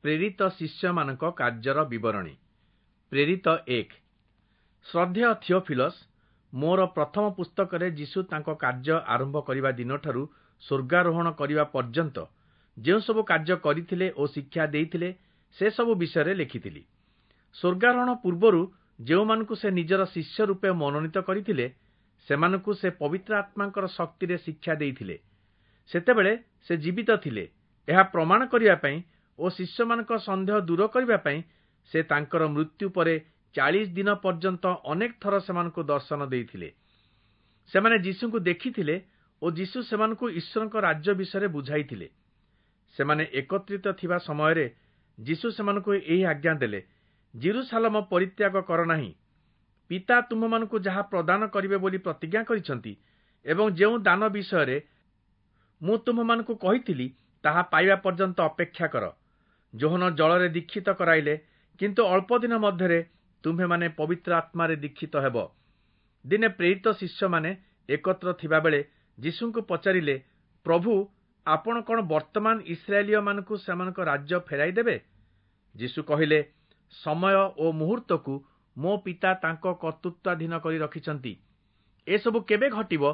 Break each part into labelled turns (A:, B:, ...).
A: ପ୍ରେରିତ ଶିଷ୍ୟମାନଙ୍କ କାର୍ଯ୍ୟର ବିବରଣୀ। ପ୍ରେରିତ 1। ଶ୍ରଦ୍ଧେୟ ଥିଓଫିଲସ୍, ମୋର ପ୍ରଥମ ପୁସ୍ତକରେ ଯୀଶୁ ତାଙ୍କ କାର୍ଯ୍ୟ ଆରମ୍ଭ କରିବା ଦିନଠାରୁ ସ୍ୱର୍ଗାରୋହଣ କରିବା ପର୍ଯ୍ୟନ୍ତ ଯେଉଁସବୁ କାର୍ଯ୍ୟ କରିଥିଲେ ଓ ଶିକ୍ଷା ଦେଇଥିଲେ, ସେସବୁ ବିଷୟରେ ଲେଖିଥିଲି। ସ୍ୱର୍ଗାରୋହଣ ପୂର୍ବରୁ ଯେଉଁମାନଙ୍କୁ ସେ ନିଜର ଶିଷ୍ୟ ରୂପେ ମନୋନୀତ କରିଥିଲେ, ସେମାନଙ୍କୁ ସେ ପବିତ୍ର ଆତ୍ମାଙ୍କର ଶକ୍ତିରେ ଶିକ୍ଷା ଦେଇଥିଲେ। ସେତେବେଳେ ସେ ଜୀବିତ ଥିଲେ, ଏହା ପ୍ରମାଣ କରିବା ପାଇଁ ଓ ଶିଷ୍ୟମାନଙ୍କ ସନ୍ଦେହ ଦୂର କରିବା ପାଇଁ ସେ ତାଙ୍କର ମୃତ୍ୟୁ ପରେ 40 ଦିନ ପର୍ଯ୍ୟନ୍ତ ଅନେକ ଥର ସେମାନଙ୍କୁ ଦର୍ଶନ ଦେଇଥିଲେ। ସେମାନେ ଯୀଶୁଙ୍କୁ ଦେଖିଥିଲେ ଓ ଯୀଶୁ ସେମାନଙ୍କୁ ଈଶ୍ୱରଙ୍କ ରାଜ୍ୟ ବିଷୟରେ ବୁଝାଇଥିଲେ। ସେମାନେ ଏକତ୍ରିତ ଥିବା ସମୟରେ ଯୀଶୁ ସେମାନଙ୍କୁ ଏହି ଆଜ୍ଞା ଦେଲେ, ଯିରୂଶାଲମ ପରିତ୍ୟାଗ କର ନାହିଁ। ପିତା ତୁମ୍ଭମାନଙ୍କୁ ଯାହା ପ୍ରଦାନ କରିବେ ବୋଲି ପ୍ରତିଜ୍ଞା କରିଛନ୍ତି ଏବଂ ଯେଉଁ ଦାନ ବିଷୟରେ ମୁଁ ତୁମ୍ଭମାନଙ୍କୁ କହିଥିଲି, ତାହା ପାଇବା ପର୍ଯ୍ୟନ୍ତ ଅପେକ୍ଷା କର। ଯୋହନ ଜଳରେ ଦୀକ୍ଷିତ କରାଇଲେ, କିନ୍ତୁ ଅଳ୍ପ ଦିନ ମଧ୍ୟରେ ତୁମ୍ଭେମାନେ ପବିତ୍ର ଆତ୍ମାରେ ଦୀକ୍ଷିତ ହେବ। ଦିନେ ପ୍ରେରିତ ଶିଷ୍ୟମାନେ ଏକତ୍ର ଥିବାବେଳେ ଯୀଶୁଙ୍କୁ ପଚାରିଲେ, ପ୍ରଭୁ, ଆପଣ କଣ ବର୍ତ୍ତମାନ ଇସ୍ରାଏଲୀୟମାନଙ୍କୁ ସେମାନଙ୍କ ରାଜ୍ୟ ଫେରାଇ ଦେବେ? ଯୀଶୁ କହିଲେ, ସମୟ ଓ ମୁହୂର୍ତ୍ତକୁ ମୋ ପିତା ତାଙ୍କ କର୍ତ୍ତୃତ୍ୱାଧୀନ କରି ରଖିଛନ୍ତି। ଏସବୁ କେବେ ଘଟିବ,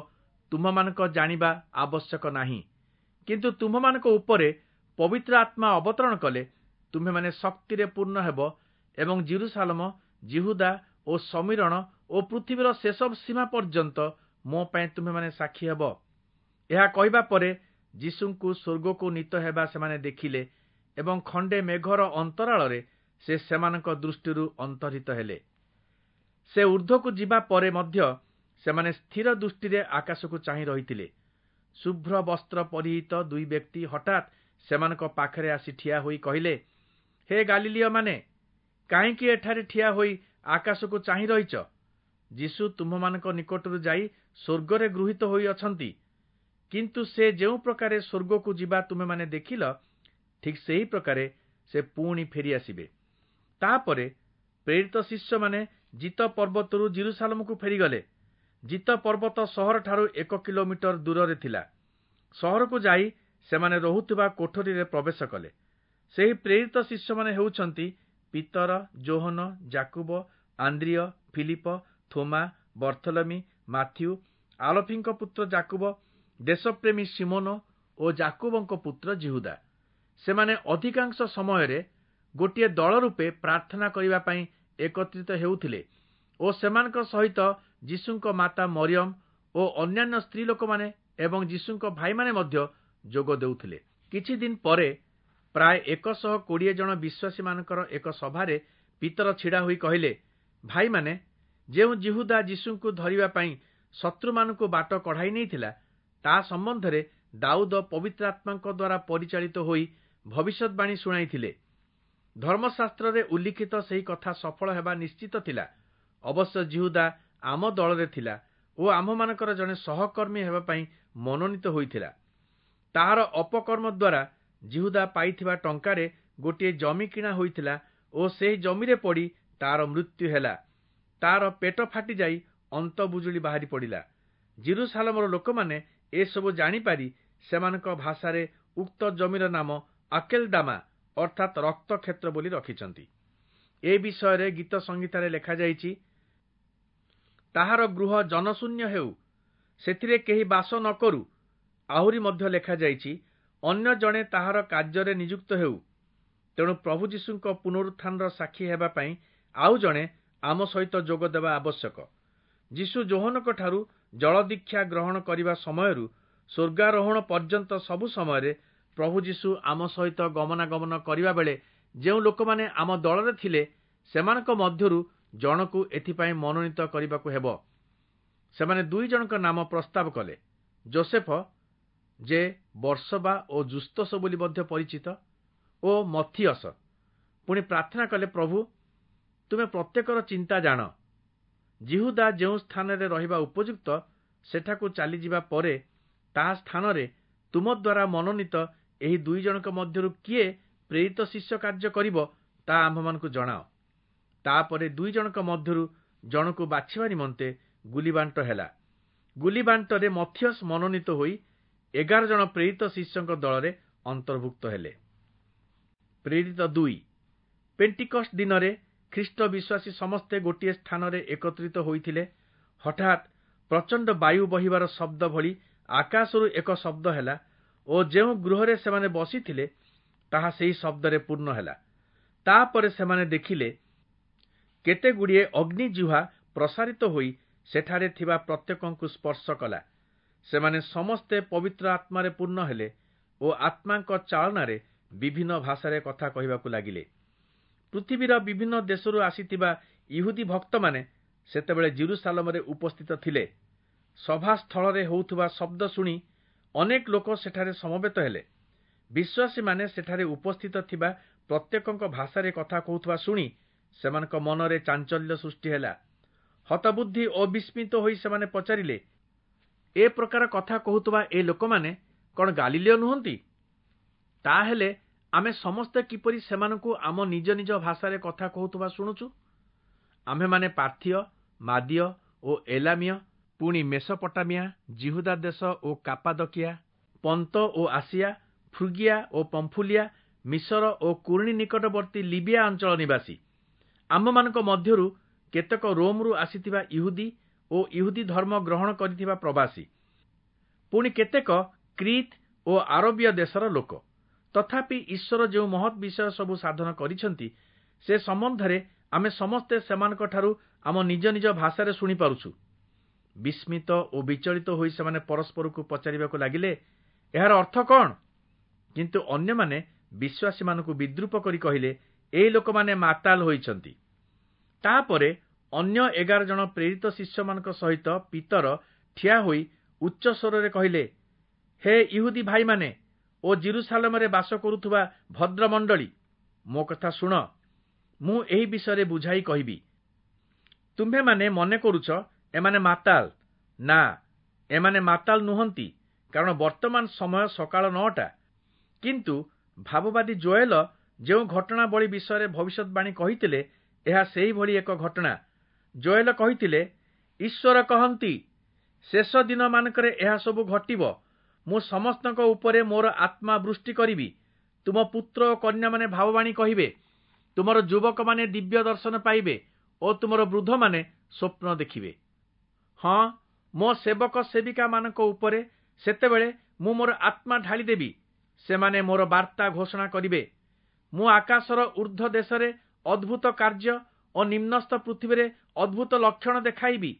A: ତୁମ୍ଭମାନଙ୍କ ଜାଣିବା ଆବଶ୍ୟକ ନାହିଁ। କିନ୍ତୁ ତୁମ୍ଭମାନଙ୍କ ଉପରେ ପବିତ୍ର ଆତ୍ମା ଅବତରଣ କଲେ ତୁମ୍ଭେମାନେ ଶକ୍ତିରେ ପୂର୍ଣ୍ଣ ହେବ ଏବଂ ଯିରୂଶାଲମ, ଯିହୁଦା ଓ ଶମିରୋଣ ଓ ପୃଥିବୀର ଶେଷ ସୀମା ପର୍ଯ୍ୟନ୍ତ ମୋ ପାଇଁ ତୁମ୍ଭେମାନେ ସାକ୍ଷୀ ହେବ। ଏହା କହିବା ପରେ ଯୀଶୁଙ୍କୁ ସ୍ୱର୍ଗକୁ ନୀତ ହେବା ସେମାନେ ଦେଖିଲେ ଏବଂ ଖଣ୍ଡେ ମେଘର ଅନ୍ତରାଳରେ ସେ ସେମାନଙ୍କ ଦୃଷ୍ଟିରୁ ଅନ୍ତର୍ହିତ ହେଲେ। ସେ ଊର୍ଦ୍ଧ୍ୱକୁ ଯିବା ପରେ ମଧ୍ୟ ସେମାନେ ସ୍ଥିର ଦୃଷ୍ଟିରେ ଆକାଶକୁ ଚାହିଁ ରହିଥିଲେ। ଶୁଭ୍ର ବସ୍ତ୍ର ପରିହିତ ଦୁଇ ବ୍ୟକ୍ତି ହଠାତ୍ ସେମାନଙ୍କ ପାଖରେ ଆସି ଠିଆ ହୋଇ କହିଲେ, ହେ ଗାଲିଲୀୟମାନେ, କାହିଁକି ଏଠାରେ ଠିଆ ହୋଇ ଆକାଶକୁ ଚାହିଁ ରହିଛ? ଯୀଶୁ ତୁମ୍ଭମାନଙ୍କ ନିକଟରୁ ଯାଇ ସ୍ୱର୍ଗରେ ଗୃହୀତ ହୋଇଅଛନ୍ତି। କିନ୍ତୁ ସେ ଯେଉଁ ପ୍ରକାରେ ସ୍ୱର୍ଗକୁ ଯିବା ତୁମେମାନେ ଦେଖିଲ, ଠିକ୍ ସେହି ପ୍ରକାରେ ସେ ପୁଣି ଫେରିଆସିବେ। ତାପରେ ପ୍ରେରିତ ଶିଷ୍ୟମାନେ ଜିତ ପର୍ବତରୁ ଯିରୂଶାଲମକୁ ଫେରିଗଲେ। ଜିତ ପର୍ବତ ସହରଠାରୁ 1 କିଲୋମିଟର ଦୂରରେ ଥିଲା। ସହରକୁ ଯାଇ ସେମାନେ ରହୁଥିବା କୋଠରୀରେ ପ୍ରବେଶ କଲେ। ସେହି ପ୍ରେରିତ ଶିଷ୍ୟମାନେ ହେଉଛନ୍ତି ପିତର, ଯୋହନ, ଯାକୁବ, ଆନ୍ଦ୍ରିୟ, ଫିଲିପ, ଥୋମା, ବର୍ଥଲମି, ମାଥ୍ୟୁ, ଆଲଫିଙ୍କ ପୁତ୍ର ଯାକୁବ, ଦେଶପ୍ରେମୀ ଶିମୋନ ଓ ଯାକୁବଙ୍କ ପୁତ୍ର ଯିହୁଦା। ସେମାନେ ଅଧିକାଂଶ ସମୟରେ ଗୋଟିଏ ଦଳ ରୂପେ ପ୍ରାର୍ଥନା କରିବା ପାଇଁ ଏକତ୍ରିତ ହେଉଥିଲେ ଓ ସେମାନଙ୍କ ସହିତ ଯୀଶୁଙ୍କ ମାତା ମରିୟମ ଓ ଅନ୍ୟାନ୍ୟ ସ୍ତ୍ରୀ ଲୋକମାନେ ଏବଂ ଯୀଶୁଙ୍କ ଭାଇମାନେ ମଧ୍ୟ ଯୋଗ ଦେଉଥିଲେ। କିଛି ଦିନ ପରେ ପ୍ରାୟ 120 ଜଣ ବିଶ୍ୱାସୀମାନଙ୍କର ଏକ ସଭାରେ ପିତର ଛିଡ଼ା ହୋଇ କହିଲେ, ଭାଇମାନେ, ଯେଉଁ ଯିହୁଦା ଯୀଶୁଙ୍କୁ ଧରିବା ପାଇଁ ଶତ୍ରୁମାନଙ୍କୁ ବାଟ କଢ଼ାଇ ନେଇଥିଲା, ତା ସମ୍ବନ୍ଧରେ ଦାଉଦ ପବିତ୍ର ଆତ୍ମାଙ୍କ ଦ୍ୱାରା ପରିଚାଳିତ ହୋଇ ଭବିଷ୍ୟତବାଣୀ ଶୁଣାଇଥିଲେ। ଧର୍ମଶାସ୍ତ୍ରରେ ଉଲ୍ଲିଖିତ ସେହି କଥା ସଫଳ ହେବା ନିଶ୍ଚିତ ଥିଲା। ଅବଶ୍ୟ ଯିହୁଦା ଆମ ଦଳରେ ଥିଲା ଓ ଆମ୍ଭମାନଙ୍କର ଜଣେ ସହକର୍ମୀ ହେବା ପାଇଁ ମନୋନୀତ ହୋଇଥିଲା। ତାହାର ଅପକର୍ମ ଦ୍ୱାରା ଯିହୁଦା ପାଇଥିବା ଟଙ୍କାରେ ଗୋଟିଏ ଜମି କିଣା ହୋଇଥିଲା ଓ ସେହି ଜମିରେ ପଡ଼ି ତାର ମୃତ୍ୟୁ ହେଲା। ତାର ପେଟ ଫାଟିଯାଇ ଅନ୍ତବୁଜୁଳି ବାହାରି ପଡ଼ିଲା। ଯିରୂଶାଲମର ଲୋକମାନେ ଏସବୁ ଜାଣିପାରି ସେମାନଙ୍କ ଭାଷାରେ ଉକ୍ତ ଜମିର ନାମ ଆକେଲଦାମା, ଅର୍ଥାତ୍ ରକ୍ତକ୍ଷେତ୍ର ବୋଲି ରଖିଛନ୍ତି। ଏ ବିଷୟରେ ଗୀତ ସଂହିତାରେ ଲେଖାଯାଇଛି, ତାହାର ଗୃହ ଜନଶୂନ୍ୟ ହେଉ, ସେଥିରେ କେହି ବାସ ନ କରୁ। ଆହୁରି ମଧ୍ୟ ଲେଖାଯାଇଛି, ଅନ୍ୟ ଜଣେ ତାହାର କାର୍ଯ୍ୟରେ ନିଯୁକ୍ତ ହେଉ। ତେଣୁ ପ୍ରଭୁ ଯୀଶୁଙ୍କ ପୁନରୁତ୍ଥାନର ସାକ୍ଷୀ ହେବା ପାଇଁ ଆଉ ଜଣେ ଆମ ସହିତ ଯୋଗ ଦେବା ଆବଶ୍ୟକ। ଯୀଶୁ ଯୋହନଙ୍କଠାରୁ ଜଳଦୀକ୍ଷା ଗ୍ରହଣ କରିବା ସମୟରୁ ସ୍ୱର୍ଗାରୋହଣ ପର୍ଯ୍ୟନ୍ତ ସବୁ ସମୟରେ ପ୍ରଭୁ ଯୀଶୁ ଆମ ସହିତ ଗମନାଗମନ କରିବା ବେଳେ ଯେଉଁ ଲୋକମାନେ ଆମ ଦଳରେ ଥିଲେ, ସେମାନଙ୍କ ମଧ୍ୟରୁ ଜଣକୁ ଏଥିପାଇଁ ମନୋନୀତ କରିବାକୁ ହେବ। ସେମାନେ ଦୁଇ ଜଣଙ୍କ ନାମ ପ୍ରସ୍ତାବ କଲେ, ଜୋସେଫ, ଯେ ବର୍ସବା ଓ ଯୁସ୍ତସ ବୋଲି ମଧ୍ୟ ପରିଚିତ, ଓ ମଥିୟସ। ପୁଣି ପ୍ରାର୍ଥନା କଲେ, ପ୍ରଭୁ, ତୁମେ ପ୍ରତ୍ୟେକର ଚିନ୍ତା ଜାଣ। ଯିହୁଦା ଯେଉଁ ସ୍ଥାନରେ ରହିବା ଉପଯୁକ୍ତ, ସେଠାକୁ ଚାଲିଯିବା ପରେ ତାହା ସ୍ଥାନରେ ତୁମ ଦ୍ୱାରା ମନୋନୀତ ଏହି ଦୁଇ ଜଣଙ୍କ ମଧ୍ୟରୁ କିଏ ପ୍ରେରିତ ଶିଷ୍ୟ କାର୍ଯ୍ୟ କରିବ, ତାହା ଆମ୍ଭମାନଙ୍କୁ ଜଣାଅ। ତାପରେ ଦୁଇ ଜଣଙ୍କ ମଧ୍ୟରୁ ଜଣକୁ ବାଛିବା ନିମନ୍ତେ ଗୁଲିବାଣ୍ଟ ହେଲା। ଗୁଲିବାଣ୍ଟରେ ମଥିୟସ ମନୋନୀତ ହୋଇ 11 ଜଣ ପ୍ରେରିତ ଶିଷ୍ୟଙ୍କ ଦଳରେ ଅନ୍ତର୍ଭୁକ୍ତ ହେଲେ। ପ୍ରେରିତ 2। ପେଣ୍ଟିକଷ୍ଟ ଦିନରେ ଖ୍ରୀଷ୍ଟ ବିଶ୍ୱାସୀ ସମସ୍ତେ ଗୋଟିଏ ସ୍ଥାନରେ ଏକତ୍ରିତ ହୋଇଥିଲେ। ହଠାତ୍ ପ୍ରଚଣ୍ଡ ବାୟୁ ବହିବାର ଶବ୍ଦ ଭଳି ଆକାଶରୁ ଏକ ଶବ୍ଦ ହେଲା ଓ ଯେଉଁ ଗୃହରେ ସେମାନେ ବସିଥିଲେ ତାହା ସେହି ଶବ୍ଦରେ ପୂର୍ଣ୍ଣ ହେଲା। ତାପରେ ସେମାନେ ଦେଖିଲେ କେତେଗୁଡ଼ିଏ ଅଗ୍ନିଜିହ୍ୱା ପ୍ରସାରିତ ହୋଇ ସେଠାରେ ଥିବା ପ୍ରତ୍ୟେକଙ୍କୁ ସ୍ପର୍ଶ କଲା। ସେମାନେ ସମସ୍ତେ ପବିତ୍ର ଆତ୍ମାରେ ପୂର୍ଣ୍ଣ ହେଲେ ଓ ଆତ୍ମାଙ୍କ ଚାଳନାରେ ବିଭିନ୍ନ ଭାଷାରେ କଥା କହିବାକୁ ଲାଗିଲେ। ପୃଥିବୀର ବିଭିନ୍ନ ଦେଶରୁ ଆସିଥିବା ଇହୁଦୀ ଭକ୍ତମାନେ ସେତେବେଳେ ଯିରୂଶାଲମରେ ଉପସ୍ଥିତ ଥିଲେ। ସଭାସ୍ଥଳରେ ହେଉଥିବା ଶବ୍ଦ ଶୁଣି ଅନେକ ଲୋକ ସେଠାରେ ସମବେତ ହେଲେ। ବିଶ୍ୱାସୀମାନେ ସେଠାରେ ଉପସ୍ଥିତ ଥିବା ପ୍ରତ୍ୟେକଙ୍କ ଭାଷାରେ କଥା କହୁଥିବା ଶୁଣି ସେମାନଙ୍କ ମନରେ ଚାଞ୍ଚଲ୍ୟ ସୃଷ୍ଟି ହେଲା। ହତବୁଦ୍ଧି ଓ ବିସ୍ମିତ ହୋଇ ସେମାନେ ପଚାରିଲେ, ଏ ପ୍ରକାର କଥା କହୁଥିବା ଏ ଲୋକମାନେ କଣ ଗାଲିଲୀୟ ନୁହନ୍ତି? ତାହେଲେ ଆମେ ସମସ୍ତେ କିପରି ସେମାନଙ୍କୁ ଆମ ନିଜ ନିଜ ଭାଷାରେ କଥା କହୁଥିବା ଶୁଣୁଛୁ? ଆମ୍ଭେମାନେ ପାର୍ଥୀୟ, ମାଦୀୟ ଓ ଏଲାମୀୟ, ପୁଣି ମେସୋପଟାମିଆ, ଯିହୁଦା ଦେଶ ଓ କାପାଦକିଆ, ପନ୍ତ ଓ ଆସିଆ, ଫ୍ରୁଗିଆ ଓ ପମ୍ଫୁଲିଆ, ମିଶର ଓ କୁର୍ଣ୍ଣି ନିକଟବର୍ତ୍ତୀ ଲିବିଆ ଅଞ୍ଚଳ ନିବାସୀ। ଆମ୍ଭମାନଙ୍କ ମଧ୍ୟରୁ କେତେକ ରୋମରୁ ଆସିଥିବା ଇହୁଦୀ ଓ ଇହୁଦୀ ଧର୍ମ ଗ୍ରହଣ କରିଥିବା ପ୍ରବାସୀ, ପୁଣି କେତେକ କ୍ରୀତ୍ ଓ ଆରବୀୟ ଦେଶର ଲୋକ। ତଥାପି ଈଶ୍ୱର ଯେଉଁ ମହତ୍ ବିଷୟ ସବୁ ସାଧନ କରିଛନ୍ତି ସେ ସମ୍ବନ୍ଧରେ ଆମେ ସମସ୍ତେ ସେମାନଙ୍କଠାରୁ ଆମ ନିଜ ନିଜ ଭାଷାରେ ଶୁଣିପାରୁଛୁ। ବିସ୍ମିତ ଓ ବିଚଳିତ ହୋଇ ସେମାନେ ପରସ୍ପରକୁ ପଚାରିବାକୁ ଲାଗିଲେ, ଏହାର ଅର୍ଥ କଣ? କିନ୍ତୁ ଅନ୍ୟମାନେ ବିଶ୍ୱାସୀମାନଙ୍କୁ ବିଦ୍ରୂପ କରି କହିଲେ, ଏହି ଲୋକମାନେ ମାତାଲ ହୋଇଛନ୍ତି। ତାପରେ ଅନ୍ୟ 11 ଜଣ ପ୍ରେରିତ ଶିଷ୍ୟମାନଙ୍କ ସହିତ ପିତର ଠିଆ ହୋଇ ଉଚ୍ଚ ସ୍ୱରରେ କହିଲେ, ହେ ଇହୁଦୀ ଭାଇମାନେ ଓ ଯିରୂଶାଲମରେ ବାସ କରୁଥିବା ଭଦ୍ରମଣ୍ଡଳୀ, ମୋ କଥା ଶୁଣ। ମୁଁ ଏହି ବିଷୟରେ ବୁଝାଇ କହିବି। ତୁମ୍ଭେମାନେ ମନେ କରୁଛ ଏମାନେ ମାତାଲ। ନା, ଏମାନେ ମାତାଲ ନୁହନ୍ତି, କାରଣ ବର୍ତ୍ତମାନ ସମୟ ସକାଳ 9ଟା। କିନ୍ତୁ ଭାବବାଦୀ ଯୋଏଲ ଯେଉଁ ଘଟଣାବଳୀ ବିଷୟରେ ଭବିଷ୍ୟତବାଣୀ କହିଥିଲେ, ଏହା ସେହିଭଳି ଏକ ଘଟଣା। ଯୋଏଲ କହିଥିଲେ, ଈଶ୍ୱର କହନ୍ତି, ଶେଷ ଦିନମାନଙ୍କରେ ଏହା ସବୁ ଘଟିବ। ମୁଁ ସମସ୍ତଙ୍କ ଉପରେ ମୋର ଆତ୍ମା ବୃଷ୍ଟି କରିବି। ତୁମ ପୁତ୍ର ଓ କନ୍ୟାମାନେ ଭାବବାଣୀ କହିବେ, ତୁମର ଯୁବକମାନେ ଦିବ୍ୟ ଦର୍ଶନ ପାଇବେ ଓ ତୁମର ବୃଦ୍ଧମାନେ ସ୍ୱପ୍ନ ଦେଖିବେ। ହଁ, ମୋ ସେବକ ସେବିକାମାନଙ୍କ ଉପରେ ସେତେବେଳେ ମୁଁ ମୋର ଆତ୍ମା ଢାଳିଦେବି। ସେମାନେ ମୋର ବାର୍ତ୍ତା ଘୋଷଣା କରିବେ। ମୁଁ ଆକାଶର ଊର୍ଦ୍ଧ୍ୱ ଦେଶରେ ଅଦ୍ଭୁତ କାର୍ଯ୍ୟ ଓ ନିମ୍ନସ୍ଥ ପୃଥିବୀରେ ଅଦ୍ଭୁତ ଲକ୍ଷଣ ଦେଖାଇବି।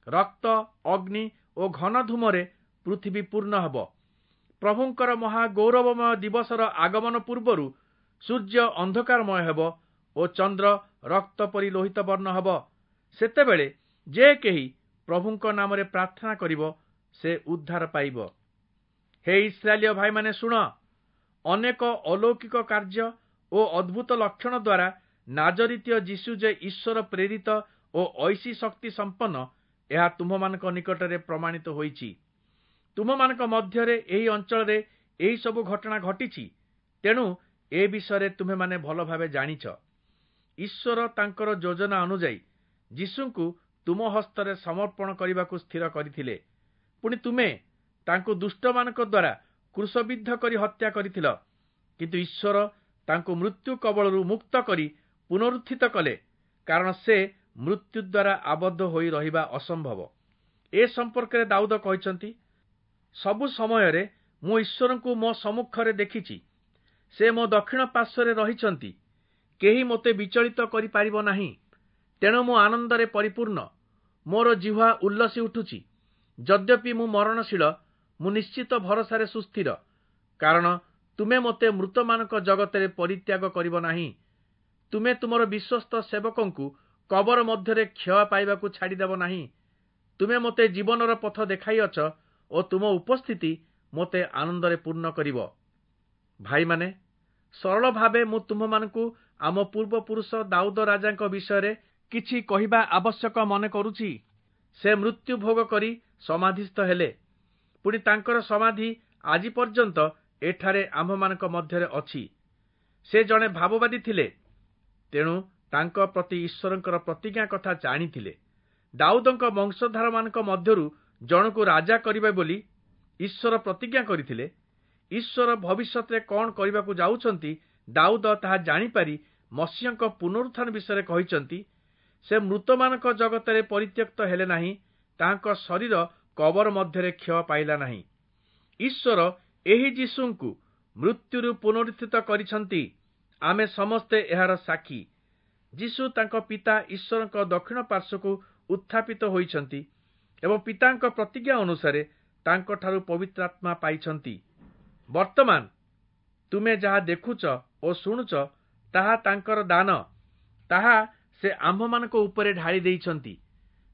A: ରକ୍ତ, ଅଗ୍ନି ଓ ଘନ ଧୂମରେ ପୃଥିବୀ ପୂର୍ଣ୍ଣ ହେବ। ପ୍ରଭୁଙ୍କର ମହା ଗୌରବମୟ ଦିବସର ଆଗମନ ପୂର୍ବରୁ ସୂର୍ଯ୍ୟ ଅନ୍ଧକାରମୟ ହେବ ଓ ଚନ୍ଦ୍ର ରକ୍ତ ପରି ଲୋହିତ ବର୍ଣ୍ଣ ହେବ। ସେତେବେଳେ ଯେ କେହି ପ୍ରଭୁଙ୍କ ନାମରେ ପ୍ରାର୍ଥନା କରିବ ସେ ଉଦ୍ଧାର ପାଇବ। ହେ ଇସ୍ରାଏଲୀୟ ଭାଇମାନେ ଶୁଣ, ଅନେକ ଅଲୌକିକ କାର୍ଯ୍ୟ ଓ ଅଦ୍ଭୁତ ଲକ୍ଷଣ ଦ୍ୱାରା ନାଜରିତୀୟ ଯୀଶୁ ଯେ ଈଶ୍ୱର ପ୍ରେରିତ ଓ ଐଶୀ ଶକ୍ତି ସମ୍ପନ୍ନ, ଏହା ତୁମ୍ଭମାନଙ୍କ ନିକଟରେ ପ୍ରମାଣିତ ହୋଇଛି। ତୁମମାନଙ୍କ ମଧ୍ୟରେ ଏହି ଅଞ୍ଚଳରେ ଏହି ସବୁ ଘଟଣା ଘଟିଛି, ତେଣୁ ଏ ବିଷୟରେ ତୁମେମାନେ ଭଲ ଭାବେ ଜାଣିଛ। ଈଶ୍ୱର ତାଙ୍କର ଯୋଜନା ଅନୁଯାୟୀ ଯୀଶୁଙ୍କୁ ତୁମ ହସ୍ତରେ ସମର୍ପଣ କରିବାକୁ ସ୍ଥିର କରିଥିଲେ। ପୁଣି ତୁମେ ତାଙ୍କୁ ଦୁଷ୍ଟମାନଙ୍କ ଦ୍ୱାରା କ୍ରୁଶବିଦ୍ଧ କରି ହତ୍ୟା କରିଥିଲ। କିନ୍ତୁ ଈଶ୍ୱର ତାଙ୍କୁ ମୃତ୍ୟୁ କବଳରୁ ମୁକ୍ତ କରି ପୁନରୁତ୍ଥିତ କଲେ, କାରଣ ସେ ମୃତ୍ୟୁ ଦ୍ୱାରା ଆବଦ୍ଧ ହୋଇ ରହିବା ଅସମ୍ଭବ। ଏ ସମ୍ପର୍କରେ ଦାଉଦ କହିଛନ୍ତି, ସବୁ ସମୟରେ ମୁଁ ଈଶ୍ୱରଙ୍କୁ ମୋ ସମ୍ମୁଖରେ ଦେଖିଛି। ସେ ମୋ ଦକ୍ଷିଣ ପାର୍ଶ୍ୱରେ ରହିଛନ୍ତି, କେହି ମୋତେ ବିଚଳିତ କରିପାରିବ ନାହିଁ। ତେଣୁ ମୁଁ ଆନନ୍ଦରେ ପରିପୂର୍ଣ୍ଣ, ମୋର ଜିହ୍ୱା ଉଲ୍ଲସି ଉଠୁଛି। ଯଦ୍ୟପି ମୁଁ ମରଣଶୀଳ, ମୁଁ ନିଶ୍ଚିତ ଭରସାରେ ସୁସ୍ଥିର, କାରଣ ତୁମେ ମୋତେ ମୃତମାନଙ୍କ ଜଗତରେ ପରିତ୍ୟାଗ କରିବ ନାହିଁ। ତୁମେ ତୁମର ବିଶ୍ୱସ୍ତ ସେବକଙ୍କୁ କବର ମଧ୍ୟରେ କ୍ଷୟ ପାଇବାକୁ ଛାଡ଼ିଦେବ ନାହିଁ। ତୁମେ ମୋତେ ଜୀବନର ପଥ ଦେଖାଇଅଛ ଓ ତୁମ ଉପସ୍ଥିତି ମୋତେ ଆନନ୍ଦରେ ପୂର୍ଣ୍ଣ କରିବ। ଭାଇମାନେ, ସରଳ ଭାବେ ମୁଁ ତୁମ୍ଭମାନଙ୍କୁ ଆମ ପୂର୍ବପୁରୁଷ ଦାଉଦ ରାଜାଙ୍କ ବିଷୟରେ କିଛି କହିବା ଆବଶ୍ୟକ ମନେ କରୁଛି। ସେ ମୃତ୍ୟୁ ଭୋଗ କରି ସମାଧିସ୍ଥ ହେଲେ, ପୁଣି ତାଙ୍କର ସମାଧି ଆଜି ପର୍ଯ୍ୟନ୍ତ ଏଠାରେ ଆମ୍ଭମାନଙ୍କ ମଧ୍ୟରେ ଅଛି। ସେ ଜଣେ ଭାବବାଦୀ ଥିଲେ, ତେଣୁ ତାଙ୍କ ପ୍ରତି ଈଶ୍ୱରଙ୍କର ପ୍ରତିଜ୍ଞା କଥା ଜାଣିଥିଲେ। ଦାଉଦଙ୍କ ବଂଶଧାରମାନଙ୍କ ମଧ୍ୟରୁ ଜଣକୁ ରାଜା କରିବେ ବୋଲି ଈଶ୍ୱର ପ୍ରତିଜ୍ଞା କରିଥିଲେ। ଈଶ୍ୱର ଭବିଷ୍ୟତରେ କଣ କରିବାକୁ ଯାଉଛନ୍ତି ଦାଉଦ ତାହା ଜାଣିପାରି ମସିହଙ୍କ ପୁନରୁତ୍ଥାନ ବିଷୟରେ କହିଛନ୍ତି, ସେ ମୃତମାନଙ୍କ ଜଗତରେ ପରିତ୍ୟକ୍ତ ହେଲେ ନାହିଁ, ତାହାଙ୍କ ଶରୀର କବର ମଧ୍ୟରେ କ୍ଷୟ ପାଇଲା ନାହିଁ। ଈଶ୍ୱର ଏହି ଯୀଶୁଙ୍କୁ ମୃତ୍ୟୁରୁ ପୁନରୁତ୍ଥିତ କରିଛନ୍ତି, ଆମେ ସମସ୍ତେ ଏହାର ସାକ୍ଷୀ। ଯୀଶୁ ତାଙ୍କ ପିତା ଈଶ୍ୱରଙ୍କ ଦକ୍ଷିଣ ପାର୍ଶ୍ୱକୁ ଉତ୍ଥାପିତ ହୋଇଛନ୍ତି ଏବଂ ପିତାଙ୍କ ପ୍ରତିଜ୍ଞା ଅନୁସାରେ ତାଙ୍କଠାରୁ ପବିତ୍ରାତ୍ମା ପାଇଛନ୍ତି। ବର୍ତ୍ତମାନ ତୁମେ ଯାହା ଦେଖୁଛ ଓ ଶୁଣୁଛ ତାହା ତାଙ୍କର ଦାନ, ତାହା ସେ ଆମ୍ଭମାନଙ୍କ ଉପରେ ଢାଳି ଦେଇଛନ୍ତି।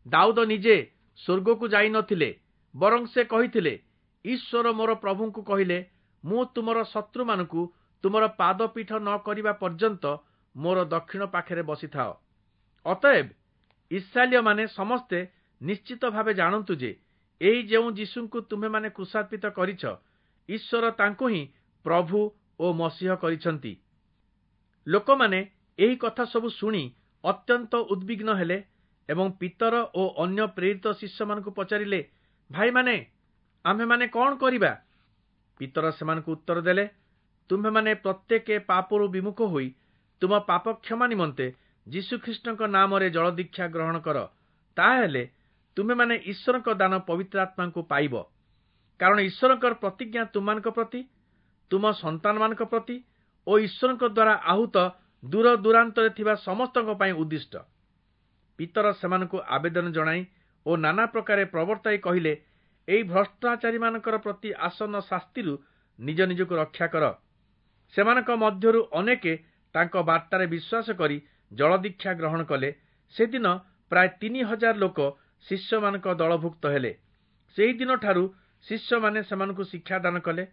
A: ଦାଉଦ ନିଜେ ସ୍ୱର୍ଗକୁ ଯାଇନଥିଲେ, ବରଂ ସେ କହିଥିଲେ, ଈଶ୍ୱର ମୋର ପ୍ରଭୁଙ୍କୁ କହିଲେ, ମୁଁ ତୁମର ଶତ୍ରୁମାନଙ୍କୁ ତୁମର ପାଦପୀଠ ନ କରିବା ପର୍ଯ୍ୟନ୍ତ ମୋର ଦକ୍ଷିଣ ପାଖରେ ବସିଥାଅ। ଅତଏବ ଇସ୍ରାଏଲୀୟମାନେ ସମସ୍ତେ ନିଶ୍ଚିତ ଭାବେ ଜାଣନ୍ତୁ ଯେ ଏହି ଯେଉଁ ଯୀଶୁଙ୍କୁ ତୁମ୍ଭେମାନେ କ୍ରୁଶାର୍ପିତ କରିଛ, ଈଶ୍ୱର ତାଙ୍କୁ ହିଁ ପ୍ରଭୁ ଓ ମସିହ କରିଛନ୍ତି। ଲୋକମାନେ ଏହି କଥା ସବୁ ଶୁଣି ଅତ୍ୟନ୍ତ ଉଦ୍ବିଗ୍ନ ହେଲେ ଏବଂ ପିତର ଓ ଅନ୍ୟ ପ୍ରେରିତ ଶିଷ୍ୟମାନଙ୍କୁ ପଚାରିଲେ, ଭାଇମାନେ, ଆମ୍ଭେମାନେ କଣ କରିବା? ପିତର ସେମାନଙ୍କୁ ଉତ୍ତର ଦେଲେ, ତୁମ୍ଭେମାନେ ପ୍ରତ୍ୟେକେ ପାପରୁ ବିମୁଖ ହୋଇ ତୁମ ପାପ କ୍ଷମା ନିମନ୍ତେ ଯୀଶୁଖ୍ରୀଷ୍ଟଙ୍କ ନାମରେ ଜଳଦୀକ୍ଷା ଗ୍ରହଣ କର, ତାହାହେଲେ ତୁମ୍ଭେମାନେ ଈଶ୍ୱରଙ୍କ ଦାନ ପବିତ୍ର ଆତ୍ମାଙ୍କୁ ପାଇବ। କାରଣ ଈଶ୍ୱରଙ୍କର ପ୍ରତିଜ୍ଞା ତୁମମାନଙ୍କ ପ୍ରତି, ତୁମ ସନ୍ତାନମାନଙ୍କ ପ୍ରତି ଓ ଈଶ୍ୱରଙ୍କ ଦ୍ୱାରା ଆହୁତ ଦୂର ଦୂରାନ୍ତରେ ଥିବା ସମସ୍ତଙ୍କ ପାଇଁ ଉଦ୍ଦିଷ୍ଟ। ପିତର ସେମାନଙ୍କୁ ଆବେଦନ ଜଣାଇ ଓ ନାନା ପ୍ରକାରେ ପ୍ରବର୍ତ୍ତାଇ କହିଲେ, ଏହି ଭ୍ରଷ୍ଟାଚାରୀମାନଙ୍କର ପ୍ରତି ଆସନ୍ନ ଶାସ୍ତିରୁ ନିଜ ନିଜକୁ ରକ୍ଷା କର। ସେମାନଙ୍କ ମଧ୍ୟରୁ ଅନେକେ ତାଙ୍କ ବାର୍ତ୍ତାରେ ବିଶ୍ୱାସ କରି ଜଳଦୀକ୍ଷା ଗ୍ରହଣ କଲେ। ସେଦିନ ପ୍ରାୟ 3000 ଲୋକ ଶିଷ୍ୟମାନଙ୍କ ଦଳଭୁକ୍ତ ହେଲେ। ସେହିଦିନଠାରୁ ଶିଷ୍ୟମାନେ ସେମାନଙ୍କୁ ଶିକ୍ଷାଦାନ କଲେ।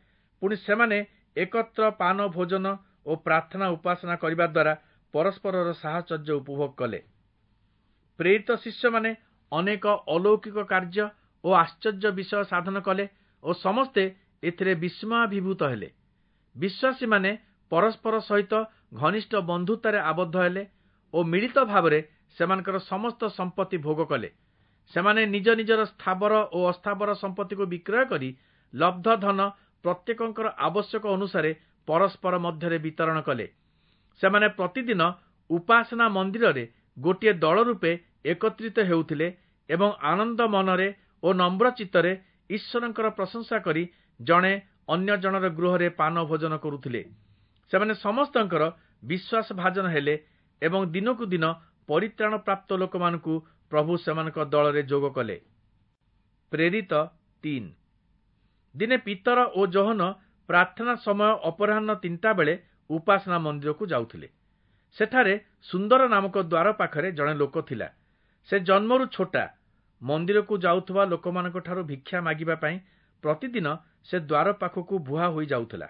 A: ପୁଣି ସେମାନେ ଏକତ୍ର ପାନ ଭୋଜନ ଓ ପ୍ରାର୍ଥନା ଉପାସନା କରିବା ଦ୍ୱାରା ପରସ୍ପରର ସାହଚର୍ଯ୍ୟ ଉପଭୋଗ କଲେ। ପ୍ରେରିତ ଶିଷ୍ୟମାନେ ଅନେକ ଅଲୌକିକ କାର୍ଯ୍ୟ ଓ ଆଶ୍ଚର୍ଯ୍ୟ ବିଷୟ ସାଧନ କଲେ ଓ ସମସ୍ତେ ଏଥିରେ ବିସ୍ମୟାଭିଭୂତ ହେଲେ। ବିଶ୍ୱାସୀମାନେ ପରସ୍ପର ସହିତ ଘନିଷ୍ଠ ବନ୍ଧୁତାରେ ଆବଦ୍ଧ ହେଲେ ଓ ମିଳିତ ଭାବରେ ସେମାନଙ୍କର ସମସ୍ତ ସମ୍ପତ୍ତି ଭୋଗ କଲେ। ସେମାନେ ନିଜ ନିଜର ସ୍ଥାବର ଓ ଅସ୍ଥାବର ସମ୍ପତ୍ତିକୁ ବିକ୍ରୟ କରି ଲବ୍ଧ ଧନ ପ୍ରତ୍ୟେକଙ୍କର ଆବଶ୍ୟକ ଅନୁସାରେ ପରସ୍ପର ମଧ୍ୟରେ ବିତରଣ କଲେ। ସେମାନେ ପ୍ରତିଦିନ ଉପାସନା ମନ୍ଦିରରେ ଗୋଟିଏ ଦଳ ରୂପେ ଏକତ୍ରିତ ହେଉଥିଲେ ଏବଂ ଆନନ୍ଦ ମନରେ ଓ ନମ୍ର ଚିତ୍ତରେ ଈଶ୍ୱରଙ୍କର ପ୍ରଶଂସା କରି ଜଣେ ଅନ୍ୟ ଜଣର ଗୃହରେ ପାନ ଭୋଜନ କରୁଥିଲେ। ସେମାନେ ସମସ୍ତଙ୍କର ବିଶ୍ୱାସ ଭାଜନ ହେଲେ ଏବଂ ଦିନକୁ ଦିନ ପରିତ୍ରାଣ ପ୍ରାପ୍ତ ଲୋକମାନଙ୍କୁ ପ୍ରଭୁ ସେମାନଙ୍କ ଦଳରେ ଯୋଗ କଲେ। ପ୍ରେରିତ 3। ଦିନେ ପିତର ଓ ଯୋହନ ପ୍ରାର୍ଥନା ସମୟ ଅପରାହ୍ନ 3ଟା ବେଳେ ଉପାସନା ମନ୍ଦିରକୁ ଯାଉଥିଲେ। ସେଠାରେ ସୁନ୍ଦର ନାମକ ଦ୍ୱାର ପାଖରେ ଜଣେ ଲୋକ ଥିଲା। ସେ ଜନ୍ମରୁ ଛୋଟା। ମନ୍ଦିରକୁ ଯାଉଥିବା ଲୋକମାନଙ୍କଠାରୁ ଭିକ୍ଷା ମାଗିବା ପାଇଁ ପ୍ରତିଦିନ ସେ ଦ୍ୱାର ପାଖକୁ ବୁହା ହୋଇ ଯାଉଥିଲା।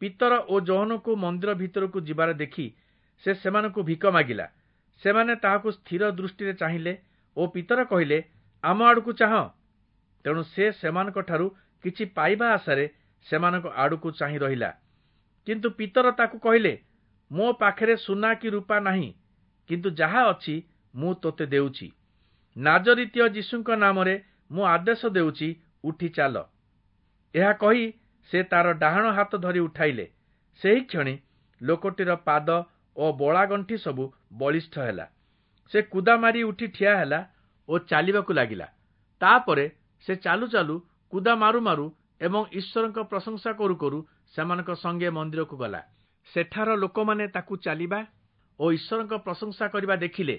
A: ପିତର ଓ ଯୋହନଙ୍କୁ ମନ୍ଦିର ଭିତରକୁ ଯିବାର ଦେଖି ସେ ସେମାନଙ୍କୁ ଭିକ ମାଗିଲା। ସେମାନେ ତାହାକୁ ସ୍ଥିର ଦୃଷ୍ଟିରେ ଚାହିଁଲେ ଓ ପିତର କହିଲେ, ଆମ ଆଡ଼କୁ ଚାହଁ। ତେଣୁ ସେ ସେମାନଙ୍କଠାରୁ କିଛି ପାଇବା ଆଶାରେ ସେମାନଙ୍କ ଆଡ଼କୁ ଚାହିଁ ରହିଲା। କିନ୍ତୁ ପିତର ତାକୁ କହିଲେ, ମୋ ପାଖରେ ସୁନା କି ରୂପା ନାହିଁ, କିନ୍ତୁ ଯାହା ଅଛି ମୁଁ ତୋତେ ଦେଉଛି। ନାଜରିତୀୟ ଯୀଶୁଙ୍କ ନାମରେ ମୁଁ ଆଦେଶ ଦେଉଛି, ଉଠି ଚାଲ। ଏହା କହି ସେ ତାର ଡାହାଣ ହାତ ଧରି ଉଠାଇଲେ। ସେହି କ୍ଷଣି ଲୋକଟିର ପାଦ ଓ ବଳାଗଣ୍ଠି ସବୁ ବଳିଷ୍ଠ ହେଲା। ସେ କୁଦା ମାରି ଉଠି ଠିଆ ହେଲା ଓ ଚାଲିବାକୁ ଲାଗିଲା। ତାପରେ ସେ ଚାଲୁ ଚାଲୁ କୁଦା ମାରୁ ମାରୁ ଏବଂ ଈଶ୍ୱରଙ୍କ ପ୍ରଶଂସା କରୁ କରୁ ସେମାନଙ୍କ ସଙ୍ଗେ ମନ୍ଦିରକୁ ଗଲା। ସେଠାର ଲୋକମାନେ ତାକୁ ଚାଲିବା ଓ ଈଶ୍ୱରଙ୍କ ପ୍ରଶଂସା କରିବା ଦେଖିଲେ।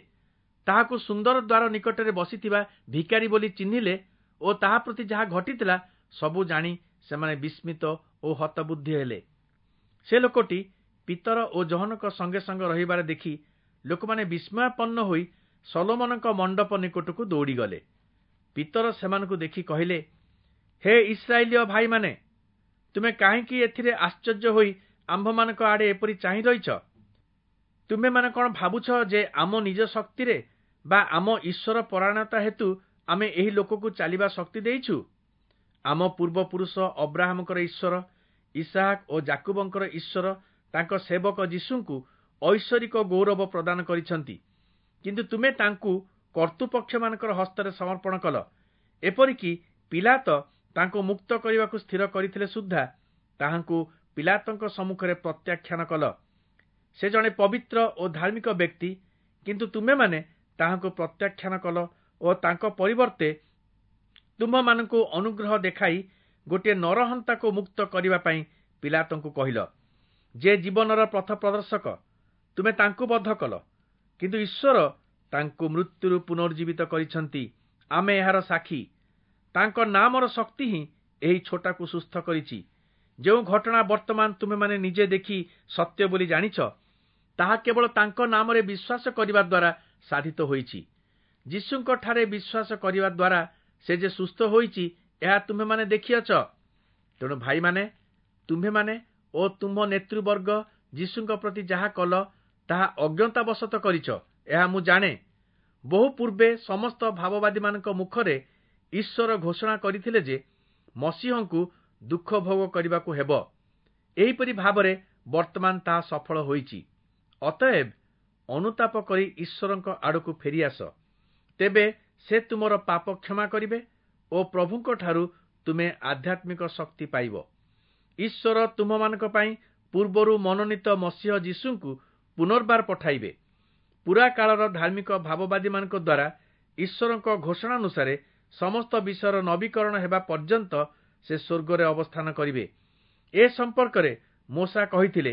A: ତାହାକୁ ସୁନ୍ଦର ଦ୍ୱାର ନିକଟରେ ବସିଥିବା ଭିକାରୀ ବୋଲି ଚିହ୍ନିଲେ ଓ ତାହା ପ୍ରତି ଯାହା ଘଟିଥିଲା ସବୁ ଜାଣି ସେମାନେ ବିସ୍ମିତ ଓ ହତବୁଦ୍ଧି ହେଲେ। ସେ ଲୋକଟି ପିତର ଓ ଯୋହନଙ୍କ ସଙ୍ଗେ ସଙ୍ଗେ ରହିବାର ଦେଖି ଲୋକମାନେ ବିସ୍ମୟାପନ୍ନ ହୋଇ ସଲୋମନଙ୍କ ମଣ୍ଡପ ନିକଟକୁ ଦୌଡ଼ିଗଲେ। ପିତର ସେମାନଙ୍କୁ ଦେଖି କହିଲେ, ହେ ଇସ୍ରାଏଲୀୟ ଭାଇମାନେ, ତୁମେ କାହିଁକି ଏଥିରେ ଆଶ୍ଚର୍ଯ୍ୟ ହୋଇ ଆମ୍ଭମାନଙ୍କ ଆଡ଼େ ଏପରି ଚାହିଁ ରହିଛ? ତୁମେମାନେ କଣ ଭାବୁଛ ଯେ ଆମ ନିଜ ଶକ୍ତିରେ ବା ଆମ ଈଶ୍ୱର ପରାୟଣତା ହେତୁ ଆମେ ଏହି ଲୋକକୁ ଚାଲିବା ଶକ୍ତି ଦେଇଛୁ? ଆମ ପୂର୍ବପୁରୁଷ ଅବ୍ରାହମଙ୍କର ଈଶ୍ୱର, ଇସାହାକ ଓ ଯାକୁବଙ୍କର ଈଶ୍ୱର ତାଙ୍କ ସେବକ ଯୀଶୁଙ୍କୁ ଐଶ୍ୱରିକ ଗୌରବ ପ୍ରଦାନ କରିଛନ୍ତି। କିନ୍ତୁ ତୁମେ ତାଙ୍କୁ କର୍ତ୍ତୃପକ୍ଷମାନଙ୍କର ହସ୍ତରେ ସମର୍ପଣ କଲ। ଏପରିକି ପିଲାତ ତାଙ୍କୁ ମୁକ୍ତ କରିବାକୁ ସ୍ଥିର କରିଥିଲେ ସୁଦ୍ଧା ତାହାଙ୍କୁ ପିଲାତଙ୍କ ସମ୍ମୁଖରେ ପ୍ରତ୍ୟାଖ୍ୟାନ କଲ। ସେ ଜଣେ ପବିତ୍ର ଓ ଧାର୍ମିକ ବ୍ୟକ୍ତି, କିନ୍ତୁ ତୁମେମାନେ ତାହାଙ୍କୁ ପ୍ରତ୍ୟାଖ୍ୟାନ କଲ ଓ ତାଙ୍କ ପରିବର୍ତ୍ତେ ତୁମ୍ଭମାନଙ୍କୁ ଅନୁଗ୍ରହ ଦେଖାଇ ଗୋଟିଏ ନରହନ୍ତାକୁ ମୁକ୍ତ କରିବା ପାଇଁ ପିଲାତଙ୍କୁ କହିଲ। ଯେ ଜୀବନର ପଥ ପ୍ରଦର୍ଶକ, ତୁମେ ତାଙ୍କୁ ବଧ କଲ, କିନ୍ତୁ ଈଶ୍ୱର ତାଙ୍କୁ ମୃତ୍ୟୁରୁ ପୁନର୍ଜୀବିତ କରିଛନ୍ତି। ଆମେ ଏହାର ସାକ୍ଷୀ। ତାଙ୍କ ନାମର ଶକ୍ତି ହିଁ ଏହି ଛୋଟାକୁ ସୁସ୍ଥ କରିଛି। ଯେଉଁ ଘଟଣା ବର୍ତ୍ତମାନ ତୁମେମାନେ ନିଜେ ଦେଖି ସତ୍ୟ ବୋଲି ଜାଣିଛ, ତାହା କେବଳ ତାଙ୍କ ନାମରେ ବିଶ୍ୱାସ କରିବା ଦ୍ୱାରା ସାଧିତ ହୋଇଛି। ଯୀଶୁଙ୍କଠାରେ ବିଶ୍ୱାସ କରିବା ଦ୍ୱାରା ସେ ଯେ ସୁସ୍ଥ ହୋଇଛି, ଏହା ତୁମ୍ଭେମାନେ ଦେଖିଅଛ। ତେଣୁ ଭାଇମାନେ, ତୁମ୍ଭେମାନେ ଓ ତୁମ୍ଭ ନେତୃବର୍ଗ ଯୀଶୁଙ୍କ ପ୍ରତି ଯାହା କଲ, ତାହା ଅଜ୍ଞତାବଶତଃ କରିଛ, ଏହା ମୁଁ ଜାଣେ। ବହୁ ପୂର୍ବେ ସମସ୍ତ ଭାବବାଦୀମାନଙ୍କ ମୁଖରେ ଈଶ୍ୱର ଘୋଷଣା କରିଥିଲେ ଯେ ମସିହଙ୍କୁ ଦୁଃଖ ଭୋଗ କରିବାକୁ ହେବ। ଏହିପରି ଭାବରେ ବର୍ତ୍ତମାନ ତାହା ସଫଳ ହୋଇଛି। ଅତଏବ ଅନୁତାପ କରି ଈଶ୍ୱରଙ୍କ ଆଡ଼କୁ ଫେରିଆସ, ତେବେ ସେ ତୁମର ପାପ କ୍ଷମା କରିବେ ଓ ପ୍ରଭୁଙ୍କଠାରୁ ତୁମେ ଆଧ୍ୟାତ୍ମିକ ଶକ୍ତି ପାଇବ। ଈଶ୍ୱର ତୁମମାନଙ୍କ ପାଇଁ ପୂର୍ବରୁ ମନୋନୀତ ମସିହ ଯୀଶୁଙ୍କୁ ପୁନର୍ବାର ପଠାଇବେ। ପୁରା କାଳର ଧାର୍ମିକ ଭାବବାଦୀମାନଙ୍କ ଦ୍ୱାରା ଈଶ୍ୱରଙ୍କ ଘୋଷଣାନୁସାରେ ସମସ୍ତ ବିଷୟର ନବୀକରଣ ହେବା ପର୍ଯ୍ୟନ୍ତ ସେ ସ୍ୱର୍ଗରେ ଅବସ୍ଥାନ କରିବେ। ଏ ସମ୍ପର୍କରେ ମୋଶା କହିଥିଲେ,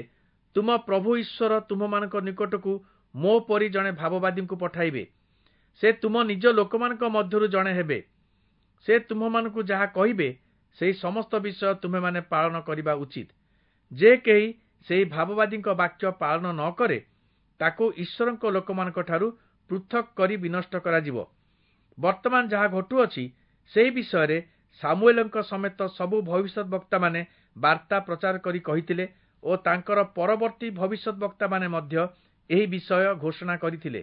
A: ତୁମ ପ୍ରଭୁ ଈଶ୍ୱର ତୁମମାନଙ୍କ ନିକଟକୁ ମୋ ପରି ଜଣେ ଭାବବାଦୀଙ୍କୁ ପଠାଇବେ। ସେ ତୁମ ନିଜ ଲୋକମାନଙ୍କ ମଧ୍ୟରୁ ଜଣେ ହେବେ। ସେ ତୁମ୍ଭମାନଙ୍କୁ ଯାହା କହିବେ, ସେହି ସମସ୍ତ ବିଷୟ ତୁମେମାନେ ପାଳନ କରିବା ଉଚିତ। ଯେ କେହି ସେହି ଭାବବାଦୀଙ୍କ ବାକ୍ୟ ପାଳନ ନ କରେ, ତାକୁ ଈଶ୍ୱରଙ୍କ ଲୋକମାନଙ୍କଠାରୁ ପୃଥକ କରି ବିନଷ୍ଟ କରାଯିବ। ବର୍ତ୍ତମାନ ଯାହା ଘଟୁଅଛି, ସେହି ବିଷୟରେ ସାମୁଏଲଙ୍କ ସମେତ ସବୁ ଭବିଷ୍ୟତ ବକ୍ତାମାନେ ବାର୍ତ୍ତା ପ୍ରଚାର କରି କହିଥିଲେ ଓ ତାଙ୍କର ପରବର୍ତ୍ତୀ ଭବିଷ୍ୟତ ବକ୍ତାମାନେ ମଧ୍ୟ ଏହି ବିଷୟ ଘୋଷଣା କରିଥିଲେ।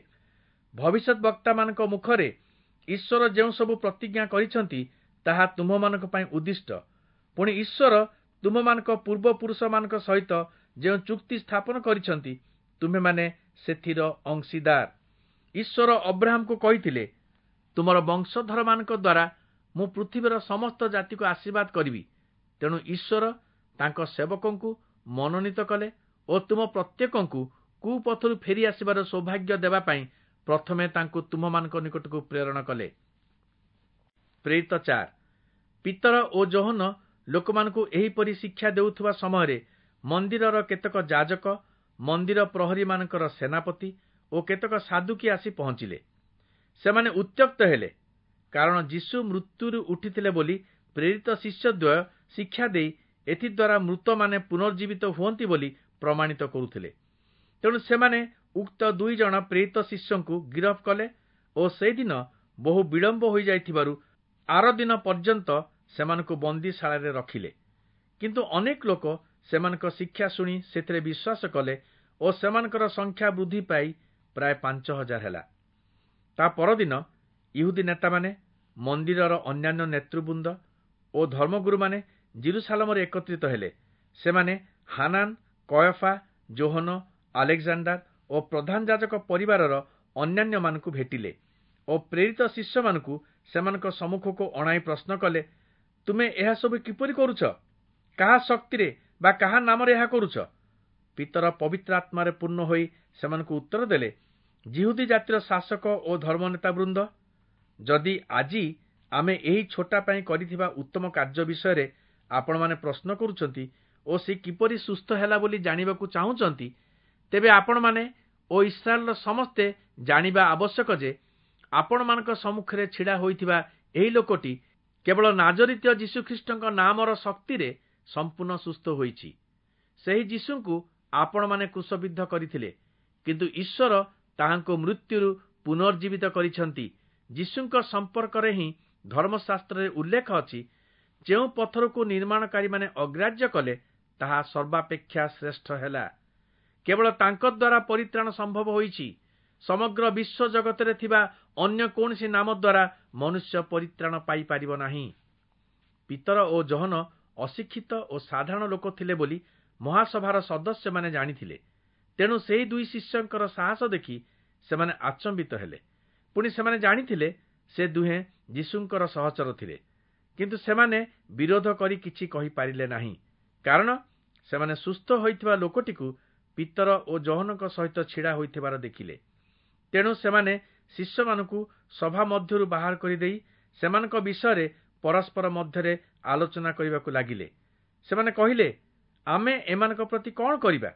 A: ଭବିଷ୍ୟତ ବକ୍ତାମାନଙ୍କ ମୁଖରେ ଈଶ୍ୱର ଯେଉଁ ସବୁ ପ୍ରତିଜ୍ଞା କରିଛନ୍ତି, ତାହା ତୁମ୍ଭମାନଙ୍କ ପାଇଁ ଉଦ୍ଦିଷ୍ଟ। ପୁଣି ଈଶ୍ୱର ତୁମମାନଙ୍କ ପୂର୍ବପୁରୁଷମାନଙ୍କ ସହିତ ଯେଉଁ ଚୁକ୍ତି ସ୍ଥାପନ କରିଛନ୍ତି, ତୁମ୍ଭେମାନେ ସେଥିର ଅଂଶୀଦାର। ଈଶ୍ୱର ଅବ୍ରାହମକୁ କହିଥିଲେ, ତୁମର ବଂଶଧରମାନଙ୍କ ଦ୍ୱାରା ମୁଁ ପୃଥିବୀର ସମସ୍ତ ଜାତିକୁ ଆଶୀର୍ବାଦ କରିବି। ତେଣୁ ଈଶ୍ୱର ତାଙ୍କ ସେବକଙ୍କୁ ମନୋନୀତ କଲେ ଓ ତୁମ ପ୍ରତ୍ୟେକଙ୍କୁ କୁପଥରୁ ଫେରି ଆସିବାର ସୌଭାଗ୍ୟ ଦେବା ପାଇଁ ପ୍ରଥମେ ତାଙ୍କୁ ତୁମମାନଙ୍କ ନିକଟକୁ ପ୍ରେରଣ କଲେ। ପ୍ରେରିତ 4। ପିତର ଓ ଯୋହନ ଲୋକମାନଙ୍କୁ ଏହିପରି ଶିକ୍ଷା ଦେଉଥିବା ସମୟରେ ମନ୍ଦିରର କେତେକ ଯାଜକ, ମନ୍ଦିର ପ୍ରହରୀମାନଙ୍କର ସେନାପତି ଓ କେତେକ ସାଦୁକୀ ଆସି ପହଞ୍ଚିଲେ। ସେମାନେ ଉତ୍ତ୍ୟକ୍ତ ହେଲେ, କାରଣ ଯୀଶୁ ମୃତ୍ୟୁରୁ ଉଠିଥିଲେ ବୋଲି ପ୍ରେରିତ ଶିଷ୍ୟଦ୍ୱୟ ଶିକ୍ଷା ଦେଇ ଏଥିଦ୍ୱାରା ମୃତମାନେ ପୁନର୍ଜୀବିତ ହୁଅନ୍ତି ବୋଲି ପ୍ରମାଣିତ କରୁଥିଲେ। ତେଣୁ ସେମାନେ ଉକ୍ତ 2 ଜଣ ପ୍ରେରିତ ଶିଷ୍ୟଙ୍କୁ ଗିରଫ କଲେ ଓ ସେହିଦିନ ବହୁ ବିଳମ୍ବ ହୋଇଯାଇଥିବାରୁ ଆର ଦିନ ପର୍ଯ୍ୟନ୍ତ ସେମାନଙ୍କୁ ବନ୍ଦୀଶାଳାରେ ରଖିଲେ। କିନ୍ତୁ ଅନେକ ଲୋକ ସେମାନଙ୍କ ଶିକ୍ଷା ଶୁଣି ସେଥିରେ ବିଶ୍ୱାସ କଲେ ଓ ସେମାନଙ୍କର ସଂଖ୍ୟା ବୃଦ୍ଧି ପାଇ ପ୍ରାୟ 5000 ହେଲା। ତା ପରଦିନ ଇହୁଦୀ ନେତାମାନେ, ମନ୍ଦିରର ଅନ୍ୟାନ୍ୟ ନେତୃବୃନ୍ଦ ଓ ଧର୍ମଗୁରୁମାନେ ଜିରୁସାଲମରେ ଏକତ୍ରିତ ହେଲେ। ସେମାନେ ହାନାନ, କୟଫା, ଯୋହନ, ଆଲେକ୍ଜାଣ୍ଡାର ଓ ପ୍ରଧାନ ଯାଜକ ପରିବାରର ଅନ୍ୟାନ୍ୟମାନଙ୍କୁ ଭେଟିଲେ ଓ ପ୍ରେରିତ ଶିଷ୍ୟମାନଙ୍କୁ ସେମାନଙ୍କ ସମ୍ମୁଖକୁ ଅଣାଇ ପ୍ରଶ୍ନ କଲେ, ତୁମେ ଏହା ସବୁ କିପରି କରୁଛ? କାହା ଶକ୍ତିରେ ବା କାହା ନାମରେ ଏହା କରୁଛ? ପିତର ପବିତ୍ର ଆତ୍ମାରେ ପୂର୍ଣ୍ଣ ହୋଇ ସେମାନଙ୍କୁ ଉତ୍ତର ଦେଲେ, ଯିହୁଦୀ ଜାତିର ଶାସକ ଓ ଧର୍ମନେତା ବୃନ୍ଦ, ଯଦି ଆଜି ଆମେ ଏହି ଛୋଟା ପାଇଁ କରିଥିବା ଉତ୍ତମ କାର୍ଯ୍ୟ ବିଷୟରେ ଆପଣମାନେ ପ୍ରଶ୍ନ କରୁଛନ୍ତି ଓ ସେ କିପରି ସୁସ୍ଥ ହେଲା ବୋଲି ଜାଣିବାକୁ ଚାହୁଁଛନ୍ତି, ତେବେ ଆପଣମାନେ ଓ ଇସ୍ରାଏଲର ସମସ୍ତେ ଜାଣିବା ଆବଶ୍ୟକ ଯେ ଆପଣମାନଙ୍କ ସମ୍ମୁଖରେ ଛିଡ଼ା ହୋଇଥିବା ଏହି ଲୋକଟି କେବଳ ନାଜରିତୀୟ ଯୀଶୁଖ୍ରୀଷ୍ଟଙ୍କ ନାମର ଶକ୍ତିରେ ସମ୍ପୂର୍ଣ୍ଣ ସୁସ୍ଥ ହୋଇଛି। ସେହି ଯୀଶୁଙ୍କୁ ଆପଣମାନେ କ୍ରୁଶବିଦ୍ଧ କରିଥିଲେ, କିନ୍ତୁ ଈଶ୍ୱର ତାହାଙ୍କୁ ମୃତ୍ୟୁରୁ ପୁନର୍ଜୀବିତ କରିଛନ୍ତି। ଯୀଶୁଙ୍କ ସମ୍ପର୍କରେ ହିଁ ଧର୍ମଶାସ୍ତ୍ରରେ ଉଲ୍ଲେଖ ଅଛି, ଯେଉଁ ପଥରକୁ ନିର୍ମାଣକାରୀମାନେ ଅଗ୍ରାହ୍ୟ କଲେ, ତାହା ସର୍ବାପେକ୍ଷା ଶ୍ରେଷ୍ଠ ହେଲା। କେବଳ ତାଙ୍କ ଦ୍ୱାରା ପରିତ୍ରାଣ ସମ୍ଭବ ହୋଇଛି। ସମଗ୍ର ବିଶ୍ୱ ଜଗତରେ ଥିବା ଅନ୍ୟ କୌଣସି ନାମ ଦ୍ୱାରା ମନୁଷ୍ୟ ପରିତ୍ରାଣ ପାଇପାରିବ ନାହିଁ। ପିତର ଓ ଯୋହନ ଅଶିକ୍ଷିତ ଓ ସାଧାରଣ ଲୋକ ଥିଲେ ବୋଲି ମହାସଭାର ସଦସ୍ୟମାନେ ଜାଣିଥିଲେ। ତେଣୁ ସେହି 2 ଶିଷ୍ୟଙ୍କର ସାହସ ଦେଖି ସେମାନେ ଆଚମ୍ବିତ ହେଲେ। ପୁଣି ସେମାନେ ଜାଣିଥିଲେ ସେ ଦୁହେଁ ଯୀଶୁଙ୍କର ସହଚର ଥିଲେ, କିନ୍ତୁ ସେମାନେ ବିରୋଧ କରି କିଛି କହିପାରିଲେ ନାହିଁ, କାରଣ ସେମାନେ ସୁସ୍ଥ ହୋଇଥିବା ଲୋକଟିକୁ ପିତର ଓ ଯୋହନଙ୍କ ସହିତ ଛିଡ଼ା ହୋଇଥିବାର ଦେଖିଲେ। ତେଣୁ ସେମାନେ ଶିଷ୍ୟମାନଙ୍କୁ ସଭା ମଧ୍ୟରୁ ବାହାର କରିଦେଇ ସେମାନଙ୍କ ବିଷୟରେ ପରସ୍ପର ମଧ୍ୟରେ ଆଲୋଚନା କରିବାକୁ ଲାଗିଲେ। ସେମାନେ କହିଲେ, ଆମେ ଏମାନଙ୍କ ପ୍ରତି କଣ କରିବା?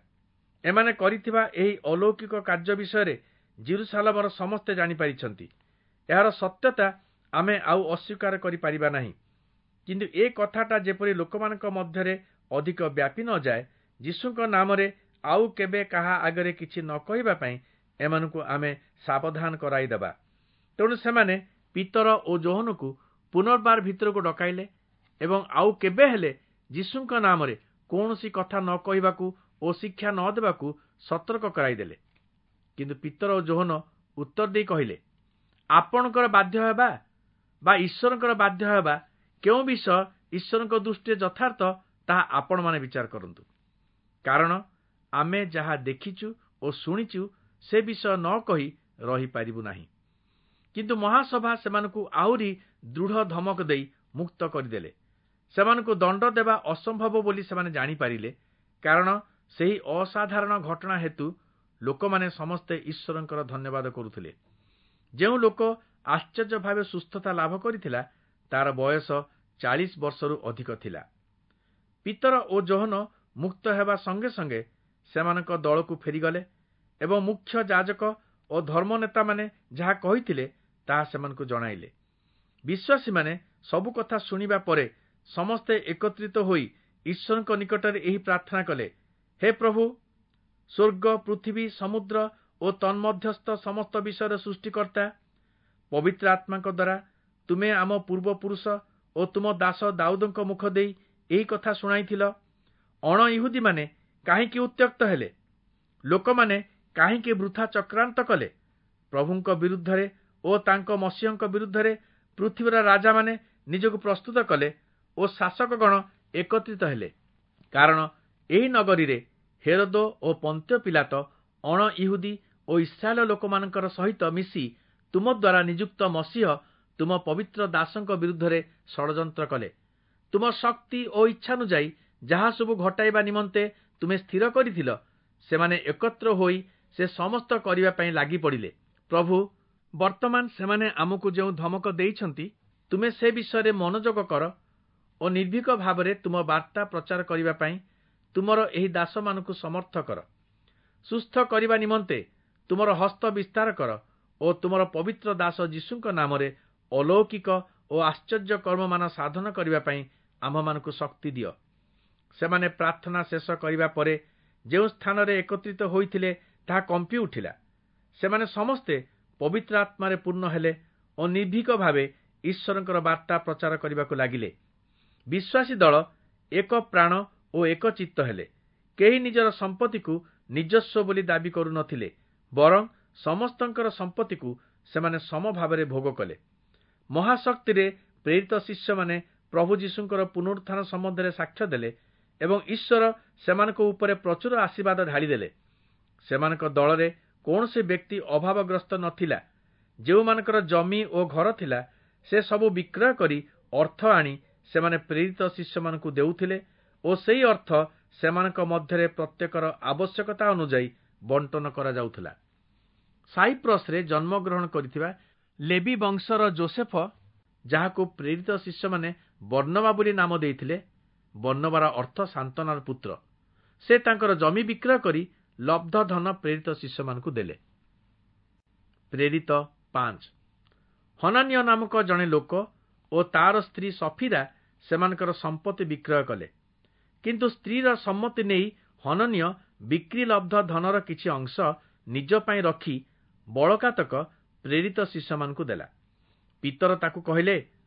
A: ଏମାନେ କରିଥିବା ଏହି ଅଲୌକିକ କାର୍ଯ୍ୟ ବିଷୟରେ ଯିରୂଶାଲମର ସମସ୍ତେ ଜାଣିପାରିଛନ୍ତି। ଏହାର ସତ୍ୟତା ଆମେ ଆଉ ଅସ୍ୱୀକାର କରିପାରିବା ନାହିଁ। କିନ୍ତୁ ଏ କଥାଟା ଯେପରି ଲୋକମାନଙ୍କ ମଧ୍ୟରେ ଅଧିକ ବ୍ୟାପି ନଯାଏ, ଯୀଶୁଙ୍କ ନାମରେ ଆଉ କେବେ କାହା ଆଗରେ କିଛି ନ କହିବା ପାଇଁ ଏମାନଙ୍କୁ ଆମେ ସାବଧାନ କରାଇଦେବା। ତେଣୁ ସେମାନେ ପିତର ଓ ଯୋହନକୁ ପୁନର୍ବାର ଭିତରକୁ ଡକାଇଲେ ଏବଂ ଆଉ କେବେ ହେଲେ ଯୀଶୁଙ୍କ ନାମରେ କୌଣସି କଥା ନ କହିବାକୁ ଓ ଶିକ୍ଷା ନ ଦେବାକୁ ସତର୍କ କରାଇଦେଲେ। କିନ୍ତୁ ପିତର ଓ ଯୋହନ ଉତ୍ତର ଦେଇ କହିଲେ, ଆପଣଙ୍କର ବାଧ୍ୟ ହେବା ବା ଈଶ୍ୱରଙ୍କର ବାଧ୍ୟ ହେବା କେଉଁ ବିଷୟ ଈଶ୍ୱରଙ୍କ ଦୃଷ୍ଟିରେ ଯଥାର୍ଥ, ତାହା ଆପଣମାନେ ବିଚାର କରନ୍ତୁ। କାରଣ ଆମେ ଯାହା ଦେଖିଛୁ ଓ ଶୁଣିଛୁ ସେ ବିଷୟ ନ କହି ରହିପାରିବୁ ନାହିଁ। କିନ୍ତୁ ମହାସଭା ସେମାନଙ୍କୁ ଆହୁରି ଦୃଢ଼ ଧମକ ଦେଇ ମୁକ୍ତ କରିଦେଲେ। ସେମାନଙ୍କୁ ଦଣ୍ଡ ଦେବା ଅସମ୍ଭବ ବୋଲି ସେମାନେ ଜାଣିପାରିଲେ, କାରଣ ସେହି ଅସାଧାରଣ ଘଟଣା ହେତୁ ଲୋକମାନେ ସମସ୍ତେ ଈଶ୍ୱରଙ୍କର ଧନ୍ୟବାଦ କରୁଥିଲେ। ଯେଉଁ ଲୋକ ଆଶ୍ଚର୍ଯ୍ୟ ଭାବେ ସୁସ୍ଥତା ଲାଭ କରିଥିଲା, ତାର ବୟସ 40 ବର୍ଷରୁ ଅଧିକ ଥିଲା। ପିତର ଓ ଯୋହନ ମୁକ୍ତ ହେବା ସଙ୍ଗେ ସଙ୍ଗେ ସେମାନଙ୍କ ଦଳକୁ ଫେରିଗଲେ ଏବଂ ମୁଖ୍ୟ ଯାଜକ ଓ ଧର୍ମନେତାମାନେ ଯାହା କହିଥିଲେ ତାହା ସେମାନଙ୍କୁ ଜଣାଇଲେ। ବିଶ୍ୱାସୀମାନେ ସବୁ କଥା ଶୁଣିବା ପରେ ସମସ୍ତେ ଏକତ୍ରିତ ହୋଇ ଈଶ୍ୱରଙ୍କ ନିକଟରେ ଏହି ପ୍ରାର୍ଥନା କଲେ, ହେ ପ୍ରଭୁ, ସ୍ୱର୍ଗ, ପୃଥିବୀ, ସମୁଦ୍ର ଓ ତନ୍ମଧ୍ୟସ୍ଥ ସମସ୍ତ ବିଷୟର ସୃଷ୍ଟିକର୍ତ୍ତା, ପବିତ୍ର ଆତ୍ମାଙ୍କ ଦ୍ୱାରା ତୁମେ ଆମ ପୂର୍ବପୁରୁଷ ଓ ତୁମ ଦାସ ଦାଉଦଙ୍କ ମୁଖ ଦେଇ ଏହି କଥା ଶୁଣାଇଥିଲ। ଅଣ ଇହୁଦୀମାନେ କାହିଁକି ଉତ୍ତ୍ୟକ୍ତ ହେଲେ? ଲୋକମାନେ କାହିଁକି ବୃଥା ଚକ୍ରାନ୍ତ କଲେ? ପ୍ରଭୁଙ୍କ ବିରୁଦ୍ଧରେ ଓ ତାଙ୍କ ମସିହଙ୍କ ବିରୁଦ୍ଧରେ ପୃଥିବୀର ରାଜାମାନେ ନିଜକୁ ପ୍ରସ୍ତୁତ କଲେ ଓ ଶାସକଗଣ ଏକତ୍ରିତ ହେଲେ। କାରଣ ଏହି ନଗରୀରେ ହେରୋଦ ଓ ପନ୍ତ୍ୟ ପିଲାତ ଅଣ ଇହୁଦୀ ଓ ଇସ୍ରାଏଲ ଲୋକମାନଙ୍କର ସହିତ ମିଶି ତୁମ ଦ୍ୱାରା ନିଯୁକ୍ତ ମସିହ ତୁମ ପବିତ୍ର ଦାସଙ୍କ ବିରୁଦ୍ଧରେ ଷଡ଼ଯନ୍ତ୍ର କଲେ। ତୁମ ଶକ୍ତି ଓ ଇଚ୍ଛାନୁଯାୟୀ ଯାହା ସବୁ ଘଟାଇବା ନିମନ୍ତେ ତୁମେ ସ୍ଥିର କରିଥିଲ, ସେମାନେ ଏକତ୍ର ହୋଇ ସେ ସମସ୍ତ କରିବା ପାଇଁ ଲାଗି ପଡ଼ିଲେ। ପ୍ରଭୁ, ବର୍ତ୍ତମାନ ସେମାନେ ଆମକୁ ଯେଉଁ ଧମକ ଦେଇଛନ୍ତି, ତୁମେ ସେ ବିଷୟରେ ମନୋଯୋଗ କର ଓ ନିର୍ଭୀକ ଭାବରେ ତୁମ ବାର୍ତ୍ତା ପ୍ରଚାର କରିବା ପାଇଁ ତୁମର ଏହି ଦାସମାନଙ୍କୁ ସମର୍ଥ କର। ସୁସ୍ଥ କରିବା ନିମନ୍ତେ ତୁମର ହସ୍ତ ବିସ୍ତାର କର ଓ ତୁମର ପବିତ୍ର ଦାସ ଯୀଶୁଙ୍କ ନାମରେ ଅଲୌକିକ ଓ ଆଶ୍ଚର୍ଯ୍ୟ କର୍ମମାନ ସାଧନ କରିବା ପାଇଁ ଆମ୍ଭମାନଙ୍କୁ ଶକ୍ତି ଦିଅ। ସେମାନେ ପ୍ରାର୍ଥନା ଶେଷ କରିବା ପରେ ଯେଉଁ ସ୍ଥାନରେ ଏକତ୍ରିତ ହୋଇଥିଲେ ତାହା କମ୍ପି ଉଠିଲା। ସେମାନେ ସମସ୍ତେ ପବିତ୍ର ଆତ୍ମାରେ ପୂର୍ଣ୍ଣ ହେଲେ ଓ ନିର୍ଭୀକ ଭାବେ ଈଶ୍ୱରଙ୍କର ବାର୍ତ୍ତା ପ୍ରଚାର କରିବାକୁ ଲାଗିଲେ। ବିଶ୍ୱାସୀ ଦଳ ଏକ ପ୍ରାଣ ଓ ଏକ ଚିତ୍ତ ହେଲେ। କେହି ନିଜର ସମ୍ପତ୍ତିକୁ ନିଜସ୍ୱ ବୋଲି ଦାବି କରୁନଥିଲେ, ବରଂ ସମସ୍ତଙ୍କର ସମ୍ପତ୍ତିକୁ ସେମାନେ ସମଭାବରେ ଭୋଗ କଲେ। ମହାଶକ୍ତିରେ ପ୍ରେରିତ ଶିଷ୍ୟମାନେ ପ୍ରଭୁ ଯୀଶୁଙ୍କର ପୁନରୁତ୍ଥାନ ସମ୍ବନ୍ଧରେ ସାକ୍ଷ୍ୟ ଦେଲେ ଏବଂ ଈଶ୍ୱର ସେମାନଙ୍କ ଉପରେ ପ୍ରଚୁର ଆଶୀର୍ବାଦ ଢାଳିଦେଲେ। ସେମାନଙ୍କ ଦଳରେ କୌଣସି ବ୍ୟକ୍ତି ଅଭାବଗ୍ରସ୍ତ ନଥିଲା। ଯେଉଁମାନଙ୍କର ଜମି ଓ ଘର ଥିଲା, ସେ ସବୁ ବିକ୍ରୟ କରି ଅର୍ଥ ଆଣି ସେମାନେ ପ୍ରେରିତ ଶିଷ୍ୟମାନଙ୍କୁ ଦେଉଥିଲେ ଓ ସେହି ଅର୍ଥ ସେମାନଙ୍କ ମଧ୍ୟରେ ପ୍ରତ୍ୟେକର ଆବଶ୍ୟକତା ଅନୁଯାୟୀ ବଣ୍ଟନ କରାଯାଉଥିଲା। ସାଇପ୍ରସରେ ଜନ୍ମଗ୍ରହଣ କରିଥିବା ଲେବି ବଂଶର ଜୋସେଫ, ଯାହାକୁ ପ୍ରେରିତ ଶିଷ୍ୟମାନେ ବର୍ଣ୍ଣବା ବୋଲି ନାମ ଦେଇଥିଲେ, ବର୍ଣ୍ଣବାର ଅର୍ଥ ସାନ୍ତ୍ୱନାର ପୁତ୍ର, ସେ ତାଙ୍କର ଜମି ବିକ୍ରୟ କରି ଲବ୍ଧ ଧନ ପ୍ରେରିତ ଶିଷ୍ୟମାନଙ୍କୁ ଦେଲେ। ପ୍ରେରିତ 5। ହନାନୀୟ ନାମକ ଜଣେ ଲୋକ ଓ ତାର ସ୍ତ୍ରୀ ସଫିରା ସେମାନଙ୍କର ସମ୍ପତ୍ତି ବିକ୍ରୟ କଲେ। କିନ୍ତୁ ସ୍ତ୍ରୀର ସମ୍ମତି ନେଇ ହନନୀୟ ବିକ୍ରି ଲବ୍ଧ ଧନର କିଛି ଅଂଶ ନିଜ ପାଇଁ ରଖି ବଳକାତକ ପ୍ରେରିତ ଶିଷ୍ୟମାନଙ୍କୁ ଦେଲା। ପିତର ତାକୁ କହିଲେ,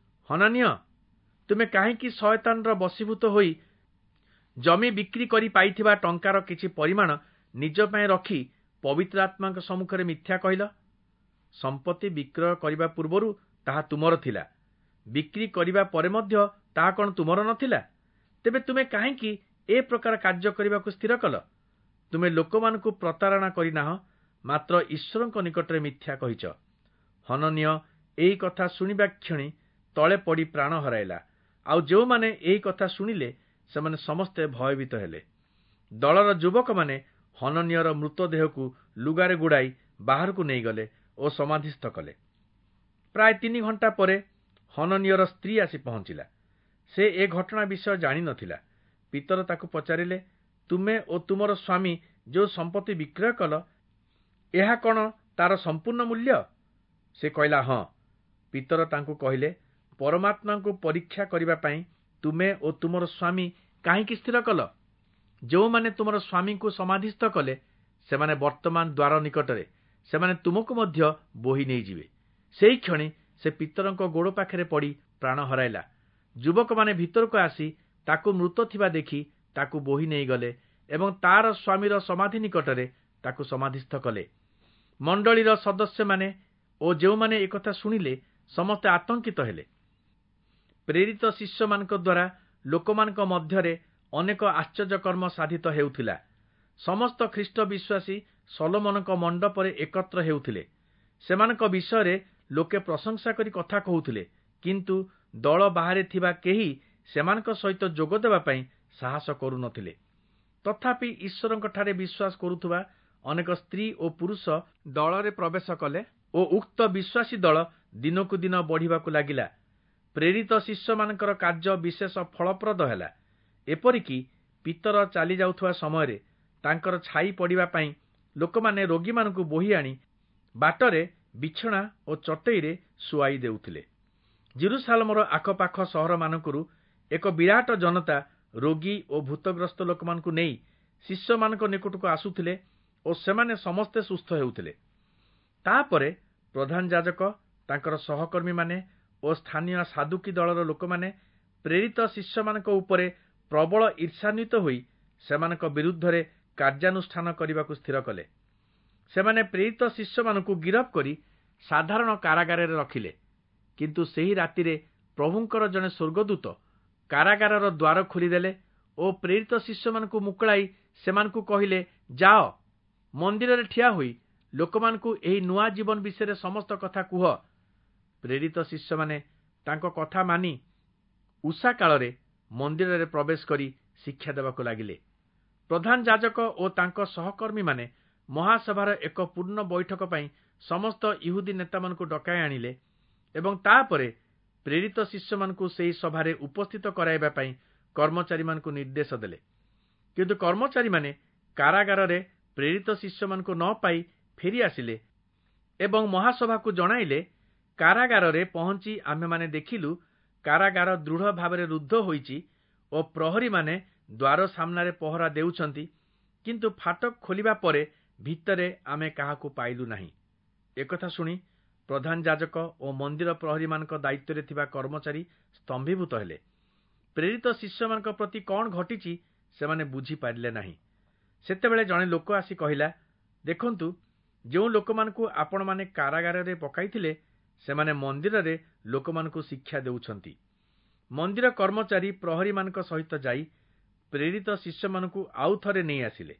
A: ହନାନୀୟ, ତୁମେ କାହିଁକି ଶୟତାନର ବଶୀଭୂତ ହୋଇ ଜମି ବିକ୍ରି କରି ପାଇଥିବା ଟଙ୍କାର କିଛି ପରିମାଣ ନିଜ ପାଇଁ ରଖି ପବିତ୍ର ଆତ୍ମାଙ୍କ ସମ୍ମୁଖରେ ମିଥ୍ୟା କହିଲ? ସମ୍ପତ୍ତି ବିକ୍ରୟ କରିବା ପୂର୍ବରୁ ତାହା ତୁମର ଥିଲା, ବିକ୍ରି କରିବା ପରେ ମଧ୍ୟ ତାହା କ'ଣ ତୁମର ନଥିଲା? ତେବେ ତୁମେ କାହିଁକି ଏ ପ୍ରକାର କାର୍ଯ୍ୟ କରିବାକୁ ସ୍ଥିର କଲ? ତୁମେ ଲୋକମାନଙ୍କୁ ପ୍ରତାରଣା କରିନାହଁ, ମାତ୍ର ଈଶ୍ୱରଙ୍କ ନିକଟରେ ମିଥ୍ୟା କହିଛ। ହନନୀୟ ଏହି କଥା ଶୁଣିବା କ୍ଷଣି ତଳେ ପଡ଼ି ପ୍ରାଣ ହରାଇଲା। ଆଉ ଯେଉଁମାନେ ଏହି କଥା ଶୁଣିଲେ ସେମାନେ ସମସ୍ତେ ଭୟଭୀତ ହେଲେ। ଦଳର ଯୁବକମାନେ ହନନୀୟର ମୃତଦେହକୁ ଲୁଗାରେ ଗୁଡ଼ାଇ ବାହାରକୁ ନେଇଗଲେ ଓ ସମାଧିସ୍ଥ କଲେ। ପ୍ରାୟ 3 ଘଣ୍ଟା ପରେ ହନନୀୟର ସ୍ତ୍ରୀ ଆସି ପହଞ୍ଚିଲା। ସେ ଏ ଘଟଣା ବିଷୟ ଜାଣିନଥିଲା। ପିତର ତାକୁ ପଚାରିଲେ, ତୁମେ ଓ ତୁମର ସ୍ୱାମୀ ଯେଉଁ ସମ୍ପତ୍ତି ବିକ୍ରୟ କଲ, ଏହା କ'ଣ ତାର ସମ୍ପୂର୍ଣ୍ଣ ମୂଲ୍ୟ? ସେ କହିଲା, ହଁ। ପିତର ତାଙ୍କୁ କହିଲେ, ପରମାତ୍ମାଙ୍କୁ ପରୀକ୍ଷା କରିବା ପାଇଁ ତୁମେ ଓ ତୁମର ସ୍ୱାମୀ କାହିଁକି ସ୍ଥିର କଲ? ଯେଉଁମାନେ ତୁମର ସ୍ୱାମୀଙ୍କୁ ସମାଧିସ୍ଥ କଲେ, ସେମାନେ ବର୍ତ୍ତମାନ ଦ୍ୱାର ନିକଟରେ, ସେମାନେ ତୁମକୁ ମଧ୍ୟ ବୋହି ନେଇଯିବେ। ସେହି କ୍ଷଣି ସେ ପିତରଙ୍କ ଗୋଡ଼ ପାଖରେ ପଡ଼ି ପ୍ରାଣ ହରାଇଲା। ଯୁବକମାନେ ଭିତରକୁ ଆସି ତାକୁ ମୃତ ଥିବା ଦେଖି ତାକୁ ବୋହି ନେଇଗଲେ ଏବଂ ତାର ସ୍ୱାମୀର ସମାଧି ନିକଟରେ ତାକୁ ସମାଧିସ୍ଥ କଲେ। ମଣ୍ଡଳୀର ସଦସ୍ୟମାନେ ଓ ଯେଉଁମାନେ ଏକଥା ଶୁଣିଲେ ସମସ୍ତେ ଆତଙ୍କିତ ହେଲେ। ପ୍ରେରିତ ଶିଷ୍ୟମାନଙ୍କ ଦ୍ୱାରା ଲୋକମାନଙ୍କ ମଧ୍ୟରେ ଅନେକ ଆଶ୍ଚର୍ଯ୍ୟକର୍ମ ସାଧିତ ହେଉଥିଲା। ସମସ୍ତ ଖ୍ରୀଷ୍ଟ ବିଶ୍ୱାସୀ ସଲୋମନଙ୍କ ମଣ୍ଡପରେ ଏକତ୍ର ହେଉଥିଲେ। ସେମାନଙ୍କ ବିଷୟରେ ଲୋକେ ପ୍ରଶଂସା କରି କଥା କହୁଥିଲେ, କିନ୍ତୁ ଦଳ ବାହାରେ ଥିବା କେହି ସେମାନଙ୍କ ସହିତ ଯୋଗ ଦେବା ପାଇଁ ସାହସ କରୁନଥିଲେ। ତଥାପି ଈଶ୍ୱରଙ୍କଠାରେ ବିଶ୍ୱାସ କରୁଥିବା ଅନେକ ସ୍ତ୍ରୀ ଓ ପୁରୁଷ ଦଳରେ ପ୍ରବେଶ କଲେ ଓ ଉକ୍ତ ବିଶ୍ୱାସୀ ଦଳ ଦିନକୁ ଦିନ ବଢ଼ିବାକୁ ଲାଗିଲା। ପ୍ରେରିତ ଶିଷ୍ୟମାନଙ୍କର କାର୍ଯ୍ୟ ବିଶେଷ ଫଳପ୍ରଦ ହେଲା। ଏପରିକି ପିତର ଚାଲି ଯାଉଥିବା ସମୟରେ ତାଙ୍କର ଛାଇ ପଡ଼ିବା ପାଇଁ ଲୋକମାନେ ରୋଗୀମାନଙ୍କୁ ବୋହି ଆଣି ବାଟରେ ବିଛଣା ଓ ଚଟେଇରେ ଶୁଆଇ ଦେଉଥିଲେ। ଜିରୁସାଲମର ଆଖପାଖ ସହରମାନଙ୍କରୁ ଏକ ବିରାଟ ଜନତା ରୋଗୀ ଓ ଭୂତଗ୍ରସ୍ତ ଲୋକମାନଙ୍କୁ ନେଇ ଶିଷ୍ୟମାନଙ୍କ ନିକଟକୁ ଆସୁଥିଲେ ଓ ସେମାନେ ସମସ୍ତେ ସୁସ୍ଥ ହେଉଥିଲେ। ତାପରେ ପ୍ରଧାନ ଯାଜକ, ତାଙ୍କର ସହକର୍ମୀମାନେ ଓ ସ୍ଥାନୀୟ ସାଦୁକୀ ଦଳର ଲୋକମାନେ ପ୍ରେରିତ ଶିଷ୍ୟମାନଙ୍କ ଉପରେ ପ୍ରବଳ ଈର୍ଷାନ୍ୱିତ ହୋଇ ସେମାନଙ୍କ ବିରୁଦ୍ଧରେ କାର୍ଯ୍ୟାନୁଷ୍ଠାନ କରିବାକୁ ସ୍ଥିର କଲେ। ସେମାନେ ପ୍ରେରିତ ଶିଷ୍ୟମାନଙ୍କୁ ଗିରଫ କରି ସାଧାରଣ କାରାଗାରରେ ରଖିଲେ। କିନ୍ତୁ ସେହି ରାତିରେ ପ୍ରଭୁଙ୍କର ଜଣେ ସ୍ୱର୍ଗଦୂତ କାରାଗାରର ଦ୍ୱାର ଖୋଲିଦେଲେ ଓ ପ୍ରେରିତ ଶିଷ୍ୟମାନଙ୍କୁ ମୁକୁଳାଇ ସେମାନଙ୍କୁ କହିଲେ, ଯାଅ, ମନ୍ଦିରରେ ଠିଆ ହୋଇ ଲୋକମାନଙ୍କୁ ଏହି ନୂଆ ଜୀବନ ବିଷୟରେ ସମସ୍ତ କଥା କୁହ। ପ୍ରେରିତ ଶିଷ୍ୟମାନେ ତାଙ୍କ କଥା ମାନି ଉଷା କାଳରେ ମନ୍ଦିରରେ ପ୍ରବେଶ କରି ଶିକ୍ଷା ଦେବାକୁ ଲାଗିଲେ। ପ୍ରଧାନ ଯାଜକ ଓ ତାଙ୍କ ସହକର୍ମୀମାନେ ମହାସଭାର ଏକ ପୂର୍ଣ୍ଣ ବୈଠକ ପାଇଁ ସମସ୍ତ ଇହୁଦୀ ନେତାମାନଙ୍କୁ ଡକାଇ ଆଣିଲେ ଏବଂ ତାପରେ ପ୍ରେରିତ ଶିଷ୍ୟମାନଙ୍କୁ ସେହି ସଭାରେ ଉପସ୍ଥିତ କରାଇବା ପାଇଁ କର୍ମଚାରୀମାନଙ୍କୁ ନିର୍ଦ୍ଦେଶ ଦେଲେ। କିନ୍ତୁ କର୍ମଚାରୀମାନେ କାରାଗାରରେ ପ୍ରେରିତ ଶିଷ୍ୟମାନଙ୍କୁ ନ ପାଇ ଫେରି ଆସିଲେ ଏବଂ ମହାସଭାକୁ ଜଣାଇଲେ, କାରାଗାରରେ ପହଞ୍ଚି ଆମ୍ଭେମାନେ ଦେଖିଲୁ କାରାଗାର ଦୃଢ଼ ଭାବରେ ରୁଦ୍ଧ ହୋଇଛି ଓ ପ୍ରହରୀମାନେ ଦ୍ୱାର ସାମ୍ନାରେ ପହରା ଦେଉଛନ୍ତି, କିନ୍ତୁ ଫାଟକ ଖୋଲିବା ପରେ ଭିତରେ ଆମେ କାହାକୁ ପାଇଲୁ ନାହିଁ। ଏକଥା ଶୁଣି ପ୍ରଧାନ ଯାଜକ ଓ ମନ୍ଦିର ପ୍ରହରୀମାନଙ୍କ ଦାୟିତ୍ୱରେ ଥିବା କର୍ମଚାରୀ ସ୍ତମ୍ଭୀଭୂତ ହେଲେ। ପ୍ରେରିତ ଶିଷ୍ୟମାନଙ୍କ ପ୍ରତି କ'ଣ ଘଟିଛି ସେମାନେ ବୁଝିପାରିଲେ ନାହିଁ। ସେତେବେଳେ ଜଣେ ଲୋକ ଆସି କହିଲା, ଦେଖନ୍ତୁ, ଯେଉଁ ଲୋକମାନଙ୍କୁ ଆପଣମାନେ କାରାଗାରରେ ପକାଇଥିଲେ ସେମାନେ ମନ୍ଦିରରେ ଲୋକମାନଙ୍କୁ ଶିକ୍ଷା ଦେଉଛନ୍ତି। ମନ୍ଦିର କର୍ମଚାରୀ ପ୍ରହରୀମାନଙ୍କ ସହିତ ଯାଇ ପ୍ରେରିତ ଶିଷ୍ୟମାନଙ୍କୁ ଆଉ ଥରେ ନେଇ ଆସିଲେ।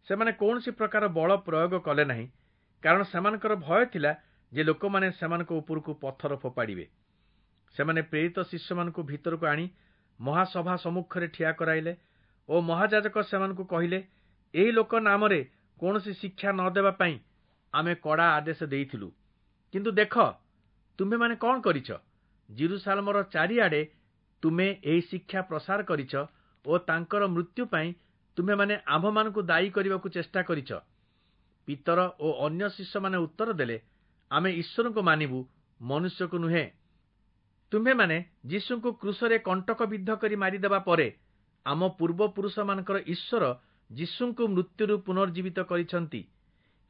A: ସେମାନେ କୌଣସି ପ୍ରକାର ବଳ ପ୍ରୟୋଗ କଲେ ନାହିଁ, କାରଣ ସେମାନଙ୍କର ଭୟ ଥିଲା ଯେ ଲୋକମାନେ ସେମାନଙ୍କ ଉପରକୁ ପଥର ଫୋପାଡ଼ିବେ। ସେମାନେ ପ୍ରେରିତ ଶିଷ୍ୟମାନଙ୍କୁ ଭିତରକୁ ଆଣି ମହାସଭା ସମ୍ମୁଖରେ ଠିଆ କରାଇଲେ ଓ ମହାଯାଜକ ସେମାନଙ୍କୁ କହିଲେ, ଏହି ଲୋକ ନାମରେ କୌଣସି ଶିକ୍ଷା ନ ଦେବା ପାଇଁ ଆମେ କଡ଼ା ଆଦେଶ ଦେଇଥିଲୁ, କିନ୍ତୁ ଦେଖ ତୁମ୍ଭେମାନେ କ'ଣ କରିଛ? ଜିରୁସାଲମର ଚାରିଆଡ଼େ ତୁମେ ଏହି ଶିକ୍ଷା ପ୍ରସାର କରିଛ ଓ ତାଙ୍କର ମୃତ୍ୟୁ ପାଇଁ ତୁମ୍ଭେମାନେ ଆମ୍ଭମାନଙ୍କୁ ଦାୟୀ କରିବାକୁ ଚେଷ୍ଟା କରିଛ। ପିତର ଓ ଅନ୍ୟ ଶିଷ୍ୟମାନେ ଉତ୍ତର ଦେଲେ, ଆମେ ଈଶ୍ୱରଙ୍କୁ ମାନିବୁ, ମନୁଷ୍ୟକୁ ନୁହେଁ। ତୁମ୍ଭେମାନେ ଯୀଶୁଙ୍କୁ କ୍ରୁଶରେ କଣ୍ଟକ ବିଦ୍ଧ କରି ମାରିଦେବା ପରେ ଆମ ପୂର୍ବପୁରୁଷମାନଙ୍କର ଈଶ୍ୱର ଯୀଶୁଙ୍କୁ ମୃତ୍ୟୁରୁ ପୁନର୍ଜୀବିତ କରିଛନ୍ତି।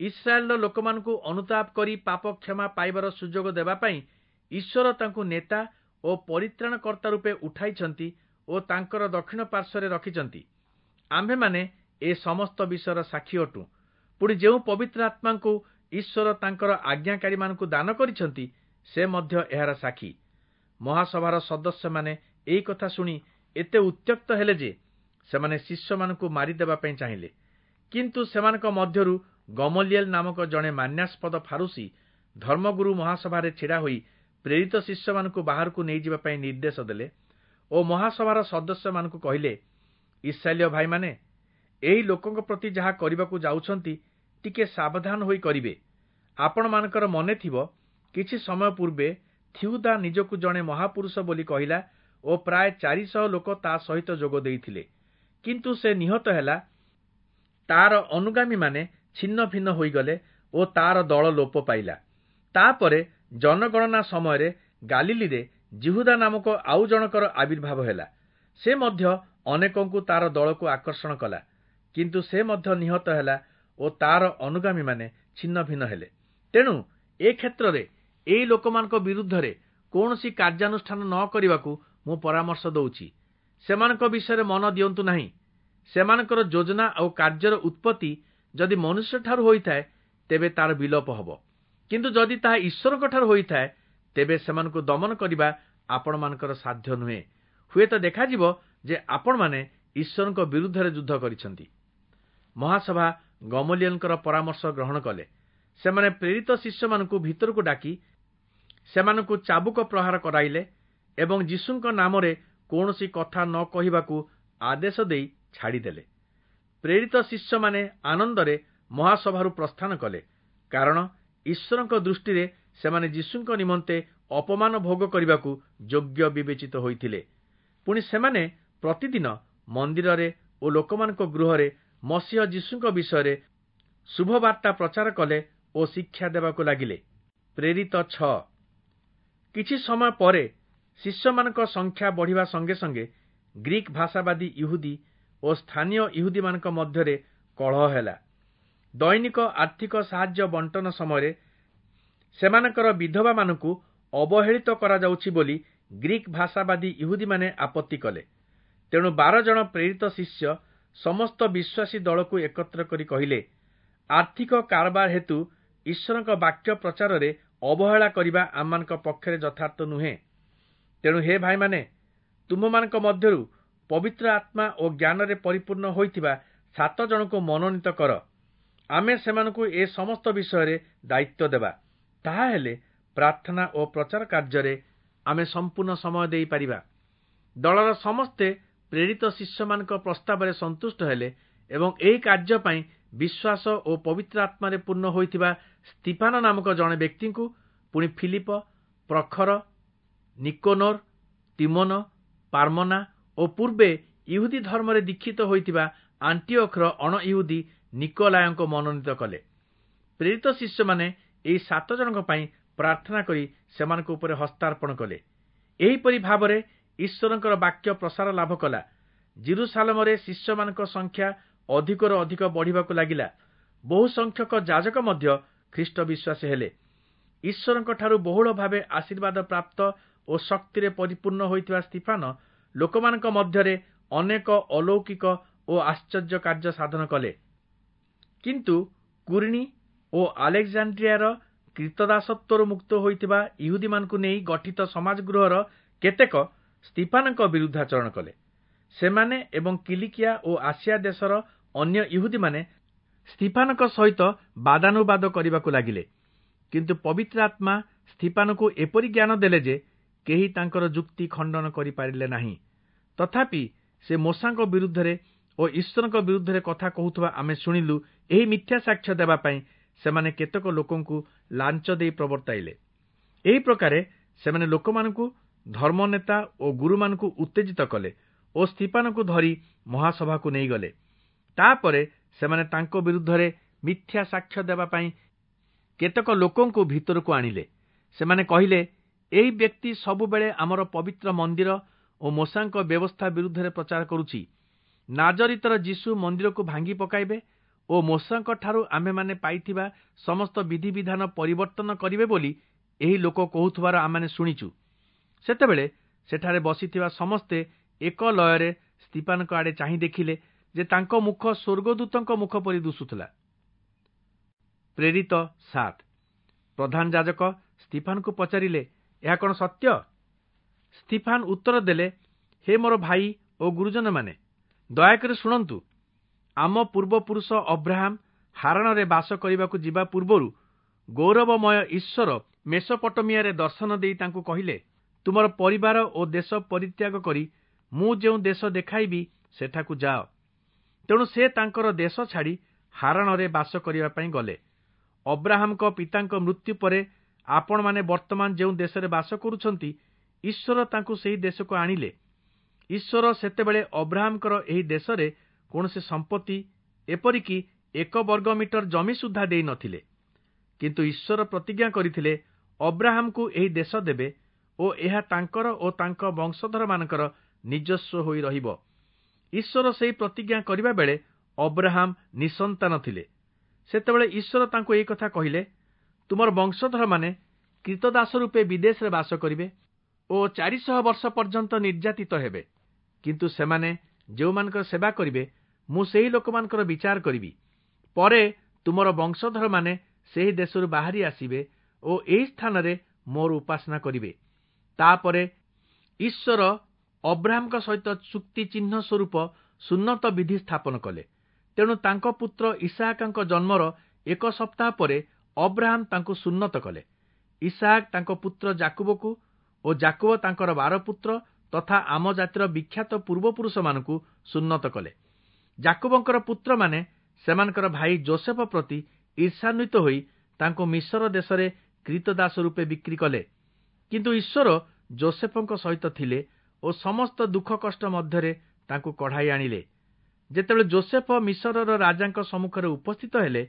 A: ଇସ୍ରାଏଲର ଲୋକମାନଙ୍କୁ ଅନୁତାପ କରି ପାପ କ୍ଷମା ପାଇବାର ସୁଯୋଗ ଦେବା ପାଇଁ ଈଶ୍ୱର ତାଙ୍କୁ ନେତା ଓ ପରିତ୍ରାଣକର୍ତ୍ତା ରୂପେ ଉଠାଇଛନ୍ତି ଓ ତାଙ୍କର ଦକ୍ଷିଣ ପାର୍ଶ୍ୱରେ ରଖିଛନ୍ତି। ଆମ୍ଭେମାନେ ଏ ସମସ୍ତ ବିଷୟର ସାକ୍ଷୀ ଅଟୁ। ପୁଣି ଯେଉଁ ପବିତ୍ର ଆତ୍ମାଙ୍କୁ ଈଶ୍ୱର ତାଙ୍କର ଆଜ୍ଞାକାରୀମାନଙ୍କୁ ଦାନ କରିଛନ୍ତି, ସେ ମଧ୍ୟ ଏହାର ସାକ୍ଷୀ। ମହାସଭାର ସଦସ୍ୟମାନେ ଏହି କଥା ଶୁଣି ଏତେ ଉତ୍ତ୍ୟକ୍ତ ହେଲେ ଯେ ସେମାନେ ଶିଷ୍ୟମାନଙ୍କୁ ମାରିଦେବା ପାଇଁ ଚାହିଁଲେ। କିନ୍ତୁ ସେମାନଙ୍କ ମଧ୍ୟରୁ ଗମଲିଏଲ ନାମକ ଜଣେ ମାନ୍ୟାସ୍ପଦ ଫାରୁସୀ ଧର୍ମଗୁରୁ ମହାସଭାରେ ଛିଡ଼ା ହୋଇ ପ୍ରେରିତ ଶିଷ୍ୟମାନଙ୍କୁ ବାହାରକୁ ନେଇଯିବା ପାଇଁ ନିର୍ଦ୍ଦେଶ ଦେଲେ ଓ ମହାସଭାର ସଦସ୍ୟମାନଙ୍କୁ କହିଲେ, ଇସ୍ରାଏଲୀୟ ଭାଇମାନେ, ଏହି ଲୋକଙ୍କ ପ୍ରତି ଯାହା କରିବାକୁ ଯାଉଛନ୍ତି ଟିକେ ସାବଧାନ ହୋଇ କରିବେ। ଆପଣମାନଙ୍କର ମନେ ଥିବ, କିଛି ସମୟ ପୂର୍ବେ ଥିଉଦା ନିଜକୁ ଜଣେ ମହାପୁରୁଷ ବୋଲି କହିଲା ଓ ପ୍ରାୟ 400 ଲୋକ ତା ସହିତ ଯୋଗ ଦେଇଥିଲେ। କିନ୍ତୁ ସେ ନିହତ ହେଲା, ତାର ଅନୁଗାମୀମାନେ ଛିନ୍ନ ଭିନ୍ନ ହୋଇଗଲେ ଓ ତାର ଦଳ ଲୋପ ପାଇଲା। ତାପରେ ଜନଗଣନା ସମୟରେ ଗାଲିଲିରେ ଯିହୁଦା ନାମକ ଆଉ ଜଣକର ଆବିର୍ଭାବ ହେଲା। ସେ ମଧ୍ୟ ଅନେକଙ୍କୁ ତାର ଦଳକୁ ଆକର୍ଷଣ କଲା, କିନ୍ତୁ ସେ ମଧ୍ୟ ନିହତ ହେଲା ଓ ତାର ଅନୁଗାମୀମାନେ ଛିନ୍ନ ଭିନ୍ନ ହେଲେ। ତେଣୁ ଏ କ୍ଷେତ୍ରରେ ଏହି ଲୋକମାନଙ୍କ ବିରୁଦ୍ଧରେ କୌଣସି କାର୍ଯ୍ୟାନୁଷ୍ଠାନ ନ କରିବାକୁ ମୁଁ ପରାମର୍ଶ ଦଉଛି। ସେମାନଙ୍କ ବିଷୟରେ ମନ ଦିଅନ୍ତୁ ନାହିଁ। ସେମାନଙ୍କର ଯୋଜନା ଆଉ କାର୍ଯ୍ୟର ଉତ୍ପତ୍ତି ଯଦି ମନୁଷ୍ୟଠାରୁ ହୋଇଥାଏ, ତେବେ ତାର ବିଲୋପ ହେବ। କିନ୍ତୁ ଯଦି ତାହା ଈଶ୍ୱରଙ୍କଠାରୁ ହୋଇଥାଏ, ତେବେ ସେମାନଙ୍କୁ ଦମନ କରିବା ଆପଣମାନଙ୍କର ସାଧ୍ୟ ନୁହେଁ। ହୁଏତ ଦେଖାଯିବ ଯେ ଆପଣମାନେ ଈଶ୍ୱରଙ୍କ ବିରୁଦ୍ଧରେ ଯୁଦ୍ଧ କରିଛନ୍ତି। ମହାସଭା ଗମଲିଏଲଙ୍କର ପରାମର୍ଶ ଗ୍ରହଣ କଲେ। ସେମାନେ ପ୍ରେରିତ ଶିଷ୍ୟମାନଙ୍କୁ ଭିତରକୁ ଡାକି ସେମାନଙ୍କୁ ଚାବୁକ ପ୍ରହାର କରାଇଲେ ଏବଂ ଯୀଶୁଙ୍କ ନାମରେ କୌଣସି କଥା ନ କହିବାକୁ ଆଦେଶ ଦେଇ ଛାଡ଼ିଦେଲେ। ପ୍ରେରିତ ଶିଷ୍ୟମାନେ ଆନନ୍ଦରେ ମହାସଭାରୁ ପ୍ରସ୍ଥାନ କଲେ, କାରଣ ଈଶ୍ୱରଙ୍କ ଦୃଷ୍ଟିରେ ସେମାନେ ଯୀଶୁଙ୍କ ନିମନ୍ତେ ଅପମାନ ଭୋଗ କରିବାକୁ ଯୋଗ୍ୟ ବିବେଚିତ ହୋଇଥିଲେ। ପୁଣି ସେମାନେ ପ୍ରତିଦିନ ମନ୍ଦିରରେ ଓ ଲୋକମାନଙ୍କ ଗୃହରେ ମସିହ ଯୀଶୁଙ୍କ ବିଷୟରେ ଶୁଭବାର୍ତ୍ତା ପ୍ରଚାର କଲେ ଓ ଶିକ୍ଷା ଦେବାକୁ ଲାଗିଲେ। ପ୍ରେରିତ 6। କିଛି ସମୟ ପରେ ଶିଷ୍ୟମାନଙ୍କ ସଂଖ୍ୟା ବଢ଼ିବା ସଙ୍ଗେ ସଙ୍ଗେ ଗ୍ରୀକ୍ ଭାଷାବାଦୀ ଇହୁଦୀ ଓ ସ୍ଥାନୀୟ ଇହୁଦୀମାନଙ୍କ ମଧ୍ୟରେ କଳହ ହେଲା। ଦୈନିକ ଆର୍ଥିକ ସାହାଯ୍ୟ ବଣ୍ଟନ ସମୟରେ ସେମାନଙ୍କର ବିଧବାମାନଙ୍କୁ ଅବହେଳିତ କରାଯାଉଛି ବୋଲି ଗ୍ରୀକ୍ ଭାଷାବାଦୀ ଇହୁଦୀମାନେ ଆପତ୍ତି କଲେ। ତେଣୁ 12 ଜଣ ପ୍ରେରିତ ଶିଷ୍ୟ ସମସ୍ତ ବିଶ୍ୱାସୀ ଦଳକୁ ଏକତ୍ର କରି କହିଲେ, ଆର୍ଥିକ କାରବାର ହେତୁ ଈଶ୍ୱରଙ୍କ ବାକ୍ୟ ପ୍ରଚାରରେ ଅବହେଳା କରିବା ଆମମାନଙ୍କ ପକ୍ଷରେ ଯଥାର୍ଥ ନୁହେଁ। ତେଣୁ ହେ ଭାଇମାନେ, ତୁମ୍ଭମାନଙ୍କ ମଧ୍ୟରୁ ପବିତ୍ର ଆତ୍ମା ଓ ଜ୍ଞାନରେ ପରିପୂର୍ଣ୍ଣ ହୋଇଥିବା 7 ଜଣଙ୍କୁ ମନୋନୀତ କର। ଆମେ ସେମାନଙ୍କୁ ଏ ସମସ୍ତ ବିଷୟରେ ଦାୟିତ୍ୱ ଦେବା। ତାହା ହେଲେ ପ୍ରାର୍ଥନା ଓ ପ୍ରଚାର କାର୍ଯ୍ୟରେ ଆମେ ସମ୍ପୂର୍ଣ୍ଣ ସମୟ ଦେଇପାରିବା। ଦଳର ସମସ୍ତେ ପ୍ରେରିତ ଶିଷ୍ୟମାନଙ୍କ ପ୍ରସ୍ତାବରେ ସନ୍ତୁଷ୍ଟ ହେଲେ ଏବଂ ଏହି କାର୍ଯ୍ୟ ପାଇଁ ବିଶ୍ୱାସ ଓ ପବିତ୍ର ଆତ୍ମାରେ ପୂର୍ଣ୍ଣ ହୋଇଥିବା ସ୍ତିଫାନ ନାମକ ଜଣେ ବ୍ୟକ୍ତିଙ୍କୁ, ପୁଣି ଫିଲିପ, ପ୍ରଖର, ନିକୋନୋର, ତିମୋନ, ପାର୍ମନା ଓ ପୂର୍ବେ ଇହୁଦୀ ଧର୍ମରେ ଦୀକ୍ଷିତ ହୋଇଥିବା ଆଣ୍ଟିଓଖର ଅଣଇହୁଦୀ ନିକୋଲାୟଙ୍କୁ ମନୋନୀତ କଲେ। ପ୍ରେରିତ ଶିଷ୍ୟମାନେ ଏହି 7 ଜଣଙ୍କ ପାଇଁ ପ୍ରାର୍ଥନା କରି ସେମାନଙ୍କ ଉପରେ ହସ୍ତାର୍ପଣ କଲେ। ଏହିପରି ଭାବରେ ଈଶ୍ୱରଙ୍କର ବାକ୍ୟ ପ୍ରସାର ଲାଭ କଲା। ଜିରୁସାଲମରେ ଶିଷ୍ୟମାନଙ୍କ ସଂଖ୍ୟା ଅଧିକରୁ ଅଧିକ ବଢ଼ିବାକୁ ଲାଗିଲା। ବହୁ ସଂଖ୍ୟକ ଯାଜକ ମଧ୍ୟ ଖ୍ରୀଷ୍ଟ ବିଶ୍ୱାସୀ ହେଲେ। ଈଶ୍ୱରଙ୍କଠାରୁ ବହୁଳ ଭାବେ ଆଶୀର୍ବାଦ ପ୍ରାପ୍ତ ଓ ଶକ୍ତିରେ ପରିପୂର୍ଣ୍ଣ ହୋଇଥିବା ସ୍ତିଫାନ ଲୋକମାନଙ୍କ ମଧ୍ୟରେ ଅନେକ ଅଲୌକିକ ଓ ଆଶ୍ଚର୍ଯ୍ୟ କାର୍ଯ୍ୟ ସାଧନ କଲେ। କିନ୍ତୁ କୁରିଣୀ ଓ ଆଲେକ୍ଜାଣ୍ଡ୍ରିଆର କ୍ରୀତଦାସତ୍ୱରୁ ମୁକ୍ତ ହୋଇଥିବା ଇହୁଦୀମାନଙ୍କୁ ନେଇ ଗଠିତ ସମାଜଗୃହର କେତେକ ସ୍ତିଫାନଙ୍କ ବିରୁଦ୍ଧାଚରଣ କଲେ। ସେମାନେ ଏବଂ କିଲିକିଆ ଓ ଆସିଆ ଦେଶର ଅନ୍ୟ ଇହୁଦୀମାନେ ସ୍ତିଫାନଙ୍କ ସହିତ ବାଦାନୁବାଦ କରିବାକୁ ଲାଗିଲେ। କିନ୍ତୁ ପବିତ୍ର ଆତ୍ମା ସ୍ତିଫାନଙ୍କୁ ଏପରି ଜ୍ଞାନ ଦେଲେ ଯେ କେହି ତାଙ୍କର ଯୁକ୍ତି ଖଣ୍ଡନ କରିପାରିଲେ ନାହିଁ। ତଥାପି ସେ ମୋଶାଙ୍କ ବିରୁଦ୍ଧରେ ଓ ଈଶ୍ୱରଙ୍କ ବିରୁଦ୍ଧରେ କଥା କହୁଥିବା ଆମେ ଶୁଣିଲୁ। ଏହି ମିଥ୍ୟା ସାକ୍ଷ୍ୟ ଦେବା ପାଇଁ ସେମାନେ କେତେକ ଲୋକଙ୍କୁ ଲାଞ୍ଚ ଦେଇ ପ୍ରବର୍ତ୍ତାଇଲେ। ଏହି ପ୍ରକାରେ ସେମାନେ ଲୋକମାନଙ୍କୁ, ଧର୍ମନେତା ଓ ଗୁରୁମାନଙ୍କୁ ଉତ୍ତେଜିତ କଲେ ଓ ସ୍ତିଫାନଙ୍କୁ ଧରି ମହାସଭାକୁ ନେଇଗଲେ। ତାପରେ ସେମାନେ ତାଙ୍କ ବିରୁଦ୍ଧରେ ମିଥ୍ୟା ସାକ୍ଷ୍ୟ ଦେବା ପାଇଁ କେତେକ ଲୋକଙ୍କୁ ଭିତରକୁ ଆଣିଲେ। ସେମାନେ କହିଲେ, ଏହି ବ୍ୟକ୍ତି ସବୁବେଳେ ଆମର ପବିତ୍ର ମନ୍ଦିର ଓ ମୋଶାଙ୍କ ବ୍ୟବସ୍ଥା ବିରୁଦ୍ଧରେ ପ୍ରଚାର କରୁଛି। ନାଜରିତର ଯୀଶୁ ମନ୍ଦିରକୁ ଭାଙ୍ଗି ପକାଇବେ ଓ ମୋଶାଙ୍କ ଠାରୁ ଆମ୍ଭେମାନେ ପାଇଥିବା ସମସ୍ତ ବିଧିବିଧାନ ପରିବର୍ତ୍ତନ କରିବେ ବୋଲି ଏହି ଲୋକ କହୁଥିବାର ଆମେମାନେ ଶୁଣିଛୁ। ସେତେବେଳେ ସେଠାରେ ବସିଥିବା ସମସ୍ତେ ଏକ ଲୟରେ ସ୍ତିଫାନଙ୍କ ଆଡ଼େ ଚାହିଁ ଦେଖିଲେ ଯେ ତାଙ୍କ ମୁଖ ସ୍ୱର୍ଗଦୂତଙ୍କ ମୁଖ ପରି ଦିଶୁଥିଲା। ପ୍ରେରିତ 7। ପ୍ରଧାନ ଯାଜକ ସ୍ତିଫାନଙ୍କୁ ପଚାରିଲେ, ଏହା କଣ ସତ୍ୟ? ସ୍ତିଫାନ ଉତ୍ତର ଦେଲେ, ହେ ମୋର ଭାଇ ଓ ଗୁରୁଜନମାନେ, ଦୟାକରି ଶୁଣନ୍ତୁ। ଆମ ପୂର୍ବପୁରୁଷ ଅବ୍ରାହମ ହାରାଣରେ ବାସ କରିବାକୁ ଯିବା ପୂର୍ବରୁ ଗୌରବମୟ ଈଶ୍ୱର ମେସୋପଟୋମିଆରେ ଦର୍ଶନ ଦେଇ ତାଙ୍କୁ କହିଲେ, ତୁମର ପରିବାର ଓ ଦେଶ ପରିତ୍ୟାଗ କରି ମୁଁ ଯେଉଁ ଦେଶ ଦେଖାଇବି ସେଠାକୁ ଯାଅ। ତେଣୁ ସେ ତାଙ୍କର ଦେଶ ଛାଡ଼ି ହାରାଣରେ ବାସ କରିବା ପାଇଁ ଗଲେ। ଅବ୍ରାହାମଙ୍କ ପିତାଙ୍କ ମୃତ୍ୟୁ ପରେ ଆପଣମାନେ ବର୍ତ୍ତମାନ ଯେଉଁ ଦେଶରେ ବାସ କରୁଛନ୍ତି, ଈଶ୍ୱର ତାଙ୍କୁ ସେହି ଦେଶକୁ ଆଣିଲେ। ଈଶ୍ୱର ସେତେବେଳେ ଅବ୍ରାହାମଙ୍କର ଏହି ଦେଶରେ କୌଣସି ସମ୍ପତ୍ତି, ଏପରିକି 1 ବର୍ଗ ମିଟର ଜମି ସୁଦ୍ଧା ଦେଇନଥିଲେ। କିନ୍ତୁ ଈଶ୍ୱର ପ୍ରତିଜ୍ଞା କରିଥିଲେ ଅବ୍ରାହାମଙ୍କୁ ଏହି ଦେଶ ଦେବେ ଓ ଏହା ତାଙ୍କର ଓ ତାଙ୍କ ବଂଶଧରମାନଙ୍କର ନିଜସ୍ୱ ହୋଇ ରହିବ। ଈଶ୍ୱର ସେହି ପ୍ରତିଜ୍ଞା କରିବା ବେଳେ ଅବ୍ରାହାମ ନିଃସନ୍ତାନ ଥିଲେ। ସେତେବେଳେ ଈଶ୍ୱର ତାଙ୍କୁ ଏହି କଥା କହିଲେ, ତୁମର ବଂଶଧରମାନେ କ୍ରୀତଦାସ ରୂପେ ବିଦେଶରେ ବାସ କରିବେ ଓ 400 ବର୍ଷ ପର୍ଯ୍ୟନ୍ତ ନିର୍ଯାତିତ ହେବେ। କିନ୍ତୁ ସେମାନେ ଯେଉଁମାନଙ୍କର ସେବା କରିବେ, ମୁଁ ସେହି ଲୋକମାନଙ୍କର ବିଚାର କରିବି। ପରେ ତୁମର ବଂଶଧରମାନେ ସେହି ଦେଶରୁ ବାହାରି ଆସିବେ ଓ ଏହି ସ୍ଥାନରେ ମୋର ଉପାସନା କରିବେ। ତାପରେ ଈଶ୍ୱର ଅବ୍ରାହାମଙ୍କ ସହିତ ଚୁକ୍ତି ଚିହ୍ନ ସ୍ୱରୂପ ସୁନ୍ନତ ବିଧି ସ୍ଥାପନ କଲେ। ତେଣୁ ତାଙ୍କ ପୁତ୍ର ଇସାହାକଙ୍କ ଜନ୍ମର 1 ସପ୍ତାହ ପରେ ଅବ୍ରାହାମ ତାଙ୍କୁ ସୁନ୍ନତ କଲେ। ଇସାହାକ ତାଙ୍କ ପୁତ୍ର ଯାକୁବକୁ ଓ ଯାକୁବ ତାଙ୍କର 12 ପୁତ୍ର ତଥା ଆମ ଜାତିର ବିଖ୍ୟାତ ପୂର୍ବପୁରୁଷମାନଙ୍କୁ ସୁନ୍ନତ କଲେ। ଯାକୁବଙ୍କର ପୁତ୍ରମାନେ ସେମାନଙ୍କର ଭାଇ ଜୋସେଫ ପ୍ରତି ଈର୍ଷାନ୍ୱିତ ହୋଇ ତାଙ୍କୁ ମିଶର ଦେଶରେ କ୍ରୀତଦାସ ରୂପେ ବିକ୍ରି କଲେ। କିନ୍ତୁ ଈଶ୍ୱର ଜୋସେଫଙ୍କ ସହିତ ଥିଲେ ଓ ସମସ୍ତ ଦୁଃଖ କଷ୍ଟ ମଧ୍ୟରେ ତାଙ୍କୁ କଢ଼ାଇ ଆଣିଲେ। ଯେତେବେଳେ ଜୋସେଫ ମିଶରର ରାଜାଙ୍କ ସମ୍ମୁଖରେ ଉପସ୍ଥିତ ହେଲେ,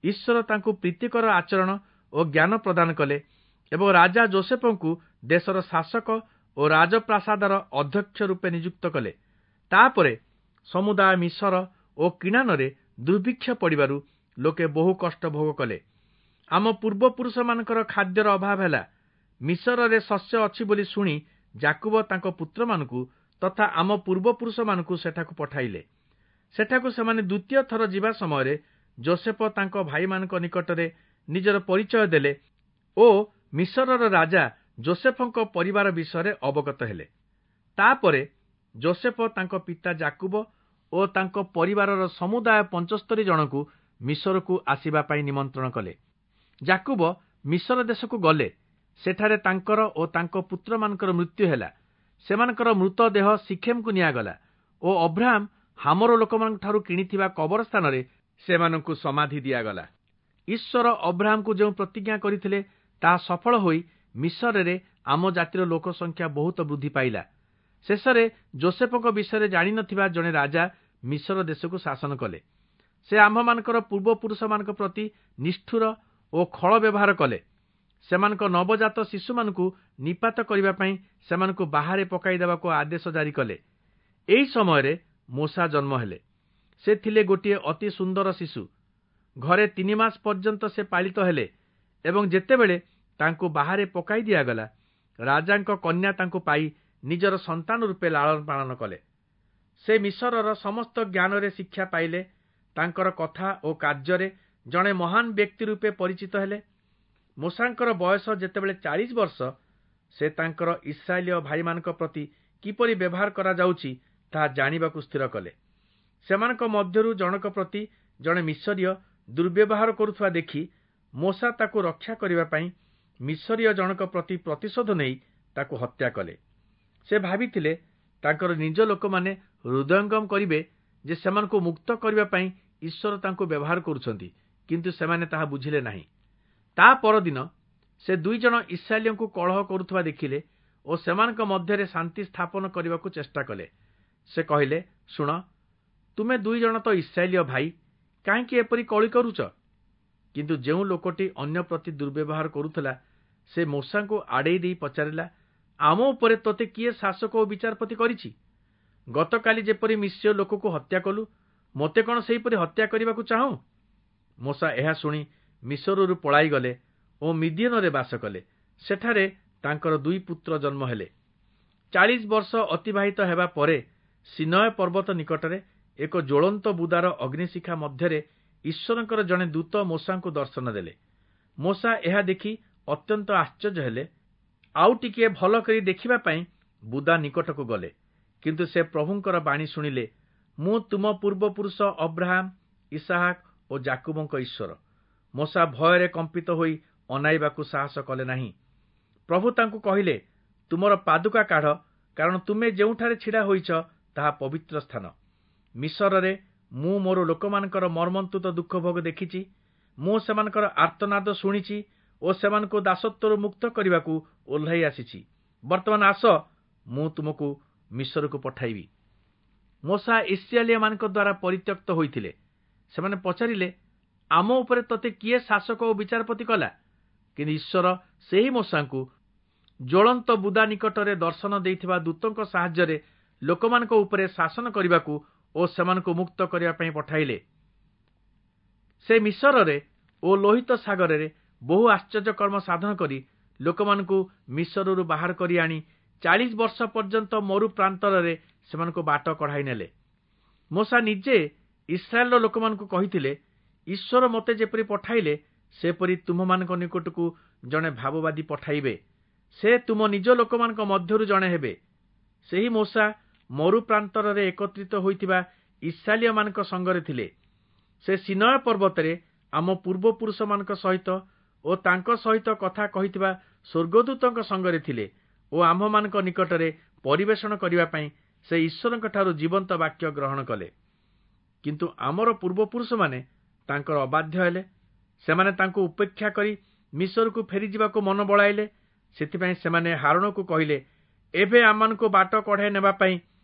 A: ଈଶ୍ୱର ତାଙ୍କୁ ପ୍ରୀତିକର ଆଚରଣ ଓ ଜ୍ଞାନ ପ୍ରଦାନ କଲେ ଏବଂ ରାଜା ଜୋସେଫଙ୍କୁ ଦେଶର ଶାସକ ଓ ରାଜପ୍ରାସାଦର ଅଧ୍ୟକ୍ଷ ରୂପେ ନିଯୁକ୍ତ କଲେ। ତାପରେ ସମୁଦାୟ ମିଶର ଓ କିଣାନରେ ଦୁର୍ଭିକ୍ଷ ପଡ଼ିବାରୁ ଲୋକେ ବହୁ କଷ୍ଟ ଭୋଗ କଲେ। ଆମ ପୂର୍ବପୁରୁଷମାନଙ୍କର ଖାଦ୍ୟର ଅଭାବ ହେଲା। ମିଶରରେ ଶସ୍ୟ ଅଛି ବୋଲି ଶୁଣି ଯାକୁବ ତାଙ୍କ ପୁତ୍ରମାନଙ୍କୁ ତଥା ଆମ ପୂର୍ବପୁରୁଷମାନଙ୍କୁ ସେଠାକୁ ପଠାଇଲେ। ସେଠାକୁ ସେମାନେ ଦ୍ୱିତୀୟ ଥର ଯିବା ସମୟରେ ଜୋସେଫ ତାଙ୍କ ଭାଇମାନଙ୍କ ନିକଟରେ ନିଜର ପରିଚୟ ଦେଲେ ଓ ମିଶରର ରାଜା ଜୋସେଫଙ୍କ ପରିବାର ବିଷୟରେ ଅବଗତ ହେଲେ। ତାପରେ ଜୋସେଫ ତାଙ୍କ ପିତା ଯାକୁବ ଓ ତାଙ୍କ ପରିବାରର ସମୁଦାୟ 75 ଜଣଙ୍କୁ ମିଶରକୁ ଆସିବା ପାଇଁ ନିମନ୍ତ୍ରଣ କଲେ। ଯାକୁବ ମିଶର ଦେଶକୁ ଗଲେ। ସେଠାରେ ତାଙ୍କର ଓ ତାଙ୍କ ପୁତ୍ରମାନଙ୍କର ମୃତ୍ୟୁ ହେଲା। ସେମାନଙ୍କର ମୃତଦେହ ସିଖେମକୁ ନିଆଗଲା ଓ ଅବ୍ରାହାମ ହାମର ଲୋକମାନଙ୍କଠାରୁ କିଣିଥିବା କବର ସ୍ଥାନରେ ସେମାନଙ୍କୁ ସମାଧି ଦିଆଗଲା। ଈଶ୍ୱର ଅବ୍ରାହାମକୁ ଯେଉଁ ପ୍ରତିଜ୍ଞା କରିଥିଲେ ତାହା ସଫଳ ହୋଇ ମିଶରରେ ଆମ ଜାତିର ଲୋକ ସଂଖ୍ୟା ବହୁତ ବୃଦ୍ଧି ପାଇଲା। ଶେଷରେ ଜୋସେଫଙ୍କ ବିଷୟରେ ଜାଣିନଥିବା ଜଣେ ରାଜା ମିଶର ଦେଶକୁ ଶାସନ କଲେ। ସେ ଆମ୍ଭମାନଙ୍କର ପୂର୍ବପୁରୁଷମାନଙ୍କ ପ୍ରତି ନିଷ୍ଠୁର ଓ ଖଳ ବ୍ୟବହାର କଲେ। ସେମାନଙ୍କ ନବଜାତ ଶିଶୁମାନଙ୍କୁ ନିପାତ କରିବା ପାଇଁ ସେମାନଙ୍କୁ ବାହାରେ ପକାଇ ଦେବାକୁ ଆଦେଶ ଜାରି କଲେ। ଏହି ସମୟରେ ମୋଶା ଜନ୍ମ ହେଲେ। ସେ ଥିଲେ ଗୋଟିଏ ଅତି ସୁନ୍ଦର ଶିଶୁ। ଘରେ 3 ମାସ ପର୍ଯ୍ୟନ୍ତ ସେ ପାଳିତ ହେଲେ ଏବଂ ଯେତେବେଳେ ତାଙ୍କୁ ବାହାରେ ପକାଇ ଦିଆଗଲା, ରାଜାଙ୍କ କନ୍ୟା ତାଙ୍କୁ ପାଇ ନିଜର ସନ୍ତାନ ରୂପେ ଲାଳନ ପାଳନ କଲେ। ସେ ମିଶରର ସମସ୍ତ ଜ୍ଞାନରେ ଶିକ୍ଷା ପାଇଲେ। ତାଙ୍କର କଥା ଓ କାର୍ଯ୍ୟରେ ଜଣେ ମହାନ ବ୍ୟକ୍ତି ରୂପେ ପରିଚିତ ହେଲେ। ମୋଶାଙ୍କର ବୟସ ଯେତେବେଳେ 40 ବର୍ଷ, ସେ ତାଙ୍କର ଇସ୍ରାଏଲୀୟ ଭାଇମାନଙ୍କ ପ୍ରତି କିପରି ବ୍ୟବହାର କରାଯାଉଛି ତାହା ଜାଣିବାକୁ ସ୍ଥିର କଲେ। ସେମାନଙ୍କ ମଧ୍ୟରୁ ଜଣକ ପ୍ରତି ଜଣେ ମିଶରୀୟ ଦୁର୍ବ୍ୟବହାର କରୁଥିବା ଦେଖି ମୋଶା ତାକୁ ରକ୍ଷା କରିବା ପାଇଁ ମିଶରୀୟ ଜଣକ ପ୍ରତି ପ୍ରତିଶୋଧ ନେଇ ତାକୁ ହତ୍ୟା କଲେ। ସେ ଭାବିଥିଲେ ତାଙ୍କର ନିଜ ଲୋକମାନେ ହୃଦୟଙ୍ଗମ କରିବେ ଯେ ସେମାନଙ୍କୁ ମୁକ୍ତ କରିବା ପାଇଁ ଈଶ୍ୱର ତାଙ୍କୁ ବ୍ୟବହାର କରୁଛନ୍ତି, କିନ୍ତୁ ସେମାନେ ତାହା ବୁଝିଲେ ନାହିଁ। ତା ପରଦିନ ସେ 2 ଜଣ ଇସ୍ରାଏଲୀୟଙ୍କୁ କଳହ କରୁଥିବା ଦେଖିଲେ ଓ ସେମାନଙ୍କ ମଧ୍ୟରେ ଶାନ୍ତି ସ୍ଥାପନ କରିବାକୁ ଚେଷ୍ଟା କଲେ। ସେ କହିଲେ, ଶୁଣ, ତୁମେ 2 ଜଣ ତ ଇସ୍ରାଏଲୀୟ ଭାଇ, କାହିଁକି ଏପରି କଳି କରୁଛ? କିନ୍ତୁ ଯେଉଁ ଲୋକଟି ଅନ୍ୟ ପ୍ରତି ଦୁର୍ବ୍ୟବହାର କରୁଥିଲା, ସେ ମୋଶାଙ୍କୁ ଆଡ଼େଇ ଦେଇ ପଚାରିଲା, ଆମ ଉପରେ ତୋତେ କିଏ ଶାସକ ଓ ବିଚାରପତି କରିଛି? ଗତକାଲି ଯେପରି ମିଶ୍ରୀୟ ଲୋକକୁ ହତ୍ୟା କଲୁ, ମୋତେ କ'ଣ ସେହିପରି ହତ୍ୟା କରିବାକୁ ଚାହୁଁ? ମୋଶା ଏହା ଶୁଣି ମିଶରରୁ ପଳାଇଗଲେ ଓ ମିଦିୟନରେ ବାସ କଲେ। ସେଠାରେ ତାଙ୍କର 2 ପୁତ୍ର ଜନ୍ମ ହେଲେ। 40 ବର୍ଷ ଅତିବାହିତ ହେବା ପରେ ସିନୟ ପର୍ବତ ନିକଟରେ ଏକ ଜ୍ୱଳନ୍ତ ବୁଦାର ଅଗ୍ନିଶିଖା ମଧ୍ୟରେ ଈଶ୍ୱରଙ୍କର ଜଣେ ଦୂତ ମୋଶାଙ୍କୁ ଦର୍ଶନ ଦେଲେ। ମୋଶା ଏହା ଦେଖି ଅତ୍ୟନ୍ତ ଆଶ୍ଚର୍ଯ୍ୟ ହେଲେ। ଆଉ ଟିକିଏ ଭଲ କରି ଦେଖିବା ପାଇଁ ବୁଦା ନିକଟକୁ ଗଲେ, କିନ୍ତୁ ସେ ପ୍ରଭୁଙ୍କର ବାଣୀ ଶୁଣିଲେ, ମୁଁ ତୁମ ପୂର୍ବପୁରୁଷ ଅବ୍ରାହାମ, ଇସାହାକ ଓ ଯାକୁବଙ୍କ ଈଶ୍ୱର। ମୋଶା ଭୟରେ କମ୍ପିତ ହୋଇ ଅନାଇବାକୁ ସାହସ କଲେ ନାହିଁ। ପ୍ରଭୁ ତାଙ୍କୁ କହିଲେ, ତୁମର ପାଦୁକା କାଢ଼, କାରଣ ତୁମେ ଯେଉଁଠାରେ ଛିଡ଼ା ହୋଇଛ ତାହା ପବିତ୍ର ସ୍ଥାନ। ମିଶରରେ ମୁଁ ମୋର ଲୋକମାନଙ୍କର ମର୍ମନ୍ତୁଦ ଦୁଃଖ ଭୋଗ ଦେଖିଛି, ମୁଁ ସେମାନଙ୍କର ଆର୍ତ୍ତନାଦ ଶୁଣିଛି ଓ ସେମାନଙ୍କୁ ଦାସତ୍ୱରୁ ମୁକ୍ତ କରିବାକୁ ଓହ୍ଲାଇ ଆସିଛି। ବର୍ତ୍ତମାନ ଆସ, ମୁଁ ତୁମକୁ ମିଶରକୁ ପଠାଇବି। ମୋଶା ଇସ୍ରାଏଲୀୟମାନଙ୍କ ଦ୍ୱାରା ପରିତ୍ୟକ୍ତ ହୋଇଥିଲେ। ସେମାନେ ପଚାରିଲେ, ଆମ ଉପରେ ତୋତେ କିଏ ଶାସକ ଓ ବିଚାରପତି କଲା? କିନ୍ତୁ ଈଶ୍ୱର ସେହି ମୋଶାଙ୍କୁ ଜ୍ୱଳନ୍ତ ବୁଦା ନିକଟରେ ଦର୍ଶନ ଦେଇଥିବା ଦୂତଙ୍କ ସାହାଯ୍ୟରେ ଲୋକମାନଙ୍କ ଉପରେ ଶାସନ କରିବାକୁ ଓ ସେମାନଙ୍କୁ ମୁକ୍ତ କରିବା ପାଇଁ ପଠାଇଲେ। ସେ ମିଶରରେ ଓ ଲୋହିତ ସାଗରରେ ବହୁ ଆଶ୍ଚର୍ଯ୍ୟ କର୍ମ ସାଧନ କରି ଲୋକମାନଙ୍କୁ ମିଶରରୁ ବାହାର କରି ଆଣି 40 ବର୍ଷ ପର୍ଯ୍ୟନ୍ତ ମରୁ ପ୍ରାନ୍ତରରେ ସେମାନଙ୍କୁ ବାଟ କଢ଼ାଇ ନେଲେ। ମୋଶା ନିଜେ ଇସ୍ରାଏଲର ଲୋକମାନଙ୍କୁ କହିଥିଲେ, ଈଶ୍ୱର ମୋତେ ଯେପରି ପଠାଇଲେ ସେପରି ତୁମ୍ଭମାନଙ୍କ ନିକଟକୁ ଜଣେ ଭାବବାଦୀ ପଠାଇବେ। ସେ ତୁମ ନିଜ ଲୋକମାନଙ୍କ ମଧ୍ୟରୁ ଜଣେ ହେବେ। ସେହି ମୋଶା ମରୁ ପ୍ରାନ୍ତରରେ ଏକତ୍ରିତ ହୋଇଥିବା ଇସ୍ରାଏଲୀୟମାନଙ୍କ ସଙ୍ଗରେ ଥିଲେ। ସେ ସିନୟ ପର୍ବତରେ ଆମ ପୂର୍ବପୁରୁଷମାନଙ୍କ ସହିତ ଓ ତାଙ୍କ ସହିତ କଥା କହିଥିବା ସ୍ୱର୍ଗଦୂତଙ୍କ ସଙ୍ଗରେ ଥିଲେ ଓ ଆମ୍ଭମାନଙ୍କ ନିକଟରେ ପରିବେଷଣ କରିବା ପାଇଁ ସେ ଈଶ୍ୱରଙ୍କଠାରୁ ଜୀବନ୍ତ ବାକ୍ୟ ଗ୍ରହଣ କଲେ। କିନ୍ତୁ ଆମର ପୂର୍ବପୁରୁଷମାନେ ତାଙ୍କର ଅବାଧ୍ୟ ହେଲେ। ସେମାନେ ତାଙ୍କୁ ଉପେକ୍ଷା କରି ମିଶରକୁ ଫେରିଯିବାକୁ ମନ ବଳାଇଲେ। ସେଥିପାଇଁ ସେମାନେ ହାରୋଣକୁ କହିଲେ, ଏବେ ଆମମାନଙ୍କୁ ବାଟ କଢ଼ାଇ ନେବା ପାଇଁ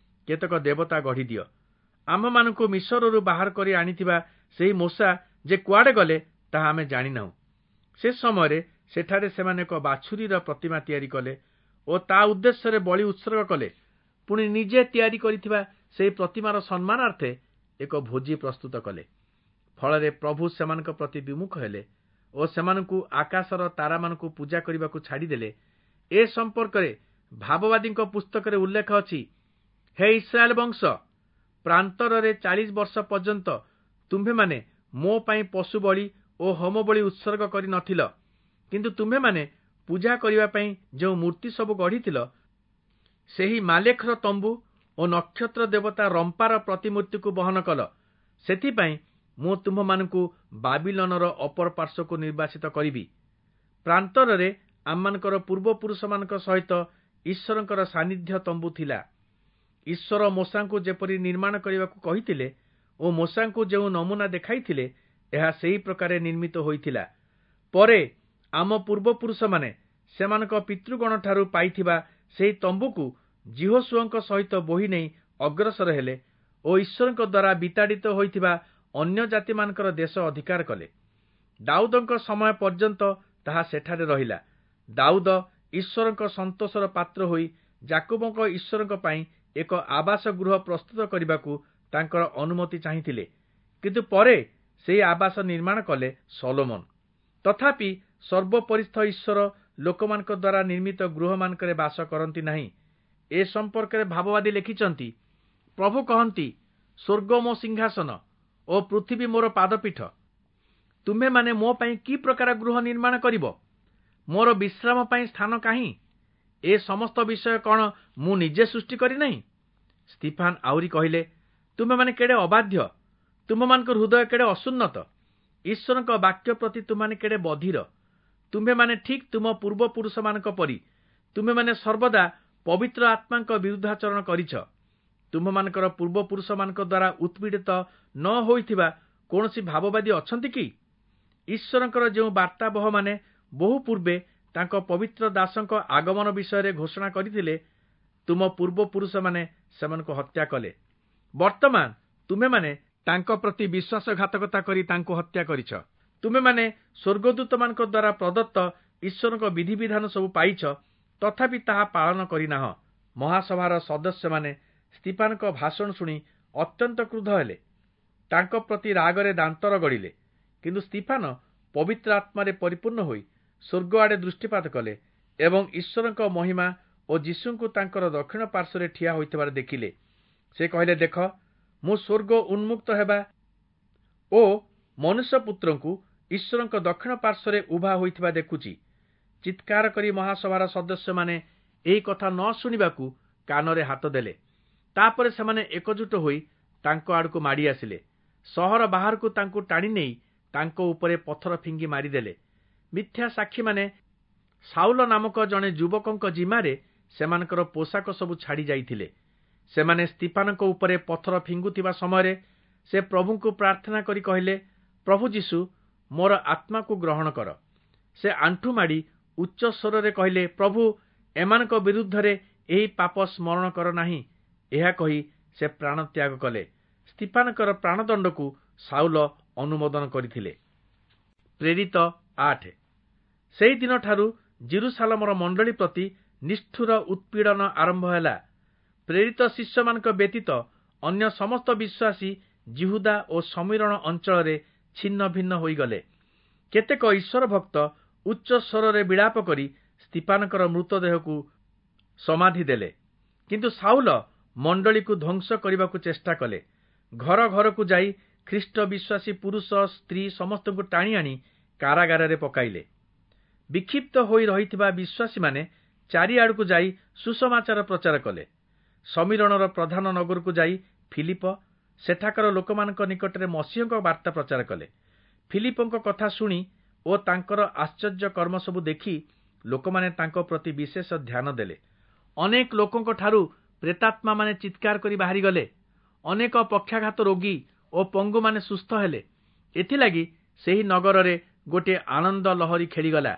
A: କେତେକ ଦେବତା ଗଢ଼ିଦିଅ। ଆମ୍ଭମାନଙ୍କୁ ମିଶରରୁ ବାହାର କରି ଆଣିଥିବା ସେହି ମୋଶା ଯେ କୁଆଡ଼େ ଗଲେ ତାହା ଆମେ ଜାଣିନାହୁଁ। ସେ ସମୟରେ ସେଠାରେ ସେମାନେ ଏକ ବାଛୁରୀର ପ୍ରତିମା ତିଆରି କଲେ ଓ ତା ଉଦ୍ଦେଶ୍ୟରେ ବଳି ଉତ୍ସର୍ଗ କଲେ। ପୁଣି ନିଜେ ତିଆରି କରିଥିବା ସେହି ପ୍ରତିମାର ସମ୍ମାନାର୍ଥେ ଏକ ଭୋଜି ପ୍ରସ୍ତୁତ କଲେ। ଫଳରେ ପ୍ରଭୁ ସେମାନଙ୍କ ପ୍ରତି ବିମୁଖ ହେଲେ ଓ ସେମାନଙ୍କୁ ଆକାଶର ତାରାମାନଙ୍କୁ ପୂଜା କରିବାକୁ ଛାଡ଼ିଦେଲେ। ଏ ସମ୍ପର୍କରେ ଭାବବାଦୀଙ୍କ ପୁସ୍ତକରେ ଉଲ୍ଲେଖ ଅଛି, ହେ ଇସ୍ରାଏଲ ବଂଶ, ପ୍ରାନ୍ତରରେ 40 ବର୍ଷ ପର୍ଯ୍ୟନ୍ତ ତୁମ୍ଭେମାନେ ମୋ ପାଇଁ ପଶୁ ବଳି ଓ ହୋମ ବଳି ଉତ୍ସର୍ଗ କରିନଥିଲ। କିନ୍ତୁ ତୁମ୍ଭେମାନେ ପୂଜା କରିବା ପାଇଁ ଯେଉଁ ମୂର୍ତ୍ତି ସବୁ ଗଢ଼ିଥିଲ, ସେହି ମାଲେଖର ତମ୍ବୁ ଓ ନକ୍ଷତ୍ର ଦେବତା ରମ୍ପାର ପ୍ରତିମୂର୍ତ୍ତିକୁ ବହନ କଲ। ସେଥିପାଇଁ ମୁଁ ତୁମ୍ଭମାନଙ୍କୁ ବାବିଲନର ଅପର ପାର୍ଶ୍ୱକୁ ନିର୍ବାସିତ କରିବି। ପ୍ରାନ୍ତରରେ ଆମମାନଙ୍କର ପୂର୍ବପୁରୁଷମାନଙ୍କ ସହିତ ଈଶ୍ୱରଙ୍କର ସାନ୍ନିଧ୍ୟ ତମ୍ବୁ ଥିଲା। ଈଶ୍ୱର ମୋଶାଙ୍କୁ ଯେପରି ନିର୍ମାଣ କରିବାକୁ କହିଥିଲେ ଓ ମୋଶାଙ୍କୁ ଯେଉଁ ନମୁନା ଦେଖାଇଥିଲେ, ଏହା ସେହି ପ୍ରକାରେ ନିର୍ମିତ ହୋଇଥିଲା। ପରେ ଆମ ପୂର୍ବପୁରୁଷମାନେ ସେମାନଙ୍କ ପିତୃଗଣଠାରୁ ପାଇଥିବା ସେହି ତମ୍ବୁକୁ ଯିହୋଶୂୟଙ୍କ ସହିତ ବୋହି ନେଇ ଅଗ୍ରସର ହେଲେ ଓ ଈଶ୍ୱରଙ୍କ ଦ୍ୱାରା ବିତାଡ଼ିତ ହୋଇଥିବା ଅନ୍ୟ ଜାତିମାନଙ୍କର ଦେଶ ଅଧିକାର କଲେ। ଦାଉଦଙ୍କ ସମୟ ପର୍ଯ୍ୟନ୍ତ ତାହା ସେଠାରେ ରହିଲା। ଦାଉଦ ଈଶ୍ୱରଙ୍କ ସନ୍ତୋଷର ପାତ୍ର ହୋଇ ଯାକୁବଙ୍କ ଈଶ୍ୱରଙ୍କ ପାଇଁ ଏକ ଆବାସ ଗୃହ ପ୍ରସ୍ତୁତ କରିବାକୁ ତାଙ୍କର ଅନୁମତି ଚାହିଁଥିଲେ। କିନ୍ତୁ ପରେ ସେହି ଆବାସ ନିର୍ମାଣ କଲେ ସଲୋମନ। ତଥାପି ସର୍ବୋପରିସ୍ଥ ଈଶ୍ୱର ଲୋକମାନଙ୍କ ଦ୍ୱାରା ନିର୍ମିତ ଗୃହମାନଙ୍କରେ ବାସ କରନ୍ତି ନାହିଁ। ଏ ସମ୍ପର୍କରେ ଭାବବାଦୀ ଲେଖିଛନ୍ତି, ପ୍ରଭୁ କହନ୍ତି, ସ୍ୱର୍ଗ ମୋ ସିଂହାସନ ଓ ପୃଥିବୀ ମୋର ପାଦପୀଠ। ତୁମ୍ଭେମାନେ ମୋ ପାଇଁ କି ପ୍ରକାର ଗୃହ ନିର୍ମାଣ କରିବ? ମୋର ବିଶ୍ରାମ ପାଇଁ ସ୍ଥାନ କାହିଁ? ଏ ସମସ୍ତ ବିଷୟ କ'ଣ ମୁଁ ନିଜେ ସୃଷ୍ଟି କରିନାହିଁ? ସ୍ତିଫାନ ଆହୁରି କହିଲେ, ତୁମ୍ଭେମାନେ କେଡ଼େ ଅବାଧ୍ୟ, ତୁମ୍ଭମାନଙ୍କ ହୃଦୟ କେଡ଼େ ଅସୁନ୍ନତ, ଈଶ୍ୱରଙ୍କ ବାକ୍ୟ ପ୍ରତି ତୁମ୍ଭେମାନେ କେଡ଼େ ବଧିର। ତୁମ୍ଭେମାନେ ଠିକ୍ ତୁମ ପୂର୍ବପୁରୁଷମାନଙ୍କ ପରି ତୁମ୍ଭେମାନେ ସର୍ବଦା ପବିତ୍ର ଆତ୍ମାଙ୍କ ବିରୁଦ୍ଧାଚରଣ କରିଛ। ତୁମ୍ଭମାନଙ୍କର ପୂର୍ବପୁରୁଷମାନଙ୍କ ଦ୍ୱାରା ଉତ୍ପୀଡ଼ିତ ନ ହୋଇଥିବା କୌଣସି ଭାବବାଦୀ ଅଛନ୍ତି କି? ଈଶ୍ୱରଙ୍କର ଯେଉଁ ବାର୍ତ୍ତାବହମାନେ ବହୁ ପୂର୍ବେ ତାଙ୍କ ପବିତ୍ର ଦାସଙ୍କ ଆଗମନ ବିଷୟରେ ଘୋଷଣା କରିଥିଲେ, ତୁମ ପୂର୍ବପୁରୁଷମାନେ ସେମାନଙ୍କୁ ହତ୍ୟା କଲେ। ବର୍ତ୍ତମାନ ତୁମେମାନେ ତାଙ୍କ ପ୍ରତି ବିଶ୍ୱାସଘାତକତା କରି ତାଙ୍କୁ ହତ୍ୟା କରିଛ। ତୁମେମାନେ ସ୍ୱର୍ଗଦୂତମାନଙ୍କ ଦ୍ୱାରା ପ୍ରଦତ୍ତ ଈଶ୍ୱରଙ୍କ ବିଧିବିଧାନ ସବୁ ପାଇଛ, ତଥାପି ତାହା ପାଳନ କରିନାହଁ। ମହାସଭାର ସଦସ୍ୟମାନେ ସ୍ତିଫାନଙ୍କ ଭାଷଣ ଶୁଣି ଅତ୍ୟନ୍ତ କ୍ରୁଦ୍ଧ ହେଲେ। ତାଙ୍କ ପ୍ରତି ରାଗରେ ଦାନ୍ତ ରଗଡ଼ିଲେ। କିନ୍ତୁ ସ୍ତିଫାନ ପବିତ୍ର ଆତ୍ମାରେ ପରିପୂର୍ଣ୍ଣ ହୋଇ ସ୍ୱର୍ଗ ଆଡ଼େ ଦୃଷ୍ଟିପାତ କଲେ ଏବଂ ଈଶ୍ୱରଙ୍କ ମହିମା ଓ ଯୀଶୁଙ୍କୁ ତାଙ୍କର ଦକ୍ଷିଣ ପାର୍ଶ୍ୱରେ ଠିଆ ହୋଇଥିବାର ଦେଖିଲେ। ସେ କହିଲେ, ଦେଖ, ମୁଁ ସ୍ୱର୍ଗ ଉନ୍ମୁକ୍ତ ହେବା ଓ ମନୁଷ୍ୟ ପୁତ୍ରଙ୍କୁ ଈଶ୍ୱରଙ୍କ ଦକ୍ଷିଣ ପାର୍ଶ୍ୱରେ ଉଭା ହୋଇଥିବା ଦେଖୁଛି। ଚିତ୍କାର କରି ମହାସଭାର ସଦସ୍ୟମାନେ ଏହି କଥା ନ ଶୁଣିବାକୁ କାନରେ ହାତ ଦେଲେ। ତାପରେ ସେମାନେ ଏକଜୁଟ ହୋଇ ତାଙ୍କ ଆଡ଼କୁ ମାଡ଼ି ଆସିଲେ। ସହର ବାହାରକୁ ତାଙ୍କୁ ଟାଣି ନେଇ ତାଙ୍କ ଉପରେ ପଥର ଫିଙ୍ଗି ମାରିଦେଲେ। ମିଥ୍ୟା ସାକ୍ଷୀମାନେ ସାଉଲ ନାମକ ଜଣେ ଯୁବକଙ୍କ ଜିମାରେ ସେମାନଙ୍କର ପୋଷାକ ସବୁ ଛାଡ଼ି ଯାଇଥିଲେ। ସେମାନେ ସ୍ତିଫାନଙ୍କ ଉପରେ ପଥର ଫିଙ୍ଗୁଥିବା ସମୟରେ ସେ ପ୍ରଭୁଙ୍କୁ ପ୍ରାର୍ଥନା କରି କହିଲେ, ପ୍ରଭୁ ଯୀଶୁ, ମୋର ଆତ୍ମାକୁ ଗ୍ରହଣ କର। ସେ ଆଣ୍ଠୁ ମାଡ଼ି ଉଚ୍ଚ ସ୍ୱରରେ କହିଲେ, ପ୍ରଭୁ, ଏମାନଙ୍କ ବିରୁଦ୍ଧରେ ଏହି ପାପ ସ୍ମରଣ କର ନାହିଁ। ଏହା କହି ସେ ପ୍ରାଣତ୍ୟାଗ କଲେ। ସ୍ତିଫାନଙ୍କର ପ୍ରାଣଦଣ୍ଡକୁ ସାଉଲ ଅନୁମୋଦନ କରିଥିଲେ। ପ୍ରେରିତ 8। ସେହିଦିନଠାରୁ ଯିରୂଶାଲମର ମଣ୍ଡଳୀ ପ୍ରତି ନିଷ୍ଠୁର ଉତ୍ପୀଡ଼ନ ଆରମ୍ଭ ହେଲା। ପ୍ରେରିତ ଶିଷ୍ୟମାନଙ୍କ ବ୍ୟତୀତ ଅନ୍ୟ ସମସ୍ତ ବିଶ୍ୱାସୀ ଯିହୁଦା ଓ ଶମିରୋଣ ଅଞ୍ଚଳରେ ଛିନ୍ନ ଭିନ୍ନ ହୋଇଗଲେ। କେତେକ ଈଶ୍ୱର ଭକ୍ତ ଉଚ୍ଚ ସ୍ୱରରେ ବିଳାପ କରି ସ୍ତିଫାନଙ୍କର ମୃତଦେହକୁ ସମାଧି ଦେଲେ। କିନ୍ତୁ ସାଉଲ ମଣ୍ଡଳୀକୁ ଧ୍ୱଂସ କରିବାକୁ ଚେଷ୍ଟା କଲେ। ଘର ଘରକୁ ଯାଇ ଖ୍ରୀଷ୍ଟ ବିଶ୍ୱାସୀ ପୁରୁଷ ସ୍ତ୍ରୀ ସମସ୍ତଙ୍କୁ ଟାଣି ଆଣି କାରାଗାରରେ ପକାଇଲେ। ବିକ୍ଷିପ୍ତ ହୋଇ ରହିଥିବା ବିଶ୍ୱାସୀମାନେ ଚାରିଆଡ଼କୁ ଯାଇ ସୁସମାଚାର ପ୍ରଚାର କଲେ। ଶମିରୋଣର ପ୍ରଧାନ ନଗରକୁ ଯାଇ ଫିଲିପ ସେଠାକାର ଲୋକମାନଙ୍କ ନିକଟରେ ମସୀହଙ୍କ ବାର୍ତ୍ତା ପ୍ରଚାର କଲେ। ଫିଲିପଙ୍କ କଥା ଶୁଣି ଓ ତାଙ୍କର ଆଶ୍ଚର୍ଯ୍ୟ କର୍ମ ସବୁ ଦେଖି ଲୋକମାନେ ତାଙ୍କ ପ୍ରତି ବିଶେଷ ଧ୍ୟାନ ଦେଲେ। ଅନେକ ଲୋକଙ୍କଠାରୁ ପ୍ରେତାତ୍ମାମାନେ ଚିତ୍କାର କରି ବାହାରିଗଲେ। ଅନେକ ପକ୍ଷାଘାତ ରୋଗୀ ଓ ପଙ୍ଗୁମାନେ ସୁସ୍ଥ ହେଲେ। ଏଥିଲାଗି ସେହି ନଗରରେ ଗୋଟିଏ ଆନନ୍ଦ ଲହରୀ ଖେଳିଗଲା।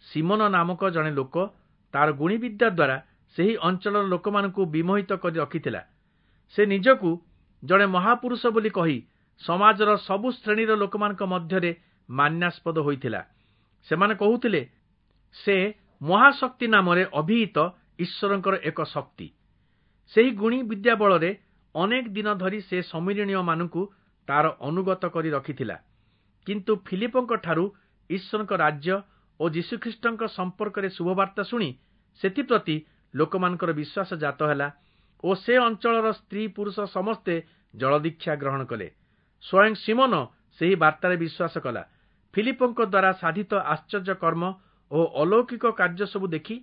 A: ସିମୋନ ନାମକ ଜଣେ ଲୋକ ତାର ଗୁଣିବିଦ୍ୟା ଦ୍ୱାରା ସେହି ଅଞ୍ଚଳର ଲୋକମାନଙ୍କୁ ବିମୋହିତ କରି ରଖିଥିଲା। ସେ ନିଜକୁ ଜଣେ ମହାପୁରୁଷ ବୋଲି କହି ସମାଜର ସବୁ ଶ୍ରେଣୀର ଲୋକମାନଙ୍କ ମଧ୍ୟରେ ମାନ୍ୟାସ୍ପଦ ହୋଇଥିଲା। ସେମାନେ କହୁଥିଲେ, ସେ ମହାଶକ୍ତି ନାମରେ ଅଭିହିତ ଈଶ୍ୱରଙ୍କର ଏକ ଶକ୍ତି। ସେହି ଗୁଣି ବିଦ୍ୟା ବଳରେ ଅନେକ ଦିନ ଧରି ସେ ଶମିରୋଣୀୟମାନଙ୍କୁ ତାର ଅନୁଗତ କରି ରଖିଥିଲା। କିନ୍ତୁ ଫିଲିପଙ୍କ ଠାରୁ ଈଶ୍ୱରଙ୍କ ରାଜ୍ୟ ଓ ଯୀଶୁଖ୍ରୀଷ୍ଟଙ୍କ ସମ୍ପର୍କରେ ଶୁଭବାର୍ତ୍ତା ଶୁଣି ସେଥିପ୍ରତି ଲୋକମାନଙ୍କର ବିଶ୍ୱାସ ଜାତ ହେଲା ଓ ସେ ଅଞ୍ଚଳର ସ୍ତ୍ରୀ ପୁରୁଷ ସମସ୍ତେ ଜଳଦୀକ୍ଷା ଗ୍ରହଣ କଲେ। ସ୍ୱୟଂ ସିମୋନ ସେହି ବାର୍ତ୍ତାରେ ବିଶ୍ୱାସ କଲା। ଫିଲିପଙ୍କ ଦ୍ୱାରା ସାଧିତ ଆଶ୍ଚର୍ଯ୍ୟ କର୍ମ ଓ ଅଲୌକିକ କାର୍ଯ୍ୟ ସବୁ ଦେଖି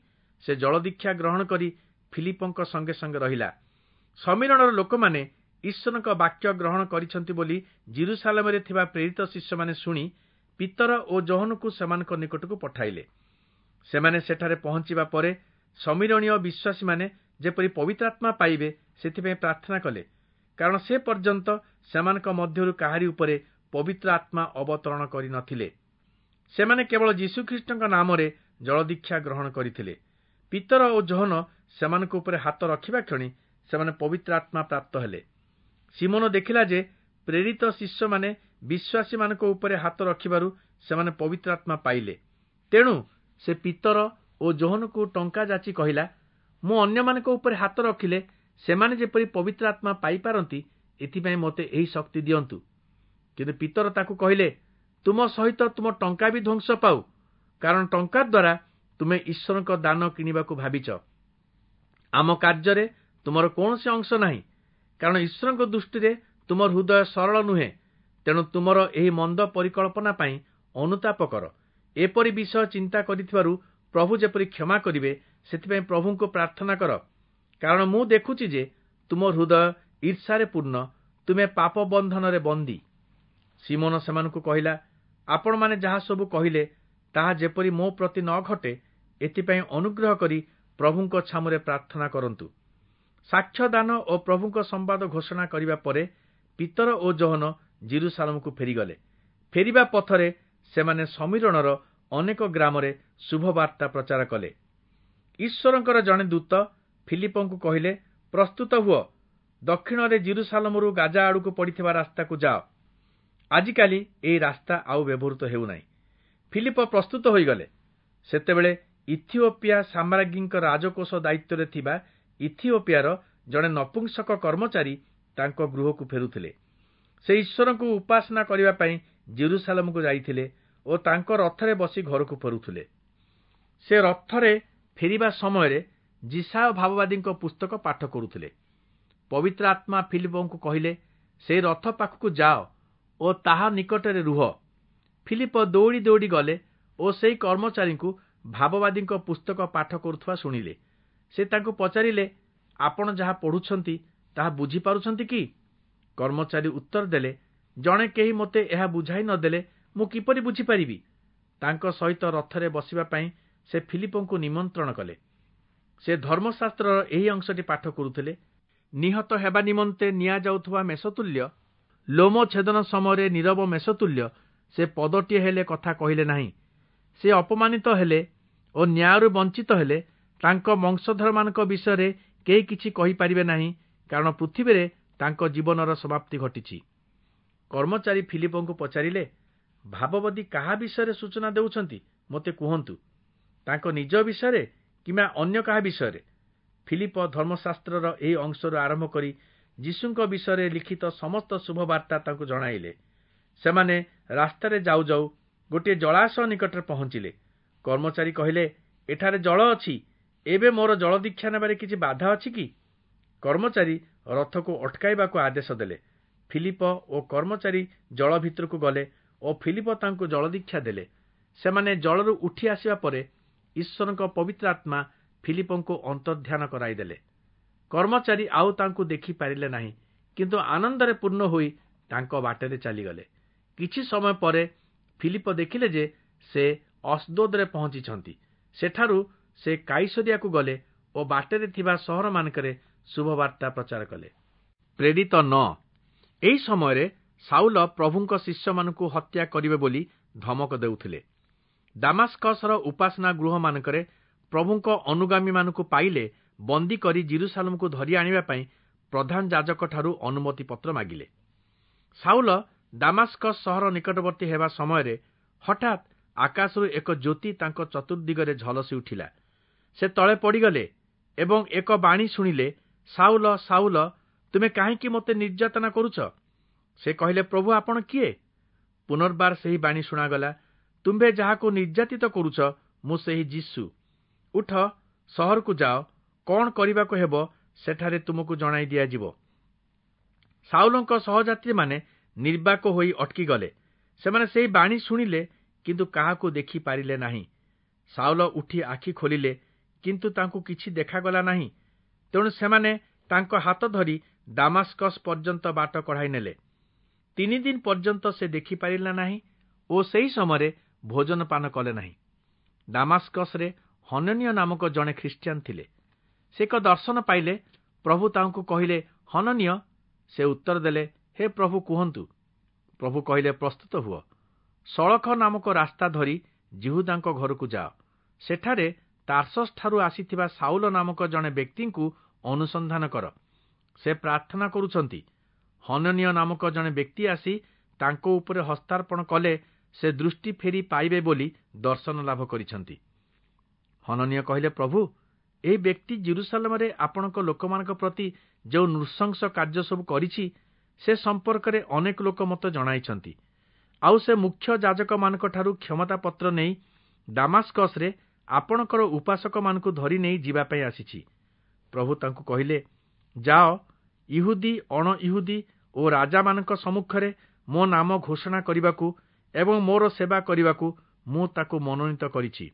A: ସେ ଜଳଦୀକ୍ଷା ଗ୍ରହଣ କରି ଫିଲିପଙ୍କ ସଙ୍ଗେ ସଙ୍ଗେ ରହିଲା। ଶମିରୋଣର ଲୋକମାନେ ଈଶ୍ୱରଙ୍କ ବାକ୍ୟ ଗ୍ରହଣ କରିଛନ୍ତି ବୋଲି ଯିରୂଶାଲମରେ ଥିବା ପ୍ରେରିତ ଶିଷ୍ୟମାନେ ଶୁଣି ପିତର ଓ ଯୋହନକୁ ସେମାନଙ୍କ ନିକଟକୁ ପଠାଇଲେ। ସେମାନେ ସେଠାରେ ପହଞ୍ଚିବା ପରେ ଶମିରୋଣୀୟ ବିଶ୍ୱାସୀମାନେ ଯେପରି ପବିତ୍ରାତ୍ମା ପାଇବେ ସେଥିପାଇଁ ପ୍ରାର୍ଥନା କଲେ, କାରଣ ସେ ପର୍ଯ୍ୟନ୍ତ ସେମାନଙ୍କ ମଧ୍ୟରୁ କାହାରି ଉପରେ ପବିତ୍ର ଆତ୍ମା ଅବତରଣ କରିନଥିଲେ। ସେମାନେ କେବଳ ଯୀଶୁଖ୍ରୀଷ୍ଟଙ୍କ ନାମରେ ଜଳଦୀକ୍ଷା ଗ୍ରହଣ କରିଥିଲେ। ପିତର ଓ ଯୋହନ ସେମାନଙ୍କ ଉପରେ ହାତ ରଖିବା କ୍ଷଣି ସେମାନେ ପବିତ୍ର ଆତ୍ମା ପ୍ରାପ୍ତ ହେଲେ। ସିମୋନ ଦେଖିଲା ଯେ ପ୍ରେରିତ ଶିଷ୍ୟମାନେ ବିଶ୍ୱାସୀମାନଙ୍କ ଉପରେ ହାତ ରଖିବାରୁ ସେମାନେ ପବିତ୍ର ଆତ୍ମା ପାଇଲେ। ତେଣୁ ସେ ପିତର ଓ ଯୋହନକୁ ଟଙ୍କା ଯାଚି କହିଲା, ମୁଁ ଅନ୍ୟମାନଙ୍କ ଉପରେ ହାତ ରଖିଲେ ସେମାନେ ଯେପରି ପବିତ୍ର ଆତ୍ମା ପାଇପାରନ୍ତି ଏଥିପାଇଁ ମୋତେ ଏହି ଶକ୍ତି ଦିଅନ୍ତୁ। କିନ୍ତୁ ପିତର ତାକୁ କହିଲେ, ତୁମ ସହିତ ତୁମ ଟଙ୍କା ବି ଧ୍ୱଂସ ପାଉ, କାରଣ ଟଙ୍କା ଦ୍ୱାରା ତୁମେ ଈଶ୍ୱରଙ୍କ ଦାନ କିଣିବାକୁ ଭାବିଛ। ଆମ କାର୍ଯ୍ୟରେ ତୁମର କୌଣସି ଅଂଶ ନାହିଁ, କାରଣ ଈଶ୍ୱରଙ୍କ ଦୃଷ୍ଟିରେ ତୁମ ହୃଦୟ ସରଳ ନୁହେଁ। ତେଣୁ ତୁମର ଏହି ମନ୍ଦ ପରିକଳ୍ପନା ପାଇଁ ଅନୁତାପ କର। ଏପରି ବିଷୟ ଚିନ୍ତା କରିଥିବାରୁ ପ୍ରଭୁ ଯେପରି କ୍ଷମା କରିବେ ସେଥିପାଇଁ ପ୍ରଭୁଙ୍କୁ ପ୍ରାର୍ଥନା କର, କାରଣ ମୁଁ ଦେଖୁଛି ଯେ ତୁମ ହୃଦୟ ଈର୍ଷାରେ ପୂର୍ଣ୍ଣ, ତୁମେ ପାପ ବନ୍ଧନରେ ବନ୍ଦୀ। ସିମୋନ ସେମାନଙ୍କୁ କହିଲା, ଆପଣମାନେ ଯାହା ସବୁ କହିଲେ ତାହା ଯେପରି ମୋ ପ୍ରତି ନ ଘଟେ ଏଥିପାଇଁ ଅନୁଗ୍ରହ କରି ପ୍ରଭୁଙ୍କ ଛାମୁରେ ପ୍ରାର୍ଥନା କରନ୍ତୁ। ସାକ୍ଷ୍ୟଦାନ ଓ ପ୍ରଭୁଙ୍କ ସମ୍ବାଦ ଘୋଷଣା କରିବା ପରେ ପିତର ଓ ଯୋହନ ଯିରୂଶାଲମକୁ ଫେରିଗଲେ। ଫେରିବା ପଥରେ ସେମାନେ ଶମିରୋଣର ଅନେକ ଗ୍ରାମରେ ଶୁଭବାର୍ତ୍ତା ପ୍ରଚାର କଲେ। ଈଶ୍ୱରଙ୍କର ଜଣେ ଦୂତ ଫିଲିପଙ୍କୁ କହିଲେ, ପ୍ରସ୍ତୁତ ହୁଅ, ଦକ୍ଷିଣରେ ଯିରୂଶାଲମରୁ ଗାଜା ଆଡ଼କୁ ପଡ଼ିଥିବା ରାସ୍ତାକୁ ଯାଅ। ଆଜିକାଲି ଏହି ରାସ୍ତା ଆଉ ବ୍ୟବହୃତ ହେଉନାହିଁ। ଫିଲିପ ପ୍ରସ୍ତୁତ ହୋଇଗଲେ। ସେତେବେଳେ ଇଥିଓପିଆ ସାମ୍ରାଜ୍ଞୀଙ୍କ ରାଜକୋଷ ଦାୟିତ୍ୱରେ ଥିବା ଇଥିଓପିଆର ଜଣେ ନପୁଂସକ କର୍ମଚାରୀ ତାଙ୍କ ଗୃହକୁ ଫେରୁଥିଲେ। ସେ ଈଶ୍ୱରଙ୍କୁ ଉପାସନା କରିବା ପାଇଁ ଯିରୂଶାଲମକୁ ଯାଇଥିଲେ ଓ ତାଙ୍କ ରଥରେ ବସି ଘରକୁ ଫେରୁଥିଲେ। ସେ ରଥରେ ଫେରିବା ସମୟରେ ଯିଶାଇୟ ଭାବବାଦୀଙ୍କ ପୁସ୍ତକ ପାଠ କରୁଥିଲେ। ପବିତ୍ର ଆତ୍ମା ଫିଲିପଙ୍କୁ କହିଲେ, ସେହି ରଥ ପାଖକୁ ଯାଅ ଓ ତାହା ନିକଟରେ ରୁହ। ଫିଲିପ ଦୌଡ଼ି ଦୌଡ଼ି ଗଲେ ଓ ସେହି କର୍ମଚାରୀଙ୍କୁ ଭାବବାଦୀଙ୍କ ପୁସ୍ତକ ପାଠ କରୁଥିବା ଶୁଣିଲେ। ସେ ତାଙ୍କୁ ପଚାରିଲେ, ଆପଣ ଯାହା ପଢ଼ୁଛନ୍ତି ତାହା ବୁଝିପାରୁଛନ୍ତି କି? କର୍ମଚାରୀ ଉତ୍ତର ଦେଲେ, ଜଣେ କେହି ମୋତେ ଏହା ବୁଝାଇ ନଦେଲେ ମୁଁ କିପରି ବୁଝିପାରିବି? ତାଙ୍କ ସହିତ ରଥରେ ବସିବା ପାଇଁ ସେ ଫିଲିପଙ୍କୁ ନିମନ୍ତ୍ରଣ କଲେ। ସେ ଧର୍ମଶାସ୍ତ୍ରର ଏହି ଅଂଶଟି ପାଠ କରୁଥିଲେ, ନିହତ ହେବା ନିମନ୍ତେ ନିଆଯାଉଥିବା ମେଷତୁଲ୍ୟ ଲୋମ ଛେଦନ ସମୟରେ ନୀରବ ମେଷତୁଲ୍ୟ ସେ ପଦଟିଏ ହେଲେ କଥା କହିଲେ ନାହିଁ। ସେ ଅପମାନିତ ହେଲେ ଓ ନ୍ୟାୟରୁ ବଞ୍ଚିତ ହେଲେ। ତାଙ୍କ ବଂଶଧରମାନଙ୍କ ବିଷୟରେ କେହି କିଛି କହିପାରିବେ ନାହିଁ, କାରଣ ପୃଥିବୀରେ ତାଙ୍କ ଜୀବନର ସମାପ୍ତି ଘଟିଛି। କର୍ମଚାରୀ ଫିଲିପଙ୍କୁ ପଚାରିଲେ, ଭାବବାଦୀ କାହା ବିଷୟରେ ସୂଚନା ଦେଉଛନ୍ତି, ମୋତେ କୁହନ୍ତୁ, ତାଙ୍କ ନିଜ ବିଷୟରେ କିମ୍ବା ଅନ୍ୟ କାହା ବିଷୟରେ? ଫିଲିପ ଧର୍ମଶାସ୍ତ୍ରର ଏହି ଅଂଶରୁ ଆରମ୍ଭ କରି ଯୀଶୁଙ୍କ ବିଷୟରେ ଲିଖିତ ସମସ୍ତ ଶୁଭବାର୍ତ୍ତା ତାଙ୍କୁ ଜଣାଇଲେ। ସେମାନେ ରାସ୍ତାରେ ଯାଉ ଯାଉ ଗୋଟିଏ ଜଳାଶୟ ନିକଟରେ ପହଞ୍ଚିଲେ। କର୍ମଚାରୀ କହିଲେ, ଏଠାରେ ଜଳ ଅଛି, ଏବେ ମୋର ଜଳଦୀକ୍ଷା ନେବାରେ କିଛି ବାଧା ଅଛି କି? କର୍ମଚାରୀ ରଥକୁ ଅଟକାଇବାକୁ ଆଦେଶ ଦେଲେ। ଫିଲିପ ଓ କର୍ମଚାରୀ ଜଳ ଭିତରକୁ ଗଲେ ଓ ଫିଲିପ ତାଙ୍କୁ ଜଳଦୀକ୍ଷା ଦେଲେ। ସେମାନେ ଜଳରୁ ଉଠି ଆସିବା ପରେ ଈଶ୍ୱରଙ୍କ ପବିତ୍ର ଆତ୍ମା ଫିଲିପଙ୍କୁ ଅନ୍ତର୍ଧ୍ୟାନ କରାଇଦେଲେ। କର୍ମଚାରୀ ଆଉ ତାଙ୍କୁ ଦେଖିପାରିଲେ ନାହିଁ, କିନ୍ତୁ ଆନନ୍ଦରେ ପୂର୍ଣ୍ଣ ହୋଇ ତାଙ୍କ ବାଟରେ ଚାଲିଗଲେ। କିଛି ସମୟ ପରେ ଫିଲିପ ଦେଖିଲେ ଯେ ସେ ଅସ୍ଦୋଦରେ ପହଞ୍ଚିଛନ୍ତି। ସେଠାରୁ ସେ କାଇସରିଆକୁ ଗଲେ ଓ ବାଟରେ ଥିବା ସହରମାନଙ୍କରେ ଶୁଭବାର୍ତ୍ତା ପ୍ରଚାର କଲେ। ପ୍ରେରିତ 9। ଏହି ସମୟରେ ସାଉଲ ପ୍ରଭୁଙ୍କ ଶିଷ୍ୟମାନଙ୍କୁ ହତ୍ୟା କରିବେ ବୋଲି ଧମକ ଦେଉଥିଲେ। ଦାମାସ୍କସର ଉପାସନା ଗୃହମାନଙ୍କରେ ପ୍ରଭୁଙ୍କ ଅନୁଗାମୀମାନଙ୍କୁ ପାଇଲେ ବନ୍ଦୀ କରି ଜିରୁସାଲମକୁ ଧରି ଆଣିବା ପାଇଁ ପ୍ରଧାନ ଯାଜକଠାରୁ ଅନୁମତି ପତ୍ର ମାଗିଲେ। ସାଉଲ ଦାମାସ୍କସ ସହର ନିକଟବର୍ତ୍ତୀ ହେବା ସମୟରେ ହଠାତ୍ ଆକାଶରୁ ଏକ ଜ୍ୟୋତି ତାଙ୍କ ଚତୁର୍ଦିଗରେ ଝଲସି ଉଠିଲା। ସେ ତଳେ ପଡ଼ିଗଲେ ଏବଂ ଏକ ବାଣୀ ଶୁଣିଲେ, ସାଉଲ, ସାଉଲ, ତୁମେ କାହିଁକି ମୋତେ ନିର୍ଯାତନା କରୁଛ? ସେ କହିଲେ, ପ୍ରଭୁ, ଆପଣ କିଏ? ପୁନର୍ବାର ସେହି ବାଣୀ ଶୁଣାଗଲା, ତୁମ୍ଭେ ଯାହାକୁ ନିର୍ଯାତିତ କରୁଛ, ମୁଁ ସେହି ଯୀଶୁ। ଉଠ, ସହରକୁ ଯାଅ, କଣ କରିବାକୁ ହେବ ସେଠାରେ ତୁମକୁ ଜଣାଇ ଦିଆଯିବ। ସାଉଲଙ୍କ ସହଯାତ୍ରୀମାନେ ନିର୍ବାକ ହୋଇ ଅଟକିଗଲେ। ସେମାନେ ସେହି ବାଣୀ ଶୁଣିଲେ, କିନ୍ତୁ କାହାକୁ ଦେଖିପାରିଲେ ନାହିଁ। ସାଉଲ ଉଠି ଆଖି ଖୋଲିଲେ, କିନ୍ତୁ ତାଙ୍କୁ କିଛି ଦେଖାଗଲା ନାହିଁ। ତେଣୁ ସେମାନେ ତାଙ୍କ ହାତ ଧରି ଦାମାସ୍କସ ପର୍ଯ୍ୟନ୍ତ ବାଟ କଢ଼ାଇ ନେଲେ। 3 ଦିନ ପର୍ଯ୍ୟନ୍ତ ସେ ଦେଖିପାରିଲା ନାହିଁ ଓ ସେହି ସମୟରେ ଭୋଜନ ପାନ କଲେ ନାହିଁ। ଦାମାସ୍କସରେ ହନନୀୟ ନାମକ ଜଣେ ଖ୍ରୀଷ୍ଟିଆନ ଥିଲେ। ସେ ଏକ ଦର୍ଶନ ପାଇଲେ। ପ୍ରଭୁ ତାଙ୍କୁ କହିଲେ, ହନନୀୟ। ସେ ଉତ୍ତର ଦେଲେ, ହେ ପ୍ରଭୁ, କୁହନ୍ତୁ। ପ୍ରଭୁ କହିଲେ, ପ୍ରସ୍ତୁତ ହୁଅ, ସଳଖ ନାମକ ରାସ୍ତା ଧରି ଯିହୁଦାଙ୍କ ଘରକୁ ଯାଅ। ସେଠାରେ ତାର୍ସସଠାରୁ ଆସିଥିବା ସାଉଲ ନାମକ ଜଣେ ବ୍ୟକ୍ତିଙ୍କୁ ଅନୁସନ୍ଧାନ କର। ସେ ପ୍ରାର୍ଥନା କରୁଛନ୍ତି। ହନନୀୟ ନାମକ ଜଣେ ବ୍ୟକ୍ତି ଆସି ତାଙ୍କ ଉପରେ ହସ୍ତାର୍ପଣ କଲେ ସେ ଦୃଷ୍ଟି ଫେରି ପାଇବେ ବୋଲି ଦର୍ଶନ ଲାଭ କରିଛନ୍ତି। ହନନୀୟ କହିଲେ, ପ୍ରଭୁ, ଏହି ବ୍ୟକ୍ତି ଜିରୁସାଲମରେ ଆପଣଙ୍କ ଲୋକମାନଙ୍କ ପ୍ରତି ଯେଉଁ ନୃଶଂସ କାର୍ଯ୍ୟ ସବୁ କରିଛି, ସେ ସମ୍ପର୍କରେ ଅନେକ ଲୋକ ମୋତେ ଜଣାଇଛନ୍ତି। ଆଉ ସେ ମୁଖ୍ୟ ଯାଜକମାନଙ୍କଠାରୁ କ୍ଷମତାପତ୍ର ନେଇ ଦାମାସ୍କସରେ ଆପଣଙ୍କର ଉପାସକମାନଙ୍କୁ ଧରି ନେଇ ଯିବା ପାଇଁ ଆସିଛି। ପ୍ରଭୁ ତାଙ୍କୁ କହିଲେ, ଯାଅ, ଇହୁଦୀ, ଅଣ ଇହୁଦୀ ଓ ରାଜାମାନଙ୍କ ସମ୍ମୁଖରେ ମୋ ନାମ ଘୋଷଣା କରିବାକୁ ଏବଂ ମୋର ସେବା କରିବାକୁ ମୁଁ ତାକୁ ମନୋନୀତ କରିଛି।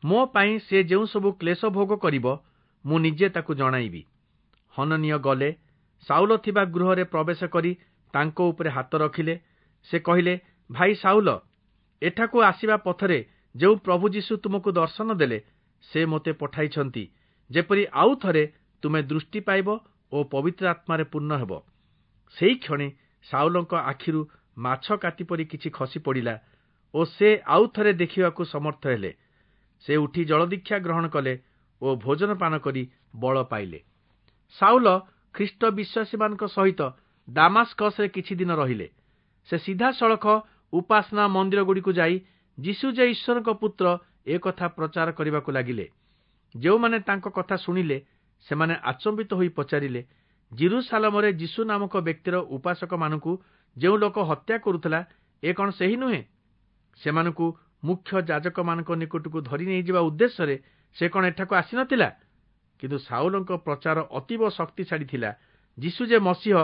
A: ମୋ ପାଇଁ ସେ ଯେଉଁ ସବୁ କ୍ଲେଶ ଭୋଗ କରିବ, ମୁଁ ନିଜେ ତାକୁ ଜଣାଇବି। ହନନୀୟ ଗଲେ, ସାଉଲ ଥିବା ଗୃହରେ ପ୍ରବେଶ କରି ତାଙ୍କ ଉପରେ ହାତ ରଖିଲେ। ସେ କହିଲେ, ଭାଇ ସାଉଲ, ଏଠାକୁ ଆସିବା ପଥରେ ଯେଉଁ ପ୍ରଭୁ ଯୀଶୁ ତୁମକୁ ଦର୍ଶନ ଦେଲେ, ସେ ମୋତେ ପଠାଇଛନ୍ତି, ଯେପରି ଆଉ ଥରେ ତୁମେ ଦୃଷ୍ଟି ପାଇବ ଓ ପବିତ୍ର ଆତ୍ମାରେ ପୂର୍ଣ୍ଣ ହେବ। ସେହି କ୍ଷଣି ସାଉଲଙ୍କ ଆଖିରୁ ମାଛ କାତି ପରି କିଛି ଖସି ପଡ଼ିଲା ଓ ସେ ଆଉ ଥରେ ଦେଖିବାକୁ ସମର୍ଥ ହେଲେ। ସେ ଉଠି ଜଳଦୀକ୍ଷା ଗ୍ରହଣ କଲେ ଓ ଭୋଜନ ପାନ କରି ବଳ ପାଇଲେ। ସାଉଲ ଖ୍ରୀଷ୍ଟ ବିଶ୍ୱାସୀମାନଙ୍କ ସହିତ ଦାମାସ୍କସରେ କିଛି ଦିନ ରହିଲେ। ସେ ସିଧାସଳଖ ଉପାସନା ମନ୍ଦିରଗୁଡ଼ିକୁ ଯାଇ ଯୀଶୁ ଯେ ଈଶ୍ୱରଙ୍କ ପୁତ୍ର ଏ କଥା ପ୍ରଚାର କରିବାକୁ ଲାଗିଲେ। ଯେଉଁମାନେ ତାଙ୍କ କଥା ଶୁଣିଲେ, ସେମାନେ ଆଚମ୍ବିତ ହୋଇ ପଚାରିଲେ, ଜିରୁସାଲମରେ ଯୀଶୁ ନାମକ ବ୍ୟକ୍ତିର ଉପାସକମାନଙ୍କୁ ଯେଉଁ ଲୋକ ହତ୍ୟା କରୁଥିଲା, ଏ କଣ ସେହି ନୁହେଁ? ସେମାନଙ୍କୁ ମୁଖ୍ୟ ଯାଜକମାନଙ୍କ ନିକଟକୁ ଧରି ନେଇଯିବା ଉଦ୍ଦେଶ୍ୟରେ ସେ କଣ ଏଠାକୁ ଆସିନଥିଲା? କିନ୍ତୁ ସାଉଲଙ୍କ ପ୍ରଚାର ଅତୀବ ଶକ୍ତିଶାଳୀ ଥିଲା। ଯୀଶୁ ଯେ ମସିହ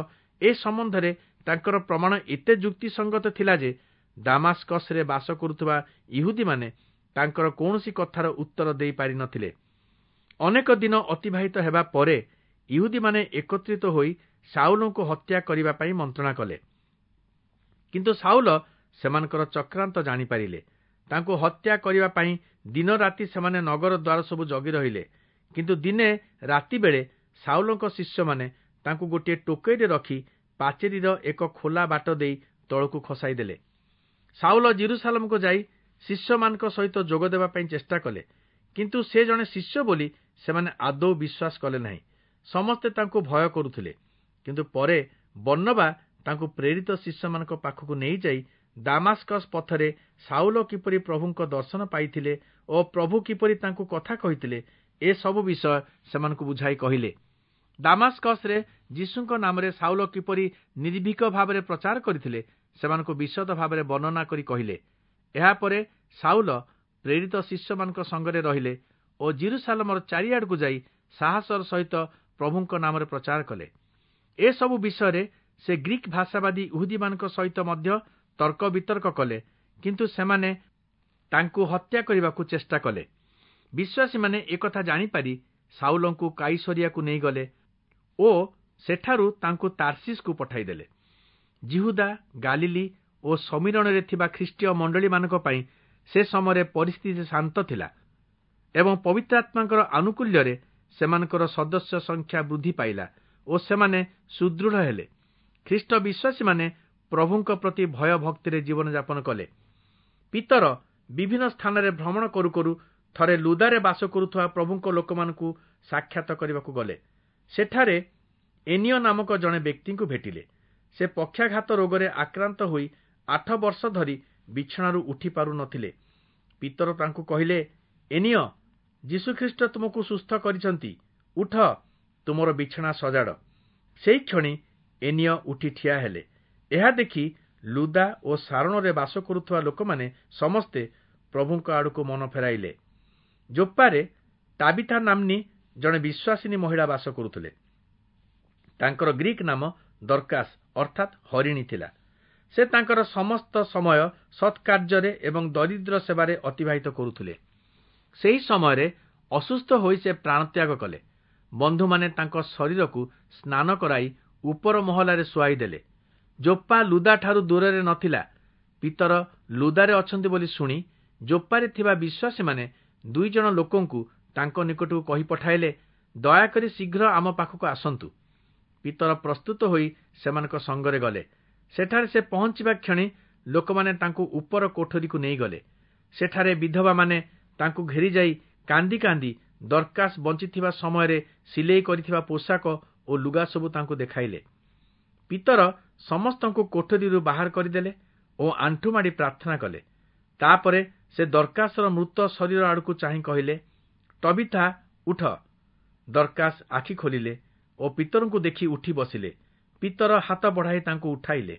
A: ଏ ସମ୍ବନ୍ଧରେ ତାଙ୍କର ପ୍ରମାଣ ଏତେ ଯୁକ୍ତିସଙ୍ଗତ ଥିଲା ଯେ ଦାମାସ୍କସରେ ବାସ କରୁଥିବା ଇହୁଦୀମାନେ ତାଙ୍କର କୌଣସି କଥାର ଉତ୍ତର ଦେଇପାରିନଥିଲେ। ଅନେକ ଦିନ ଅତିବାହିତ ହେବା ପରେ ଇହୁଦୀମାନେ ଏକତ୍ରିତ ହୋଇ ସାଉଲଙ୍କୁ ହତ୍ୟା କରିବା ପାଇଁ ମନ୍ତ୍ରଣା କଲେ। କିନ୍ତୁ ସାଉଲ ସେମାନଙ୍କର ଚକ୍ରାନ୍ତ ଜାଣିପାରିଲେ। ତାଙ୍କୁ ହତ୍ୟା କରିବା ପାଇଁ ଦିନ ରାତି ସେମାନେ ନଗର ଦ୍ୱାର ସବୁ ଜଗି ରହିଲେ। କିନ୍ତୁ ଦିନେ ରାତି ବେଳେ ସାଉଲଙ୍କ ଶିଷ୍ୟମାନେ ତାଙ୍କୁ ଗୋଟିଏ ଟୋକେଇରେ ରଖି ପାଚେରୀର ଏକ ଖୋଲା ବାଟ ଦେଇ ତଳକୁ ଖସାଇ ଦେଲେ। ସାଉଲ ଯିରୂଶାଲମକୁ ଯାଇ ଶିଷ୍ୟମାନଙ୍କ ସହିତ ଯୋଗ ଦେବା ପାଇଁ ଚେଷ୍ଟା କଲେ, କିନ୍ତୁ ସେ ଜଣେ ଶିଷ୍ୟ ବୋଲି ସେମାନେ ଆଦୌ ବିଶ୍ୱାସ କଲେ ନାହିଁ। ସମସ୍ତେ ତାଙ୍କୁ ଭୟ କରୁଥିଲେ। କିନ୍ତୁ ପରେ ବର୍ଣ୍ଣବା ତାଙ୍କୁ ପ୍ରେରିତ ଶିଷ୍ୟମାନଙ୍କ ପାଖକୁ ନେଇଯାଇ ଦାମାସ୍କସ୍ ପଥରେ ସାଉଲ କିପରି ପ୍ରଭୁଙ୍କ ଦର୍ଶନ ପାଇଥିଲେ ଓ ପ୍ରଭୁ କିପରି ତାଙ୍କୁ କଥା କହିଥିଲେ, ଏସବୁ ବିଷୟ ସେମାନଙ୍କୁ ବୁଝାଇ କହିଲେ। ଦାମାସ୍କସରେ ଯୀଶୁଙ୍କ ନାମରେ ସାଉଲ କିପରି ନିର୍ଭୀକ ଭାବରେ ପ୍ରଚାର କରିଥିଲେ, ସେମାନଙ୍କୁ ବିଶଦ ଭାବରେ ବର୍ଣ୍ଣନା କରି କହିଲେ। ଏହାପରେ ସାଉଲ ପ୍ରେରିତ ଶିଷ୍ୟମାନଙ୍କ ସଙ୍ଗରେ ରହିଲେ ଓ ଯିରୂଶାଲମର ଚାରିଆଡ଼କୁ ଯାଇ ସାହସର ସହିତ ପ୍ରଭୁଙ୍କ ନାମରେ ପ୍ରଚାର କଲେ। ଏସବୁ ବିଷୟରେ ସେ ଗ୍ରୀକ୍ ଭାଷାବାଦୀ ଇହୁଦୀମାନଙ୍କ ସହିତ ମଧ୍ୟ ତର୍କ ବିତର୍କ କଲେ, କିନ୍ତୁ ସେମାନେ ତାଙ୍କୁ ହତ୍ୟା କରିବାକୁ ଚେଷ୍ଟା କଲେ। ବିଶ୍ୱାସୀମାନେ ଏକଥା ଜାଣିପାରି ସାଉଲଙ୍କୁ କାଇସରିଆକୁ ନେଇଗଲେ ଓ ସେଠାରୁ ତାଙ୍କୁ ତାର୍ସିସକୁ ପଠାଇଦେଲେ। ଯିହୁଦା, ଗାଲିଲି ଓ ଶମିରୋଣରେ ଥିବା ଖ୍ରୀଷ୍ଟୀୟ ମଣ୍ଡଳୀମାନଙ୍କ ପାଇଁ ସେ ସମୟରେ ପରିସ୍ଥିତି ଶାନ୍ତ ଥିଲା ଏବଂ ପବିତ୍ରାତ୍ମାଙ୍କର ଆନୁକୂଲ୍ୟରେ ସେମାନଙ୍କର ସଦସ୍ୟ ସଂଖ୍ୟା ବୃଦ୍ଧି ପାଇଲା ଓ ସେମାନେ ସୁଦୃଢ଼ ହେଲେ। ଖ୍ରୀଷ୍ଟ ବିଶ୍ୱାସୀମାନେ ପ୍ରଭୁଙ୍କ ପ୍ରତି ଭୟ ଭକ୍ତିରେ ଜୀବନଯାପନ କଲେ। ପିତର ବିଭିନ୍ନ ସ୍ଥାନରେ ଭ୍ରମଣ କରୁ କରୁ ଥରେ ଲୁଦାରେ ବାସ କରୁଥିବା ପ୍ରଭୁଙ୍କ ଲୋକମାନଙ୍କୁ ସାକ୍ଷାତ କରିବାକୁ ଗଲେ। ସେଠାରେ ଏନିୟ ନାମକ ଜଣେ ବ୍ୟକ୍ତିଙ୍କୁ ଭେଟିଲେ। ସେ ପକ୍ଷାଘାତ ରୋଗରେ ଆକ୍ରାନ୍ତ ହୋଇ 8 ବର୍ଷ ଧରି ବିଛଣାରୁ ଉଠି ପାରୁନଥିଲେ। ପିତର ତାଙ୍କୁ କହିଲେ, ଏନିୟ, ଯୀଶୁଖ୍ରୀଷ୍ଟ ତୁମକୁ ସୁସ୍ଥ କରିଛନ୍ତି, ଉଠ, ତୁମର ବିଛଣା ସଜାଡ଼। ସେହି କ୍ଷଣି ଏନିୟ ଉଠି ଠିଆ ହେଲେ। ଏହା ଦେଖି ଲୁଦା ଓ ସାରଣରେ ବାସ କରୁଥିବା ଲୋକମାନେ ସମସ୍ତେ ପ୍ରଭୁଙ୍କ ଆଡ଼କୁ ମନ ଫେରାଇଲେ। ଜୋପ୍ପାରେ ତାବିଥା ନାମ୍ନୀ ଜଣେ ବିଶ୍ୱାସିନୀ ମହିଳା ବାସ କରୁଥିଲେ। ତାଙ୍କର ଗ୍ରୀକ୍ ନାମ ଦର୍କାସ ଅର୍ଥାତ୍ ହରିଣୀ ଥିଲା। ସେ ତାଙ୍କର ସମସ୍ତ ସମୟ ସତ୍କାର୍ଯ୍ୟରେ ଏବଂ ଦରିଦ୍ର ସେବାରେ ଅତିବାହିତ କରୁଥିଲେ। ସେହି ସମୟରେ ଅସୁସ୍ଥ ହୋଇ ସେ ପ୍ରାଣତ୍ୟାଗ କଲେ। ବନ୍ଧୁମାନେ ତାଙ୍କ ଶରୀରକୁ ସ୍ନାନ କରାଇ ଉପର ମହଲାରେ ଶୁଆଇ ଦେଲେ। ଜୋପ୍ପା ଲୁଦାଠାରୁ ଦୂରରେ ନଥିଲା। ପିତର ଲୁଦାରେ ଅଛନ୍ତି ବୋଲି ଶୁଣି ଜୋପ୍ପାରେ ଥିବା ବିଶ୍ୱାସୀମାନେ 2 ଜଣ ଲୋକଙ୍କୁ ତାଙ୍କ ନିକଟକୁ କହି ପଠାଇଲେ, ଦୟାକରି ଶୀଘ୍ର ଆମ ପାଖକୁ ଆସନ୍ତୁ। ପିତର ପ୍ରସ୍ତୁତ ହୋଇ ସେମାନଙ୍କ ସଙ୍ଗରେ ଗଲେ। ସେଠାରେ ସେ ପହଞ୍ଚିବା କ୍ଷଣି ଲୋକମାନେ ତାଙ୍କୁ ଉପର କୋଠରୀକୁ ନେଇଗଲେ। ସେଠାରେ ବିଧବାମାନେ ତାଙ୍କୁ ଘେରିଯାଇ କାନ୍ଦି କାନ୍ଦି ଦର୍କାସ ବଞ୍ଚିଥିବା ସମୟରେ ସିଲେଇ କରିଥିବା ପୋଷାକ ଓ ଲୁଗା ସବୁ ତାଙ୍କୁ ଦେଖାଇଲେ। ପିତର ସମସ୍ତଙ୍କୁ କୋଠରୀରୁ ବାହାର କରିଦେଲେ ଓ ଆଣ୍ଠୁମାଡ଼ି ପ୍ରାର୍ଥନା କଲେ। ତାପରେ ସେ ଦର୍କାସର ମୃତ ଶରୀର ଆଡ଼କୁ ଚାହିଁ କହିଲେ, ଟବିଥା, ଉଠ। ଦର୍କାସ ଆଖି ଖୋଲିଲେ ଓ ପିତରଙ୍କୁ ଦେଖି ଉଠି ବସିଲେ। ପିତର ହାତ ବଢ଼ାଇ ତାଙ୍କୁ ଉଠାଇଲେ।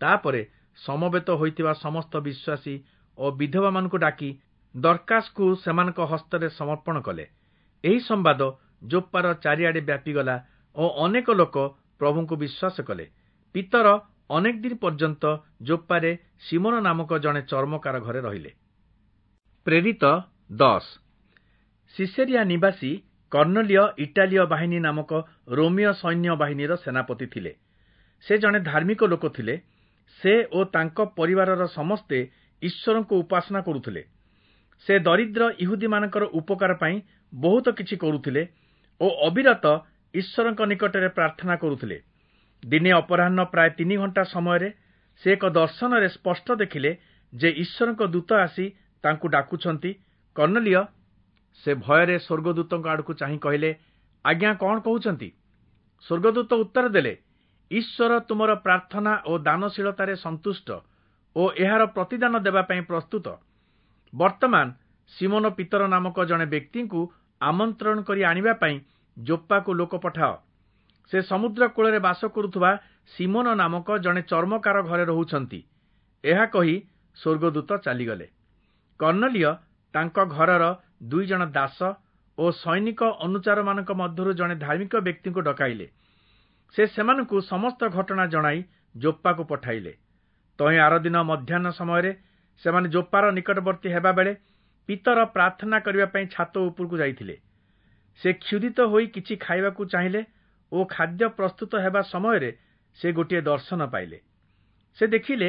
A: ତାପରେ ସମବେତ ହୋଇଥିବା ସମସ୍ତ ବିଶ୍ୱାସୀ ଓ ବିଧବାମାନଙ୍କୁ ଡାକି ଦର୍କାସକୁ ସେମାନଙ୍କ ହସ୍ତରେ ସମର୍ପଣ କଲେ। ଏହି ସମ୍ବାଦ ଜୋପ୍ପାର ଚାରିଆଡ଼େ ବ୍ୟାପିଗଲା ଓ ଅନେକ ଲୋକ ପ୍ରଭୁଙ୍କୁ ବିଶ୍ୱାସ କଲେ। ପିତର ଅନେକ ଦିନ ପର୍ଯ୍ୟନ୍ତ ଜୋପ୍ପାରେ ସିମୋନ ନାମକ ଜଣେ ଚର୍ମକାର ଘରେ ରହିଲେ। ପ୍ରେରିତ 10। ସିସେରିଆ ନିବାସୀ କର୍ଣ୍ଣଲିୟ ଇଟାଲୀୟ ବାହିନୀ ନାମକ ରୋମୀୟ ସୈନ୍ୟ ବାହିନୀର ସେନାପତି ଥିଲେ। ସେ ଜଣେ ଧାର୍ମିକ ଲୋକ ଥିଲେ। ସେ ଓ ତାଙ୍କ ପରିବାରର ସମସ୍ତେ ଈଶ୍ୱରଙ୍କୁ ଉପାସନା କରୁଥିଲେ। ସେ ଦରିଦ୍ର ଇହୁଦୀମାନଙ୍କର ଉପକାର ପାଇଁ ବହୁତ କିଛି କରୁଥିଲେ ଓ ଅବିରତ ଈଶ୍ୱରଙ୍କ ନିକଟରେ ପ୍ରାର୍ଥନା କରୁଥିଲେ। ଦିନେ ଅପରାହ୍ନ ପ୍ରାୟ 3 ଘଣ୍ଟା ସମୟରେ ସେ ଏକ ଦର୍ଶନରେ ସ୍ପଷ୍ଟ ଦେଖିଲେ ଯେ ଈଶ୍ୱରଙ୍କ ଦୂତ ଆସି ତାଙ୍କୁ ଡାକୁଛନ୍ତି, କର୍ଣ୍ଣଲିୟ। ସେ ଭୟରେ ସ୍ୱର୍ଗଦୂତଙ୍କ ଆଡ଼କୁ ଚାହିଁ କହିଲେ, ଆଜ୍ଞା, କଣ କହୁଛନ୍ତି? ସ୍ୱର୍ଗଦୂତ ଉତ୍ତର ଦେଲେ, ଈଶ୍ୱର ତୁମର ପ୍ରାର୍ଥନା ଓ ଦାନଶୀଳତାରେ ସନ୍ତୁଷ୍ଟ ଓ ଏହାର ପ୍ରତିଦାନ ଦେବା ପାଇଁ ପ୍ରସ୍ତୁତ। ବର୍ତ୍ତମାନ ସିମୋନ ପିତର ନାମକ ଜଣେ ବ୍ୟକ୍ତିଙ୍କୁ ଆମନ୍ତ୍ରଣ କରି ଆଣିବା ପାଇଁ ଜୋପ୍ପାକୁ ଲୋକ ପଠାଅ। ସେ ସମୁଦ୍ର କୂଳରେ ବାସ କରୁଥିବା ସିମୋନ ନାମକ ଜଣେ ଚର୍ମକାର ଘରେ ରହୁଛନ୍ତି। ଏହା କହି ସ୍ୱର୍ଗଦୂତ ଚାଲିଗଲେ। କର୍ଣ୍ଣଲିୟ ତାଙ୍କ ଘରର 2 ଜଣ ଦାସ ଓ ସୈନିକ ଅନୁଚାରମାନଙ୍କ ମଧ୍ୟରୁ ଜଣେ ଧାର୍ମିକ ବ୍ୟକ୍ତିଙ୍କୁ ଡକାଇଲେ। ସେ ସେମାନଙ୍କୁ ସମସ୍ତ ଘଟଣା ଜଣାଇ ଜୋପ୍ପାକୁ ପଠାଇଲେ। ତହିଁ ଆରଦିନ ମଧ୍ୟାହ୍ନ ସମୟରେ ସେମାନେ ଜୋପ୍ପାର ନିକଟବର୍ତ୍ତୀ ହେବାବେଳେ ପିତର ପ୍ରାର୍ଥନା କରିବା ପାଇଁ ଛାତ ଉପରକୁ ଯାଇଥିଲେ। ସେ କ୍ଷୁଧିତ ହୋଇ କିଛି ଖାଇବାକୁ ଚାହିଁଲେ ଓ ଖାଦ୍ୟ ପ୍ରସ୍ତୁତ ହେବା ସମୟରେ ସେ ଗୋଟିଏ ଦର୍ଶନ ପାଇଲେ। ସେ ଦେଖିଲେ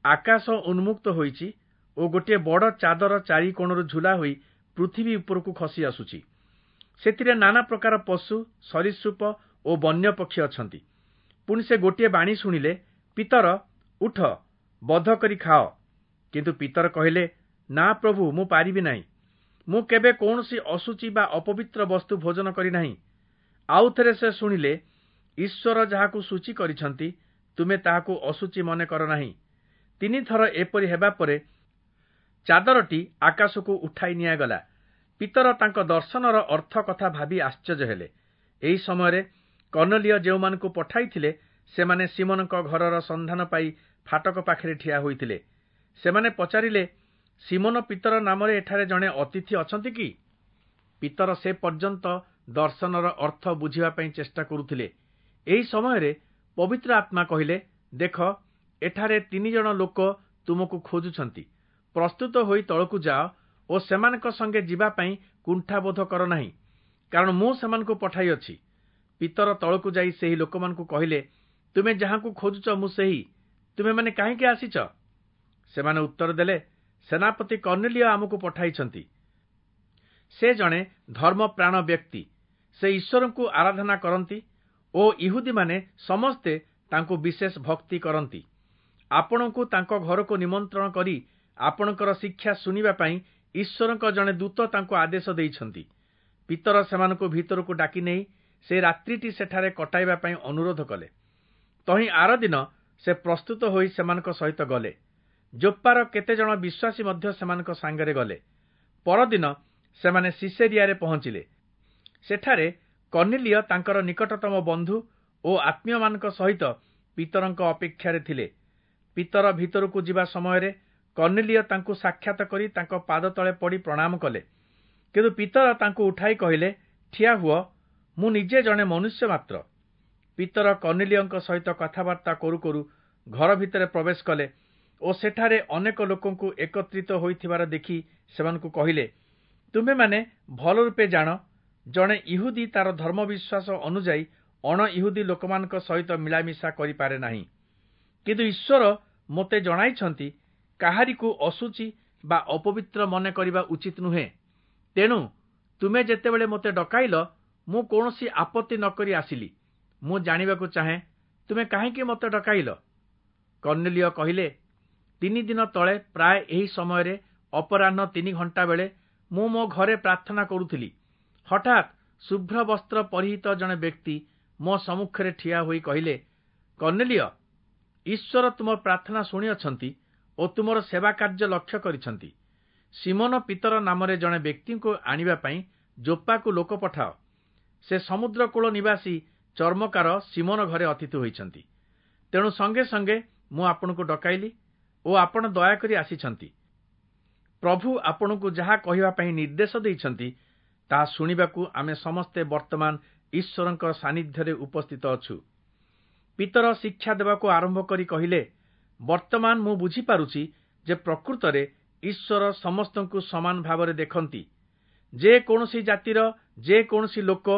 A: ଆକାଶ ଉନ୍ମୁକ୍ତ ହୋଇଛି ଓ ଗୋଟିଏ ବଡ଼ ଚାଦର 4 କୋଣରୁ ଝୁଲା ହୋଇ ପୃଥିବୀ ଉପରକୁ ଖସି ଆସୁଛି। ସେଥିରେ ନାନା ପ୍ରକାର ପଶୁ, ସରୀସୃପ ଓ ବନ୍ୟ ପକ୍ଷୀ ଅଛନ୍ତି। ପୁଣି ସେ ଗୋଟିଏ ବାଣୀ ଶୁଣିଲେ, ପିତର, ଉଠ, ବଧ କରି ଖାଅ। କିନ୍ତୁ ପିତର କହିଲେ, ନା ପ୍ରଭୁ, ମୁଁ ପାରିବି ନାହିଁ। ମୁଁ କେବେ କୌଣସି ଅଶୁଚି ବା ଅପବିତ୍ର ବସ୍ତୁ ଭୋଜନ କରିନାହିଁ। ଆଉ ଥରେ ସେ ଶୁଣିଲେ, ଈଶ୍ୱର ଯାହାକୁ ଶୁଚି କରିଛନ୍ତି, ତୁମେ ତାହାକୁ ଅଶୁଚି ମନେ କର ନାହିଁ। 3 ଥର ଏପରି ହେବା ପରେ ଚାଦରଟି ଆକାଶକୁ ଉଠାଇ ନିଆଗଲା। ପିତର ତାଙ୍କ ଦର୍ଶନର ଅର୍ଥ କଥା ଭାବି ଆଶ୍ଚର୍ଯ୍ୟ ହେଲେ। ଏହି ସମୟରେ କର୍ଣ୍ଣଲିୟ ଯେଉଁମାନଙ୍କୁ ପଠାଇଥିଲେ, ସେମାନେ ସିମୋନଙ୍କ ଘରର ସନ୍ଧାନ ପାଇ ଫାଟକ ପାଖରେ ଠିଆ ହୋଇଥିଲେ। ସେମାନେ ପଚାରିଲେ, ସିମୋନ ପିତର ନାମରେ ଏଠାରେ ଜଣେ ଅତିଥି ଅଛନ୍ତି କି? ପିତର ସେ ପର୍ଯ୍ୟନ୍ତ ଦର୍ଶନର ଅର୍ଥ ବୁଝିବା ପାଇଁ ଚେଷ୍ଟା କରୁଥିଲେ। ଏହି ସମୟରେ ପବିତ୍ର ଆତ୍ମା କହିଲେ, ଦେଖ, ଏଠାରେ 3 ଜଣ ଲୋକ ତୁମକୁ ଖୋଜୁଛନ୍ତି। ପ୍ରସ୍ତୁତ ହୋଇ ତଳକୁ ଯାଅ ଓ ସେମାନଙ୍କ ସଙ୍ଗେ ଯିବା ପାଇଁ କୁଣ୍ଠାବୋଧ କର ନାହିଁ, କାରଣ ମୁଁ ସେମାନଙ୍କୁ ପଠାଇଅଛି। ପିତର ତଳକୁ ଯାଇ ସେହି ଲୋକମାନଙ୍କୁ କହିଲେ, ତୁମେ ଯାହାଙ୍କୁ ଖୋଜୁଛ ମୁଁ ସେହି। ତୁମେମାନେ କାହିଁକି ଆସିଛ? ସେମାନେ ଉତ୍ତର ଦେଲେ, ସେନାପତି କର୍ଣ୍ଣଲିୟ ଆମକୁ ପଠାଇଛନ୍ତି। ସେ ଜଣେ ଧର୍ମପ୍ରାଣ ବ୍ୟକ୍ତି। ସେ ଈଶ୍ୱରଙ୍କୁ ଆରାଧନା କରନ୍ତି ଓ ଇହୁଦୀମାନେ ସମସ୍ତେ ତାଙ୍କୁ ବିଶେଷ ଭକ୍ତି କରନ୍ତି। ଆପଣଙ୍କୁ ତାଙ୍କ ଘରକୁ ନିମନ୍ତ୍ରଣ କରି ଆପଣଙ୍କର ଶିକ୍ଷା ଶୁଣିବା ପାଇଁ ଈଶ୍ୱରଙ୍କ ଜଣେ ଦୂତ ତାଙ୍କୁ ଆଦେଶ ଦେଇଛନ୍ତି। ପିତର ସେମାନଙ୍କୁ ଭିତରକୁ ଡାକି ନେଇ ସେ ରାତ୍ରିଟି ସେଠାରେ କଟାଇବା ପାଇଁ ଅନୁରୋଧ କଲେ। ତହିଁ ଆରଦିନ ସେ ପ୍ରସ୍ତୁତ ହୋଇ ସେମାନଙ୍କ ସହିତ ଗଲେ। ଜୋପ୍ପାର କେତେଜଣ ବିଶ୍ୱାସୀ ମଧ୍ୟ ସେମାନଙ୍କ ସାଙ୍ଗରେ ଗଲେ। ପରଦିନ ସେମାନେ ସିସେରିଆରେ ପହଞ୍ଚିଲେ। ସେଠାରେ କର୍ଣ୍ଣଲିୟ ତାଙ୍କର ନିକଟତମ ବନ୍ଧୁ ଓ ଆତ୍ମୀୟମାନଙ୍କ ସହିତ ପିତରଙ୍କ ଅପେକ୍ଷାରେ ଥିଲେ। ପିତର ଭିତରକୁ ଯିବା ସମୟରେ କର୍ଣ୍ଣଲିୟ ତାଙ୍କୁ ସାକ୍ଷାତ କରି ତାଙ୍କ ପାଦ ତଳେ ପଡ଼ି ପ୍ରଣାମ କଲେ। କିନ୍ତୁ ପିତର ତାଙ୍କୁ ଉଠାଇ କହିଲେ, ଠିଆ ହୁଅ, ମୁଁ ନିଜେ ଜଣେ ମନୁଷ୍ୟ ମାତ୍ର। ପିତର କର୍ଣ୍ଣଲିୟଙ୍କ ସହିତ କଥାବାର୍ତ୍ତା କରୁ କରୁ ଘର ଭିତରେ ପ୍ରବେଶ କଲେ ଓ ସେଠାରେ ଅନେକ ଲୋକଙ୍କୁ ଏକତ୍ରିତ ହୋଇଥିବାର ଦେଖି ସେମାନଙ୍କୁ କହିଲେ, ତୁମେମାନେ ଭଲ ରୂପେ ଜାଣ, ଜଣେ ଇହୁଦୀ ତାର ଧର୍ମବିଶ୍ୱାସ ଅନୁଯାୟୀ ଅଣ ଇହୁଦୀ ଲୋକମାନଙ୍କ ସହିତ ମିଳାମିଶା କରିପାରେ ନାହିଁ। କିନ୍ତୁ ଈଶ୍ୱର ମୋତେ ଜଣାଇଛନ୍ତି, କାହାରିକୁ ଅଶୁଚି ବା ଅପବିତ୍ର ମନେ କରିବା ଉଚିତ ନୁହେଁ। ତେଣୁ ତୁମେ ଯେତେବେଳେ ମୋତେ ଡକାଇଲ, ମୁଁ କୌଣସି ଆପତ୍ତି ନ କରି ଆସିଲି। ମୁଁ ଜାଣିବାକୁ ଚାହେଁ, ତୁମେ କାହିଁକି ମୋତେ ଡକାଇଲ? କର୍ଣ୍ଣଲିୟ କହିଲେ, 3 ଦିନ ତଳେ ପ୍ରାୟ ଏହି ସମୟରେ ଅପରାହ୍ନ 3 ଘଣ୍ଟା ବେଳେ ମୁଁ ମୋ ଘରେ ପ୍ରାର୍ଥନା କରୁଥିଲି। ହଠାତ୍ ଶୁଭ୍ର ବସ୍ତ୍ର ପରିହିତ ଜଣେ ବ୍ୟକ୍ତି ମୋ ସମ୍ମୁଖରେ ଠିଆ ହୋଇ କହିଲେ, କର୍ଣ୍ଣଲିୟ, ଈଶ୍ୱର ତୁମ ପ୍ରାର୍ଥନା ଶୁଣିଅଛନ୍ତି ଓ ତୁମର ସେବା କାର୍ଯ୍ୟ ଲକ୍ଷ୍ୟ କରିଛନ୍ତି। ସିମୋନ ପିତର ନାମରେ ଜଣେ ବ୍ୟକ୍ତିଙ୍କୁ ଆଣିବା ପାଇଁ ଜୋପ୍ପାକୁ ଲୋକ ପଠାଅ। ସେ ସମୁଦ୍ରକୂଳ ନିବାସୀ ଚର୍ମକାର ସିମୋନ ଘରେ ଅତିଥି ହୋଇଛନ୍ତି। ତେଣୁ ସଙ୍ଗେ ସଙ୍ଗେ ମୁଁ ଆପଣଙ୍କୁ ଡକାଇଲି ଓ ଆପଣ ଦୟାକରି ଆସିଛନ୍ତି। ପ୍ରଭୁ ଆପଣଙ୍କୁ ଯାହା କହିବା ପାଇଁ ନିର୍ଦ୍ଦେଶ ଦେଇଛନ୍ତି, ତାହା ଶୁଣିବାକୁ ଆମେ ସମସ୍ତେ ବର୍ତ୍ତମାନ ଈଶ୍ୱରଙ୍କ ସାନ୍ନିଧ୍ୟରେ ଉପସ୍ଥିତ ଅଛୁ। ପିତର ଶିକ୍ଷା ଦେବାକୁ ଆରମ୍ଭ କରି କହିଲେ, ବର୍ତ୍ତମାନ ମୁଁ ବୁଝିପାରୁଛି ଯେ ପ୍ରକୃତରେ ଈଶ୍ୱର ସମସ୍ତଙ୍କୁ ସମାନ ଭାବରେ ଦେଖନ୍ତି। ଯେ କୌଣସି ଜାତିର ଯେ କୌଣସି ଲୋକ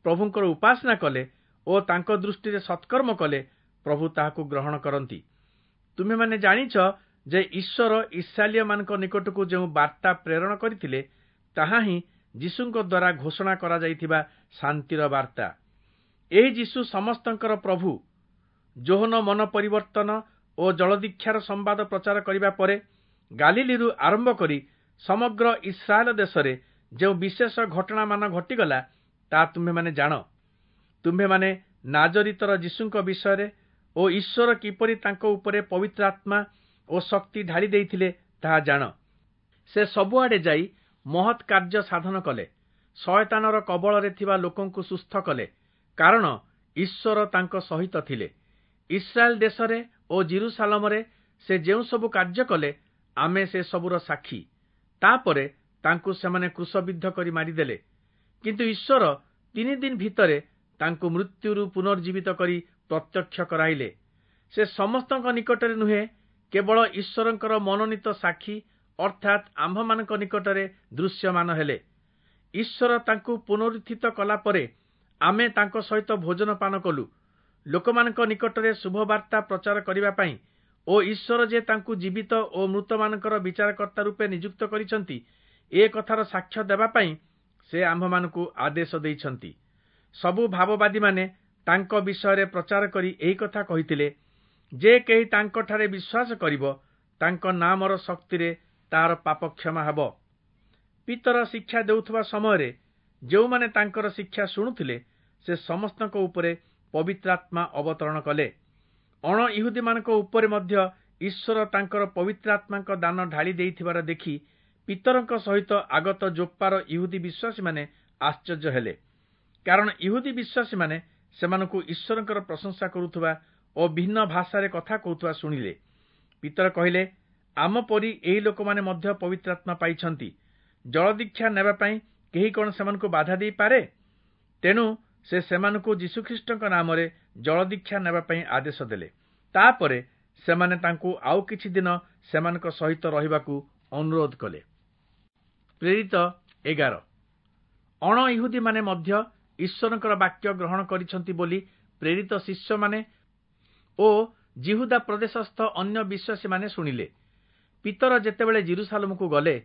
A: ପ୍ରଭୁଙ୍କର ଉପାସନା କଲେ ଓ ତାଙ୍କ ଦୃଷ୍ଟିରେ ସତ୍କର୍ମ କଲେ, ପ୍ରଭୁ ତାହାକୁ ଗ୍ରହଣ କରନ୍ତି। ତୁମେମାନେ ଜାଣିଛ ଯେ ଈଶ୍ୱର ଇସ୍ରାଏଲୀୟମାନଙ୍କ ନିକଟକୁ ଯେଉଁ ବାର୍ତ୍ତା ପ୍ରେରଣ କରିଥିଲେ, ତାହା ହିଁ ଯୀଶୁଙ୍କ ଦ୍ୱାରା ଘୋଷଣା କରାଯାଇଥିବା ଶାନ୍ତିର ବାର୍ତ୍ତା। ଏହି ଯୀଶୁ ସମସ୍ତଙ୍କର ପ୍ରଭୁ। ଯୋହନ ମନ ପରିବର୍ତ୍ତନ ଓ ଜଳଦୀକ୍ଷାର ସମ୍ବାଦ ପ୍ରଚାର କରିବା ପରେ ଗାଲିଲିରୁ ଆରମ୍ଭ କରି ସମଗ୍ର ଇସ୍ରାଏଲ ଦେଶରେ ଯେଉଁ ବିଶେଷ ଘଟଣାମାନ ଘଟିଗଲା, ତାହା ତୁମ୍ଭେମାନେ ଜାଣ। ତୁମ୍ଭେମାନେ ନାଜରିତର ଯୀଶୁଙ୍କ ବିଷୟରେ ଓ ଈଶ୍ୱର କିପରି ତାଙ୍କ ଉପରେ ପବିତ୍ର ଆତ୍ମା ଓ ଶକ୍ତି ଢାଳି ଦେଇଥିଲେ, ତାହା ଜାଣ। ସେ ସବୁଆଡ଼େ ଯାଇ ମହତ୍ କାର୍ଯ୍ୟ ସାଧନ କଲେ, ଶୟତାନର କବଳରେ ଥିବା ଲୋକଙ୍କୁ ସୁସ୍ଥ କଲେ, କାରଣ ଈଶ୍ୱର ତାଙ୍କ ସହିତ ଥିଲେ। ଇସ୍ରାଏଲ ଦେଶରେ ଓ ଜିରୁସାଲମରେ ସେ ଯେଉଁ ସବୁ କାର୍ଯ୍ୟ କଲେ, ଆମେ ସେ ସବୁର ସାକ୍ଷୀ। ତାପରେ ତାଙ୍କୁ ସେମାନେ କ୍ରୁଶବିଦ୍ଧ କରି ମାରିଦେଲେ। କିନ୍ତୁ ଈଶ୍ୱର 3 ଦିନ ଭିତରେ ତାଙ୍କୁ ମୃତ୍ୟୁରୁ ପୁନର୍ଜୀବିତ କରି ପ୍ରତ୍ୟକ୍ଷ କରାଇଲେ। ସେ ସମସ୍ତଙ୍କ ନିକଟରେ ନୁହେଁ, କେବଳ ଈଶ୍ୱରଙ୍କର ମନୋନୀତ ସାକ୍ଷୀ ଅର୍ଥାତ୍ ଆମ୍ଭମାନଙ୍କ ନିକଟରେ ଦୃଶ୍ୟମାନ ହେଲେ। ଈଶ୍ୱର ତାଙ୍କୁ ପୁନରୁତ୍ଥିତ କଲା ପରେ ଆମେ ତାଙ୍କ ସହିତ ଭୋଜନ ପାନ କଲୁ। ଲୋକମାନଙ୍କ ନିକଟରେ ଶୁଭବାର୍ତ୍ତା ପ୍ରଚାର କରିବା ପାଇଁ ଓ ଈଶ୍ୱର ଯେ ତାଙ୍କୁ ଜୀବିତ ଓ ମୃତମାନଙ୍କର ବିଚାରକର୍ତ୍ତା ରୂପେ ନିଯୁକ୍ତ କରିଛନ୍ତି, ଏ କଥାର ସାକ୍ଷ୍ୟ ଦେବା ପାଇଁ ସେ ଆମ୍ଭମାନଙ୍କୁ ଆଦେଶ ଦେଇଛନ୍ତି। ସବୁ ଭାବବାଦୀମାନେ ତାଙ୍କ ବିଷୟରେ ପ୍ରଚାର କରି ଏହି କଥା କହିଥିଲେ, ଯେ କେହି ତାଙ୍କଠାରେ ବିଶ୍ୱାସ କରିବ, ତାଙ୍କ ନାମର ଶକ୍ତିରେ ତାର ପାପ କ୍ଷମା ହେବ। ପିତର ଶିକ୍ଷା ଦେଉଥିବା ସମୟରେ ଯେଉଁମାନେ ତାଙ୍କର ଶିକ୍ଷା ଶୁଣୁଥିଲେ, ସେ ସମସ୍ତଙ୍କ ଉପରେ ପବିତ୍ରାତ୍ମା ଅବତରଣ କଲେ। ଅଣ ଇହୁଦୀମାନଙ୍କ ଉପରେ ମଧ୍ୟ ଈଶ୍ୱର ତାଙ୍କର ପବିତ୍ରାତ୍ମାଙ୍କ ଦାନ ଢାଳି ଦେଇଥିବାର ଦେଖି ପିତରଙ୍କ ସହିତ ଆଗତ ଯୋପ୍ପାର ଇହୁଦୀ ବିଶ୍ୱାସୀମାନେ ଆଶ୍ଚର୍ଯ୍ୟ ହେଲେ, କାରଣ ଇହୁଦୀ ବିଶ୍ୱାସୀମାନେ ସେମାନଙ୍କୁ ଈଶ୍ୱରଙ୍କର ପ୍ରଶଂସା କରୁଥିବା ଓ ଭିନ୍ନ ଭାଷାରେ କଥା କହୁଥିବା ଶୁଣିଲେ। ପିତର କହିଲେ, ଆମ ପରି ଏହି ଲୋକମାନେ ମଧ୍ୟ ପବିତ୍ରାତ୍ମା ପାଇଛନ୍ତି। ଜଳଦୀକ୍ଷା ନେବା ପାଇଁ କେହି କଣ ସେମାନଙ୍କୁ ବାଧା ଦେଇପାରେ? ତେଣୁ ସେ ସେମାନଙ୍କୁ ଯୀଶୁଖ୍ରୀଷ୍ଟଙ୍କ ନାମରେ ଜଳଦୀକ୍ଷା ନେବା ପାଇଁ ଆଦେଶ ଦେଲେ। ତାପରେ ସେମାନେ ତାଙ୍କୁ ଆଉ କିଛି ଦିନ ସେମାନଙ୍କ ସହିତ ରହିବାକୁ ଅନୁରୋଧ କଲେ। ପ୍ରେରିତ 11। ଅଣ ଇହୁଦୀମାନେ ମଧ୍ୟ ଈଶ୍ୱରଙ୍କର ବାକ୍ୟ ଗ୍ରହଣ କରିଛନ୍ତି ବୋଲି ପ୍ରେରିତ ଶିଷ୍ୟମାନେ ଓ ଯିହୁଦା ପ୍ରଦେଶସ୍ଥ ଅନ୍ୟ ବିଶ୍ୱାସୀମାନେ ଶୁଣିଲେ। ପିତର ଯେତେବେଳେ ଯିରୂଶାଲମକୁ ଗଲେ,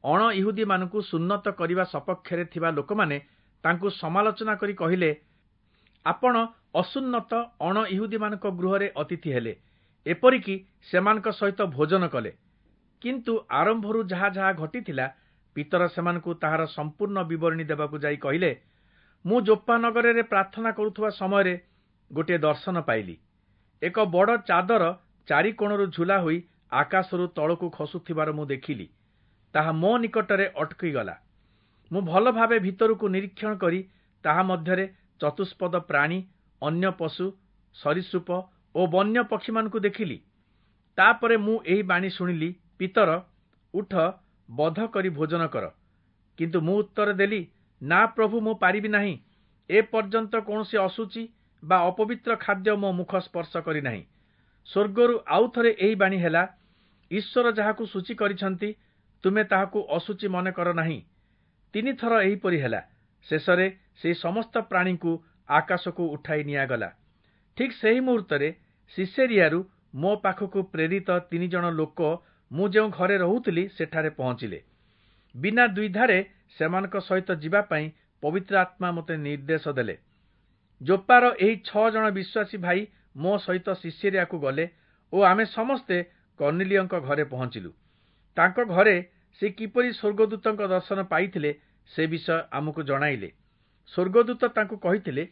A: ଅଣ ଇହୁଦୀମାନଙ୍କୁ ସୁନ୍ନତ କରିବା ସପକ୍ଷରେ ଥିବା ଲୋକମାନେ ତାଙ୍କୁ ସମାଲୋଚନା କରି କହିଲେ, ଆପଣ ଅସୁନ୍ନତ ଅଣ ଇହୁଦୀମାନଙ୍କ ଗୃହରେ ଅତିଥି ହେଲେ, ଏପରିକି ସେମାନଙ୍କ ସହିତ ଭୋଜନ କଲେ। କିନ୍ତୁ ଆରମ୍ଭରୁ ଯାହା ଯାହା ଘଟିଥିଲା, ପିତର ସେମାନଙ୍କୁ ତାହାର ସମ୍ପୂର୍ଣ୍ଣ ବିବରଣୀ ଦେବାକୁ ଯାଇ କହିଲେ, ମୁଁ ଯୋପ୍ପା ନଗରରେ ପ୍ରାର୍ଥନା କରୁଥିବା ସମୟରେ ଗୋଟିଏ ଦର୍ଶନ ପାଇଲି। ଏକ ବଡ଼ ଚାଦର ଚାରି କୋଣରୁ ଝୁଲା ହୋଇ ଆକାଶରୁ ତଳକୁ ଖସୁଥିବାର ମୁଁ ଦେଖିଲି। ତାହା ମୋ ନିକଟରେ ଅଟକିଗଲା। ମୁଁ ଭଲ ଭାବେ ଭିତରକୁ ନିରୀକ୍ଷଣ କରି ତାହା ମଧ୍ୟରେ ଚତୁଷ୍ପଦ ପ୍ରାଣୀ, ଅନ୍ୟ ପଶୁ, ସରୀସୃପ ଓ ବନ୍ୟ ପକ୍ଷୀମାନଙ୍କୁ ଦେଖିଲି। ତାପରେ ମୁଁ ଏହି ବାଣୀ ଶୁଣିଲି, ପିତର, ଉଠ, ବଧ କରି ଭୋଜନ କର। କିନ୍ତୁ ମୁଁ ଉତ୍ତର ଦେଲି, ନା ପ୍ରଭୁ, ମୁଁ ପାରିବି ନାହିଁ। ଏ ପର୍ଯ୍ୟନ୍ତ କୌଣସି ଅଶୁଚି ବା ଅପବିତ୍ର ଖାଦ୍ୟ ମୋ ମୁଖ ସ୍ପର୍ଶ କରିନାହିଁ। ସ୍ୱର୍ଗରୁ ଆଉ ଥରେ ଏହି ବାଣୀ ହେଲା, ଈଶ୍ୱର ଯାହାକୁ ସୂଚୀ କରିଛନ୍ତି, ତୁମେ ତାହାକୁ ଅଶୁଚି ମନେ କର ନାହିଁ। 3 ଥର ଏହିପରି ହେଲା। ଶେଷରେ ସେହି ସମସ୍ତ ପ୍ରାଣୀଙ୍କୁ ଆକାଶକୁ ଉଠାଇ ନିଆଗଲା। ଠିକ୍ ସେହି ମୁହୂର୍ତ୍ତରେ ସିସେରିଆରୁ ମୋ ପାଖକୁ ପ୍ରେରିତ 3 ଜଣ ଲୋକ ମୁଁ ଯେଉଁ ଘରେ ରହୁଥିଲି ସେଠାରେ ପହଞ୍ଚିଲେ। ବିନା ଦ୍ୱିଧାରେ ସେମାନଙ୍କ ସହିତ ଯିବା ପାଇଁ ପବିତ୍ର ଆତ୍ମା ମୋତେ ନିର୍ଦ୍ଦେଶ ଦେଲେ। ଯୋପ୍ପାର ଏହି 6 ଜଣ ବିଶ୍ୱାସୀ ଭାଇ ମୋ ସହିତ ସିସେରିଆକୁ ଗଲେ ଓ ଆମେ ସମସ୍ତେ କର୍ଣ୍ଣିଲିୟଙ୍କ ଘରେ ପହଞ୍ଚିଲୁ। ତାଙ୍କ ଘରେ ସେ କିପରି ସ୍ୱର୍ଗଦୂତଙ୍କ ଦର୍ଶନ ପାଇଥିଲେ ସେ ବିଷୟ ଆମକୁ ଜଣାଇଲେ। ସ୍ୱର୍ଗଦୂତ ତାଙ୍କୁ କହିଥିଲେ,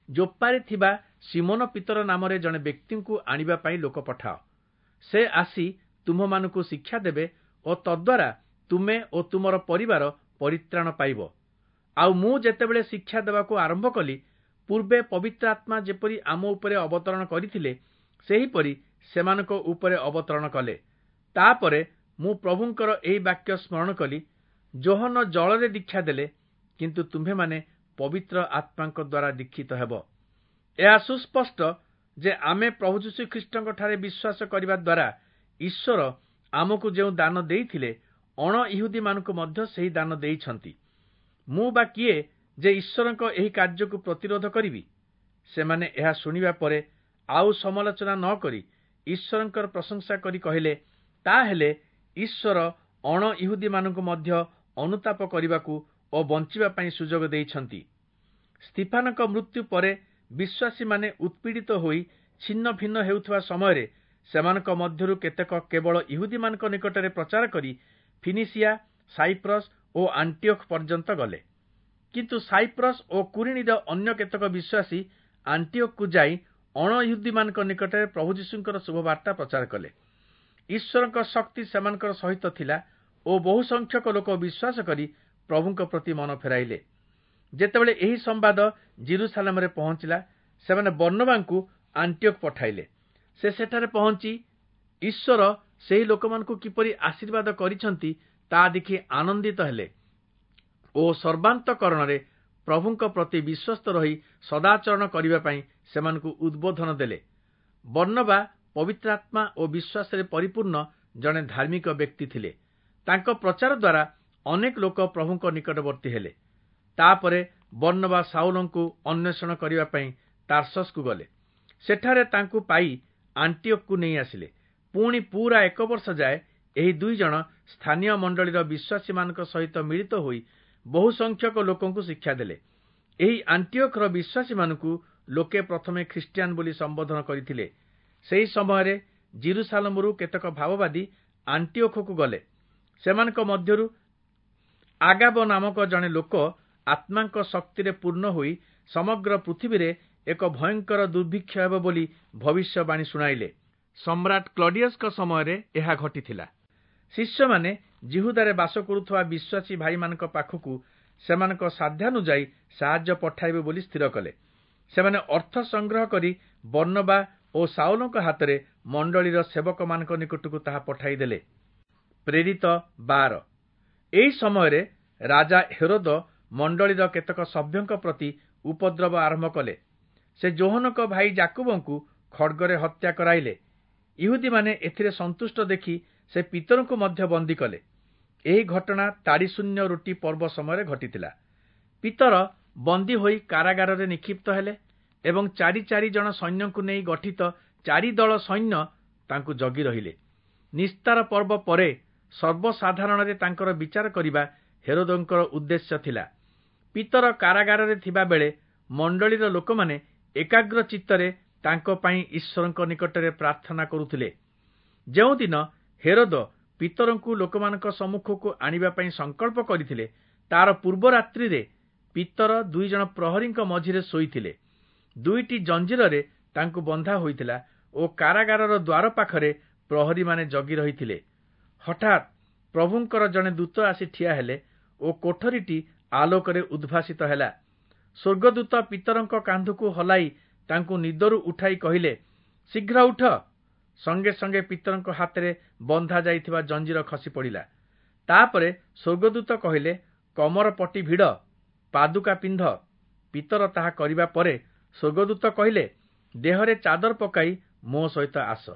A: ଯୋପ୍ପାରେ ଥିବା ସିମୋନ ପିତର ନାମରେ ଜଣେ ବ୍ୟକ୍ତିଙ୍କୁ ଆଣିବା ପାଇଁ ଲୋକ ପଠାଅ। ସେ ଆସି ତୁମ୍ଭମାନଙ୍କୁ ଶିକ୍ଷା ଦେବେ ଓ ତଦ୍ୱାରା ତୁମେ ଓ ତୁମର ପରିବାର ପରିତ୍ରାଣ ପାଇବ। ଆଉ ମୁଁ ଯେତେବେଳେ ଶିକ୍ଷା ଦେବାକୁ ଆରମ୍ଭ କଲି, ପୂର୍ବେ ପବିତ୍ର ଆତ୍ମା ଯେପରି ଆମ ଉପରେ ଅବତରଣ କରିଥିଲେ, ସେହିପରି ସେମାନଙ୍କ ଉପରେ ଅବତରଣ କଲେ। ତାପରେ ମୁଁ ପ୍ରଭୁଙ୍କର ଏହି ବାକ୍ୟ ସ୍ମରଣ କଲି, ଯୋହନ ଜଳରେ ଦୀକ୍ଷା ଦେଲେ, କିନ୍ତୁ ତୁମ୍ଭେମାନେ ପବିତ୍ର ଆତ୍ମାଙ୍କ ଦ୍ୱାରା ଦୀକ୍ଷିତ ହେବ। ଏହା ସୁସ୍ପଷ୍ଟ ଯେ ଆମେ ପ୍ରଭୁ ଯୀଶୁଖ୍ରୀଷ୍ଟଙ୍କଠାରେ ବିଶ୍ୱାସ କରିବା ଦ୍ୱାରା ଈଶ୍ୱର ଆମକୁ ଯେଉଁ ଦାନ ଦେଇଥିଲେ, ଅଣ ଇହୁଦୀମାନଙ୍କୁ ମଧ୍ୟ ସେହି ଦାନ ଦେଇଛନ୍ତି। ମୁଁ ବା କିଏ ଯେ ଈଶ୍ୱରଙ୍କ ଏହି କାର୍ଯ୍ୟକୁ ପ୍ରତିରୋଧ କରିବି? ସେମାନେ ଏହା ଶୁଣିବା ପରେ ଆଉ ସମାଲୋଚନା ନ କରି ଈଶ୍ୱରଙ୍କର ପ୍ରଶଂସା କରି କହିଲେ, ତାହେଲେ ଈଶ୍ୱର ଅଣ ଇହୁଦୀମାନଙ୍କୁ ମଧ୍ୟ ଅନୁତାପ କରିବାକୁ ଓ ବଞ୍ଚିବା ପାଇଁ ସୁଯୋଗ ଦେଇଛନ୍ତି। ସ୍ତିଫାନଙ୍କ ମୃତ୍ୟୁ ପରେ ବିଶ୍ୱାସୀମାନେ ଉତ୍ପୀଡ଼ିତ ହୋଇ ଛିନ୍ନ ଭିନ୍ନ ହେଉଥିବା ସମୟରେ ସେମାନଙ୍କ ମଧ୍ୟରୁ କେତେକ କେବଳ ଇହୁଦୀମାନଙ୍କ ନିକଟରେ ପ୍ରଚାର କରି ଫିନିସିଆ, ସାଇପ୍ରସ୍ ଓ ଆଣ୍ଟିଓଖ ପର୍ଯ୍ୟନ୍ତ ଗଲେ। କିନ୍ତୁ ସାଇପ୍ରସ୍ ଓ କୁରିଣୀର ଅନ୍ୟ କେତେକ ବିଶ୍ୱାସୀ ଆଣ୍ଟିଓଖକୁ ଯାଇ ଅଣ ଇହୁଦୀମାନଙ୍କ ନିକଟରେ ପ୍ରଭୁ ଯୀଶୁଙ୍କର ଶୁଭବାର୍ତ୍ତା ପ୍ରଚାର କଲେ। ଈଶ୍ୱରଙ୍କ ଶକ୍ତି ସେମାନଙ୍କର ସହିତ ଥିଲା ଓ ବହୁ ସଂଖ୍ୟକ ଲୋକ ବିଶ୍ୱାସ କରି ପ୍ରଭୁଙ୍କ ପ୍ରତି ମନ ଫେରାଇଲେ। ଯେତେବେଳେ ଏହି ସମ୍ବାଦ ଯିରୂଶାଲମରେ ପହଞ୍ଚିଲା, ସେମାନେ ବର୍ଣ୍ଣବାଙ୍କୁ ଆଣ୍ଟିଓଖ ପଠାଇଲେ। ସେ ସେଠାରେ ପହଞ୍ଚି ଈଶ୍ୱର ସେହି ଲୋକମାନଙ୍କୁ କିପରି ଆଶୀର୍ବାଦ କରିଛନ୍ତି ତାହା ଦେଖି ଆନନ୍ଦିତ ହେଲେ ଓ ସର୍ବାନ୍ତକରଣରେ ପ୍ରଭୁଙ୍କ ପ୍ରତି ବିଶ୍ୱସ୍ତ ରହି ସଦାଚରଣ କରିବା ପାଇଁ ସେମାନଙ୍କୁ ଉଦ୍ବୋଧନ ଦେଲେ। ବର୍ଣ୍ଣବା ପବିତ୍ରାତ୍ମା ଓ ବିଶ୍ୱାସରେ ପରିପୂର୍ଣ୍ଣ ଜଣେ ଧାର୍ମିକ ବ୍ୟକ୍ତି ଥିଲେ। ତାଙ୍କ ପ୍ରଚାର ଦ୍ୱାରା ଅନେକ ଲୋକ ପ୍ରଭୁଙ୍କ ନିକଟବର୍ତ୍ତୀ ହେଲେ। ତାପରେ ବର୍ଣ୍ଣବା ସାଉଲଙ୍କୁ ଅନ୍ୱେଷଣ କରିବା ପାଇଁ ତାର୍ସସକୁ ଗଲେ। ସେଠାରେ ତାଙ୍କୁ ପାଇ ଆଣ୍ଟିଓଖକୁ ନେଇ ଆସିଲେ। ପୁଣି ପୁରା 1 ବର୍ଷ ଯାଏ ଏହି 2 ଜଣ ସ୍ଥାନୀୟ ମଣ୍ଡଳୀର ବିଶ୍ୱାସୀମାନଙ୍କ ସହିତ ମିଳିତ ହୋଇ ବହୁ ସଂଖ୍ୟକ ଲୋକଙ୍କୁ ଶିକ୍ଷା ଦେଲେ। ଏହି ଆଣ୍ଟିଓଖର ବିଶ୍ୱାସୀମାନଙ୍କୁ ଲୋକେ ପ୍ରଥମେ ଖ୍ରୀଷ୍ଟିଆନ ବୋଲି ସମ୍ବୋଧନ କରିଥିଲେ। ସେହି ସମୟରେ ଯିରୂଶାଲମରୁ କେତେକ ଭାବବାଦୀ ଆଣ୍ଟିଓଖକୁ ଗଲେ। ସେମାନଙ୍କ ମଧ୍ୟରୁ ଆଗାବ ନାମକ ଜଣେ ଲୋକ ଆତ୍ମାଙ୍କ ଶକ୍ତିରେ ପୂର୍ଣ୍ଣ ହୋଇ ସମଗ୍ର ପୃଥିବୀରେ ଏକ ଭୟଙ୍କର ଦୁର୍ଭିକ୍ଷ ହେବ ବୋଲି ଭବିଷ୍ୟବାଣୀ ଶୁଣାଇଲେ। ସମ୍ରାଟ କ୍ଲଡିୟସଙ୍କ ସମୟରେ ଏହା ଘଟିଥିଲା। ଶିଷ୍ୟମାନେ ଯିହୁଦାରେ ବାସ କରୁଥିବା ବିଶ୍ୱାସୀ ଭାଇମାନଙ୍କ ପାଖକୁ ସେମାନଙ୍କ ସାଧ୍ୟାନୁଯାୟୀ ସାହାଯ୍ୟ ପଠାଇବେ ବୋଲି ସ୍ଥିର କଲେ। ସେମାନେ ଅର୍ଥ ସଂଗ୍ରହ କରି ବର୍ଣ୍ଣବା ଓ ଶାଉଲଙ୍କ ହାତରେ ମଣ୍ଡଳୀର ସେବକମାନଙ୍କ ନିକଟକୁ ତାହା ପଠାଇଦେଲେ। ପ୍ରେରିତ 12। ଏହି ସମୟରେ ରାଜା ହେରୋଦ ମଣ୍ଡଳୀର କେତେକ ସଭ୍ୟଙ୍କ ପ୍ରତି ଉପଦ୍ରବ ଆରମ୍ଭ କଲେ। ସେ ଯୋହନଙ୍କ ଭାଇ ଯାକୁବଙ୍କୁ ଖଡ୍ଗରେ ହତ୍ୟା କରାଇଲେ। ଇହୁଦୀମାନେ ଏଥିରେ ସନ୍ତୁଷ୍ଟ ଦେଖି ସେ ପିତରଙ୍କୁ ମଧ୍ୟ ବନ୍ଦୀ କଲେ। ଏହି ଘଟଣା ତାଡ଼ିଶୂନ୍ୟ ରୁଟି ପର୍ବ ସମୟରେ ଘଟିଥିଲା। ପିତର ବନ୍ଦୀ ହୋଇ କାରାଗାରରେ ନିକ୍ଷିପ୍ତ ହେଲେ ଏବଂ ଚାରି ଚାରି ଜଣ ସୈନ୍ୟଙ୍କୁ ନେଇ ଗଠିତ ଚାରି ଦଳ ସୈନ୍ୟ ତାଙ୍କୁ ଜଗି ରହିଲେ। ନିସ୍ତାର ପର୍ବ ପରେ ସର୍ବସାଧାରଣରେ ତାଙ୍କର ବିଚାର କରିବା ହେରୋଦଙ୍କର ଉଦ୍ଦେଶ୍ୟ ଥିଲା। ପିତର କାରାଗାରରେ ଥିବା ବେଳେ ମଣ୍ଡଳୀର ଲୋକମାନେ ଏକାଗ୍ର ଚିତ୍ତରେ ତାଙ୍କ ପାଇଁ ଈଶ୍ୱରଙ୍କ ନିକଟରେ ପ୍ରାର୍ଥନା କରୁଥିଲେ। ଯେଉଁଦିନ ହେରୋଦ ପିତରଙ୍କୁ ଲୋକମାନଙ୍କ ସମ୍ମୁଖକୁ ଆଣିବା ପାଇଁ ସଂକଳ୍ପ କରିଥିଲେ, ତାର ପୂର୍ବ ରାତ୍ରିରେ ପିତର 2 ଜଣ ପ୍ରହରୀଙ୍କ ମଝିରେ ଶୋଇଥିଲେ। 2ଟି ଜଞ୍ଜିରରେ ତାଙ୍କୁ ବନ୍ଧା ହୋଇଥିଲା ଓ କାରାଗାରର ଦ୍ୱାର ପାଖରେ ପ୍ରହରୀମାନେ ଜଗି ରହିଥିଲେ। ହଠାତ୍ ପ୍ରଭୁଙ୍କର ଜଣେ ଦୂତ ଆସି ଠିଆ ହେଲେ ଓ କୋଠରୀଟି ଆଲୋକରେ ଉଦ୍ଭାସିତ ହେଲା। ସ୍ୱର୍ଗଦୂତ ପିତରଙ୍କ କାନ୍ଧକୁ ହଲାଇ ତାଙ୍କୁ ନିଦରୁ ଉଠାଇ କହିଲେ, ଶୀଘ୍ର ଉଠ। ସଙ୍ଗେ ସଙ୍ଗେ ପିତରଙ୍କ ହାତରେ ବନ୍ଧା ଯାଇଥିବା ଜଞ୍ଜିର ଖସି ପଡ଼ିଲା। ତାପରେ ସ୍ୱର୍ଗଦୂତ କହିଲେ, କମର ପଟି ଭିଡ଼, ପାଦୁକା ପିନ୍ଧ। ପିତର ତାହା କରିବା ପରେ ସ୍ୱର୍ଗଦୂତ କହିଲେ, ଦେହରେ ଚାଦର ପକାଇ ମୋ ସହିତ ଆସ।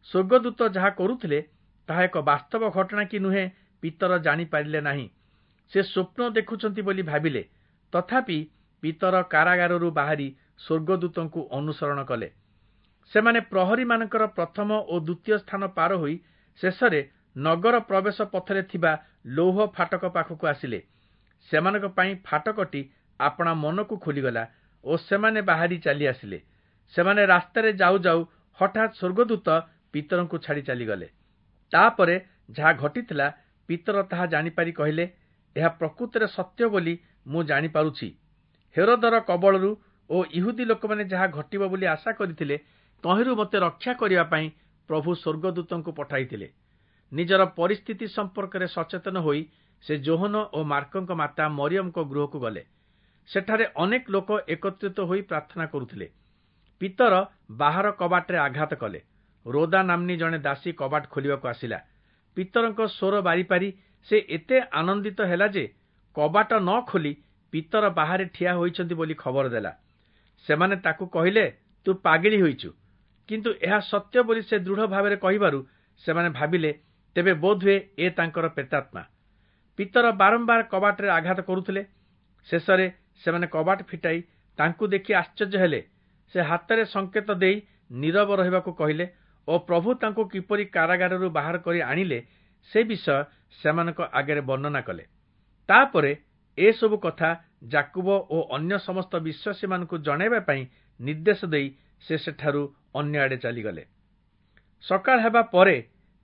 A: ସ୍ୱର୍ଗଦୂତ ଯାହା କରୁଥିଲେ ତାହା ଏକ ବାସ୍ତବ ଘଟଣା କି ନୁହେଁ ପିତର ଜାଣିପାରିଲେ ନାହିଁ। ସେ ସ୍ୱପ୍ନ ଦେଖୁଛନ୍ତି ବୋଲି ଭାବିଲେ। ତଥାପି ପିତର କାରାଗାରରୁ ବାହାରି ସ୍ୱର୍ଗଦୂତଙ୍କୁ ଅନୁସରଣ କଲେ। ସେମାନେ ପ୍ରହରୀମାନଙ୍କର ପ୍ରଥମ ଓ ଦ୍ୱିତୀୟ ସ୍ଥାନ ପାର ହୋଇ ଶେଷରେ ନଗର ପ୍ରବେଶ ପଥରେ ଥିବା ଲୌହ ଫାଟକ ପାଖକୁ ଆସିଲେ। ସେମାନଙ୍କ ପାଇଁ ଫାଟକଟି ଆପଣା ମନକୁ ଖୋଲିଗଲା ଓ ସେମାନେ ବାହାରି ଚାଲି ଆସିଲେ। ସେମାନେ ରାସ୍ତାରେ ଯାଉ ଯାଉ ହଠାତ୍ ସ୍ୱର୍ଗଦୂତ ପିତରଙ୍କୁ ଛାଡ଼ି ଚାଲିଗଲେ। ତାପରେ ଯାହା ଘଟିଥିଲା ପିତର ତାହା ଜାଣିପାରି କହିଲେ, ଏହା ପ୍ରକୃତରେ ସତ୍ୟ ବୋଲି ମୁଁ ଜାଣିପାରୁଛି। ହେରୋଦର କବଳରୁ ଓ ଇହୁଦୀ ଲୋକମାନେ ଯାହା ଘଟିବ ବୋଲି ଆଶା କରିଥିଲେ ତହିଁରୁ ମୋତେ ରକ୍ଷା କରିବା ପାଇଁ ପ୍ରଭୁ ସ୍ୱର୍ଗଦୂତଙ୍କୁ ପଠାଇଥିଲେ। ନିଜର ପରିସ୍ଥିତି ସମ୍ପର୍କରେ ସଚେତନ ହୋଇ ସେ ଯୋହନ ଓ ମାର୍କଙ୍କ ମାତା ମରିୟମଙ୍କ ଗୃହକୁ ଗଲେ। ସେଠାରେ ଅନେକ ଲୋକ ଏକତ୍ରିତ ହୋଇ ପ୍ରାର୍ଥନା କରୁଥିଲେ। ପିତର ବାହାର କବାଟରେ ଆଘାତ କଲେ। ରୋଦା ନାମ୍ନୀ ଜଣେ ଦାସୀ କବାଟ ଖୋଲିବାକୁ ଆସିଲା। ପିତରଙ୍କ ସ୍ୱର ବାରିପାରି ସେ ଏତେ ଆନନ୍ଦିତ ହେଲା ଯେ କବାଟ ନ ଖୋଲି ପିତର ବାହାରେ ଠିଆ ହୋଇଛନ୍ତି ବୋଲି ଖବର ଦେଲା। ସେମାନେ ତାକୁ କହିଲେ, ତୁ ପାଗିଳି ହୋଇଛୁ। କିନ୍ତୁ ଏହା ସତ୍ୟ ବୋଲି ସେ ଦୃଢ଼ ଭାବରେ କହିବାରୁ ସେମାନେ ଭାବିଲେ, ତେବେ ବୋଧହୁଏ ଏ ତାଙ୍କର ପ୍ରେତାତ୍ମା। ପିତର ବାରମ୍ବାର କବାଟରେ ଆଘାତ କରୁଥିଲେ। ଶେଷରେ ସେମାନେ କବାଟ ଫିଟାଇ ତାଙ୍କୁ ଦେଖି ଆଶ୍ଚର୍ଯ୍ୟ ହେଲେ। ସେ ହାତରେ ସଂକେତ ଦେଇ ନୀରବ ରହିବାକୁ କହିଲେ ଓ ପ୍ରଭୁ ତାଙ୍କୁ କିପରି କାରାଗାରରୁ ବାହାର କରି ଆଣିଲେ ସେ ବିଷୟ ସେମାନଙ୍କ ଆଗରେ ବର୍ଣ୍ଣନା କଲେ। ତାପରେ ଏସବୁ କଥା ଯାକୁବ ଓ ଅନ୍ୟ ସମସ୍ତ ବିଶ୍ୱାସୀମାନଙ୍କୁ ଜଣାଇବା ପାଇଁ ନିର୍ଦ୍ଦେଶ ଦେଇ ସେ ସେଠାରୁ ଅନ୍ୟ ଆଡ଼େ ଚାଲିଗଲେ। ସକାଳ ହେବା ପରେ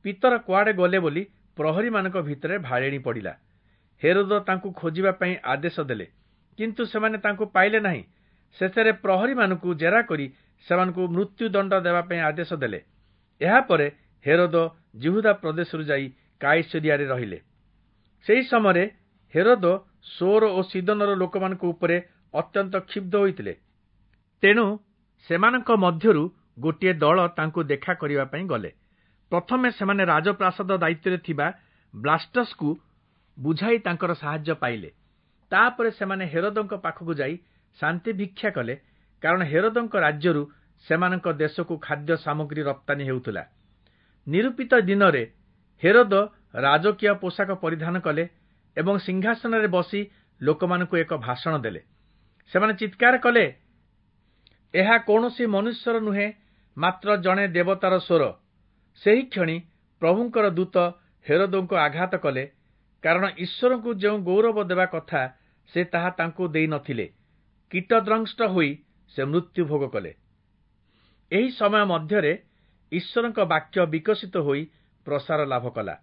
A: ପିତର କୁଆଡ଼େ ଗଲେ ବୋଲି ପ୍ରହରୀମାନଙ୍କ ଭିତରେ ଭାଳେଣି ପଡ଼ିଲା। ହେରୋଦ ତାଙ୍କୁ ଖୋଜିବା ପାଇଁ ଆଦେଶ ଦେଲେ, କିନ୍ତୁ ସେମାନେ ତାଙ୍କୁ ପାଇଲେ ନାହିଁ। ଶେଷରେ ପ୍ରହରୀମାନଙ୍କୁ ଜେରା କରି ସେମାନଙ୍କୁ ମୃତ୍ୟୁଦଣ୍ଡ ଦେବା ପାଇଁ ଆଦେଶ ଦେଲେ। ଏହାପରେ ହେରୋଦ ଯିହୁଦା ପ୍ରଦେଶରୁ ଯାଇ କାଇସରିଆରେ ରହିଲେ। ସେହି ସମୟରେ ହେରୋଦ ସୋର ଓ ସିଦୋନର ଲୋକମାନଙ୍କ ଉପରେ ଅତ୍ୟନ୍ତ କ୍ଷୁବ୍ଧ ହୋଇଥିଲେ। ତେଣୁ ସେମାନଙ୍କ ମଧ୍ୟରୁ ଗୋଟିଏ ଦଳ ତାଙ୍କୁ ଦେଖା କରିବା ପାଇଁ ଗଲେ। ପ୍ରଥମେ ସେମାନେ ରାଜପ୍ରାସାଦ ଦାୟିତ୍ୱରେ ଥିବା ବ୍ଲାଷ୍ଟସକୁ ବୁଝାଇ ତାଙ୍କର ସାହାଯ୍ୟ ପାଇଲେ। ତାପରେ ସେମାନେ ହେରୋଦଙ୍କ ପାଖକୁ ଯାଇ ଶାନ୍ତି ଭିକ୍ଷା କଲେ, କାରଣ ହେରୋଦଙ୍କ ରାଜ୍ୟରୁ ସେମାନଙ୍କ ଦେଶକୁ ଖାଦ୍ୟ ସାମଗ୍ରୀ ରପ୍ତାନୀ ହେଉଥିଲା। ନିରୂପିତ ଦିନରେ ହେରୋଦ ରାଜକୀୟ ପୋଷାକ ପରିଧାନ କଲେ ଏବଂ ସିଂହାସନରେ ବସି ଲୋକମାନଙ୍କୁ ଏକ ଭାଷଣ ଦେଲେ। ସେମାନେ ଚିତ୍କାର କଲେ, ଏହା କୌଣସି ମନୁଷ୍ୟର ନୁହେଁ, ମାତ୍ର ଜଣେ ଦେବତାର ସ୍ୱର। ସେହି କ୍ଷଣି ପ୍ରଭୁଙ୍କର ଦୂତ ହେରୋଦଙ୍କୁ ଆଘାତ କଲେ, କାରଣ ଈଶ୍ୱରଙ୍କୁ ଯେଉଁ ଗୌରବ ଦେବା କଥା ସେ ତାହା ତାଙ୍କୁ ଦେଇନଥିଲେ। କୀଟଦ୍ରଂଷ୍ଟ ହୋଇ ସେ ମୃତ୍ୟୁ ଭୋଗ କଲେ। ଏହି ସମୟ ମଧ୍ୟରେ ଈଶ୍ୱରଙ୍କ ବାକ୍ୟ ବିକଶିତ ହୋଇ ପ୍ରସାର ଲାଭ କଲା।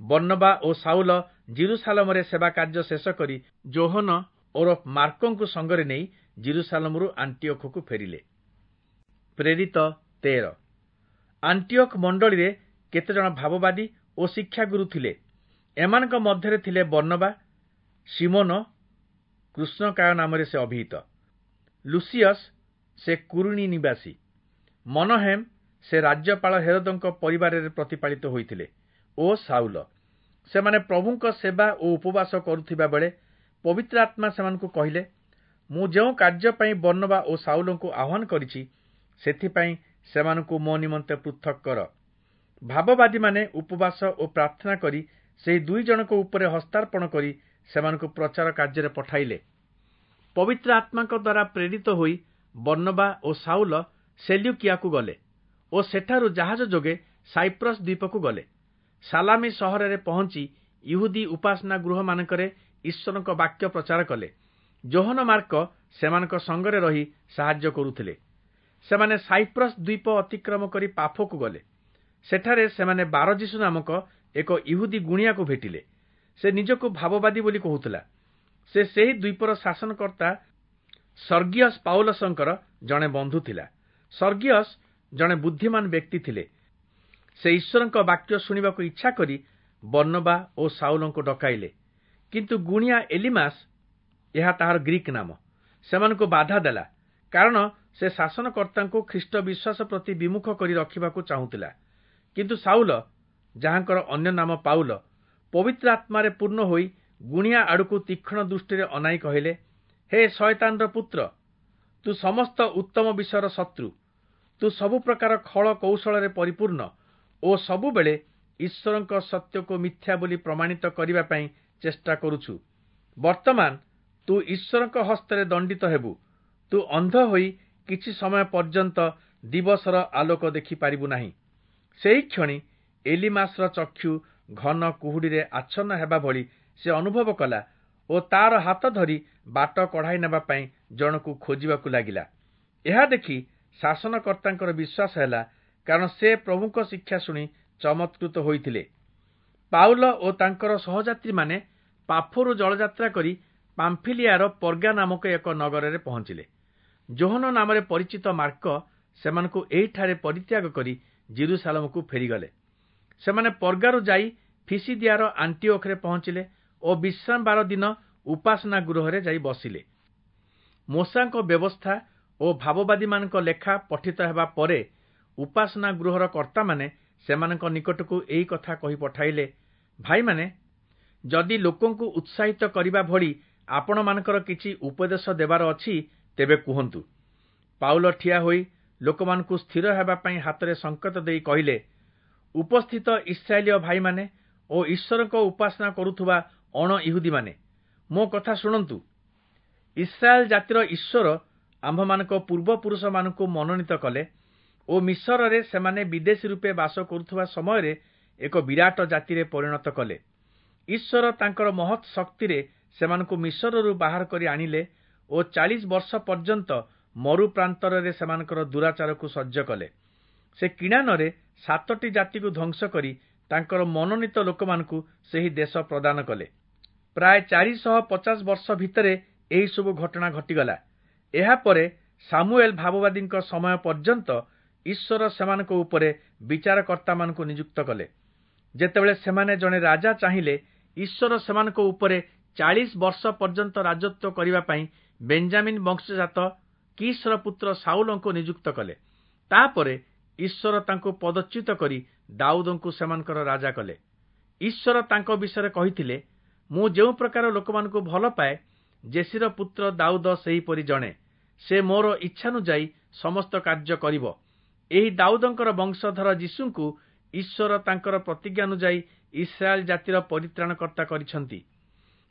A: ବର୍ଣ୍ଣବା ଓ ଶାଉଲ ଯିରୂଶାଲମରେ ସେବା କାର୍ଯ୍ୟ ଶେଷ କରି ଯୋହନ ଓରଫ ମାର୍କଙ୍କୁ ସଙ୍ଗରେ ନେଇ ଯିରୂଶାଲମରୁ ଆଣ୍ଟିଓଖକୁ ଫେରିଲେ। ପ୍ରେରିତ 13। ଆଣ୍ଟିଓଖ ମଣ୍ଡଳୀରେ କେତେଜଣ ଭାବବାଦୀ ଓ ଶିକ୍ଷାଗୁରୁ ଥିଲେ। ଏମାନଙ୍କ ମଧ୍ୟରେ ଥିଲେ ବର୍ଣ୍ଣବା, ଶିମୋନ, କୃଷ୍ଣକାୟ ନାମରେ ସେ ଅଭିହିତ, ଲୁସିୟସ୍, ସେ କୁରିଣୀ ନିବାସୀ, ମନହେମ୍, ସେ ରାଜ୍ୟପାଳ ହେରୋଦଙ୍କ ପରିବାରରେ ପ୍ରତିପାଳିତ ହୋଇଥିଲେ, ଓ ଶାଉଲ। ସେମାନେ ପ୍ରଭୁଙ୍କ ସେବା ଓ ଉପବାସ କରୁଥିବା ବେଳେ ପବିତ୍ର ଆତ୍ମା ସେମାନଙ୍କୁ କହିଲେ, ମୁଁ ଯେଉଁ କାର୍ଯ୍ୟ ପାଇଁ ବର୍ଣ୍ଣବା ଓ ଶାଉଲଙ୍କୁ ଆହ୍ୱାନ କରିଛି, ସେଥିପାଇଁ ସେମାନଙ୍କୁ ମୋ ନିମନ୍ତେ ପୃଥକ୍ କର। ଭାବବାଦୀମାନେ ଉପବାସ ଓ ପ୍ରାର୍ଥନା କରି ସେହି ଦୁଇ ଜଣଙ୍କ ଉପରେ ହସ୍ତାର୍ପଣ କରି ସେମାନଙ୍କୁ ପ୍ରଚାର କାର୍ଯ୍ୟରେ ପଠାଇଲେ। ପବିତ୍ର ଆତ୍ମାଙ୍କ ଦ୍ୱାରା ପ୍ରେରିତ ହୋଇ ବର୍ଣ୍ଣବା ଓ ଶାଉଲ ସେଲ୍ୟୁକିଆକୁ ଗଲେ ଓ ସେଠାରୁ ଜାହାଜ ଯୋଗେ ସାଇପ୍ରସ୍ ଦ୍ୱୀପକୁ ଗଲେ। ସାଲାମି ସହରରେ ପହଞ୍ଚି ଇହୁଦୀ ଉପାସନା ଗୃହମାନଙ୍କରେ ଈଶ୍ୱରଙ୍କ ବାକ୍ୟ ପ୍ରଚାର କଲେ। ଯୋହନ ମାର୍କ ସେମାନଙ୍କ ସଙ୍ଗରେ ରହି ସାହାଯ୍ୟ କରୁଥିଲେ। ସେମାନେ ସାଇପ୍ରସ୍ ଦ୍ୱୀପ ଅତିକ୍ରମ କରି ପାଫୋକୁ ଗଲେ। ସେଠାରେ ସେମାନେ ବାରଯିଶୁ ନାମକ ଏକ ଇହୁଦୀ ଗୁଣିଆକୁ ଭେଟିଲେ। ସେ ନିଜକୁ ଭାବବାଦୀ ବୋଲି କହୁଥିଲା। ସେ ସେହି ଦ୍ୱୀପର ଶାସନକର୍ତ୍ତା ସର୍ଗିୟସ୍ ପାଉଲସଙ୍କର ଜଣେ ବନ୍ଧୁ ଥିଲା। ସର୍ଗିୟସ୍ ଜଣେ ବୁଦ୍ଧିମାନ ବ୍ୟକ୍ତି ଥିଲେ। ସେ ଈଶ୍ୱରଙ୍କ ବାକ୍ୟ ଶୁଣିବାକୁ ଇଚ୍ଛା କରି ବର୍ଣ୍ଣବା ଓ ଶାଉଲଙ୍କୁ ଡକାଇଲେ। କିନ୍ତୁ ଗୁଣିଆ ଏଲିମାସ୍, ଏହା ତାହାର ଗ୍ରୀକ୍ ନାମ, ସେମାନଙ୍କୁ ବାଧା ଦେଲା, କାରଣ ସେ ଶାସନକର୍ତ୍ତାଙ୍କୁ ଖ୍ରୀଷ୍ଟ ବିଶ୍ୱାସ ପ୍ରତି ବିମୁଖ କରି ରଖିବାକୁ ଚାହୁଁଥିଲା। କିନ୍ତୁ ଶାଉଲ, ଯାହାଙ୍କର ଅନ୍ୟ ନାମ ପାଉଲ, ପବିତ୍ର ଆତ୍ମାରେ ପୂର୍ଣ୍ଣ ହୋଇ ଗୁଣିଆ ଆଡ଼କୁ ତୀକ୍ଷ୍ଣ ଦୃଷ୍ଟିରେ ଅନାଇ କହିଲେ, ହେ ଶୟତାନର ପୁତ୍ର, ତୁ ସମସ୍ତ ଉତ୍ତମ ବିଷୟର ଶତ୍ରୁ। ତୁ ସବୁ ପ୍ରକାର ଖଳ କୌଶଳରେ ପରିପୂର୍ଣ୍ଣ ଓ ସବୁବେଳେ ଈଶ୍ୱରଙ୍କ ସତ୍ୟକୁ ମିଥ୍ୟା ବୋଲି ପ୍ରମାଣିତ କରିବା ପାଇଁ ଚେଷ୍ଟା କରୁଛୁ। ବର୍ତ୍ତମାନ ତୁ ଈଶ୍ୱରଙ୍କ ହସ୍ତରେ ଦଣ୍ଡିତ ହେବୁ। ତୁ ଅନ୍ଧ ହୋଇ କିଛି ସମୟ ପର୍ଯ୍ୟନ୍ତ ଦିବସର ଆଲୋକ ଦେଖିପାରିବୁ ନାହିଁ। ସେହି କ୍ଷଣି ଏଲିମାସର ଚକ୍ଷୁ ଘନ କୁହୁଡ଼ିରେ ଆଚ୍ଛନ୍ନ ହେବା ଭଳି ସେ ଅନୁଭବ କଲା ଓ ତାର ହାତ ଧରି ବାଟ କଢ଼ାଇ ନେବା ପାଇଁ ଜଣକୁ ଖୋଜିବାକୁ ଲାଗିଲା। ଏହା ଦେଖି ଶାସନକର୍ତ୍ତାଙ୍କର ବିଶ୍ୱାସ ହେଲା, କାରଣ ସେ ପ୍ରଭୁଙ୍କ ଶିକ୍ଷା ଶୁଣି ଚମତ୍କୃତ ହୋଇଥିଲେ। ପାଉଲ ଓ ତାଙ୍କର ସହଯାତ୍ରୀମାନେ ପାଫୋରୁ ଜଳଯାତ୍ରା କରି ପାମ୍ଫିଲିଆର ପର୍ଗା ନାମକ ଏକ ନଗରରେ ପହଞ୍ଚିଲେ। ଯୋହନ ନାମରେ ପରିଚିତ ମାର୍କ ସେମାନଙ୍କୁ ଏହିଠାରେ ପରିତ୍ୟାଗ କରି ଯିରୂଶାଲମକୁ ଫେରିଗଲେ। ସେମାନେ ପର୍ଗାରୁ ଯାଇ ଫିସିଦିଆର ଆଣ୍ଟିଓଖରେ ପହଞ୍ଚିଲେ ଓ ବିଶ୍ରାମବାର ଦିନ ଉପାସନା ଗୃହରେ ଯାଇ ବସିଲେ। ମୋଶାଙ୍କ ବ୍ୟବସ୍ଥା ଓ ଭାବବାଦୀମାନଙ୍କ ଲେଖା ପଠିତ ହେବା ପରେ ଉପାସନା ଗୃହର କର୍ତ୍ତାମାନେ ସେମାନଙ୍କ ନିକଟକୁ ଏହି କଥା କହି ପଠାଇଲେ, ଭାଇମାନେ, ଯଦି ଲୋକଙ୍କୁ ଉତ୍ସାହିତ କରିବା ଭଳି ଆପଣମାନଙ୍କର କିଛି ଉପଦେଶ ଦେବାର ଅଛି, ତେବେ କୁହନ୍ତୁ। ପାଉଲ ଠିଆ ହୋଇ ଲୋକମାନଙ୍କୁ ସ୍ଥିର ହେବା ପାଇଁ ହାତରେ ସଙ୍କେତ ଦେଇ କହିଲେ, ଉପସ୍ଥିତ ଇସ୍ରାଏଲୀୟ ଭାଇମାନେ ଓ ଈଶ୍ୱରଙ୍କ ଉପାସନା କରୁଥିବା ଅଣ ଇହୁଦୀମାନେ, ମୋ କଥା ଶୁଣନ୍ତୁ। ଇସ୍ରାଏଲ ଜାତିର ଈଶ୍ୱର ଆମ୍ଭମାନଙ୍କ ପୂର୍ବପୁରୁଷମାନଙ୍କୁ ମନୋନୀତ କଲେ ଓ ମିଶରରେ ସେମାନେ ବିଦେଶୀ ରୂପେ ବାସ କରୁଥିବା ସମୟରେ ଏକ ବିରାଟ ଜାତିରେ ପରିଣତ କଲେ। ଈଶ୍ୱର ତାଙ୍କର ମହତ୍ ଶକ୍ତିରେ ସେମାନଙ୍କୁ ମିଶରରୁ ବାହାର କରି ଆଣିଲେ ଓ 40 ବର୍ଷ ପର୍ଯ୍ୟନ୍ତ ମରୁ ପ୍ରାନ୍ତରରେ ସେମାନଙ୍କର ଦୁରାଚାରକୁ ସହ୍ୟ କଲେ। ସେ କିଣାନରେ 7ଟି ଜାତିକୁ ଧ୍ୱଂସ କରି ତାଙ୍କର ମନୋନୀତ ଲୋକମାନଙ୍କୁ ସେହି ଦେଶ ପ୍ରଦାନ କଲେ। ପ୍ରାୟ 450 ବର୍ଷ ଭିତରେ ଏହିସବୁ ଘଟଣା ଘଟିଗଲା। ଏହାପରେ ସାମୁଏଲ ଭାବବାଦୀଙ୍କ ସମୟ ପର୍ଯ୍ୟନ୍ତ ଈଶ୍ୱର ସେମାନଙ୍କ ଉପରେ ବିଚାରକର୍ତ୍ତାମାନଙ୍କୁ ନିଯୁକ୍ତ କଲେ। ଯେତେବେଳେ ସେମାନେ ଜଣେ ରାଜା ଚାହିଁଲେ, ଈଶ୍ୱର ସେମାନଙ୍କ ଉପରେ 40 ବର୍ଷ ପର୍ଯ୍ୟନ୍ତ ରାଜତ୍ୱ କରିବା ପାଇଁ ବେଞ୍ଜାମିନ୍ ବଂଶଜାତ କିଶର ପୁତ୍ର ଶାଉଲଙ୍କୁ ନିଯୁକ୍ତ କଲେ। ତାପରେ ଈଶ୍ୱର ତାଙ୍କୁ ପଦଚ୍ୟୁତ କରି ଦାଉଦଙ୍କୁ ସେମାନଙ୍କର ରାଜା କଲେ। ଈଶ୍ୱର ତାଙ୍କ ବିଷୟରେ କହିଥିଲେ, ମୁଁ ଯେଉଁ ପ୍ରକାର ଲୋକମାନଙ୍କୁ ଭଲ ପାଏ, ଜେସିର ପୁତ୍ର ଦାଉଦ ସେହିପରି ଜଣେ। ସେ ମୋର ଇଚ୍ଛାନୁଯାୟୀ ସମସ୍ତ କାର୍ଯ୍ୟ କରିବ। ଏହି ଦାଉଦଙ୍କର ବଂଶଧର ଯୀଶୁଙ୍କୁ ଈଶ୍ୱର ତାଙ୍କର ପ୍ରତିଜ୍ଞାନୁଯାୟୀ ଇସ୍ରାଏଲ ଜାତିର ପରିତ୍ରାଣକର୍ତ୍ତା କରିଛନ୍ତି।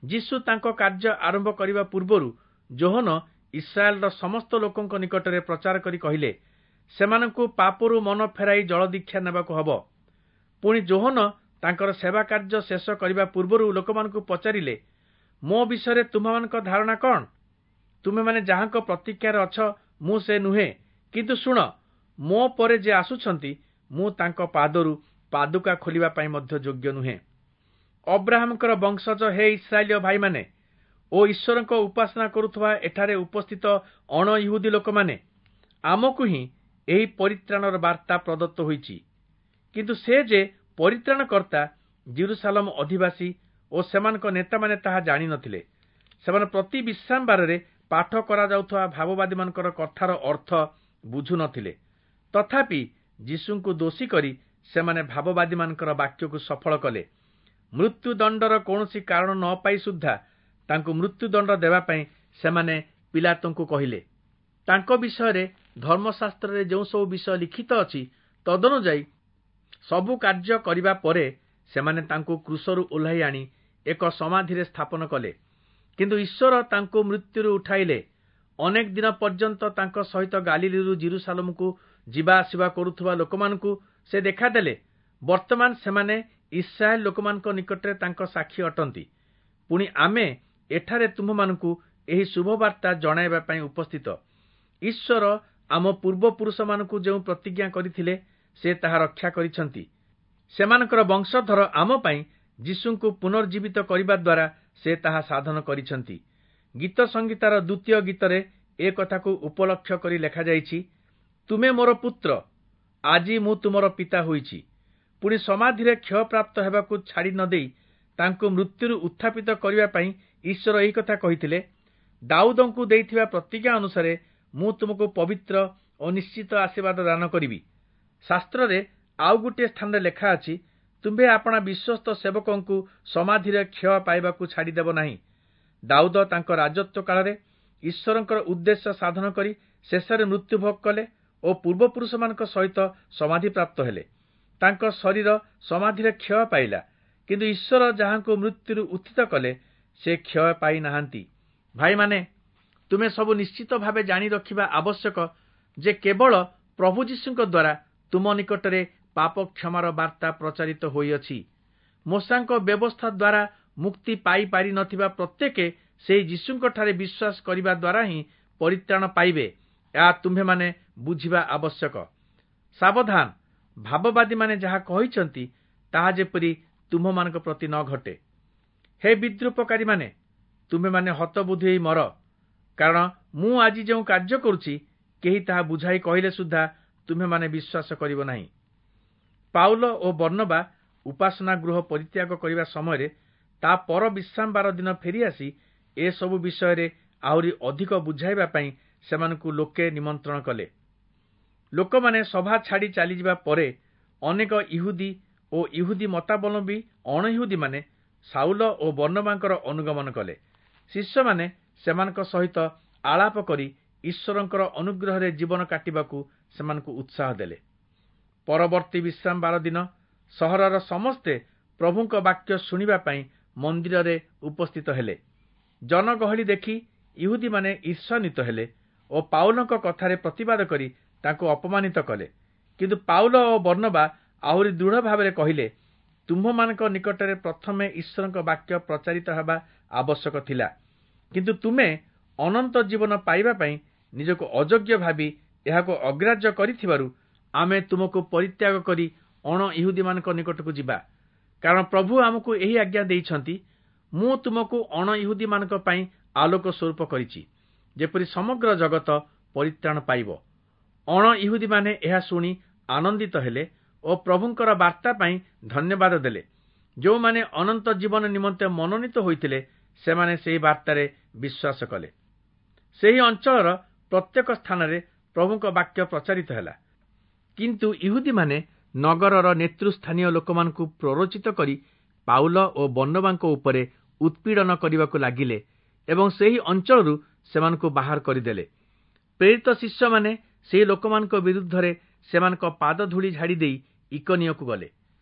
A: ଯୀଶୁ ତାଙ୍କ କାର୍ଯ୍ୟ ଆରମ୍ଭ କରିବା ପୂର୍ବରୁ ଯୋହନ ଇସ୍ରାଏଲର ସମସ୍ତ ଲୋକଙ୍କ ନିକଟରେ ପ୍ରଚାର କରି କହିଲେ, ସେମାନଙ୍କୁ ପାପରୁ ମନ ଫେରାଇ ଜଳଦୀକ୍ଷା ନେବାକୁ ହେବ। ପୁଣି ଯୋହନ ତାଙ୍କର ସେବା କାର୍ଯ୍ୟ ଶେଷ କରିବା ପୂର୍ବରୁ ଲୋକମାନଙ୍କୁ ପଚାରିଲେ, ମୋ ବିଷୟରେ ତୁମ୍ଭମାନଙ୍କ ଧାରଣା କ'ଣ? ତୁମେମାନେ ଯାହାଙ୍କ ପ୍ରତୀକ୍ଷାରେ ଅଛ, ମୁଁ ସେ ନୁହେଁ, କିନ୍ତୁ ଶୁଣ, ମୋ ପରେ ଯେ ଆସୁଛନ୍ତି, ମୁଁ ତାଙ୍କ ପାଦରୁ ପାଦୁକା ଖୋଲିବା ପାଇଁ ମଧ୍ୟ ଯୋଗ୍ୟ ନୁହେଁ। ଅବ୍ରାହମଙ୍କର ବଂଶଜ ହେ ଇସ୍ରାଏଲୀୟ ଭାଇମାନେ ଓ ଈଶ୍ୱରଙ୍କ ଉପାସନା କରୁଥିବା ଏଠାରେ ଉପସ୍ଥିତ ଅଣ ଇହୁଦୀ ଲୋକମାନେ, ଆମକୁ ହିଁ ଏହି ପରିତ୍ରାଣର ବାର୍ତ୍ତା ପ୍ରଦତ୍ତ ହୋଇଛି। କିନ୍ତୁ ସେ ଯେ ପରିତ୍ରାଣକର୍ତ୍ତା, ଜିରୁସାଲମ ଅଧିବାସୀ ଓ ସେମାନଙ୍କ ନେତାମାନେ ତାହା ଜାଣିନଥିଲେ। ସେମାନେ ପ୍ରତି ବିଶ୍ରାମବାରରେ ପାଠ କରାଯାଉଥିବା ଭାବବାଦୀମାନଙ୍କର କଥାର ଅର୍ଥ ବୁଝୁନଥିଲେ। ତଥାପି ଯୀଶୁଙ୍କୁ ଦୋଷୀ କରି ସେମାନେ ଭାବବାଦୀମାନଙ୍କର ବାକ୍ୟକୁ ସଫଳ କଲେ। ମୃତ୍ୟୁଦଣ୍ଡର କୌଣସି କାରଣ ନ ପାଇ ସୁଦ୍ଧା ତାଙ୍କୁ ମୃତ୍ୟୁଦଣ୍ଡ ଦେବା ପାଇଁ ସେମାନେ ପିଲାତଙ୍କୁ କହିଲେ। ତାଙ୍କ ବିଷୟରେ ଧର୍ମଶାସ୍ତ୍ରରେ ଯେଉଁ ସବୁ ବିଷୟ ଲିଖିତ ଅଛି, ତଦନୁଯାୟୀ ସବୁ କାର୍ଯ୍ୟ କରିବା ପରେ ସେମାନେ ତାଙ୍କୁ କ୍ରୁଶରୁ ଓହ୍ଲାଇ ଆଣି ଏକ ସମାଧିରେ ସ୍ଥାପନ କଲେ। କିନ୍ତୁ ଈଶ୍ୱର ତାଙ୍କୁ ମୃତ୍ୟୁରୁ ଉଠାଇଲେ। ଅନେକ ଦିନ ପର୍ଯ୍ୟନ୍ତ ତାଙ୍କ ସହିତ ଗାଲିଲିରୁ ଜିରୁସାଲମକୁ ଯିବା ଆସିବା କରୁଥିବା ଲୋକମାନଙ୍କୁ ସେ ଦେଖାଦେଲେ। ବର୍ତ୍ତମାନ ସେମାନେ ଇସ୍ରାଏଲ ଲୋକମାନଙ୍କ ନିକଟରେ ତାଙ୍କ ସାକ୍ଷୀ ଅଟନ୍ତି। ପୁଣି ଆମେ ଏଠାରେ ତୁମ୍ଭମାନଙ୍କୁ ଏହି ଶୁଭବାର୍ତ୍ତା ଜଣାଇବା ପାଇଁ ଉପସ୍ଥିତ। ଈଶ୍ୱର ଆମ ପୂର୍ବପୁରୁଷମାନଙ୍କୁ ଯେଉଁ ପ୍ରତିଜ୍ଞା କରିଥିଲେ, ସେ ତାହା ରକ୍ଷା କରିଛନ୍ତି। ସେମାନଙ୍କର ବଂଶଧର ଆମ ପାଇଁ ଯୀଶୁଙ୍କୁ ପୁନର୍ଜୀବିତ କରିବା ଦ୍ୱାରା ସେ ତାହା ସାଧନ କରିଛନ୍ତି। ଗୀତ ସଂହିତାର ଦ୍ୱିତୀୟ ଗୀତରେ ଏ କଥାକୁ ଉପଲକ୍ଷ କରି ଲେଖାଯାଇଛି, ତୁମେ ମୋର ପୁତ୍ର, ଆଜି ମୁଁ ତୁମର ପିତା ହୋଇଛି। ପୁଣି ସମାଧିରେ କ୍ଷୟପ୍ରାପ୍ତ ହେବାକୁ ଛାଡ଼ି ନ ଦେଇ ତାଙ୍କୁ ମୃତ୍ୟୁରୁ ଉତ୍ଥାପିତ କରିବା ପାଇଁ ଈଶ୍ୱର ଏହି କଥା କହିଥିଲେ, ଦାଉଦଙ୍କୁ ଦେଇଥିବା ପ୍ରତିଜ୍ଞା ଅନୁସାରେ ମୁଁ ତୁମକୁ ପବିତ୍ର ଓ ନିଶ୍ଚିତ ଆଶୀର୍ବାଦ ଦାନ କରିବି। ଶାସ୍ତ୍ରରେ ଆଉ ଗୋଟିଏ ସ୍ଥାନରେ ଲେଖା ଅଛି, ତୁମ୍ଭେ ଆପଣା ବିଶ୍ୱସ୍ତ ସେବକଙ୍କୁ ସମାଧିରେ କ୍ଷୟ ପାଇବାକୁ ଛାଡ଼ିଦେବ ନାହିଁ। ଦାଉଦ ତାଙ୍କ ରାଜତ୍ୱ କାଳରେ ଈଶ୍ୱରଙ୍କର ଉଦ୍ଦେଶ୍ୟ ସାଧନ କରି ଶେଷରେ ମୃତ୍ୟୁଭୋଗ କଲେ ଓ ପୂର୍ବପୁରୁଷମାନଙ୍କ ସହିତ ସମାଧିପ୍ରାପ୍ତ ହେଲେ। ତାଙ୍କ ଶରୀର ସମାଧିରେ କ୍ଷୟ ପାଇଲା, କିନ୍ତୁ ଈଶ୍ୱର ଯାହାଙ୍କୁ ମୃତ୍ୟୁରୁ ଉତ୍ଥିତ କଲେ, ସେ କ୍ଷୟ ପାଇନାହାନ୍ତି। ଭାଇମାନେ, ତୁମେ ସବୁ ନିଶ୍ଚିତ ଭାବେ ଜାଣି ରଖିବା ଆବଶ୍ୟକ ଯେ କେବଳ ପ୍ରଭୁ ଯୀଶୁଙ୍କ ଦ୍ୱାରା ତୁମ ନିକଟରେ ପାପ କ୍ଷମାର ବାର୍ତ୍ତା ପ୍ରଚାରିତ ହୋଇଅଛି। ମୋଶାଙ୍କ ବ୍ୟବସ୍ଥା ଦ୍ୱାରା ମୁକ୍ତି ପାଇପାରିନଥିବା ପ୍ରତ୍ୟେକ ସେହି ଯୀଶୁଙ୍କଠାରେ ବିଶ୍ୱାସ କରିବା ଦ୍ୱାରା ହିଁ ପରିତ୍ରାଣ ପାଇବେ, ଏହା ତୁମ୍ଭେମାନେ ବୁଝିବା ଆବଶ୍ୟକ। ସାବଧାନ, ଭାବବାଦୀମାନେ ଯାହା କହିଛନ୍ତି ତାହା ଯେପରି ତୁମ୍ଭମାନଙ୍କ ପ୍ରତି ନ ଘଟେ। ହେ ବିଦ୍ରୂପକାରୀମାନେ, ତୁମ୍ଭେମାନେ ହତବୁଦ୍ଧି ହୋଇ ମର, କାରଣ ମୁଁ ଆଜି ଯେଉଁ କାର୍ଯ୍ୟ କରୁଛି, କେହି ତାହା ବୁଝାଇ କହିଲେ ସୁଦ୍ଧା ତୁମ୍ଭେମାନେ ବିଶ୍ୱାସ କରିବ ନାହିଁ। ପାଉଲ ଓ ବର୍ଣ୍ଣବା ଉପାସନା ଗୃହ ପରିତ୍ୟାଗ କରିବା ସମୟରେ ତା ପର ବିଶ୍ରାମବାର ଦିନ ଫେରିଆସି ଏସବୁ ବିଷୟରେ ଆହୁରି ଅଧିକ ବୁଝାଇବା ପାଇଁ ସେମାନଙ୍କୁ ଲୋକେ ନିମନ୍ତ୍ରଣ କଲେ। ଲୋକମାନେ ସଭା ଛାଡ଼ି ଚାଲିଯିବା ପରେ ଅନେକ ଇହୁଦୀ ଓ ଇହୁଦୀ ମତାବଲମ୍ବୀ ଅଣଇହୁଦୀମାନେ ସାଉଲ ଓ ବର୍ଣ୍ଣବାଙ୍କର ଅନୁଗମନ କଲେ। ଶିଷ୍ୟମାନେ ସେମାନଙ୍କ ସହିତ ଆଳାପ କରି ଈଶ୍ୱରଙ୍କର ଅନୁଗ୍ରହରେ ଜୀବନ କାଟିବାକୁ ସେମାନଙ୍କୁ ଉତ୍ସାହ ଦେଲେ। ପରବର୍ତ୍ତୀ ବିଶ୍ରାମବାର ଦିନ ସହରର ସମସ୍ତେ ପ୍ରଭୁଙ୍କ ବାକ୍ୟ ଶୁଣିବା ପାଇଁ ମନ୍ଦିରରେ ଉପସ୍ଥିତ ହେଲେ। ଜନଗହଳି ଦେଖି ଇହୁଦୀମାନେ ଈର୍ଷାନ୍ୱିତ ହେଲେ ଓ ପାଉଲଙ୍କ କଥାରେ ପ୍ରତିବାଦ କରି ତାଙ୍କୁ ଅପମାନିତ କଲେ। କିନ୍ତୁ ପାଉଲ ଓ ବର୍ଣ୍ଣବା ଆହୁରି ଦୃଢ଼ ଭାବରେ କହିଲେ, ତୁମ୍ଭମାନଙ୍କ ନିକଟରେ ପ୍ରଥମେ ଈଶ୍ୱରଙ୍କ ବାକ୍ୟ ପ୍ରଚାରିତ ହେବା ଆବଶ୍ୟକ ଥିଲା, କିନ୍ତୁ ତୁମେ ଅନନ୍ତ ଜୀବନ ପାଇବା ପାଇଁ ନିଜକୁ ଅଯୋଗ୍ୟ ଭାବି ଏହାକୁ ଅଗ୍ରାହ୍ୟ କରିଥିବାରୁ ଆମେ ତୁମକୁ ପରିତ୍ୟାଗ କରି ଅଣ ଇହୁଦୀମାନଙ୍କ ନିକଟକୁ ଯିବା। କାରଣ ପ୍ରଭୁ ଆମକୁ ଏହି ଆଜ୍ଞା ଦେଇଛନ୍ତି, ମୁଁ ତୁମକୁ ଅଣ ଇହୁଦୀମାନଙ୍କ ପାଇଁ ଆଲୋକ ସ୍ୱରୂପ କରିଛି, ଯେପରି ସମଗ୍ର ଜଗତ ପରିତ୍ରାଣ ପାଇବ। ଅଣ ଇହୁଦୀମାନେ ଏହା ଶୁଣି ଆନନ୍ଦିତ ହେଲେ ଓ ପ୍ରଭୁଙ୍କର ବାର୍ତ୍ତା ପାଇଁ ଧନ୍ୟବାଦ ଦେଲେ। ଯେଉଁମାନେ ଅନନ୍ତ ଜୀବନ ନିମନ୍ତେ ମନୋନୀତ ହୋଇଥିଲେ, ସେମାନେ ସେହି ବାର୍ତ୍ତାରେ ବିଶ୍ୱାସ କଲେ। ସେହି ଅଞ୍ଚଳର ପ୍ରତ୍ୟେକ ସ୍ଥାନରେ ପ୍ରଭୁଙ୍କ ବାକ୍ୟ ପ୍ରଚାରିତ ହେଲା। କିନ୍ତୁ ଇହୁଦୀମାନେ ନଗରର ନେତୃସ୍ଥାନୀୟ ଲୋକମାନଙ୍କୁ ପ୍ରରୋଚିତ କରି ପାଉଲ ଓ ବର୍ଣ୍ଣବାଙ୍କ ଉପରେ ଉତ୍ପୀଡ଼ନ କରିବାକୁ ଲାଗିଲେ ଏବଂ ସେହି ଅଞ୍ଚଳରୁ ସେମାନଙ୍କୁ ବାହାର କରିଦେଲେ। ପ୍ରେରିତ ଶିଷ୍ୟମାନେ ସେହି ଲୋକମାନଙ୍କ ବିରୁଦ୍ଧରେ ସେମାନଙ୍କ ପାଦଧୂଳି ଝାଡ଼ି ଦେଇ ଇକନିୟକୁ ଗଲେ।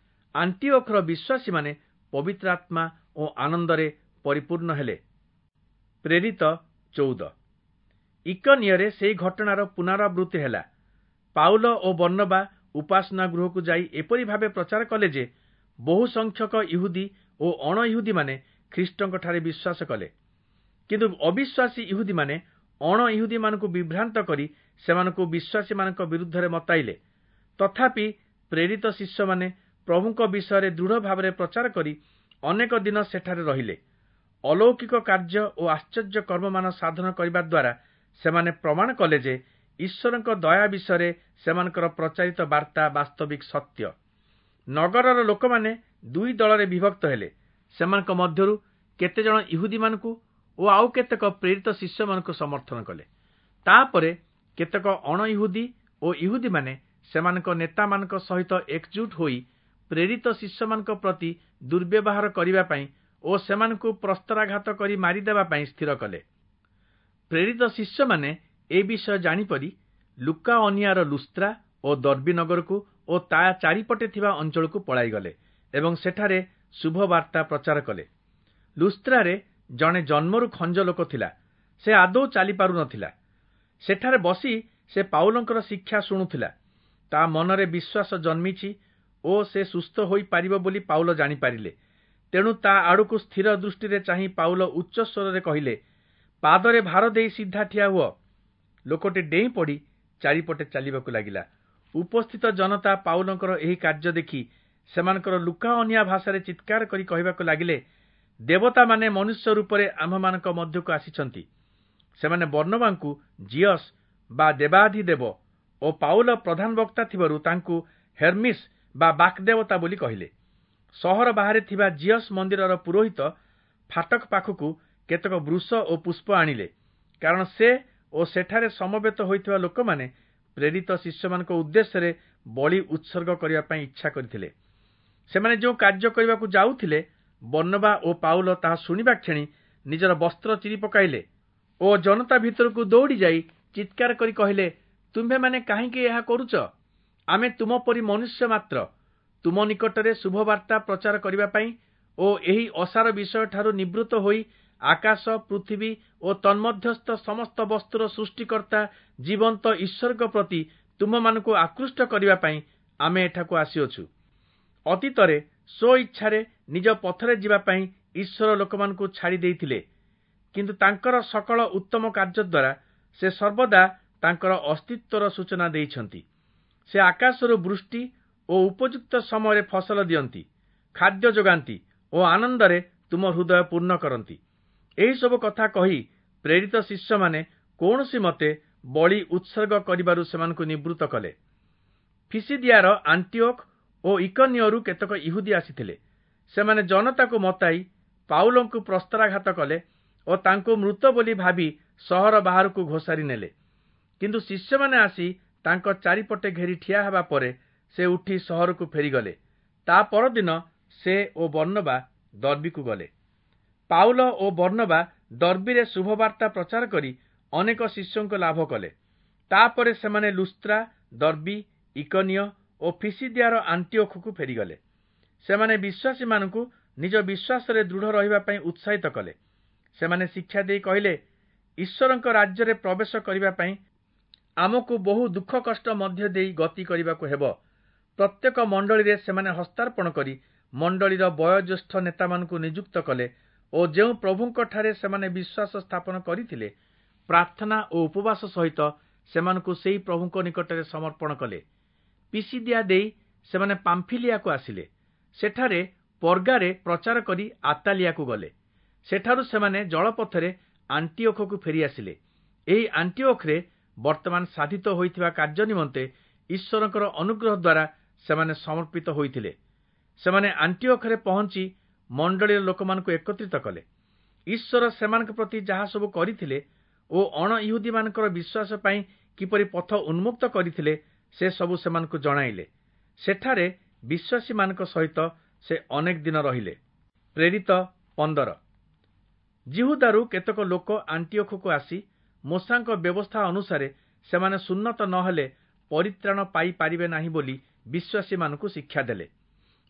A: ଆଣ୍ଟିଓଖର ବିଶ୍ୱାସୀମାନେ ପବିତ୍ର ଆତ୍ମା ଓ ଆନନ୍ଦରେ ପରିପୂର୍ଣ୍ଣ ହେଲେ। ପ୍ରେରିତ 14। ଇକନିୟରେ ସେହି ଘଟଣାର ପୁନରାବୃତ୍ତି ହେଲା। ପାଉଲ ଓ ବର୍ଣ୍ଣବା ଉପାସନା ଗୃହକୁ ଯାଇ ଏପରି ଭାବେ ପ୍ରଚାର କଲେ ଯେ ବହୁ ସଂଖ୍ୟକ ଇହୁଦୀ ଓ ଅଣଇହୁଦୀମାନେ ଖ୍ରୀଷ୍ଟଙ୍କଠାରେ ବିଶ୍ୱାସ କଲେ। କିନ୍ତୁ ଅବିଶ୍ୱାସୀ ଇହୁଦୀମାନେ ଅଣ ଇହୁଦୀମାନଙ୍କୁ ବିଭ୍ରାନ୍ତ କରି ସେମାନଙ୍କୁ ବିଶ୍ୱାସୀମାନଙ୍କ ବିରୁଦ୍ଧରେ ମତାଇଲେ। ତଥାପି ପ୍ରେରିତ ଶିଷ୍ୟମାନେ ପ୍ରଭୁଙ୍କ ବିଷୟରେ ଦୃଢ଼ ଭାବରେ ପ୍ରଚାର କରି ଅନେକ ଦିନ ସେଠାରେ ରହିଲେ। ଅଲୌକିକ କାର୍ଯ୍ୟ ଓ ଆଶ୍ଚର୍ଯ୍ୟ କର୍ମମାନ ସାଧନ କରିବା ଦ୍ୱାରା ସେମାନେ ପ୍ରମାଣ କଲେ ଯେ ଈଶ୍ୱରଙ୍କ ଦୟା ବିଷୟରେ ସେମାନଙ୍କର ପ୍ରଚାରିତ ବାର୍ତ୍ତା ବାସ୍ତବିକ ସତ୍ୟ। ନଗରର ଲୋକମାନେ ଦୁଇ ଦଳରେ ବିଭକ୍ତ ହେଲେ। ସେମାନଙ୍କ ମଧ୍ୟରୁ କେତେଜଣ ଇହୁଦୀମାନଙ୍କୁ ଓ ଆଉ କେତେକ ପ୍ରେରିତ ଶିଷ୍ୟମାନଙ୍କୁ ସମର୍ଥନ କଲେ। ତାପରେ କେତେକ ଅଣ ଇହୁଦୀ ଓ ଇହୁଦୀମାନେ ସେମାନଙ୍କ ନେତାମାନଙ୍କ ସହିତ ଏକଜୁଟ ହୋଇ ପ୍ରେରିତ ଶିଷ୍ୟମାନଙ୍କ ପ୍ରତି ଦୁର୍ବ୍ୟବହାର କରିବା ପାଇଁ ଓ ସେମାନଙ୍କୁ ପ୍ରସ୍ତରାଘାତ କରି ମାରିଦେବା ପାଇଁ ସ୍ଥିର କଲେ। ପ୍ରେରିତ ଶିଷ୍ୟମାନେ ଏ ବିଷୟ ଜାଣିପରି ଲୁକାଅନିଆର ଲୁସ୍ତ୍ରା ଓ ଦର୍ବୀ ନଗରକୁ ଓ ତା ଚାରିପଟେ ଥିବା ଅଞ୍ଚଳକୁ ପଳାଇଗଲେ ଏବଂ ସେଠାରେ ଶୁଭବାର୍ତ୍ତା ପ୍ରଚାର କଲେ। ଲୁସ୍ତ୍ରାରେ ଜଣେ ଜନ୍ମରୁ ଖଞ୍ଜ ଲୋକ ଥିଲା। ସେ ଆଦୌ ଚାଲିପାରୁନଥିଲା। ସେଠାରେ ବସି ସେ ପାଉଲଙ୍କର ଶିକ୍ଷା ଶୁଣୁଥିଲା। ତା ମନରେ ବିଶ୍ୱାସ ଜନ୍ମିଛି ଓ ସେ ସୁସ୍ଥ ହୋଇପାରିବ ବୋଲି ପାଉଲ ଜାଣିପାରିଲେ। ତେଣୁ ତା ଆଡ଼କୁ ସ୍ଥିର ଦୃଷ୍ଟିରେ ଚାହିଁ ପାଉଲ ଉଚ୍ଚ ସ୍ୱରରେ କହିଲେ, ପାଦରେ ଭାର ଦେଇ ସିଧା ଠିଆ ହୁଅ। ଲୋକଟି ଡେଇଁ ପଡ଼ି ଚାରିପଟେ ଚାଲିବାକୁ ଲାଗିଲା। ଉପସ୍ଥିତ ଜନତା ପାଉଲଙ୍କର ଏହି କାର୍ଯ୍ୟ ଦେଖି ସେମାନଙ୍କର ଲୁକାଅନିଆ ଭାଷାରେ ଚିତ୍କାର କରି କହିବାକୁ ଲାଗିଲେ, ଦେବତାମାନେ ମନୁଷ୍ୟ ରୂପରେ ଆମ୍ଭମାନଙ୍କ ମଧ୍ୟକୁ ଆସିଛନ୍ତି। ସେମାନେ ବର୍ଣ୍ଣବାଙ୍କୁ ଜିଅସ୍ ବା ଦେବାଧିଦେବ ଓ ପାଉଲ ପ୍ରଧାନ ବକ୍ତା ଥିବାରୁ ତାଙ୍କୁ ହେର୍ମିସ୍ ବା ବାକ୍ଦେବତା ବୋଲି କହିଲେ। ସହର ବାହାରେ ଥିବା ଜିଅସ୍ ମନ୍ଦିରର ପୁରୋହିତ ଫାଟକ ପାଖକୁ କେତେକ ବୃଷ ଓ ପୁଷ୍ପ ଆଣିଲେ, କାରଣ ସେ ଓ ସେଠାରେ ସମବେତ ହୋଇଥିବା ଲୋକମାନେ ପ୍ରେରିତ ଶିଷ୍ୟମାନଙ୍କ ଉଦ୍ଦେଶ୍ୟରେ ବଳି ଉତ୍ସର୍ଗ କରିବା ପାଇଁ ଇଚ୍ଛା କରିଥିଲେ। ସେମାନେ ଯେଉଁ କାର୍ଯ୍ୟ କରିବାକୁ ଯାଉଥିଲେ, ବର୍ଣ୍ଣବା ଓ ପାଉଲ ତାହା ଶୁଣିବା କ୍ଷଣି ନିଜର ବସ୍ତ୍ର ଚିରି ପକାଇଲେ ଓ ଜନତା ଭିତରକୁ ଦୌଡ଼ି ଯାଇ ଚିତ୍କାର କରି କହିଲେ, ତୁମ୍ଭେମାନେ କାହିଁକି ଏହା କରୁଛ? ଆମେ ତୁମ ପରି ମନୁଷ୍ୟ ମାତ୍ର। ତୁମ ନିକଟରେ ଶୁଭବାର୍ତ୍ତା ପ୍ରଚାର କରିବା ପାଇଁ ଓ ଏହି ଅସାର ବିଷୟଠାରୁ ନିବୃତ୍ତ ହୋଇ ଆକାଶ, ପୃଥିବୀ ଓ ତନ୍ମଧ୍ୟସ୍ଥ ସମସ୍ତ ବସ୍ତୁର ସୃଷ୍ଟିକର୍ତ୍ତା ଜୀବନ୍ତ ଈଶ୍ୱରଙ୍କ ପ୍ରତି ତୁମମାନଙ୍କୁ ଆକୃଷ୍ଟ କରିବା ପାଇଁ ଆମେ ଏଠାକୁ ଆସିଅଛୁ। ଅତୀତରେ ସ୍ୱଇଚ୍ଛାରେ ନିଜ ପଥରେ ଯିବା ପାଇଁ ଈଶ୍ୱର ଲୋକମାନଙ୍କୁ ଛାଡ଼ି ଦେଇଥିଲେ, କିନ୍ତୁ ତାଙ୍କର ସକଳ ଉତ୍ତମ କାର୍ଯ୍ୟ ଦ୍ୱାରା ସେ ସର୍ବଦା ତାଙ୍କର ଅସ୍ତିତ୍ୱର ସୂଚନା ଦେଇଛନ୍ତି। ସେ ଆକାଶରୁ ବୃଷ୍ଟି ଓ ଉପଯୁକ୍ତ ସମୟରେ ଫସଲ ଦିଅନ୍ତି, ଖାଦ୍ୟ ଯୋଗାନ୍ତି ଓ ଆନନ୍ଦରେ ତୁମ ହୃଦୟ ପୂର୍ଣ୍ଣ କରନ୍ତି। ଏହିସବୁ କଥା କହି ପ୍ରେରିତ ଶିଷ୍ୟମାନେ କୌଣସି ମତେ ବଳି ଉତ୍ସର୍ଗ କରିବାରୁ ସେମାନଙ୍କୁ ନିବୃତ୍ତ କଲେ। ଫିସିଦିଆର ଆଣ୍ଟିଓଖ ଓ ଇକନିୟରୁ କେତେକ ଇହୁଦୀ ଆସିଥିଲେ। ସେମାନେ ଜନତାକୁ ମତାଇ ପାଉଲଙ୍କୁ ପ୍ରସ୍ତରାଘାତ କଲେ ଓ ତାଙ୍କୁ ମୃତ ବୋଲି ଭାବି ସହର ବାହାରକୁ ଘୋଷାରି ନେଲେ। କିନ୍ତୁ ଶିଷ୍ୟମାନେ ଆସି ତାଙ୍କ ଚାରିପଟେ ଘେରି ଠିଆ ହେବା ପରେ ସେ ଉଠି ସହରକୁ ଫେରିଗଲେ। ତା ପରଦିନ ସେ ଓ ବର୍ଣ୍ଣବା ଦର୍ବୀକୁ ଗଲେ। ପାଉଲ ଓ ବର୍ଣ୍ଣବା ଦର୍ବୀରେ ଶୁଭବାର୍ତ୍ତା ପ୍ରଚାର କରି ଅନେକ ଶିଷ୍ୟଙ୍କୁ ଲାଭ କଲେ। ତାପରେ ସେମାନେ ଲୁସ୍ତ୍ରା, ଦର୍ବୀ, ଇକନିୟ ଓ ଫିସିଦିଆର ଆଣ୍ଟିଓଖକୁ ଫେରିଗଲେ। ସେମାନେ ବିଶ୍ୱାସୀମାନଙ୍କୁ ନିଜ ବିଶ୍ୱାସରେ ଦୃଢ଼ ରହିବା ପାଇଁ ଉତ୍ସାହିତ କଲେ। ସେମାନେ ଶିକ୍ଷା ଦେଇ କହିଲେ, ଈଶ୍ୱରଙ୍କ ରାଜ୍ୟରେ ପ୍ରବେଶ କରିବା ପାଇଁ ଆମକୁ ବହୁ ଦୁଃଖ କଷ୍ଟ ମଧ୍ୟ ଦେଇ ଗତି କରିବାକୁ ହେବ। ପ୍ରତ୍ୟେକ ମଣ୍ଡଳୀରେ ସେମାନେ ହସ୍ତାର୍ପଣ କରି ମଣ୍ଡଳୀର ବୟୋଜ୍ୟେଷ୍ଠ ନେତାମାନଙ୍କୁ ନିଯୁକ୍ତ କଲେ ଓ ଯେଉଁ ପ୍ରଭୁଙ୍କଠାରେ ସେମାନେ ବିଶ୍ୱାସ ସ୍ଥାପନ କରିଥିଲେ, ପ୍ରାର୍ଥନା ଓ ଉପବାସ ସହିତ ସେମାନଙ୍କୁ ସେହି ପ୍ରଭୁଙ୍କ ନିକଟରେ ସମର୍ପଣ କଲେ। ପିସିଦିଆ ଦେଇ ସେମାନେ ପାମ୍ଫିଲିଆକୁ ଆସିଲେ। ସେଠାରେ ପର୍ଗାରେ ପ୍ରଚାର କରି ଆତାଲିଆକୁ ଗଲେ। ସେଠାରୁ ସେମାନେ ଜଳପଥରେ ଆଣ୍ଟିଓଖକୁ ଫେରିଆସିଲେ। ଏହି ଆଣ୍ଟିଓଖରେ ବର୍ତ୍ତମାନ ସାଧିତ ହୋଇଥିବା କାର୍ଯ୍ୟ ନିମନ୍ତେ ଈଶ୍ୱରଙ୍କର ଅନୁଗ୍ରହ ଦ୍ୱାରା ସେମାନେ ସମର୍ପିତ ହୋଇଥିଲେ। ସେମାନେ ଆଣ୍ଟିଓଖରେ ପହଞ୍ଚି ମଣ୍ଡଳୀର ଲୋକମାନଙ୍କୁ ଏକତ୍ରିତ କଲେ। ଈଶ୍ୱର ସେମାନଙ୍କ ପ୍ରତି ଯାହା ସବୁ କରିଥିଲେ ଓ ଅଣ ଇହୁଦୀମାନଙ୍କର ବିଶ୍ୱାସ ପାଇଁ କିପରି ପଥ ଉନ୍ମୁକ୍ତ କରିଥିଲେ, ସେ ସବୁ ସେମାନଙ୍କୁ ଜଣାଇଲେ। ସେଠାରେ ବିଶ୍ୱାସୀମାନଙ୍କ ସହିତ ସେ ଅନେକ ଦିନ ରହିଲେ। ପ୍ରେରିତ 15। ଯିହୁଦାରୁ କେତେକ ଲୋକ ଆଣ୍ଟିଓଖକୁ ଆସି ମୋଶାଙ୍କ ବ୍ୟବସ୍ଥା ଅନୁସାରେ ସେମାନେ ସୁନ୍ନତ ନହେଲେ ପରିତ୍ରାଣ ପାଇପାରିବେ ନାହିଁ ବୋଲି ବିଶ୍ୱାସୀମାନଙ୍କୁ ଶିକ୍ଷା ଦେଲେ।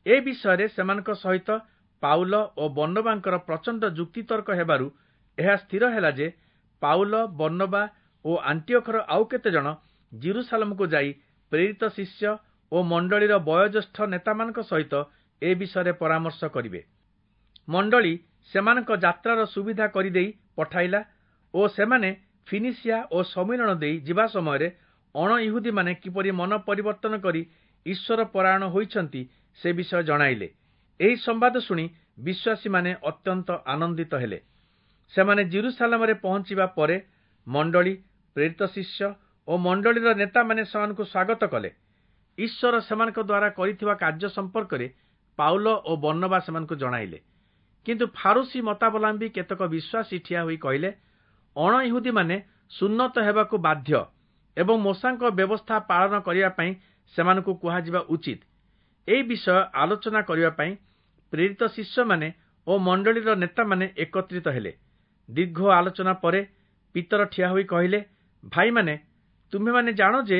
A: ଏ ବିଷୟରେ ସେମାନଙ୍କ ସହିତ ପାଉଲ ଓ ବର୍ଣ୍ଣବାଙ୍କର ପ୍ରଚଣ୍ଡ ଯୁକ୍ତିତର୍କ ହେବାରୁ ଏହା ସ୍ଥିର ହେଲା ଯେ ପାଉଲ, ବର୍ଣ୍ଣବା ଓ ଆଣ୍ଟିଓଖର ଆଉ କେତେଜଣ ଯିରୂଶାଲମକୁ ଯାଇ ପ୍ରେରିତ ଶିଷ୍ୟ ଓ ମଣ୍ଡଳୀର ବୟୋଜ୍ୟେଷ୍ଠ ନେତାମାନଙ୍କ ସହିତ ଏ ବିଷୟରେ ପରାମର୍ଶ କରିବେ। ମଣ୍ଡଳୀ ସେମାନଙ୍କ ଯାତ୍ରାର ସୁବିଧା କରିଦେଇ ପଠାଇଲା ଓ ସେମାନେ ଫିନିସିଆ ଓ ସମ୍ମିଳନ ଦେଇ ଯିବା ସମୟରେ ଅଣଇହୁଦୀମାନେ କିପରି ମନ ପରିବର୍ତ୍ତନ କରି ଈଶ୍ୱର ପରାୟଣ ହୋଇଛନ୍ତି ସେ ବିଷୟ ଜଣାଇଲେ। ଏହି ସମ୍ବାଦ ଶୁଣି ବିଶ୍ୱାସୀମାନେ ଅତ୍ୟନ୍ତ ଆନନ୍ଦିତ ହେଲେ। ସେମାନେ ଯିରୂଶାଲମରେ ପହଞ୍ଚିବା ପରେ ମଣ୍ଡଳୀ, ପ୍ରେରିତ ଶିଷ୍ୟ ଓ ମଣ୍ଡଳୀର ନେତାମାନେ ସେମାନଙ୍କୁ ସ୍ୱାଗତ କଲେ। ଈଶ୍ୱର ସେମାନଙ୍କ ଦ୍ୱାରା କରିଥିବା କାର୍ଯ୍ୟ ସମ୍ପର୍କରେ ପାଉଲ ଓ ବର୍ଣ୍ଣବା ସେମାନଙ୍କୁ ଜଣାଇଲେ। କିନ୍ତୁ ଫାରୁଶୀ ମତାବଲମ୍ବୀ କେତେକ ବିଶ୍ୱାସୀ ଠିଆ ହୋଇ କହିଲେ, ଅଣଇହୁଦୀମାନେ ସୁନ୍ନତ ହେବାକୁ ବାଧ୍ୟ ଏବଂ ମୋଶାଙ୍କ ବ୍ୟବସ୍ଥା ପାଳନ କରିବା ପାଇଁ ସେମାନଙ୍କୁ କୁହାଯିବା ଉଚିତ। ଏହି ବିଷୟ ଆଲୋଚନା କରିବା ପାଇଁ ପ୍ରେରିତ ଶିଷ୍ୟମାନେ ଓ ମଣ୍ଡଳୀର ନେତାମାନେ ଏକତ୍ରିତ ହେଲେ। ଦୀର୍ଘ ଆଲୋଚନା ପରେ ପିତର ଠିଆ ହୋଇ କହିଲେ, ଭାଇମାନେ, ତୁମ୍ଭେମାନେ ଜାଣ ଯେ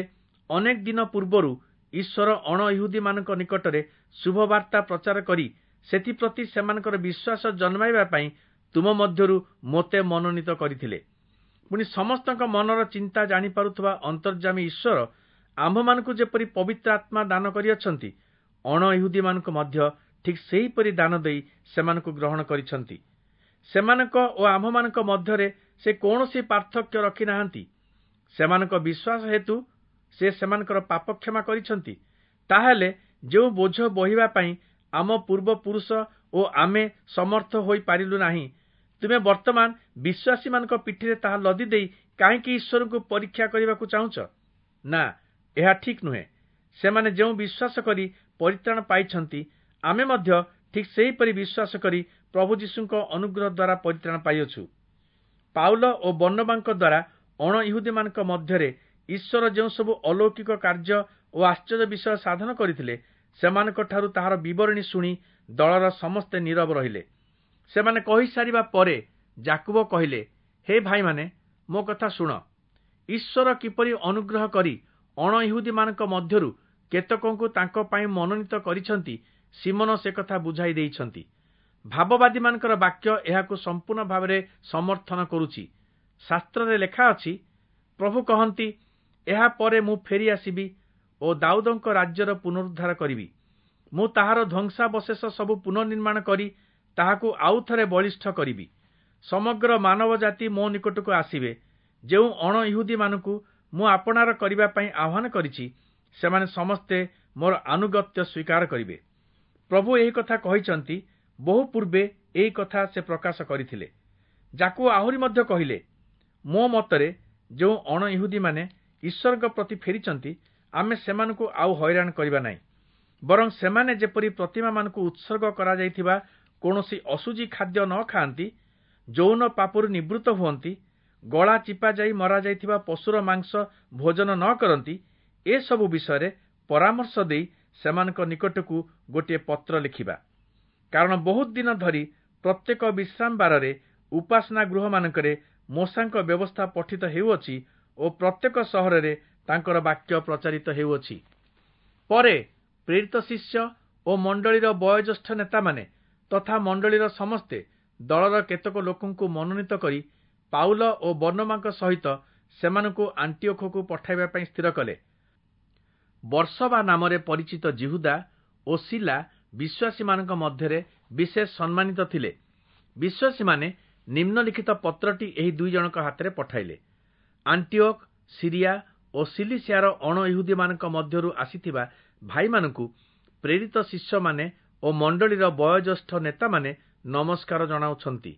A: ଅନେକ ଦିନ ପୂର୍ବରୁ ଈଶ୍ୱର ଅଣଇହୁଦୀମାନଙ୍କ ନିକଟରେ ଶୁଭବାର୍ତ୍ତା ପ୍ରଚାର କରି ସେଥିପ୍ରତି ସେମାନଙ୍କର ବିଶ୍ୱାସ ଜନ୍ମାଇବା ପାଇଁ ତୁମ ମଧ୍ୟରୁ ମୋତେ ମନୋନୀତ କରିଥିଲେ। ପୁଣି ସମସ୍ତଙ୍କ ମନର ଚିନ୍ତା ଜାଣିପାରୁଥିବା ଅନ୍ତର୍ଯାମୀ ଈଶ୍ୱର ଆମ୍ଭମାନଙ୍କୁ ଯେପରି ପବିତ୍ର ଆତ୍ମା ଦାନ କରିଅଛନ୍ତି, ଅଣଇହୁଦୀମାନଙ୍କୁ ମଧ୍ୟ ଠିକ୍ ସେହିପରି ଦାନ ଦେଇ ସେମାନଙ୍କୁ ଗ୍ରହଣ କରିଛନ୍ତି। ସେମାନଙ୍କ ଓ ଆମ୍ଭମାନଙ୍କ ମଧ୍ୟରେ ସେ କୌଣସି ପାର୍ଥକ୍ୟ ରଖିନାହାନ୍ତି। ସେମାନଙ୍କ ବିଶ୍ୱାସ ହେତୁ ସେ ସେମାନଙ୍କର ପାପ କ୍ଷମା କରିଛନ୍ତି। ତାହେଲେ ଯେଉଁ ବୋଝ ବୋହିବା ପାଇଁ ଆମ ପୂର୍ବପୁରୁଷ ଓ ଆମେ ସମର୍ଥ ହୋଇପାରିଲୁ ନାହିଁ, ତୁମେ ବର୍ତ୍ତମାନ ବିଶ୍ୱାସୀମାନଙ୍କ ପିଠିରେ ତାହା ଲଦି ଦେଇ କାହିଁକି ଈଶ୍ୱରଙ୍କୁ ପରୀକ୍ଷା କରିବାକୁ ଚାହୁଁଛ? ନା, ଏହା ଠିକ୍ ନୁହେଁ। ସେମାନେ ଯେଉଁ ବିଶ୍ୱାସ କରି ପରିତ୍ରାଣ ପାଇଛନ୍ତି, ଆମେ ମଧ୍ୟ ଠିକ୍ ସେହିପରି ବିଶ୍ୱାସ କରି ପ୍ରଭୁ ଯୀଶୁଙ୍କ ଅନୁଗ୍ରହ ଦ୍ୱାରା ପରିତ୍ରାଣ ପାଇଅଛୁ। ପାଉଲ ଓ ବର୍ଣ୍ଣବାଙ୍କ ଦ୍ୱାରା ଅଣଇହୁଦୀମାନଙ୍କ ମଧ୍ୟରେ ଈଶ୍ୱର ଯେଉଁ ସବୁ ଅଲୌକିକ କାର୍ଯ୍ୟ ଓ ଆଶ୍ଚର୍ଯ୍ୟ ବିଷୟ ସାଧନ କରିଥିଲେ, ସେମାନଙ୍କଠାରୁ ତାହାର ବିବରଣୀ ଶୁଣି ଦଳର ସମସ୍ତେ ନୀରବ ରହିଲେ। ସେମାନେ କହିସାରିବା ପରେ ଯାକୁବ କହିଲେ, ହେ ଭାଇମାନେ, ମୋ କଥା ଶୁଣ। ଈଶ୍ୱର କିପରି ଅନୁଗ୍ରହ କରି ଅଣଇହୁଦୀମାନଙ୍କ ମଧ୍ୟରୁ କେତେକଙ୍କୁ ତାଙ୍କ ପାଇଁ ମନୋନୀତ କରିଛନ୍ତି, ସିମନ ସେ କଥା ବୁଝାଇ ଦେଇଛନ୍ତି। ଭାବବାଦୀମାନଙ୍କର ବାକ୍ୟ ଏହାକୁ ସମ୍ପୂର୍ଣ୍ଣ ଭାବରେ ସମର୍ଥନ କରୁଛି। ଶାସ୍ତ୍ରରେ ଲେଖା ଅଛି, ପ୍ରଭୁ କହନ୍ତି, ଏହା ପରେ ମୁଁ ଫେରି ଆସିବି ଓ ଦାଉଦଙ୍କ ରାଜ୍ୟର ପୁନରୁଦ୍ଧାର କରିବି। ମୁଁ ତାହାର ଧ୍ୱଂସାବଶେଷ ସବୁ ପୁନଃନିର୍ମାଣ କରି ତାହାକୁ ଆଉଥରେ ବଳିଷ୍ଠ କରିବି। ସମଗ୍ର ମାନବ ଜାତି ମୋ ନିକଟକୁ ଆସିବେ। ଯେଉଁ ଅଣଇହୁଦୀମାନଙ୍କୁ ମୁଁ ଆପଣାର କରିବା ପାଇଁ ଆହ୍ୱାନ କରିଛି, ସେମାନେ ସମସ୍ତେ ମୋର ଆନୁଗତ୍ୟ ସ୍ୱୀକାର କରିବେ। ପ୍ରଭୁ ଏହି କଥା କହିଛନ୍ତି, ବହୁ ପୂର୍ବେ ଏହି କଥା ସେ ପ୍ରକାଶ କରିଥିଲେ। ଯାକୁବ ଆହୁରି ମଧ୍ୟ କହିଲେ, ମୋ ମତରେ ଯେଉଁ ଅଣଇହୁଦୀମାନେ ଈଶ୍ୱରଙ୍କ ପ୍ରତି ଫେରିଛନ୍ତି, ଆମେ ସେମାନଙ୍କୁ ଆଉ ହଇରାଣ କରିବା ନାହିଁ। ବରଂ ସେମାନେ ଯେପରି ପ୍ରତିମାମାନଙ୍କୁ ଉତ୍ସର୍ଗ କରାଯାଇଥିବା କୌଣସି ଅଶୁଚି ଖାଦ୍ୟ ନ ଖାଆନ୍ତି, ଯୌନ ପାପରୁ ନିବୃତ୍ତ ହୁଅନ୍ତି, ଗଳା ଚିପା ଯାଇ ମରାଯାଇଥିବା ପଶୁର ମାଂସ ଭୋଜନ ନ କରନ୍ତି, ଏସବୁ ବିଷୟରେ ପରାମର୍ଶ ଦେଇ ସେମାନଙ୍କ ନିକଟକୁ ଗୋଟିଏ ପତ୍ର ଲେଖିବା। କାରଣ ବହୁତ ଦିନ ଧରି ପ୍ରତ୍ୟେକ ବିଶ୍ରାମ ବାରରେ ଉପାସନା ଗୃହମାନଙ୍କରେ ମୋଶାଙ୍କ ବ୍ୟବସ୍ଥା ପଠିତ ହେଉଅଛି ଓ ପ୍ରତ୍ୟେକ ସହରରେ ତାଙ୍କର ବାକ୍ୟ ପ୍ରଚାରିତ ହେଉଅଛି। ପରେ ପ୍ରେରିତ ଶିଷ୍ୟ ଓ ମଣ୍ଡଳୀର ବୟୋଜ୍ୟେଷ୍ଠ ନେତାମାନେ ତଥା ମଣ୍ଡଳୀର ସମସ୍ତେ ଦଳର କେତେକ ଲୋକଙ୍କୁ ମନୋନୀତ କରି ପାଉଲ ଓ ବର୍ଣ୍ଣବାଙ୍କ ସହିତ ସେମାନଙ୍କୁ ଆଣ୍ଟିଓଖକୁ ପଠାଇବା ପାଇଁ ସ୍ଥିର କଲେ। ବର୍ସବା ନାମରେ ପରିଚିତ ଯିହୁଦା ଓ ଶିଲା ବିଶ୍ୱାସୀମାନଙ୍କ ମଧ୍ୟରେ ବିଶେଷ ସମ୍ମାନିତ ଥିଲେ। ବିଶ୍ୱାସୀମାନେ ନିମ୍ନଲିଖିତ ପତ୍ରଟି ଏହି ଦୁଇ ଜଣଙ୍କ ହାତରେ ପଠାଇଲେ। ଆଣ୍ଟିଓଖ, ସିରିଆ ଓ ସିଲିସିଆର ଅଣଇହୁଦୀମାନଙ୍କ ମଧ୍ୟରୁ ଆସିଥିବା ଭାଇମାନଙ୍କୁ ପ୍ରେରିତ ଶିଷ୍ୟମାନେ ଓ ମଣ୍ଡଳୀର ବୟୋଜ୍ୟେଷ୍ଠ ନେତାମାନେ ନମସ୍କାର ଜଣାଉଛନ୍ତି।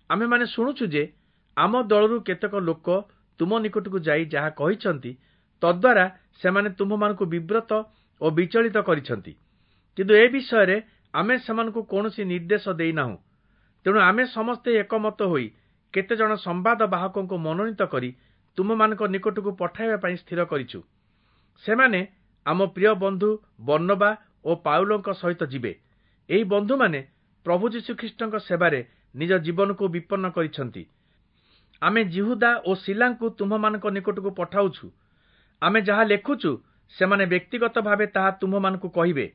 A: ଆମେମାନେ ଶୁଣୁଛୁ ଯେ ଆମ ଦଳରୁ କେତେକ ଲୋକ ତୁମ ନିକଟକୁ ଯାଇ ଯାହା କହିଛନ୍ତି, ତଦ୍ୱାରା ସେମାନେ ତୁମ୍ଭମାନଙ୍କୁ ବିବ୍ରତ ଓ ବିଚଳିତ କରିଛନ୍ତି। କିନ୍ତୁ ଏ ବିଷୟରେ ଆମେ ସେମାନଙ୍କୁ କୌଣସି ନିର୍ଦ୍ଦେଶ ଦେଇନାହୁଁ। ତେଣୁ ଆମେ ସମସ୍ତେ ଏକମତ ହୋଇ କେତେଜଣ ସମ୍ବାଦ ବାହକଙ୍କୁ ମନୋନୀତ କରି ତୁମମାନଙ୍କ ନିକଟକୁ ପଠାଇବା ପାଇଁ ସ୍ଥିର କରିଛୁ। ସେମାନେ ଆମ ପ୍ରିୟ ବନ୍ଧୁ ବର୍ଣ୍ଣବା ଓ ପାଉଲଙ୍କ ସହିତ ଯିବେ। ଏହି ବନ୍ଧୁମାନେ ପ୍ରଭୁ ଯୀଶୁଖ୍ରୀଷ୍ଟଙ୍କ ସେବାରେ ନିଜ ଜୀବନକୁ ବିପନ୍ନ କରିଛନ୍ତି। ଆମେ ଯିହୁଦା ଓ ଶିଲାଙ୍କୁ ତୁମ୍ଭମାନଙ୍କ ନିକଟକୁ ପଠାଉଛୁ। ଆମେ ଯାହା ଲେଖୁଛୁ, ସେମାନେ ବ୍ୟକ୍ତିଗତ ଭାବେ ତାହା ତୁମ୍ଭମାନଙ୍କୁ କହିବେ।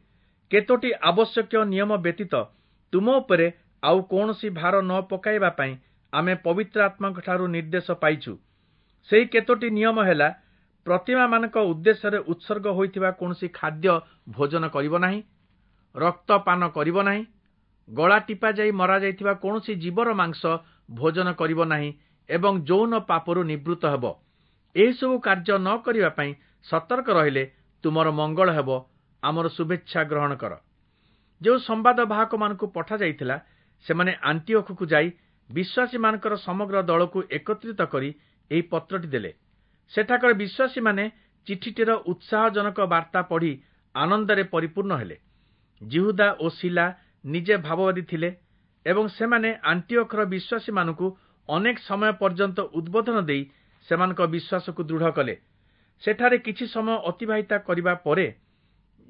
A: କେତୋଟି ଆବଶ୍ୟକୀୟ ନିୟମ ବ୍ୟତୀତ ତୁମ ଉପରେ ଆଉ କୌଣସି ଭାର ନ ପକାଇବା ପାଇଁ ଆମେ ପବିତ୍ର ଆତ୍ମାଙ୍କଠାରୁ ନିର୍ଦ୍ଦେଶ ପାଇଛୁ। ସେହି କେତୋଟି ନିୟମ ହେଲା, ପ୍ରତିମାମାନଙ୍କ ଉଦ୍ଦେଶ୍ୟରେ ଉତ୍ସର୍ଗ ହୋଇଥିବା କୌଣସି ଖାଦ୍ୟ ଭୋଜନ କରିବ ନାହିଁ, ରକ୍ତ ପାନ କରିବ ନାହିଁ, ଗଳା ଟିପା ଯାଇ ମରାଯାଇଥିବା କୌଣସି ଜୀବର ମାଂସ ଭୋଜନ କରିବ ନାହିଁ ଏବଂ ଯୌନ ପାପରୁ ନିବୃତ୍ତ ହେବ। ଏହିସବୁ କାର୍ଯ୍ୟ ନ କରିବା ପାଇଁ ସତର୍କ ରହିଲେ ତୁମର ମଙ୍ଗଳ ହେବ। ଆମର ଶୁଭେଚ୍ଛା ଗ୍ରହଣ କର। ଯେଉଁ ସମ୍ବାଦ ବାହକମାନଙ୍କୁ ପଠାଯାଇଥିଲା, ସେମାନେ ଆଣ୍ଟିଓଖକୁ ଯାଇ ବିଶ୍ୱାସୀମାନଙ୍କର ସମଗ୍ର ଦଳକୁ ଏକତ୍ରିତ କରି ଏହି ପତ୍ରଟି ଦେଲେ। ସେଠାକାର ବିଶ୍ୱାସୀମାନେ ଚିଠିଟିର ଉତ୍ସାହଜନକ ବାର୍ତ୍ତା ପଢ଼ି ଆନନ୍ଦରେ ପରିପୂର୍ଣ୍ଣ ହେଲେ। ଯିହୁଦା ଓ ଶିଲା ନିଜେ ଭାବବାଦୀ ଥିଲେ ଏବଂ ସେମାନେ ଆଣ୍ଟିଓଖର ବିଶ୍ୱାସୀମାନଙ୍କୁ ଅନେକ ସମୟ ପର୍ଯ୍ୟନ୍ତ ଉଦ୍ବୋଧନ ଦେଇ ସେମାନଙ୍କ ବିଶ୍ୱାସକୁ ଦୃଢ଼ କଲେ। ସେଠାରେ କିଛି ସମୟ ଅତିବାହିତ କରିବା ପରେ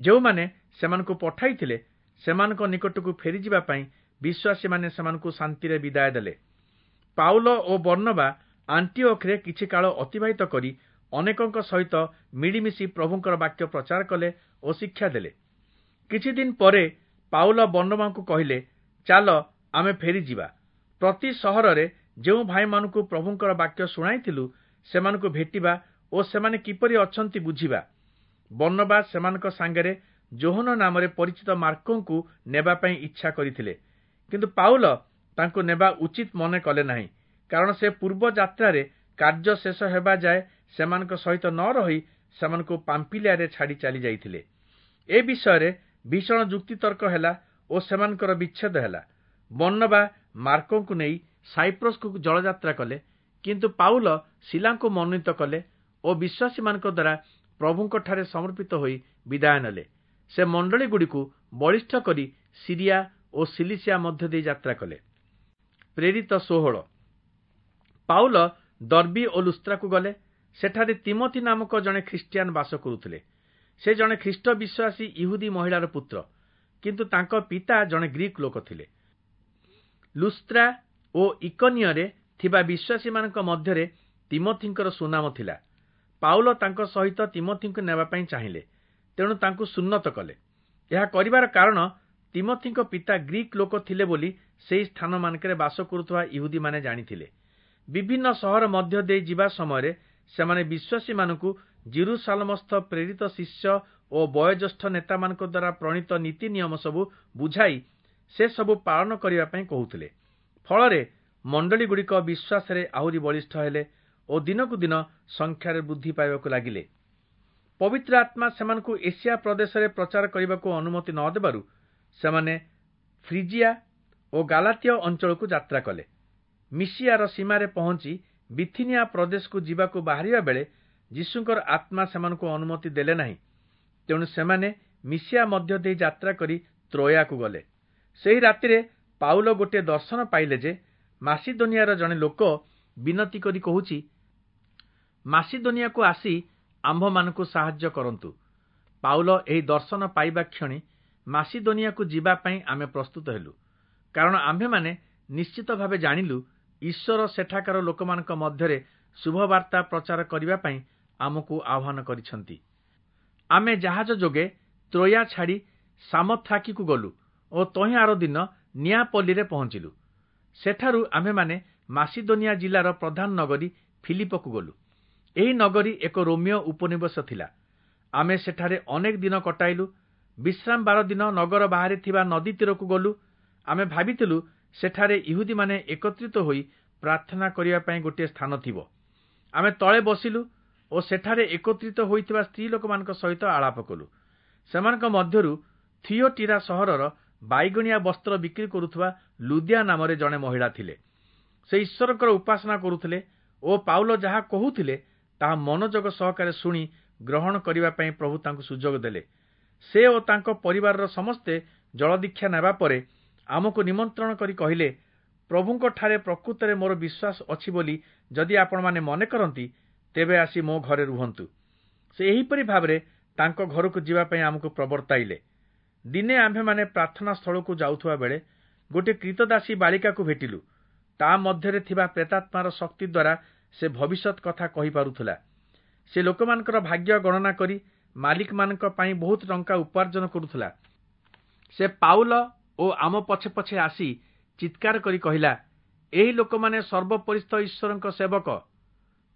A: ଯେଉଁମାନେ ସେମାନଙ୍କୁ ପଠାଇଥିଲେ ସେମାନଙ୍କ ନିକଟକୁ ଫେରିଯିବା ପାଇଁ ବିଶ୍ୱାସୀମାନେ ସେମାନଙ୍କୁ ଶାନ୍ତିରେ ବିଦାୟ ଦେଲେ। ପାଉଲ ଓ ବର୍ଣ୍ଣବା ଆଣ୍ଟିଓଖରେ କିଛି କାଳ ଅତିବାହିତ କରି ଅନେକଙ୍କ ସହିତ ମିଳିମିଶି ପ୍ରଭୁଙ୍କର ବାକ୍ୟ ପ୍ରଚାର କଲେ ଓ ଶିକ୍ଷା ଦେଲେ। କିଛି ଦିନ ପରେ ପାଉଲ ବର୍ଣ୍ଣବାଙ୍କୁ କହିଲେ, ଚାଲ ଆମେ ଫେରିଯିବା। ପ୍ରତି ସହରରେ ଯେଉଁ ଭାଇମାନଙ୍କୁ ପ୍ରଭୁଙ୍କର ବାକ୍ୟ ଶୁଣାଇଥିଲୁ ସେମାନଙ୍କୁ ଭେଟିବା ଓ ସେମାନେ କିପରି ଅଛନ୍ତି ବୁଝିବା। ବର୍ଣ୍ଣବା ସେମାନଙ୍କ ସାଙ୍ଗରେ ଯୋହନ ନାମରେ ପରିଚିତ ମାର୍କଙ୍କୁ ନେବା ପାଇଁ ଇଚ୍ଛା କରିଥିଲେ, କିନ୍ତୁ ପାଉଲ ତାଙ୍କୁ ନେବା ଉଚିତ ମନେ କଲେ ନାହିଁ, କାରଣ ସେ ପୂର୍ବ ଯାତ୍ରାରେ କାର୍ଯ୍ୟ ଶେଷ ହେବା ଯାଏ ସେମାନଙ୍କ ସହିତ ନ ରହି ସେମାନଙ୍କୁ ପାମ୍ପିଲିଆରେ ଛାଡ଼ି ଚାଲି ଯାଇଥିଲେ। ଏ ବିଷୟରେ ଭୀଷଣ ଯୁକ୍ତିତର୍କ ହେଲା ଓ ସେମାନଙ୍କର ବିଚ୍ଛେଦ ହେଲା। ବର୍ଣ୍ଣବା ମାର୍କଙ୍କୁ ନେଇ ସାଇପ୍ରସକୁ ଜଳଯାତ୍ରା କଲେ, କିନ୍ତୁ ପାଉଲ ଶିଲାଙ୍କୁ ମନୋନୀତ କଲେ ଓ ବିଶ୍ୱାସୀମାନଙ୍କ ଦ୍ୱାରା ପ୍ରଭୁଙ୍କଠାରେ ସମର୍ପିତ ହୋଇ ବିଦାୟ ନେଲେ। ସେ ମଣ୍ଡଳୀଗୁଡ଼ିକୁ ବଳିଷ୍ଠ କରି ସିରିଆ ଓ ସିଲିସିଆ ମଧ୍ୟ ଦେଇ ଯାତ୍ରା କଲେ। ପ୍ରେରିତ 16। ପାଉଲ ଦର୍ବୀ ଓ ଲୁସ୍ତ୍ରାକୁ ଗଲେ। ସେଠାରେ ତିମୋଥି ନାମକ ଜଣେ ଖ୍ରୀଷ୍ଟିଆନ ବାସ କରୁଥିଲେ। ସେ ଜଣେ ଖ୍ରୀଷ୍ଟ ବିଶ୍ୱାସୀ ଇହୁଦୀ ମହିଳାର ପୁତ୍ର, କିନ୍ତୁ ତାଙ୍କ ପିତା ଜଣେ ଗ୍ରୀକ୍ ଲୋକ ଥିଲେ। ଲୁସ୍ତ୍ରା ଓ ଇକନିୟରେ ଥିବା ବିଶ୍ୱାସୀମାନଙ୍କ ମଧ୍ୟରେ ତିମୋଥିଙ୍କର ସୁନାମ ଥିଲା। ପାଉଲ ତାଙ୍କ ସହିତ ତିମୋଥିଙ୍କୁ ନେବା ପାଇଁ ଚାହିଁଲେ, ତେଣୁ ତାଙ୍କୁ ସୁନ୍ନତ କଲେ। ଏହା କରିବାର କାରଣ ତିମୋଥିଙ୍କ ପିତା ଗ୍ରୀକ୍ ଲୋକ ଥିଲେ ବୋଲି ସେହି ସ୍ଥାନମାନଙ୍କରେ ବାସ କରୁଥିବା ଇହୁଦୀମାନେ ଜାଣିଥିଲେ। ବିଭିନ୍ନ ସହର ମଧ୍ୟ ଦେଇ ଯିବା ସମୟରେ ସେମାନେ ବିଶ୍ୱାସୀମାନଙ୍କୁ ଯିରୂଶାଲମସ୍ଥ ପ୍ରେରିତ ଶିଷ୍ୟ ଓ ବୟୋଜ୍ୟେଷ୍ଠ ନେତାମାନଙ୍କ ଦ୍ୱାରା ପ୍ରଣୀତ ନୀତି ନିୟମ ସବୁ ବୁଝାଇ ସେସବୁ ପାଳନ କରିବା ପାଇଁ କହୁଥିଲେ। ଫଳରେ ମଣ୍ଡଳୀଗୁଡ଼ିକ ବିଶ୍ୱାସରେ ଆହୁରି ବଳିଷ୍ଠ ହେଲେ ଓ ଦିନକୁ ଦିନ ସଂଖ୍ୟାରେ ବୃଦ୍ଧି ପାଇବାକୁ ଲାଗିଲେ। ପବିତ୍ର ଆତ୍ମା ସେମାନଙ୍କୁ ଏସିଆ ପ୍ରଦେଶରେ ପ୍ରଚାର କରିବାକୁ ଅନୁମତି ନ ଦେବାରୁ ସେମାନେ ଫ୍ରିଜିଆ ଓ ଗାଲାତୀୟ ଅଞ୍ଚଳକୁ ଯାତ୍ରା କଲେ। ମିସିଆର ସୀମାରେ ପହଞ୍ଚି ବିଥିନିଆ ପ୍ରଦେଶକୁ ଯିବାକୁ ବାହାରିବା ବେଳେ ଯୀଶୁଙ୍କର ଆତ୍ମା ସେମାନଙ୍କୁ ଅନୁମତି ଦେଲେ ନାହିଁ। ତେଣୁ ସେମାନେ ମିସିଆ ମଧ୍ୟ ଦେଇ ଯାତ୍ରା କରି ତ୍ରୋୟାକୁ ଗଲେ। ସେହି ରାତିରେ ପାଉଲ ଗୋଟିଏ ଦର୍ଶନ ପାଇଲେ ଯେ ମାସିଦୋନିଆର ଜଣେ ଲୋକ ବିନତି କରି କହୁଛି, ମାସିଦୋନିଆକୁ ଆସି ଆମ୍ଭମାନଙ୍କୁ ସାହାଯ୍ୟ କରନ୍ତୁ। ପାଉଲ ଏହି ଦର୍ଶନ ପାଇବା କ୍ଷଣି ମାସିଦୋନିଆକୁ ଯିବା ପାଇଁ ଆମେ ପ୍ରସ୍ତୁତ ହେଲୁ, କାରଣ ଆମ୍ଭେମାନେ ନିଶ୍ଚିତ ଭାବେ ଜାଣିଲୁ ଈଶ୍ୱର ସେଠାକାର ଲୋକମାନଙ୍କ ମଧ୍ୟରେ ଶୁଭବାର୍ତ୍ତା ପ୍ରଚାର କରିବା ପାଇଁ ଆମକୁ ଆହ୍ୱାନ କରିଛନ୍ତି। ଆମେ ଜାହାଜ ଯୋଗେ ତ୍ରୋୟା ଛାଡ଼ି ସାମୋଥ୍ରାକିକୁ ଗଲୁ ଓ ତହିଁ ଆର ଦିନ ନିଆପଲ୍ଲୀରେ ପହଞ୍ଚିଲୁ। ସେଠାରୁ ଆମ୍ଭେମାନେ ମାସିଦୋନିଆ ଜିଲ୍ଲାର ପ୍ରଧାନ ନଗରୀ ଫିଲିପକୁ ଗଲୁ। ଏହି ନଗରୀ ଏକ ରୋମୀୟ ଉପନିବେଶ ଥିଲା। ଆମେ ସେଠାରେ ଅନେକ ଦିନ କଟାଇଲୁ। ବିଶ୍ରାମ ବାର ଦିନ ନଗର ବାହାରେ ଥିବା ନଦୀ ତୀରକୁ ଗଲୁ। ଆମେ ଭାବିଥିଲୁ ସେଠାରେ ଇହୁଦୀମାନେ ଏକତ୍ରିତ ହୋଇ ପ୍ରାର୍ଥନା କରିବା ପାଇଁ ଗୋଟିଏ ସ୍ଥାନ ଥିବ। ଆମେ ତଳେ ବସିଲୁ ଓ ସେଠାରେ ଏକତ୍ରିତ ହୋଇଥିବା ସ୍ତ୍ରୀ ଲୋକମାନଙ୍କ ସହିତ ଆଳାପ କଲୁ। ସେମାନଙ୍କ ମଧ୍ୟରୁ ଥିଓଟିରା ସହରର ବାଇଗଣିଆ ବସ୍ତ୍ର ବିକ୍ରି କରୁଥିବା ଲୁଦିଆ ନାମରେ ଜଣେ ମହିଳା ଥିଲେ। ସେ ଈଶ୍ୱରଙ୍କର ଉପାସନା କରୁଥିଲେ ଓ ପାଉଲ ଯାହା କହୁଥିଲେ ତାହା ମନୋଯୋଗ ସହକାରେ ଶୁଣି ଗ୍ରହଣ କରିବା ପାଇଁ ପ୍ରଭୁ ତାଙ୍କୁ ସୁଯୋଗ ଦେଲେ। ସେ ଓ ତାଙ୍କ ପରିବାରର ସମସ୍ତେ ଜଳଦୀକ୍ଷା ନେବା ପରେ ଆମକୁ ନିମନ୍ତ୍ରଣ କରି କହିଲେ, ପ୍ରଭୁଙ୍କଠାରେ ପ୍ରକୃତରେ ମୋର ବିଶ୍ୱାସ ଅଛି ବୋଲି ଯଦି ଆପଣମାନେ ମନେ କରନ୍ତି, ତେବେ ଆସି ମୋ ଘରେ ରୁହନ୍ତୁ। ସେ ଏହିପରି ଭାବରେ ତାଙ୍କ ଘରକୁ ଯିବା ପାଇଁ ଆମକୁ ପ୍ରବର୍ତ୍ତାଇଲେ। ଦିନେ ଆମ୍ଭେମାନେ ପ୍ରାର୍ଥନା ସ୍ଥଳକୁ ଯାଉଥିବା ବେଳେ ଗୋଟିଏ କ୍ରୀତଦାସୀ ବାଳିକାକୁ ଭେଟିଲୁ। ତା ମଧ୍ୟରେ ଥିବା ପ୍ରେତାତ୍ମାର ଶକ୍ତି ଦ୍ୱାରା ସେ ଭବିଷ୍ୟତ କଥା କହିପାରୁଥିଲା। ସେ ଲୋକମାନଙ୍କର ଭାଗ୍ୟ ଗଣନା କରି ମାଲିକମାନଙ୍କ ପାଇଁ ବହୁତ ଟଙ୍କା ଉପାର୍ଜନ କରୁଥିଲା। ସେ ପାଉଲ ଓ ଆମ ପଛେ ପଛେ ଆସି ଚିତ୍କାର କରି କହିଲା, ଏହି ଲୋକମାନେ ସର୍ବୋପରିସ୍ଥ ଈଶ୍ୱରଙ୍କ ସେବକ।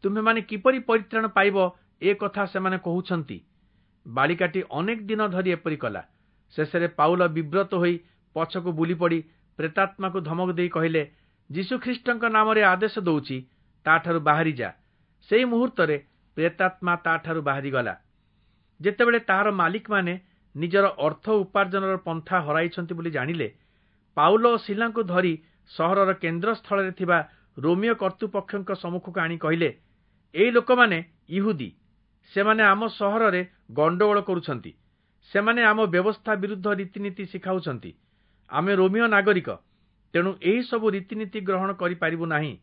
A: ତୁମ୍ଭେମାନେ କିପରି ପରିତ୍ରାଣ ପାଇବ ଏ କଥା ସେମାନେ କହୁଛନ୍ତି। ବାଳିକାଟି ଅନେକ ଦିନ ଧରି ଏପରି କଲା। ଶେଷରେ ପାଉଲ ବିବ୍ରତ ହୋଇ ପଛକୁ ବୁଲିପଡ଼ି ପ୍ରେତାତ୍ମାକୁ ଧମକ ଦେଇ କହିଲେ, ଯୀଶୁଖ୍ରୀଷ୍ଟଙ୍କ ନାମରେ ଆଦେଶ ଦଉଛି, ତାଠାରୁ ବାହାରି ଯା। ସେଇ ମୁହୂର୍ତ୍ତରେ ପ୍ରେତାତ୍ମା ତାଠାରୁ ବାହାରିଗଲା। ଯେତେବେଳେ ତାହାର ମାଲିକମାନେ ନିଜର ଅର୍ଥ ଉପାର୍ଜନର ପନ୍ଥା ହରାଇଛନ୍ତି ବୋଲି ଜାଣିଲେ, ପାଉଲ ଓ ଶିଲାଙ୍କୁ ଧରି ସହରର କେନ୍ଦ୍ରସ୍ଥଳରେ ଥିବା ରୋମୀୟ କର୍ତ୍ତୃପକ୍ଷଙ୍କ ସମ୍ମୁଖକୁ ଆଣି କହିଲେ, ଏଇ ଲୋକମାନେ ଇହୁଦୀ, ସେମାନେ ଆମ ସହରରେ ଗଣ୍ଡଗୋଳ କରୁଛନ୍ତି। ସେମାନେ ଆମ ବ୍ୟବସ୍ଥା ବିରୁଦ୍ଧ ରୀତିନୀତି ଶିଖାଉଛନ୍ତି। ଆମେ ରୋମୀୟ ନାଗରିକ, ତେଣୁ ଏହି ସବୁ ରୀତିନୀତି ଗ୍ରହଣ କରିପାରିବୁ ନାହିଁ,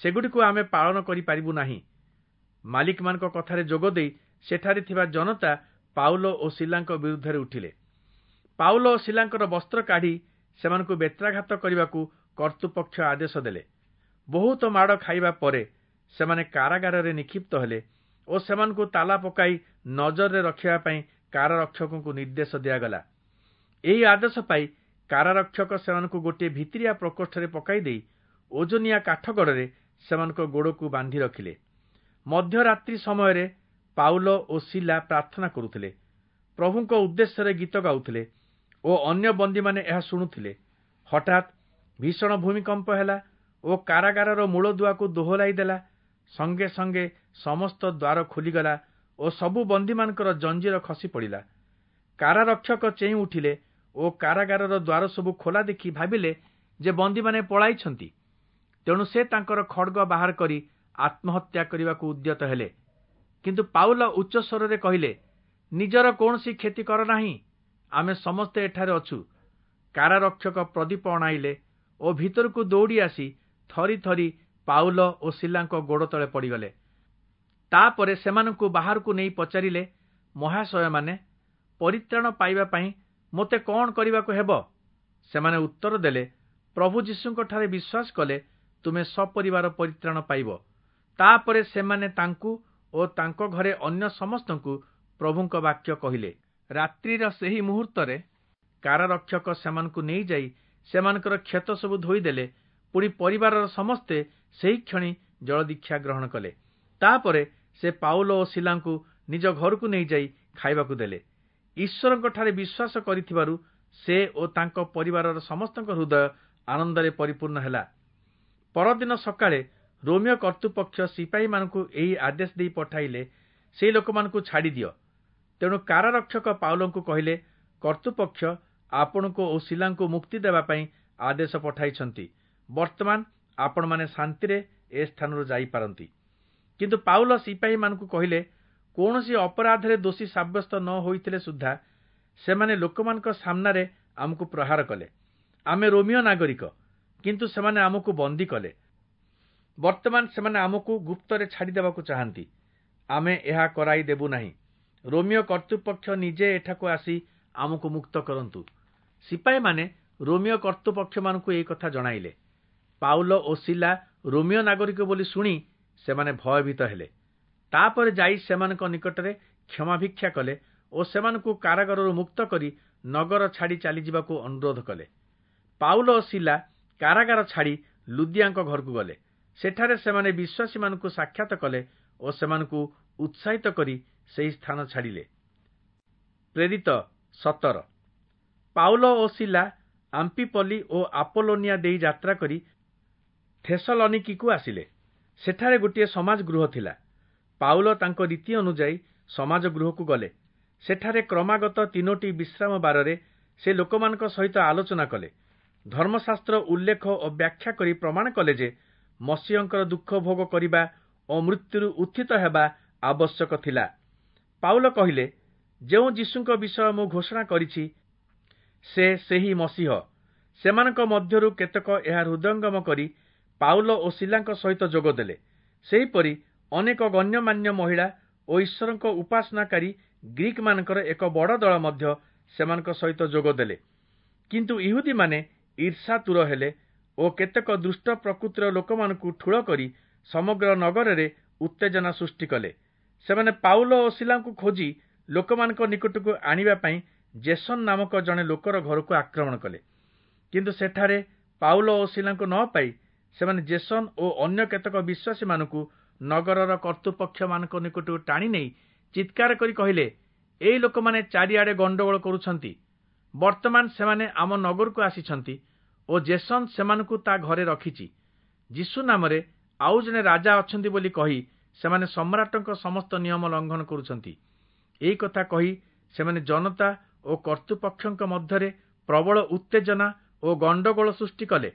A: ସେଗୁଡ଼ିକୁ ଆମେ ପାଳନ କରିପାରିବୁ ନାହିଁ। ମାଲିକମାନଙ୍କ କଥାରେ ଯୋଗ ଦେଇ ସେଠାରେ ଥିବା ଜନତା ପାଉଲ ଓ ଶିଲାଙ୍କ ବିରୁଦ୍ଧରେ ଉଠିଲେ। ପାଉଲ ଓ ଶିଲାଙ୍କର ବସ୍ତ୍ର କାଢ଼ି ସେମାନଙ୍କୁ ବେତ୍ରାଘାତ କରିବାକୁ କର୍ତ୍ତୃପକ୍ଷ ଆଦେଶ ଦେଲେ। ବହୁତ ମାଡ଼ ଖାଇବା ପରେ ସେମାନେ କାରାଗାରରେ ନିକ୍ଷିପ୍ତ ହେଲେ ଓ ସେମାନଙ୍କୁ ତାଲା ପକାଇ ନଜରରେ ରଖିବା ପାଇଁ କାରାରକ୍ଷକଙ୍କୁ ନିର୍ଦ୍ଦେଶ ଦିଆଗଲା। ଏହି ଆଦେଶ ପାଇ କାରାରକ୍ଷକ ସେମାନଙ୍କୁ ଗୋଟିଏ ଭିତିରିଆ ପ୍ରକୋଷ୍ଠରେ ପକାଇ ଦେଇ ଓଜନିଆ କାଠଗଡ଼ରେ ସେମାନଙ୍କ ଗୋଡ଼କୁ ବାନ୍ଧି ରଖିଲେ। ମଧ୍ୟରାତ୍ରି ସମୟରେ ପାଉଲ ଓ ଶିଲା ପ୍ରାର୍ଥନା କରୁଥିଲେ, ପ୍ରଭୁଙ୍କ ଉଦ୍ଦେଶ୍ୟରେ ଗୀତ ଗାଉଥିଲେ ଓ ଅନ୍ୟ ବନ୍ଦୀମାନେ ଏହା ଶୁଣୁଥିଲେ। ହଠାତ୍ ଭୀଷଣ ଭୂମିକମ୍ପ ହେଲା ଓ କାରାଗାରର ମୂଳଦୁଆକୁ ଦୋହଲାଇ ଦେଲା। ସଙ୍ଗେ ସଙ୍ଗେ ସମସ୍ତ ଦ୍ୱାର ଖୋଲିଗଲା ଓ ସବୁ ବନ୍ଦୀମାନଙ୍କର ଜଞ୍ଜିର ଖସି ପଡ଼ିଲା। କାରାରକ୍ଷକ ଚେଇଁ ଉଠିଲେ ଓ କାରାଗାରର ଦ୍ୱାର ସବୁ ଖୋଲା ଦେଖି ଭାବିଲେ ଯେ ବନ୍ଦୀମାନେ ପଳାଇଛନ୍ତି। ତେଣୁ ସେ ତାଙ୍କର ଖଡ଼ଗ ବାହାର କରି ଆତ୍ମହତ୍ୟା କରିବାକୁ ଉଦ୍ୟତ ହେଲେ। କିନ୍ତୁ ପାଉଲ ଉଚ୍ଚ ସ୍ୱରରେ କହିଲେ, ନିଜର କୌଣସି କ୍ଷତି କର ନାହିଁ, ଆମେ ସମସ୍ତେ ଏଠାରେ ଅଛୁ। କାରାରକ୍ଷକ ପ୍ରଦୀପ ଅଣାଇଲେ ଓ ଭିତରକୁ ଦୌଡ଼ି ଆସି ଥରି ଥରି ପାଉଲ ଓ ଶିଲାଙ୍କ ଗୋଡ଼ ତଳେ ପଡ଼ିଗଲେ। ତାପରେ ସେମାନଙ୍କୁ ବାହାରକୁ ନେଇ ପଚାରିଲେ, ମହାଶୟମାନେ, ପରିତ୍ରାଣ ପାଇବା ପାଇଁ ମୋତେ କଣ କରିବାକୁ ହେବ? ସେମାନେ ଉତ୍ତର ଦେଲେ, ପ୍ରଭୁ ଯୀଶୁଙ୍କଠାରେ ବିଶ୍ୱାସ କଲେ ତୁମେ ସପରିବାର ପରିତ୍ରାଣ ପାଇବ। ତାପରେ ସେମାନେ ତାଙ୍କୁ ଓ ତାଙ୍କ ଘରେ ଅନ୍ୟ ସମସ୍ତଙ୍କୁ ପ୍ରଭୁଙ୍କ ବାକ୍ୟ କହିଲେ। ରାତ୍ରିର ସେହି ମୁହୂର୍ତ୍ତରେ କାରାରକ୍ଷକ ସେମାନଙ୍କୁ ନେଇଯାଇ ସେମାନଙ୍କର କ୍ଷତ ସବୁ ଧୋଇଦେଲେ। ପୁଣି ପରିବାରର ସମସ୍ତେ ସେହି କ୍ଷଣି ଜଳଦୀକ୍ଷା ଗ୍ରହଣ କଲେ। ତାପରେ ସେ ପାଉଲ ଓ ଶିଲାଙ୍କୁ ନିଜ ଘରକୁ ନେଇଯାଇ ଖାଇବାକୁ ଦେଲେ। ଈଶ୍ୱରଙ୍କଠାରେ ବିଶ୍ୱାସ କରିଥିବାରୁ ସେ ଓ ତାଙ୍କ ପରିବାରର ସମସ୍ତଙ୍କ ହୃଦୟ ଆନନ୍ଦରେ ପରିପୂର୍ଣ୍ଣ ହେଲା। ପରଦିନ ସକାଳେ ରୋମୀୟ କର୍ତ୍ତୃପକ୍ଷ ସିପାହୀମାନଙ୍କୁ ଏହି ଆଦେଶ ଦେଇ ପଠାଇଲେ, ସେହି ଲୋକମାନଙ୍କୁ ଛାଡ଼ିଦିଅ। ତେଣୁ କାରାରକ୍ଷକ ପାଉଲଙ୍କୁ କହିଲେ, କର୍ତ୍ତୃପକ୍ଷ ଆପଣଙ୍କୁ ଓ ଶିଲାଙ୍କୁ ମୁକ୍ତି ଦେବା ପାଇଁ ଆଦେଶ ପଠାଇଛନ୍ତି। ବର୍ତ୍ତମାନ ଆପଣମାନେ ଶାନ୍ତିରେ ଏ ସ୍ଥାନରୁ ଯାଇପାରନ୍ତି। କିନ୍ତୁ ପାଉଲ ସିପାହୀମାନଙ୍କୁ କହିଲେ, କୌଣସି ଅପରାଧରେ ଦୋଷୀ ସାବ୍ୟସ୍ତ ନ ହୋଇଥିଲେ ସୁଦ୍ଧା ସେମାନେ ଲୋକମାନଙ୍କ ସାମ୍ନାରେ ଆମକୁ ପ୍ରହାର କଲେ। ଆମେ ରୋମୀୟ ନାଗରିକ, କିନ୍ତୁ ସେମାନେ ଆମକୁ ବନ୍ଦୀ କଲେ। ବର୍ତ୍ତମାନ ସେମାନେ ଆମକୁ ଗୁପ୍ତରେ ଛାଡ଼ିଦେବାକୁ ଚାହାନ୍ତି। ଆମେ ଏହା କରାଇ ଦେବୁ ନାହିଁ। ରୋମୀୟ କର୍ତ୍ତୃପକ୍ଷ ନିଜେ ଏଠାକୁ ଆସି ଆମକୁ ମୁକ୍ତ କରନ୍ତୁ। ସିପାହୀମାନେ ରୋମୀୟ କର୍ତ୍ତୃପକ୍ଷମାନଙ୍କୁ ଏହି କଥା ଜଣାଇଲେ। ପାଉଲ ଓ ଶିଲା ରୋମୀୟ ନାଗରିକ ବୋଲି ଶୁଣି ସେମାନେ ଭୟଭୀତ ହେଲେ। ତାପରେ ଯାଇ ସେମାନଙ୍କ ନିକଟରେ କ୍ଷମାଭିକ୍ଷା କଲେ ଓ ସେମାନଙ୍କୁ କାରାଗାରରୁ ମୁକ୍ତ କରି ନଗର ଛାଡ଼ି ଚାଲିଯିବାକୁ ଅନୁରୋଧ କଲେ। ପାଉଲ ଓ ଶିଲା କାରାଗାର ଛାଡ଼ି ଲୁଦିଆଙ୍କ ଘରକୁ ଗଲେ। ସେଠାରେ ସେମାନେ ବିଶ୍ୱାସୀମାନଙ୍କୁ ସାକ୍ଷାତ କଲେ ଓ ସେମାନଙ୍କୁ ଉତ୍ସାହିତ କରି ସେହି ସ୍ଥାନ ଛାଡ଼ିଲେ। ପ୍ରେରିତ 17। ପାଉଲ ଓ ଶିଲା ଆମ୍ପିପଲି ଓ ଆପୋଲୋନିଆ ଦେଇ ଯାତ୍ରା କରି ଥେସଲନିକିକୁ ଆସିଲେ। ସେଠାରେ ଗୋଟିଏ ସମାଜ ଗୃହ ଥିଲା। ପାଉଲ ତାଙ୍କ ରୀତି ଅନୁଯାୟୀ ସମାଜ ଗୃହକୁ ଗଲେ। ସେଠାରେ କ୍ରମାଗତ 3ଟି ବିଶ୍ରାମ ବାରରେ ସେ ଲୋକମାନଙ୍କ ସହିତ ଆଲୋଚନା କଲେ। ଧର୍ମଶାସ୍ତ୍ର ଉଲ୍ଲେଖ ଓ ବ୍ୟାଖ୍ୟା କରି ପ୍ରମାଣ କଲେ ଯେ ମସିହଙ୍କର ଦୁଃଖ ଭୋଗ କରିବା ଓ ମୃତ୍ୟୁରୁ ଉତ୍ଥିତ ହେବା ଆବଶ୍ୟକ ଥିଲା। ପାଉଲ କହିଲେ, ଯେଉଁ ଯୀଶୁଙ୍କ ବିଷୟ ମୁଁ ଘୋଷଣା କରିଛି, ସେ ସେହି ମସିହ। ସେମାନଙ୍କ ମଧ୍ୟରୁ କେତେକ ଏହା ହୃଦୟଙ୍ଗମ କରି ପାଉଲ ଓ ଶିଲାଙ୍କ ସହିତ ଯୋଗ ଦେଲେ। ସେହିପରି ଅନେକ ଗଣ୍ୟମାନ୍ୟ ମହିଳା ଓ ଈଶ୍ୱରଙ୍କ ଉପାସନାକାରୀ ଗ୍ରୀକମାନଙ୍କର ଏକ ବଡ଼ ଦଳ ମଧ୍ୟ ସେମାନଙ୍କ ସହିତ ଯୋଗ ଦେଲେ। କିନ୍ତୁ ଇହୁଦୀମାନେ ଈର୍ଷାତୁର ହେଲେ ଓ କେତେକ ଦୁଷ୍ଟ ପ୍ରକୃତିର ଲୋକମାନଙ୍କୁ ଠୁଳ କରି ସମଗ୍ର ନଗରରେ ଉତ୍ତେଜନା ସୃଷ୍ଟି କଲେ। ସେମାନେ ପାଉଲ ଓ ଶିଲାଙ୍କୁ ଖୋଜି ଲୋକମାନଙ୍କ ନିକଟକୁ ଆଣିବା ପାଇଁ ଜେସନ୍ ନାମକ ଜଣେ ଲୋକର ଘରକୁ ଆକ୍ରମଣ କଲେ। କିନ୍ତୁ ସେଠାରେ ପାଉଲ ଓ ଶିଲାଙ୍କୁ ନ ପାଇ ସେମାନେ ଜେସନ୍ ଓ ଅନ୍ୟ କେତେକ ବିଶ୍ୱାସୀମାନଙ୍କୁ ନଗରର କର୍ତ୍ତୃପକ୍ଷମାନଙ୍କ ନିକଟକୁ ଟାଣି ନେଇ ଚିତ୍କାର କରି କହିଲେ, ଏଇ ଲୋକମାନେ ଚାରିଆଡ଼େ ଗଣ୍ଡଗୋଳ କରୁଛନ୍ତି। ବର୍ତ୍ତମାନ ସେମାନେ ଆମ ନଗରକୁ ଆସିଛନ୍ତି ଓ ଜେସନ୍ ସେମାନଙ୍କୁ ତା ଘରେ ରଖିଛି। ଯୀଶୁ ନାମରେ ଆଉ ଜଣେ ରାଜା ଅଛନ୍ତି ବୋଲି କହି ସେମାନେ ସମ୍ରାଟଙ୍କ ସମସ୍ତ ନିୟମ ଲଙ୍ଘନ କରୁଛନ୍ତି। ଏହି କଥା କହି ସେମାନେ ଜନତା ଓ କର୍ତ୍ତୃପକ୍ଷଙ୍କ ମଧ୍ୟରେ ପ୍ରବଳ ଉତ୍ତେଜନା ଓ ଗଣ୍ଡଗୋଳ ସୃଷ୍ଟି କଲେ।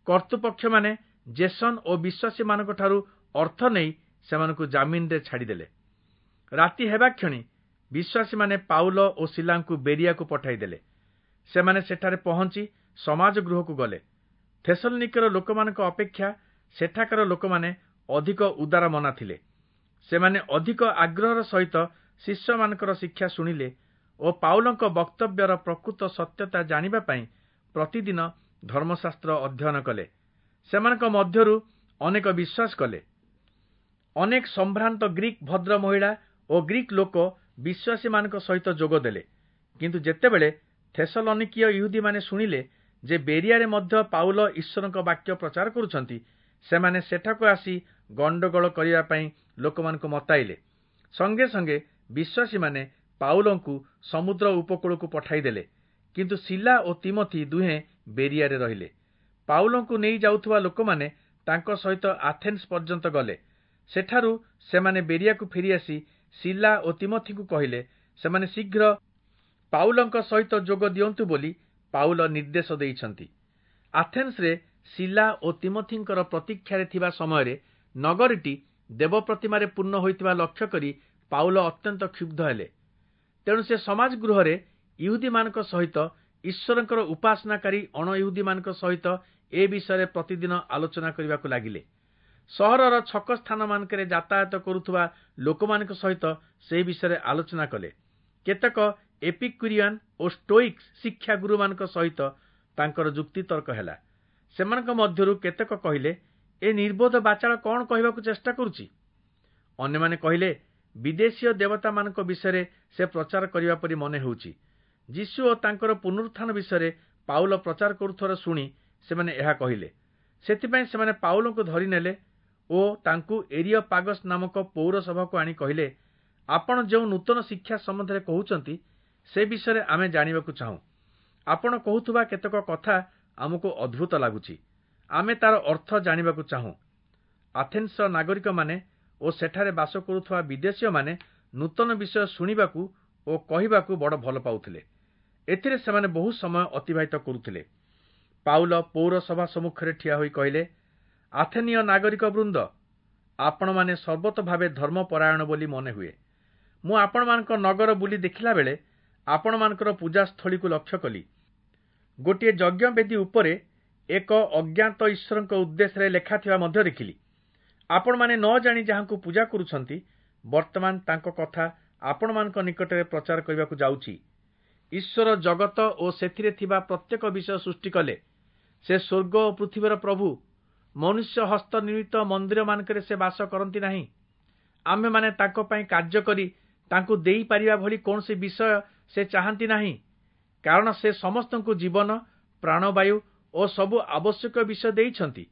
A: କର୍ତ୍ତୃପକ୍ଷମାନେ ଜେସନ୍ ଓ ବିଶ୍ୱାସୀମାନଙ୍କଠାରୁ ଅର୍ଥ ନେଇ ସେମାନଙ୍କୁ ଜାମିନରେ ଛାଡ଼ିଦେଲେ। ରାତି ହେବା କ୍ଷଣି ବିଶ୍ୱାସୀମାନେ ପାଉଲ ଓ ଶିଲାଙ୍କୁ ବେରିଆକୁ ପଠାଇଦେଲେ। ସେମାନେ ସେଠାରେ ପହଞ୍ଚି ସମାଜ ଗୃହକୁ ଗଲେ। ଥେସଲନିକର ଲୋକମାନଙ୍କ ଅପେକ୍ଷା ସେଠାକାର ଲୋକମାନେ ଅଧିକ ଉଦାର ମନା ଥିଲେ। ସେମାନେ ଅଧିକ ଆଗ୍ରହର ସହିତ ଶିଷ୍ୟମାନଙ୍କର ଶିକ୍ଷା ଶୁଣିଲେ ଓ ପାଉଲଙ୍କ ବକ୍ତବ୍ୟର ପ୍ରକୃତ ସତ୍ୟତା ଜାଣିବା ପାଇଁ ପ୍ରତିଦିନ ଧର୍ମଶାସ୍ତ୍ର ଅଧ୍ୟୟନ କଲେ। ସେମାନଙ୍କ ମଧ୍ୟରୁ ଅନେକ ବିଶ୍ୱାସ କଲେ। ଅନେକ ସମ୍ଭ୍ରାନ୍ତ ଗ୍ରୀକ୍ ଭଦ୍ର ମହିଳା ଓ ଗ୍ରୀକ୍ ଲୋକ ବିଶ୍ୱାସୀମାନଙ୍କ ସହିତ ଯୋଗ ଦେଲେ। କିନ୍ତୁ ଯେତେବେଳେ ଥେସଲନିକୀୟ ଇହୁଦୀମାନେ ଶୁଣିଲେ ଯେ ବେରିଆରେ ମଧ୍ୟ ପାଉଲ ଈଶ୍ୱରଙ୍କ ବାକ୍ୟ ପ୍ରଚାର କରୁଛନ୍ତି, ସେମାନେ ସେଠାକୁ ଆସି ଗଣ୍ଡଗୋଳ କରିବା ପାଇଁ ଲୋକମାନଙ୍କୁ ମତାଇଲେ। ସଙ୍ଗେ ସଙ୍ଗେ ବିଶ୍ୱାସୀମାନେ ପାଉଲଙ୍କୁ ସମୁଦ୍ର ଉପକୂଳକୁ ପଠାଇଦେଲେ, କିନ୍ତୁ ଶିଲା ଓ ତିମଥି ଦୁହେଁ ବେରିଆରେ ରହିଲେ। ପାଉଲଙ୍କୁ ନେଇ ଯାଉଥିବା ଲୋକମାନେ ତାଙ୍କ ସହିତ ଆଥେନ୍ସ ପର୍ଯ୍ୟନ୍ତ ଗଲେ। ସେଠାରୁ ସେମାନେ ବେରିଆକୁ ଫେରିଆସି ଶିଲା ଓ ତିମଥିଙ୍କୁ କହିଲେ, ସେମାନେ ଶୀଘ୍ର ପାଉଲଙ୍କ ସହିତ ଯୋଗ ଦିଅନ୍ତୁ ବୋଲି ପାଉଲ ନିର୍ଦ୍ଦେଶ ଦେଇଛନ୍ତି। ଆଥେନ୍ସରେ ଶିଲା ଓ ତିମଥିଙ୍କର ପ୍ରତୀକ୍ଷାରେ ଥିବା ସମୟରେ ନଗରୀଟି ଦେବ ପ୍ରତିମାରେ ପୂର୍ଣ୍ଣ ହୋଇଥିବା ଲକ୍ଷ୍ୟ କରି ପାଉଲ ଅତ୍ୟନ୍ତ କ୍ଷୁବ୍ଧ ହେଲେ। ତେଣୁ ସେ ସମାଜ ଗୃହରେ ଇହୁଦୀମାନଙ୍କ ସହିତ ଈଶ୍ୱରଙ୍କର ଉପାସନାକାରୀ ଅଣଇହୁଦୀମାନଙ୍କ ସହିତ ଏ ବିଷୟରେ ପ୍ରତିଦିନ ଆଲୋଚନା କରିବାକୁ ଲାଗିଲେ। ସହରର ଛକ ସ୍ଥାନମାନଙ୍କରେ ଯାତାୟାତ କରୁଥିବା ଲୋକମାନଙ୍କ ସହିତ ସେହି ବିଷୟରେ ଆଲୋଚନା କଲେ। କେତେକ ଏପିକ୍ୟୁରିଆନ ଓ ଷ୍ଟୋଇକ୍ ଶିକ୍ଷା ଗୁରୁମାନଙ୍କ ସହିତ ତାଙ୍କର ଯୁକ୍ତିତର୍କ ହେଲା। ସେମାନଙ୍କ ମଧ୍ୟରୁ କେତେକ କହିଲେ, ଏ ନିର୍ବୋଧ ବାଚାଳ କଣ କହିବାକୁ ଚେଷ୍ଟା କରୁଛି? ଅନ୍ୟମାନେ କହିଲେ, ବିଦେଶୀୟ ଦେବତାମାନଙ୍କ ବିଷୟରେ ସେ ପ୍ରଚାର କରିବା ପରି ମନେ ହେଉଛି। ଯୀଶୁ ଓ ତାଙ୍କର ପୁନରୁତ୍ଥାନ ବିଷୟରେ ପାଉଲ ପ୍ରଚାର କରୁଥିବାର ଶୁଣି ସେମାନେ ଏହା କହିଲେ। ସେଥିପାଇଁ ସେମାନେ ପାଉଲଙ୍କୁ ଧରିନେଲେ ଓ ତାଙ୍କୁ ଏରିୟପାଗସ୍ ନାମକ ପୌରସଭାକୁ ଆଣି କହିଲେ, ଆପଣ ଯେଉଁ ନୂତନ ଶିକ୍ଷା ସମ୍ବନ୍ଧରେ କହୁଛନ୍ତି ସେ ବିଷୟରେ ଆମେ ଜାଣିବାକୁ ଚାହୁଁ। ଆପଣ କହୁଥିବା କେତେକ କଥା ଆମକୁ ଅଦ୍ଭୁତ ଲାଗୁଛି। ଆମେ ତାର ଅର୍ଥ ଜାଣିବାକୁ ଚାହୁଁ। ଆଥେନ୍ସର ନାଗରିକମାନେ ଓ ସେଠାରେ ବାସ କରୁଥିବା ବିଦେଶୀୟମାନେ ନୂତନ ବିଷୟ ଶୁଣିବାକୁ ଓ କହିବାକୁ ବଡ଼ ଭଲ ପାଉଥିଲେ। ଏଥିରେ ସେମାନେ ବହୁ ସମୟ ଅତିବାହିତ କରୁଥିଲେ। ପାଉଲ ପୌରସଭା ସମ୍ମୁଖରେ ଠିଆ ହୋଇ କହିଲେ, ଆଥେନୀୟ ନାଗରିକ ବୃନ୍ଦ, ଆପଣମାନେ ସର୍ବତୋଭାବେ ଧର୍ମପରାୟଣ ବୋଲି ମନେ ହୁଏ। ମୁଁ ଆପଣମାନଙ୍କ ନଗର ବୁଲି ଦେଖିଲା ବେଳେ ଆପଣମାନଙ୍କର ପୂଜାସ୍ଥଳୀକୁ ଲକ୍ଷ୍ୟ କଲି। ଗୋଟିଏ ଯଜ୍ଞବେଦୀ ଉପରେ ଏକ ଅଜ୍ଞାତ ଈଶ୍ୱରଙ୍କ ଉଦ୍ଦେଶ୍ୟରେ ଲେଖାଥିବା ମଧ୍ୟ ଦେଖିଲି। ଆପଣମାନେ ନ ଜାଣି ଯାହାଙ୍କୁ ପୂଜା କରୁଛନ୍ତି, ବର୍ତ୍ତମାନ ତାଙ୍କ କଥା ଆପଣମାନଙ୍କ ନିକଟରେ ପ୍ରଚାର କରିବାକୁ ଯାଉଛି। ଈଶ୍ୱର ଜଗତ ଓ ସେଥିରେ ଥିବା ପ୍ରତ୍ୟେକ ବିଷୟ ସୃଷ୍ଟି କଲେ। ସେ ସ୍ୱର୍ଗ ଓ ପୃଥିବୀର ପ୍ରଭୁ। ମନୁଷ୍ୟ ହସ୍ତ ନିର୍ମିତ ମନ୍ଦିରମାନଙ୍କରେ ସେ ବାସ କରନ୍ତି ନାହିଁ। ଆମ୍ଭେମାନେ ତାଙ୍କ ପାଇଁ କାର୍ଯ୍ୟ କରି ତାଙ୍କୁ ଦେଇପାରିବା ଭଳି କୌଣସି ବିଷୟ ସେ ଚାହାନ୍ତି ନାହିଁ, କାରଣ ସେ ସମସ୍ତଙ୍କୁ ଜୀବନ, ପ୍ରାଣବାୟୁ ଓ ସବୁ ଆବଶ୍ୟକ ବିଷୟ ଦେଇଛନ୍ତି।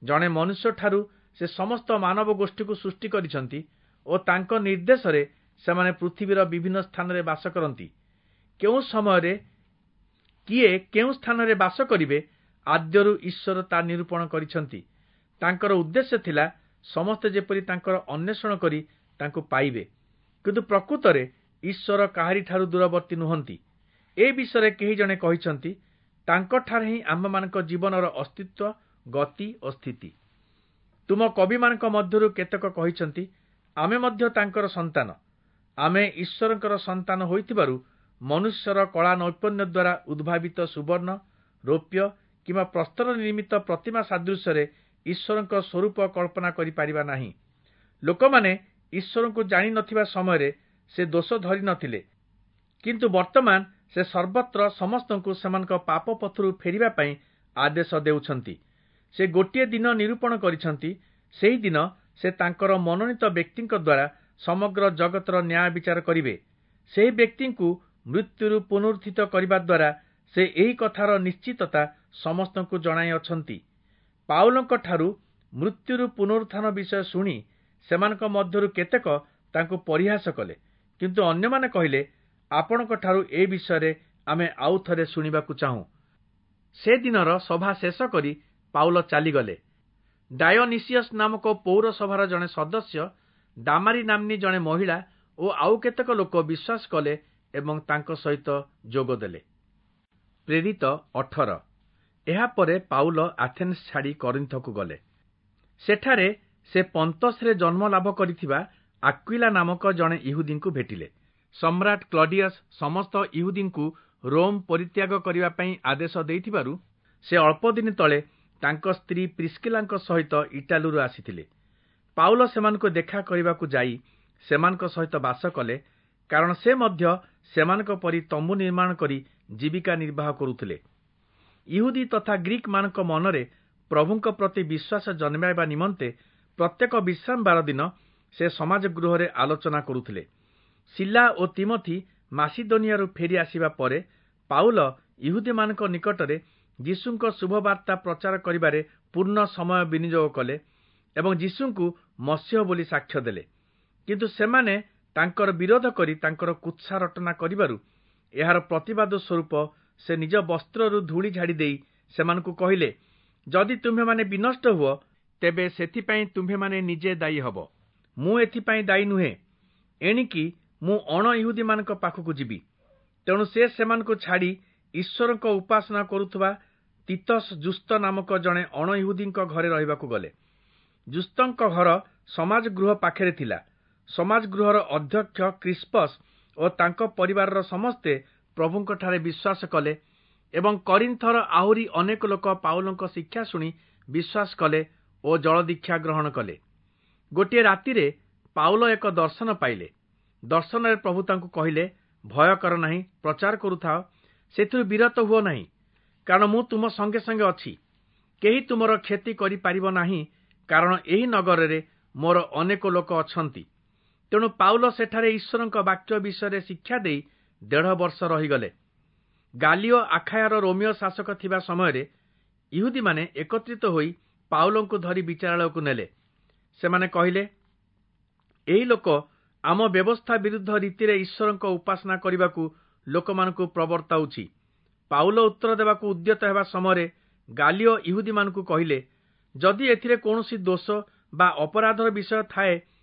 A: ଜଣେ ମନୁଷ୍ୟଠାରୁ ସେ ସମସ୍ତ ମାନବ ଗୋଷ୍ଠୀକୁ ସୃଷ୍ଟି କରିଛନ୍ତି ଓ ତାଙ୍କ ନିର୍ଦ୍ଦେଶରେ ସେମାନେ ପୃଥିବୀର ବିଭିନ୍ନ ସ୍ଥାନରେ ବାସ କରନ୍ତି। କେଉଁ ସମୟରେ କିଏ କେଉଁ ସ୍ଥାନରେ ବାସ କରିବେ, ଆଦ୍ୟରୁ ଈଶ୍ୱର ତା ନିରୂପଣ କରିଛନ୍ତି। ତାଙ୍କର ଉଦ୍ଦେଶ୍ୟ ଥିଲା ସମସ୍ତେ ଯେପରି ତାଙ୍କର ଅନ୍ୱେଷଣ କରି ତାଙ୍କୁ ପାଇବେ। କିନ୍ତୁ ପ୍ରକୃତରେ ଈଶ୍ୱର କାହାରିଠାରୁ ଦୂରବର୍ତ୍ତୀ ନୁହନ୍ତି। ଏ ବିଷୟରେ କେହି ଜଣେ କହିଛନ୍ତି, ତାଙ୍କଠାରେ ହିଁ ଆମ୍ଭମାନଙ୍କ ଜୀବନର ଅସ୍ତିତ୍ୱ, ଗତି ଓ ସ୍ଥିତି। ତୁମ କବିମାନଙ୍କ ମଧ୍ୟରୁ କେତେକ କହିଛନ୍ତି, ଆମେ ମଧ୍ୟ ତାଙ୍କର ସନ୍ତାନ। ଆମେ ଈଶ୍ୱରଙ୍କର ସନ୍ତାନ ହୋଇଥିବାରୁ ମନୁଷ୍ୟର କଳା ନୈପୁଣ୍ୟ ଦ୍ୱାରା ଉଦ୍ଭାବିତ ସୁବର୍ଣ୍ଣ, ରୌପ୍ୟ କିମ୍ବା ପ୍ରସ୍ତର ନିର୍ମିତ ପ୍ରତିମା ସାଦୃଶ୍ୟରେ ଈଶ୍ୱରଙ୍କ ସ୍ୱରୂପ କଳ୍ପନା କରିପାରିବା ନାହିଁ। ଲୋକମାନେ ଈଶ୍ୱରଙ୍କୁ ଜାଣି ନଥିବା ସମୟରେ ସେ ଦୋଷ ଧରି ନଥିଲେ, କିନ୍ତୁ ବର୍ତ୍ତମାନ ସେ ସର୍ବତ୍ର ସମସ୍ତଙ୍କୁ ସେମାନଙ୍କ ପାପ ପଥରୁ ଫେରିବା ପାଇଁ ଆଦେଶ ଦେଉଛନ୍ତି। ସେ ଗୋଟିଏ ଦିନ ନିରୂପଣ କରିଛନ୍ତି। ସେହି ଦିନ ସେ ତାଙ୍କର ମନୋନୀତ ବ୍ୟକ୍ତିଙ୍କ ଦ୍ୱାରା ସମଗ୍ର ଜଗତର ନ୍ୟାୟ ବିଚାର କରିବେ। ସେହି ବ୍ୟକ୍ତିଙ୍କୁ ମୃତ୍ୟୁରୁ ପୁନରୁତ୍ଥିତ କରିବା ଦ୍ୱାରା ସେ ଏହି କଥାର ନିଶ୍ଚିତତା ସମସ୍ତଙ୍କୁ ଜଣାଇଅଛନ୍ତି। ପାଉଲଙ୍କଠାରୁ ମୃତ୍ୟୁରୁ ପୁନରୁତ୍ଥାନ ବିଷୟ ଶୁଣି ସେମାନଙ୍କ ମଧ୍ୟରୁ କେତେକ ତାଙ୍କୁ ପରିହାସ କଲେ, କିନ୍ତୁ ଅନ୍ୟମାନେ କହିଲେ, ଆପଣଙ୍କଠାରୁ ଏ ବିଷୟରେ ଆମେ ଆଉ ଥରେ ଶୁଣିବାକୁ ଚାହୁଁ। ସେଦିନର ସଭା ଶେଷ କରି ପାଉଲ ଚାଲିଗଲେ। ଡାୟୋନିସିୟସ୍ ନାମକ ପୌରସଭାର ଜଣେ ସଦସ୍ୟ, ଦାମାରି ନାମ୍ନୀ ଜଣେ ମହିଳା ଓ ଆଉ କେତେକ ଲୋକ ବିଶ୍ୱାସ କଲେ ଏବଂ ତାଙ୍କ ସହିତ ଯୋଗ ଦେଲେ। ପ୍ରେରିତ 18। ଏହାପରେ ପାଉଲ ଆଥେନ୍ସ ଛାଡ଼ି କରିନ୍ଥକୁ ଗଲେ। ସେଠାରେ ସେ ପନ୍ତସରେ ଜନ୍ମ ଲାଭ କରିଥିବା ଆକ୍ୱିଲା ନାମକ ଜଣେ ଇହୁଦୀଙ୍କୁ ଭେଟିଲେ। ସମ୍ରାଟ କ୍ଲଡିୟସ୍ ସମସ୍ତ ଇହୁଦୀଙ୍କୁ ରୋମ୍ ପରିତ୍ୟାଗ କରିବା ପାଇଁ ଆଦେଶ ଦେଇଥିବାରୁ ସେ ଅଳ୍ପଦିନ ତଳେ ତାଙ୍କ ସ୍ତ୍ରୀ ପ୍ରିସ୍କିଲାଙ୍କ ସହିତ ଇଟାଲୀରୁ ଆସିଥିଲେ। ପାଉଲ ସେମାନଙ୍କୁ ଦେଖା କରିବାକୁ ଯାଇ ସେମାନଙ୍କ ସହିତ ବାସ କଲେ, କାରଣ ସେ ମଧ୍ୟ ସେମାନଙ୍କ ପରି ତମ୍ବୁ ନିର୍ମାଣ କରି ଜୀବିକା ନିର୍ବାହ କରୁଥିଲେ। ଇହୁଦୀ ତଥା ଗ୍ରୀକମାନଙ୍କ ମନରେ ପ୍ରଭୁଙ୍କ ପ୍ରତି ବିଶ୍ୱାସ ଜନ୍ମାଇବା ନିମନ୍ତେ ପ୍ରତ୍ୟେକ ବିଶ୍ରାମବାର ଦିନ ସେ ସମାଜ ଗୃହରେ ଆଲୋଚନା କରୁଥିଲେ। ଶିଲା ଓ ତିମୋଥି ମାସିଦୋନିଆରୁ ଫେରି ଆସିବା ପରେ ପାଉଲ ଇହୁଦୀମାନଙ୍କ ନିକଟରେ ଯୀଶୁଙ୍କ ଶୁଭବାର୍ତ୍ତା ପ୍ରଚାର କରିବାରେ ପୂର୍ଣ୍ଣ ସମୟ ବିନିଯୋଗ କଲେ ଏବଂ ଯୀଶୁଙ୍କୁ ମସିହ ବୋଲି ସାକ୍ଷ୍ୟ ଦେଲେ। କିନ୍ତୁ ସେମାନେ ତାଙ୍କର ବିରୋଧ କରି ତାଙ୍କର କୁତ୍ସା ରଟନା କରିବାରୁ ଏହାର ପ୍ରତିବାଦ ସ୍ୱରୂପ ସେ ନିଜ ବସ୍ତ୍ରରୁ ଧୂଳି ଝାଡ଼ି ଦେଇ ସେମାନଙ୍କୁ କହିଲେ, ଯଦି ତୁମ୍ଭେମାନେ ବିନଷ୍ଟ ହୁଅ, ତେବେ ସେଥିପାଇଁ ତୁମ୍ଭେମାନେ ନିଜେ ଦାୟୀ ହେବ। ମୁଁ ଏଥିପାଇଁ ଦାୟୀ ନୁହେଁ। ଏଣିକି ମୁଁ ଅଣ ଇହୁଦୀମାନଙ୍କ ପାଖକୁ ଯିବି। ତେଣୁ ସେ ସେମାନଙ୍କୁ ଛାଡ଼ି ଈଶ୍ୱରଙ୍କ ଉପାସନା କରୁଥିବା ତିତସ୍ ଯୁସ୍ତ ନାମକ ଜଣେ ଅଣ ଇହୁଦୀଙ୍କ ଘରେ ରହିବାକୁ ଗଲେ। ଯୁସ୍ତଙ୍କ ଘର ସମାଜ ଗୃହ ପାଖରେ ଥିଲା। ସମାଜ ଗୃହର ଅଧ୍ୟକ୍ଷ କ୍ରିସ୍ପସ୍ ଓ ତାଙ୍କ ପରିବାରର ସମସ୍ତେ ପ୍ରଭୁଙ୍କଠାରେ ବିଶ୍ୱାସ କଲେ ଏବଂ କରିନ୍ଥର ଆହୁରି ଅନେକ ଲୋକ ପାଉଲଙ୍କ ଶିକ୍ଷା ଶୁଣି ବିଶ୍ୱାସ କଲେ ଓ ଜଳଦୀକ୍ଷା ଗ୍ରହଣ କଲେ। ଗୋଟିଏ ରାତିରେ ପାଉଲ ଏକ ଦର୍ଶନ ପାଇଲେ। ଦର୍ଶନରେ ପ୍ରଭୁ ତାଙ୍କୁ କହିଲେ, ଭୟ କର ନାହିଁ, ପ୍ରଚାର କରୁଥାଅ, ସେଥିରୁ ବିରତ ହୁଅ ନାହିଁ, କାରଣ ମୁଁ ତୁମ ସଙ୍ଗେ ସଙ୍ଗେ ଅଛି। କେହି ତୁମର କ୍ଷତି କରିପାରିବ ନାହିଁ, କାରଣ ଏହି ନଗରରେ ମୋର ଅନେକ ଲୋକ ଅଛନ୍ତି। ତେଣୁ ପାଉଲ ସେଠାରେ ଈଶ୍ୱରଙ୍କ ବାକ୍ୟ ବିଷୟରେ ଶିକ୍ଷା ଦେଇ 1.5 ବର୍ଷ ରହିଗଲେ। ଗାଲିଓ ଆଖାୟାର ରୋମୀୟ ଶାସକ ଥିବା ସମୟରେ ଇହୁଦୀମାନେ ଏକତ୍ରିତ ହୋଇ ପାଉଲଙ୍କୁ ଧରି ବିଚାରାଳୟକୁ ନେଲେ। ସେମାନେ କହିଲେ, ଏହି ଲୋକ ଆମ ବ୍ୟବସ୍ଥା ବିରୁଦ୍ଧ ରୀତିରେ ଈଶ୍ୱରଙ୍କ ଉପାସନା କରିବାକୁ ଲୋକମାନଙ୍କୁ ପ୍ରବର୍ତ୍ତାଉଛି। ପାଉଲ ଉତ୍ତର ଦେବାକୁ ଉଦ୍ୟତ ହେବା ସମୟରେ ଗାଲିଓ ଇହୁଦୀମାନଙ୍କୁ କହିଲେ, ଯଦି ଏଥିରେ କୌଣସି ଦୋଷ ବା ଅପରାଧର ବିଷୟ ଥାଏ,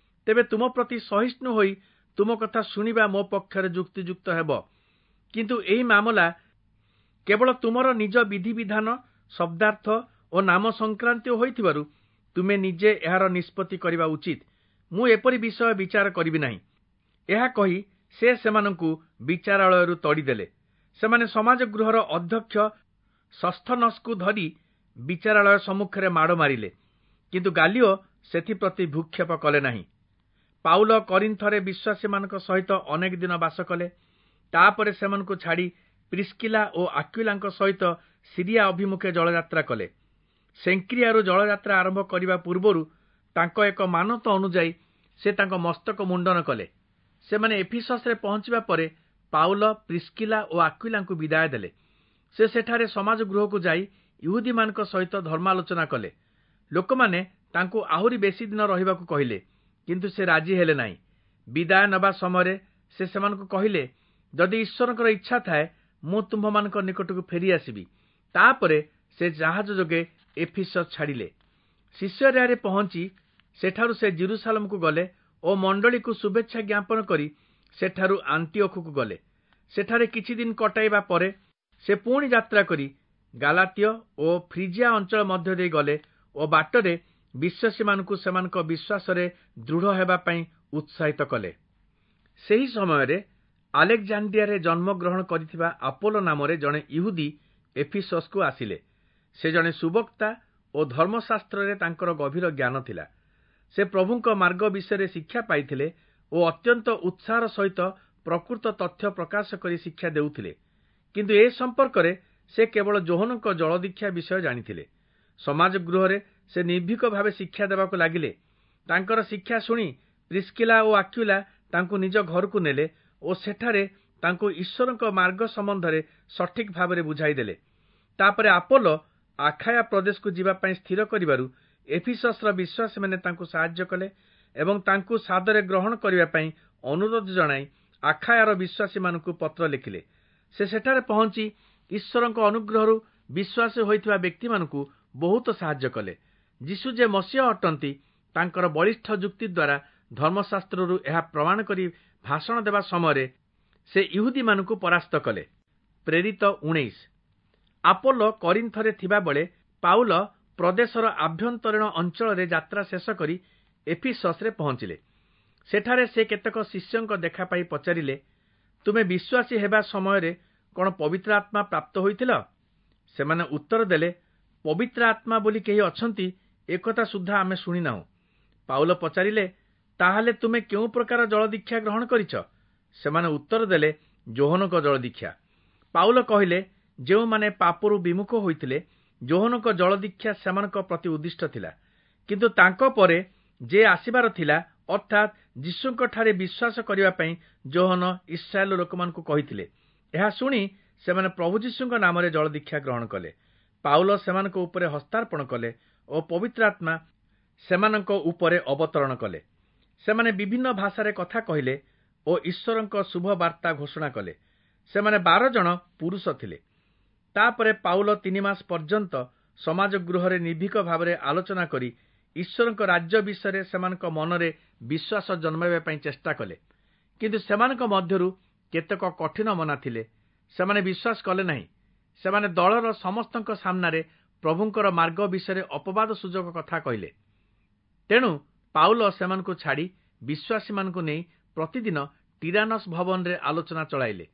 A: ତେବେ ତୁମ ପ୍ରତି ସହିଷ୍ଣୁ ହୋଇ ତୁମ କଥା ଶୁଣିବା ମୋ ପକ୍ଷରେ ଯୁକ୍ତିଯୁକ୍ତ ହେବ। କିନ୍ତୁ ଏହି ମାମଲା କେବଳ ତୁମର ନିଜ ବିଧିବିଧାନ, ଶବ୍ଦାର୍ଥ ଓ ନାମ ସଂକ୍ରାନ୍ତୀୟ ହୋଇଥିବାରୁ ତୁମେ ନିଜେ ଏହାର ନିଷ୍ପତ୍ତି କରିବା ଉଚିତ। ମୁଁ ଏପରି ବିଷୟ ବିଚାର କରିବି ନାହିଁ। ଏହା କହି ସେ ସେମାନଙ୍କୁ ବିଚାରାଳୟରୁ ତଡ଼ିଦେଲେ। ସେମାନେ ସମାଜ ଗୃହର ଅଧ୍ୟକ୍ଷ ସସ୍ଥନସ୍କୁ ଧରି ବିଚାରାଳୟ ସମ୍ମୁଖରେ ମାଡ଼ ମାରିଲେ, କିନ୍ତୁ ଗାଲିଓ ସେଥିପ୍ରତି ଭ୍ରୂକ୍ଷେପ କଲେ ନାହିଁ। ପାଉଲ କରିନ୍ଥରେ ବିଶ୍ୱାସୀମାନଙ୍କ ସହିତ ଅନେକ ଦିନ ବାସ କଲେ। ତାପରେ ସେମାନଙ୍କୁ ଛାଡ଼ି ପ୍ରିସ୍କିଲା ଓ ଆକ୍ୱିଲାଙ୍କ ସହିତ ସିରିଆ ଅଭିମୁଖେ ଜଳଯାତ୍ରା କଲେ। ସେଙ୍କ୍ରିଆରୁ ଜଳଯାତ୍ରା ଆରମ୍ଭ କରିବା ପୂର୍ବରୁ ତାଙ୍କ ଏକ ମାନତ ଅନୁଯାୟୀ ସେ ତାଙ୍କ ମସ୍ତକ ମୁଣ୍ଡନ କଲେ। ସେମାନେ ଏଫିସସରେ ପହଞ୍ଚିବା ପରେ ପାଉଲ ପ୍ରିସ୍କିଲା ଓ ଆକ୍ୱିଲାଙ୍କୁ ବିଦାୟ ଦେଲେ। ସେ ସେଠାରେ ସମାଜ ଗୃହକୁ ଯାଇ ଇହୁଦୀମାନଙ୍କ ସହିତ ଧର୍ମାଲୋଚନା କଲେ। ଲୋକମାନେ ତାଙ୍କୁ ଆହୁରି ବେଶୀ ଦିନ ରହିବାକୁ କହିଲେ, କିନ୍ତୁ ସେ ରାଜି ହେଲେ ନାହିଁ। ବିଦାୟ ନେବା ସମୟରେ ସେ ସେମାନଙ୍କୁ କହିଲେ, ଯଦି ଈଶ୍ୱରଙ୍କର ଇଚ୍ଛା ଥାଏ, ମୁଁ ତୁମ୍ଭମାନଙ୍କ ନିକଟକୁ ଫେରିଆସିବି। ତାପରେ ସେ ଜାହାଜ ଯୋଗେ ଏଫିସସ୍ ଛାଡ଼ିଲେ। ସିସରିଆରେ ପହଞ୍ଚି ସେଠାରୁ ସେ ଜେରୁସାଲେମକୁ ଗଲେ ଓ ମଣ୍ଡଳୀକୁ ଶୁଭେଚ୍ଛା ଜ୍ଞାପନ କରି ସେଠାରୁ ଆଣ୍ଟିଓଖକୁ ଗଲେ। ସେଠାରେ କିଛି ଦିନ କଟାଇବା ପରେ ସେ ପୁଣି ଯାତ୍ରା କରି ଗାଲାତୀୟ ଓ ଫ୍ରିଜିଆ ଅଞ୍ଚଳ ମଧ୍ୟ ଦେଇ ଗଲେ ଓ ବାଟରେ ବିଶ୍ୱାସୀମାନଙ୍କୁ ସେମାନଙ୍କ ବିଶ୍ୱାସରେ ଦୃଢ଼ ହେବା ପାଇଁ ଉତ୍ସାହିତ କଲେ। ସେହି ସମୟରେ ଆଲେକ୍ଜାଣ୍ଡ୍ରିଆରେ ଜନ୍ମଗ୍ରହଣ କରିଥିବା ଆପୋଲୋ ନାମରେ ଜଣେ ଇହୁଦୀ ଏଫିସସ୍‌କୁ ଆସିଲେ। ସେ ଜଣେ ସୁବକ୍ତା ଓ ଧର୍ମଶାସ୍ତ୍ରରେ ତାଙ୍କର ଗଭୀର ଜ୍ଞାନ ଥିଲା। ସେ ପ୍ରଭୁଙ୍କ ମାର୍ଗ ବିଷୟରେ ଶିକ୍ଷା ପାଇଥିଲେ ଓ ଅତ୍ୟନ୍ତ ଉତ୍ସାହର ସହିତ ପ୍ରକୃତ ତଥ୍ୟ ପ୍ରକାଶ କରି ଶିକ୍ଷା ଦେଉଥିଲେ। କିନ୍ତୁ ଏ ସମ୍ପର୍କରେ ସେ କେବଳ ଯୋହନଙ୍କ ଜଳଦୀକ୍ଷା ବିଷୟ ଜାଣିଥିଲେ। ସମାଜ ଗୃହରେ ସେ ନିର୍ଭୀକ ଭାବେ ଶିକ୍ଷା ଦେବାକୁ ଲାଗିଲେ। ତାଙ୍କର ଶିକ୍ଷା ଶୁଣି ପ୍ରିସ୍କିଲା ଓ ଆକ୍ୱିଲା ତାଙ୍କୁ ନିଜ ଘରକୁ ନେଲେ ଓ ସେଠାରେ ତାଙ୍କୁ ଈଶ୍ୱରଙ୍କ ମାର୍ଗ ସମ୍ବନ୍ଧରେ ସଠିକ୍ ଭାବରେ ବୁଝାଇଦେଲେ। ତାପରେ ଆପୋଲୋ ଆଖାୟା ପ୍ରଦେଶକୁ ଯିବା ପାଇଁ ସ୍ଥିର କରିବାରୁ ଏଫିସସ୍‌ର ବିଶ୍ୱାସୀମାନେ ତାଙ୍କୁ ସାହାଯ୍ୟ କଲେ ଏବଂ ତାଙ୍କୁ ସାଦରେ ଗ୍ରହଣ କରିବା ପାଇଁ ଅନୁରୋଧ ଜଣାଇ ଆଖାୟାର ବିଶ୍ୱାସୀମାନଙ୍କୁ ପତ୍ର ଲେଖିଲେ। ସେ ସେଠାରେ ପହଞ୍ଚି ଈଶ୍ୱରଙ୍କ ଅନୁଗ୍ରହରୁ ବିଶ୍ୱାସୀ ହୋଇଥିବା ବ୍ୟକ୍ତିମାନଙ୍କୁ ବହୁତ ସାହାଯ୍ୟ କଲେ। ଯୀଶୁ ଯେ ମସିହ ଅଟନ୍ତି, ତାଙ୍କର ବଳିଷ୍ଠ ଯୁକ୍ତି ଦ୍ୱାରା ଧର୍ମଶାସ୍ତ୍ରରୁ ଏହା ପ୍ରମାଣ କରି ଭାଷଣ ଦେବା ସମୟରେ ସେ ଇହୁଦୀମାନଙ୍କୁ ପରାସ୍ତ କଲେ। ପ୍ରେରିତ 19। ଆପୋଲୋ କରିନ୍ଥରେ ଥିବାବେଳେ ପାଉଲ ପ୍ରଦେଶର ଆଭ୍ୟନ୍ତରୀଣ ଅଞ୍ଚଳରେ ଯାତ୍ରା ଶେଷ କରି ଏଫିସସ୍‌ରେ ପହଞ୍ଚିଲେ। ସେଠାରେ ସେ କେତେକ ଶିଷ୍ୟଙ୍କ ଦେଖା ପାଇ ପଚାରିଲେ, ତୁମେ ବିଶ୍ୱାସୀ ହେବା ସମୟରେ କଣ ପବିତ୍ର ଆତ୍ମା ପ୍ରାପ୍ତ ହୋଇଥିଲ? ସେମାନେ ଉତ୍ତର ଦେଲେ, ପବିତ୍ର ଆତ୍ମା ବୋଲି କେହି ଅଛନ୍ତି, ଏକଥା ସୁଦ୍ଧା ଆମେ ଶୁଣିନାହୁଁ। ପାଉଲ ପଚାରିଲେ, ତାହେଲେ ତୁମେ କେଉଁ ପ୍ରକାର ଜଳଦୀକ୍ଷା ଗ୍ରହଣ କରିଛ? ସେମାନେ ଉତ୍ତର ଦେଲେ, ଯୋହନଙ୍କ ଜଳଦୀକ୍ଷା। ପାଉଲ କହିଲେ, ଯେଉଁମାନେ ପାପରୁ ବିମୁଖ ହୋଇଥିଲେ, ଯୋହନଙ୍କ ଜଳଦୀକ୍ଷା ସେମାନଙ୍କ ପ୍ରତି ଉଦ୍ଦିଷ୍ଟ ଥିଲା। କିନ୍ତୁ ତାଙ୍କ ପରେ ଯେ ଆସିବାର ଥିଲା, ଅର୍ଥାତ୍ ଯୀଶୁଙ୍କଠାରେ ବିଶ୍ୱାସ କରିବା ପାଇଁ ଯୋହନ ଇସ୍ରାଏଲ ଲୋକମାନଙ୍କୁ କହିଥିଲେ। ଏହା ଶୁଣି ସେମାନେ ପ୍ରଭୁ ଯୀଶୁଙ୍କ ନାମରେ ଜଳଦୀକ୍ଷା ଗ୍ରହଣ କଲେ। ପାଉଲ ସେମାନଙ୍କ ଉପରେ ହସ୍ତାର୍ପଣ କଲେ ଓ ପବିତ୍ର ଆତ୍ମା ସେମାନଙ୍କ ଉପରେ ଅବତରଣ କଲେ। ସେମାନେ ବିଭିନ୍ନ ଭାଷାରେ କଥା କହିଲେ ଓ ଈଶ୍ୱରଙ୍କ ଶୁଭ ବାର୍ତ୍ତା ଘୋଷଣା କଲେ। ସେମାନେ 12 ଜଣ ପୁରୁଷ ଥିଲେ। ତାପରେ ପାଉଲ 3 ମାସ ପର୍ଯ୍ୟନ୍ତ ସମାଜ ଗୃହରେ ନିର୍ଭୀକ ଭାବରେ ଆଲୋଚନା କରି ଈଶ୍ୱରଙ୍କ ରାଜ୍ୟ ବିଷୟରେ ସେମାନଙ୍କ ମନରେ ବିଶ୍ୱାସ ଜନ୍ମାଇବା ପାଇଁ ଚେଷ୍ଟା କଲେ। କିନ୍ତୁ ସେମାନଙ୍କ ମଧ୍ୟରୁ କେତେକ କଠିନ ମନା ଥିଲେ, ସେମାନେ ବିଶ୍ୱାସ କଲେ ନାହିଁ। ସେମାନେ ଦଳର ସମସ୍ତଙ୍କ ସାମ୍ନାରେ ପ୍ରଭୁଙ୍କର ମାର୍ଗ ବିଷୟରେ ଅପବାଦ ସୁଯୋଗ କଥା କହିଲେ। ତେଣୁ ପାଉଲ ସେମାନଙ୍କୁ ଛାଡ଼ି ବିଶ୍ୱାସୀମାନଙ୍କୁ ନେଇ ପ୍ରତିଦିନ ଟିରାନସ୍ ଭବନରେ ଆଲୋଚନା ଚଳାଇଲେ।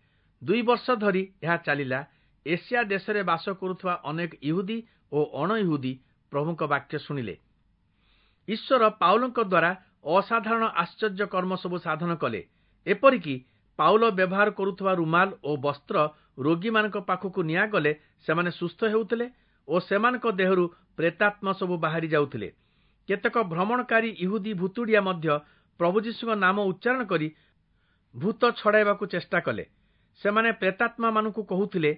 A: 2 ବର୍ଷ ଧରି ଏହା ଚାଲିଲା। ଏସିଆ ଦେଶରେ ବାସ କରୁଥିବା ଅନେକ ଇହୁଦୀ ଓ ଅଣଇହୁଦୀ ପ୍ରଭୁଙ୍କ ବାକ୍ୟ ଶୁଣିଲେ। ଈଶ୍ୱର ପାଉଲଙ୍କ ଦ୍ୱାରା ଅସାଧାରଣ ଆଶ୍ଚର୍ଯ୍ୟ କର୍ମ ସବୁ ସାଧନ କଲେ। ଏପରିକି ପାଉଲ ବ୍ୟବହାର କରୁଥିବା ରୁମାଲ ଓ ବସ୍ତ୍ର ରୋଗୀମାନଙ୍କ ପାଖକୁ ନିଆଗଲେ ସେମାନେ ସୁସ୍ଥ ହେଉଥିଲେ ଓ ସେମାନଙ୍କ ଦେହରୁ ପ୍ରେତାତ୍ମା ସବୁ ବାହାରି ଯାଉଥିଲେ। କେତେକ ଭ୍ରମଣକାରୀ ଇହୁଦୀ ଭୁତୁଡ଼ିଆ ମଧ୍ୟ ପ୍ରଭୁ ଯୀଶୁଙ୍କ ନାମ ଉଚ୍ଚାରଣ କରି ଭୂତ ଛଡ଼ାଇବାକୁ ଚେଷ୍ଟା କଲେ। ସେମାନେ ପ୍ରେତାତ୍ମାମାନଙ୍କୁ କହୁଥିଲେ,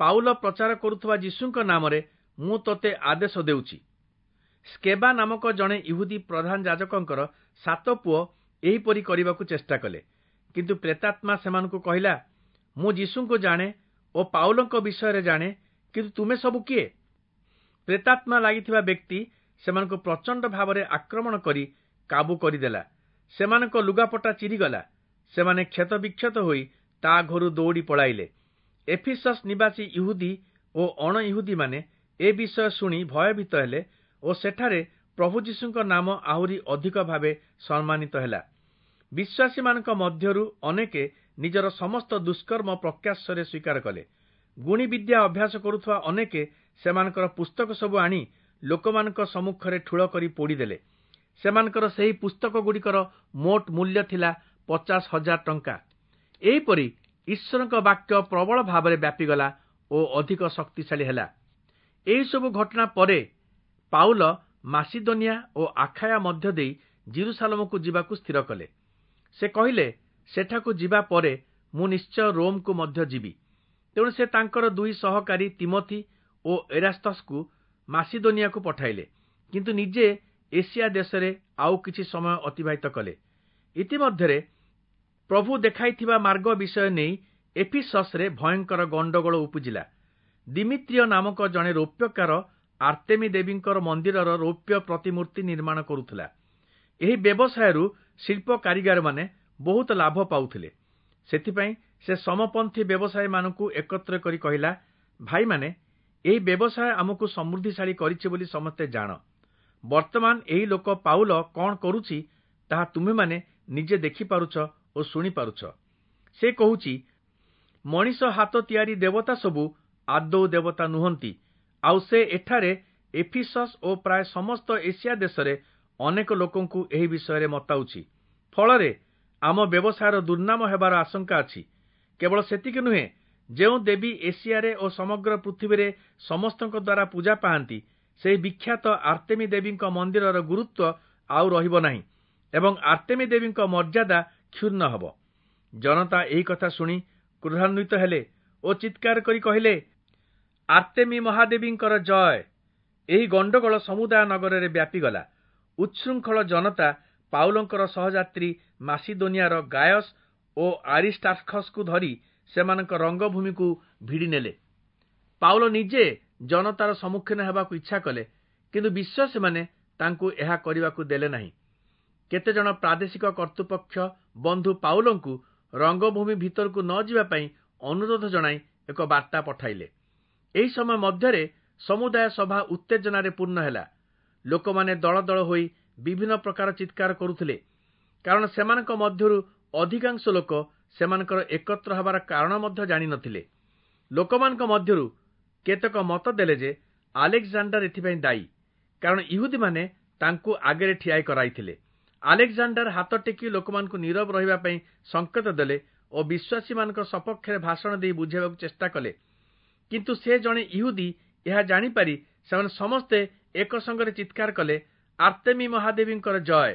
A: ପାଉଲ ପ୍ରଚାର କରୁଥିବା ଯୀଶୁଙ୍କ ନାମରେ ମୁଁ ତୋତେ ଆଦେଶ ଦେଉଛି। ସ୍କେବା ନାମକ ଜଣେ ଇହୁଦୀ ପ୍ରଧାନ ଯାଜକଙ୍କର 7 ପୁଅ ଏହିପରି କରିବାକୁ ଚେଷ୍ଟା କଲେ। କିନ୍ତୁ ପ୍ରେତାତ୍ମା ସେମାନଙ୍କୁ କହିଲା, ମୁଁ ଯୀଶୁଙ୍କୁ ଜାଣେ ଓ ପାଉଲଙ୍କ ବିଷୟରେ ଜାଣେ, କିନ୍ତୁ ତୁମେ ସବୁ କିଏ? ପ୍ରେତାତ୍ମା ଲାଗିଥିବା ବ୍ୟକ୍ତି ସେମାନଙ୍କୁ ପ୍ରଚଣ୍ଡ ଭାବରେ ଆକ୍ରମଣ କରି କାବୁ କରିଦେଲା। ସେମାନଙ୍କ ଲୁଗାପଟା ଚିରିଗଲା। ସେମାନେ କ୍ଷତବିକ୍ଷତ ହୋଇ ତା ଘରୁ ଦୌଡ଼ି ପଳାଇଲେ। ଏଫିସସ୍ ନିବାସୀ ଇହୁଦୀ ଓ ଅଣଇହୁଦୀମାନେ ଏ ବିଷୟ ଶୁଣି ଭୟଭୀତ ହେଲେ ଓ ସେଠାରେ ପ୍ରଭୁ ଯୀଶୁଙ୍କ ନାମ ଆହୁରି ଅଧିକ ଭାବେ ସମ୍ମାନିତ ହେଲା। ବିଶ୍ୱାସୀମାନଙ୍କ ମଧ୍ୟରୁ ଅନେକେ ନିଜର ସମସ୍ତ ଦୁଷ୍କର୍ମ ପ୍ରକାଶ୍ୟରେ ସ୍ୱୀକାର କଲେ। ଗୁଣିବିଦ୍ୟା ଅଭ୍ୟାସ କରୁଥିବା ଅନେକେ ସେମାନଙ୍କର ପୁସ୍ତକ ସବୁ ଆଣି ଲୋକମାନଙ୍କ ସମ୍ମୁଖରେ ଠୁଳ କରି ପୋଡ଼ିଦେଲେ। ସେମାନଙ୍କର ସେହି ପୁସ୍ତକଗୁଡ଼ିକର ମୋଟ ମୂଲ୍ୟ ଥିଲା 50,000 ଟଙ୍କା। ଏହିପରି ଈଶ୍ୱରଙ୍କ ବାକ୍ୟ ପ୍ରବଳ ଭାବରେ ବ୍ୟାପିଗଲା ଓ ଅଧିକ ଶକ୍ତିଶାଳୀ ହେଲା। ଏହିସବୁ ଘଟଣା ପରେ ପାଉଲ ମାସିଦୋନିଆ ଓ ଆଖାୟା ମଧ୍ୟ ଦେଇ ଜିରୁସାଲମକୁ ଯିବାକୁ ସ୍ଥିର କଲେ। ସେ କହିଲେ, ସେଠାକୁ ଯିବା ପରେ ମୁଁ ନିଶ୍ଚୟ ରୋମକୁ ମଧ୍ୟ ଯିବି। ତେଣୁ ସେ ତାଙ୍କର 2 ସହକାରୀ ତିମୋଥି ଓ ଏରାସ୍ତସକୁ ମାସିଦୋନିଆକୁ ପଠାଇଲେ, କିନ୍ତୁ ନିଜେ ଏସିଆ ଦେଶରେ ଆଉ କିଛି ସମୟ ଅତିବାହିତ କଲେ। ଇତିମଧ୍ୟରେ ପ୍ରଭୁ ଦେଖାଇଥିବା ମାର୍ଗ ବିଷୟ ନେଇ ଏଫିସସ୍‌ରେ ଭୟଙ୍କର ଗଣ୍ଡଗୋଳ ଉପୁଜିଲା। ଦିମିତ୍ରିୟ ନାମକ ଜଣେ ରୌପ୍ୟକାର ଆର୍ତେମୀ ଦେବୀଙ୍କର ମନ୍ଦିରର ରୌପ୍ୟ ପ୍ରତିମୂର୍ତ୍ତି ନିର୍ମାଣ କରୁଥିଲା। ଏହି ବ୍ୟବସାୟରୁ ଶିଳ୍ପ କାରିଗରମାନେ ବହୁତ ଲାଭ ପାଉଥିଲେ। ସେଥିପାଇଁ ସେ ସମପନ୍ଥୀ ବ୍ୟବସାୟୀମାନଙ୍କୁ ଏକତ୍ର କରି କହିଲା, ଭାଇମାନେ, ଏହି ବ୍ୟବସାୟ ଆମକୁ ସମୃଦ୍ଧିଶାଳୀ କରିଛି ବୋଲି ସମସ୍ତେ ଜାଣ। ବର୍ତ୍ତମାନ ଏହି ଲୋକ ପାଉଲ କଣ କରୁଛି ତାହା ତୁମେମାନେ ନିଜେ ଦେଖିପାରୁଛ ଓ ଶୁଣିପାରୁଛ। ସେ କହୁଛି, ମଣିଷ ହାତ ତିଆରି ଦେବତା ସବୁ ଆଦୌ ଦେବତା ନୁହନ୍ତି। ଆଉ ସେ ଏଠାରେ ଏଫିସସ୍ ଓ ପ୍ରାୟ ସମସ୍ତ ଏସିଆ ଦେଶରେ ଅନେକ ଲୋକଙ୍କୁ ଏହି ବିଷୟରେ ମତାଉଛି। ଫଳରେ ଆମ ବ୍ୟବସାୟର ଦୁର୍ନାମ ହେବାର ଆଶଙ୍କା ଅଛି। କେବଳ ସେତିକି ନୁହେଁ, ଯେଉଁ ଦେବୀ ଏସିଆରେ ଓ ସମଗ୍ର ପୃଥିବୀରେ ସମସ୍ତଙ୍କ ଦ୍ୱାରା ପୂଜା ପାଆନ୍ତି, ସେହି ବିଖ୍ୟାତ ଆର୍ତେମୀ ଦେବୀଙ୍କ ମନ୍ଦିରର ଗୁରୁତ୍ୱ ଆଉ ରହିବ ନାହିଁ ଏବଂ ଆର୍ତେମୀ ଦେବୀଙ୍କ ମର୍ଯ୍ୟାଦା କ୍ଷୁଣ୍ଣ ହେବ। ଜନତା ଏହି କଥା ଶୁଣି କ୍ରୋଧାନ୍ୱିତ ହେଲେ ଓ ଚିତ୍କାର କରି କହିଲେ, ଆର୍ତେମୀ ମହାଦେବୀଙ୍କର ଜୟ। ଏହି ଗଣ୍ଡଗୋଳ ସମୁଦାୟ ନଗରରେ ବ୍ୟାପିଗଲା। ଉଚ୍ଛୃଙ୍ଖଳ ଜନତା ପାଉଲଙ୍କର ସହଯାତ୍ରୀ ମାସିଦୋନିଆର ଗାୟସ୍ ଓ ଆରିଷ୍ଟାର୍ଖସକୁ ଧରି ସେମାନଙ୍କ ରଙ୍ଗଭୂମିକୁ ଭିଡ଼ିନେଲେ। ପାଉଲ ନିଜେ ଜନତାର ସମ୍ମୁଖୀନ ହେବାକୁ ଇଚ୍ଛା କଲେ, କିନ୍ତୁ ବିଶ୍ୱାସୀମାନେ ତାଙ୍କୁ ଏହା କରିବାକୁ ଦେଲେ ନାହିଁ। କେତେଜଣ ପ୍ରାଦେଶିକ କର୍ତ୍ତୃପକ୍ଷ ବନ୍ଧୁ ପାଉଲଙ୍କୁ ରଙ୍ଗଭୂମି ଭିତରକୁ ନ ଯିବା ପାଇଁ ଅନୁରୋଧ ଜଣାଇ ଏକ ବାର୍ତ୍ତା ପଠାଇଲେ। ଏହି ସମୟ ମଧ୍ୟରେ ସମୁଦାୟ ସଭା ଉତ୍ତେଜନାରେ ପୂର୍ଣ୍ଣ ହେଲା। ଲୋକମାନେ ଦଳ ଦଳ ହୋଇ ବିଭିନ୍ନ ପ୍ରକାର ଚିତ୍କାର କରୁଥିଲେ, କାରଣ ସେମାନଙ୍କ ମଧ୍ୟରୁ ଅଧିକାଂଶ ଲୋକ ସେମାନଙ୍କର ଏକତ୍ର ହେବାର କାରଣ ମଧ୍ୟ ଜାଣିନଥିଲେ। ଲୋକମାନଙ୍କ ମଧ୍ୟରୁ କେତେକ ମତ ଦେଲେ ଯେ ଆଲେକ୍ଜାଣ୍ଡାର ଏଥିପାଇଁ ଦାୟୀ, କାରଣ ଇହୁଦୀମାନେ ତାଙ୍କୁ ଆଗରେ ଠିଆ କରାଇଥିଲେ। ଆଲେକ୍ଜାଣ୍ଡାର ହାତ ଟେକି ଲୋକମାନଙ୍କୁ ନୀରବ ରହିବା ପାଇଁ ସଂକେତ ଦେଲେ ଓ ବିଶ୍ୱାସୀମାନଙ୍କ ସପକ୍ଷରେ ଭାଷଣ ଦେଇ ବୁଝାଇବାକୁ ଚେଷ୍ଟା କଲେ। କିନ୍ତୁ ସେ ଜଣେ ଇହୁଦୀ ଏହା ଜାଣିପାରି ସେମାନେ ସମସ୍ତେ ଏକ ସଙ୍ଗରେ ଚିତ୍କାର କଲେ, ଆର୍ତେମୀ ମହାଦେବୀଙ୍କର ଜୟ।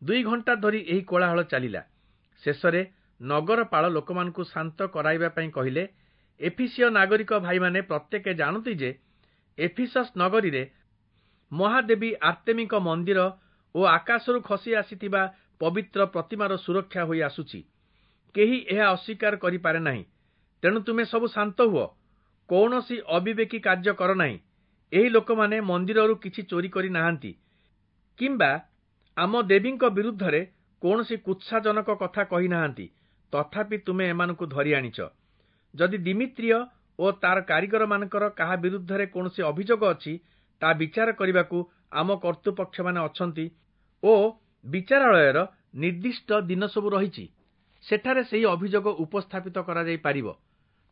A: 2 ଘଣ୍ଟା ଧରି ଏହି କୋଳାହଳ ଚାଲିଲା। ଶେଷରେ ନଗରପାଳ ଲୋକମାନଙ୍କୁ ଶାନ୍ତ କରାଇବା ପାଇଁ କହିଲେ, ଏଫିସୀୟ ନାଗରିକ ଭାଇମାନେ ପ୍ରତ୍ୟେକ ଜାଣନ୍ତି ଯେ ଏଫିସସ୍ ନଗରୀରେ ମହାଦେବୀ ଆର୍ତେମୀଙ୍କ ମନ୍ଦିର ଓ ଆକାଶରୁ ଖସି ଆସିଥିବା ପବିତ୍ର ପ୍ରତିମାର ସୁରକ୍ଷା ହୋଇ ଆସୁଛି। କେହି ଏହା ଅସ୍ୱୀକାର କରିପାରେ ନାହିଁ। ତେଣୁ ତୁମେ ସବୁ ଶାନ୍ତ ହୁଅ, କୌଣସି ଅବିବେକୀ କାର୍ଯ୍ୟ କର ନାହିଁ। ଏହି ଲୋକମାନେ ମନ୍ଦିରରୁ କିଛି ଚୋରି କରି ନାହାନ୍ତି କିମ୍ବା ଆମ ଦେବୀଙ୍କ ବିରୁଦ୍ଧରେ କୌଣସି କୁତ୍ସାଜନକ କଥା କହିନାହାନ୍ତି। ତଥାପି ତୁମେ ଏମାନଙ୍କୁ ଧରି ଆଣିଛ। ଯଦି ଦିମିତ୍ରିୟ ଓ ତାର କାରିଗରମାନଙ୍କର କାହା ବିରୁଦ୍ଧରେ କୌଣସି ଅଭିଯୋଗ ଅଛି, ତା ବିଚାର କରିବାକୁ ଆମ କର୍ତ୍ତୃପକ୍ଷମାନେ ଅଛନ୍ତି ଓ ବିଚାରାଳୟର ନିର୍ଦ୍ଦିଷ୍ଟ ଦିନ ସବୁ ରହିଛି। ସେଠାରେ ସେହି ଅଭିଯୋଗ ଉପସ୍ଥାପିତ କରାଯାଇପାରିବ।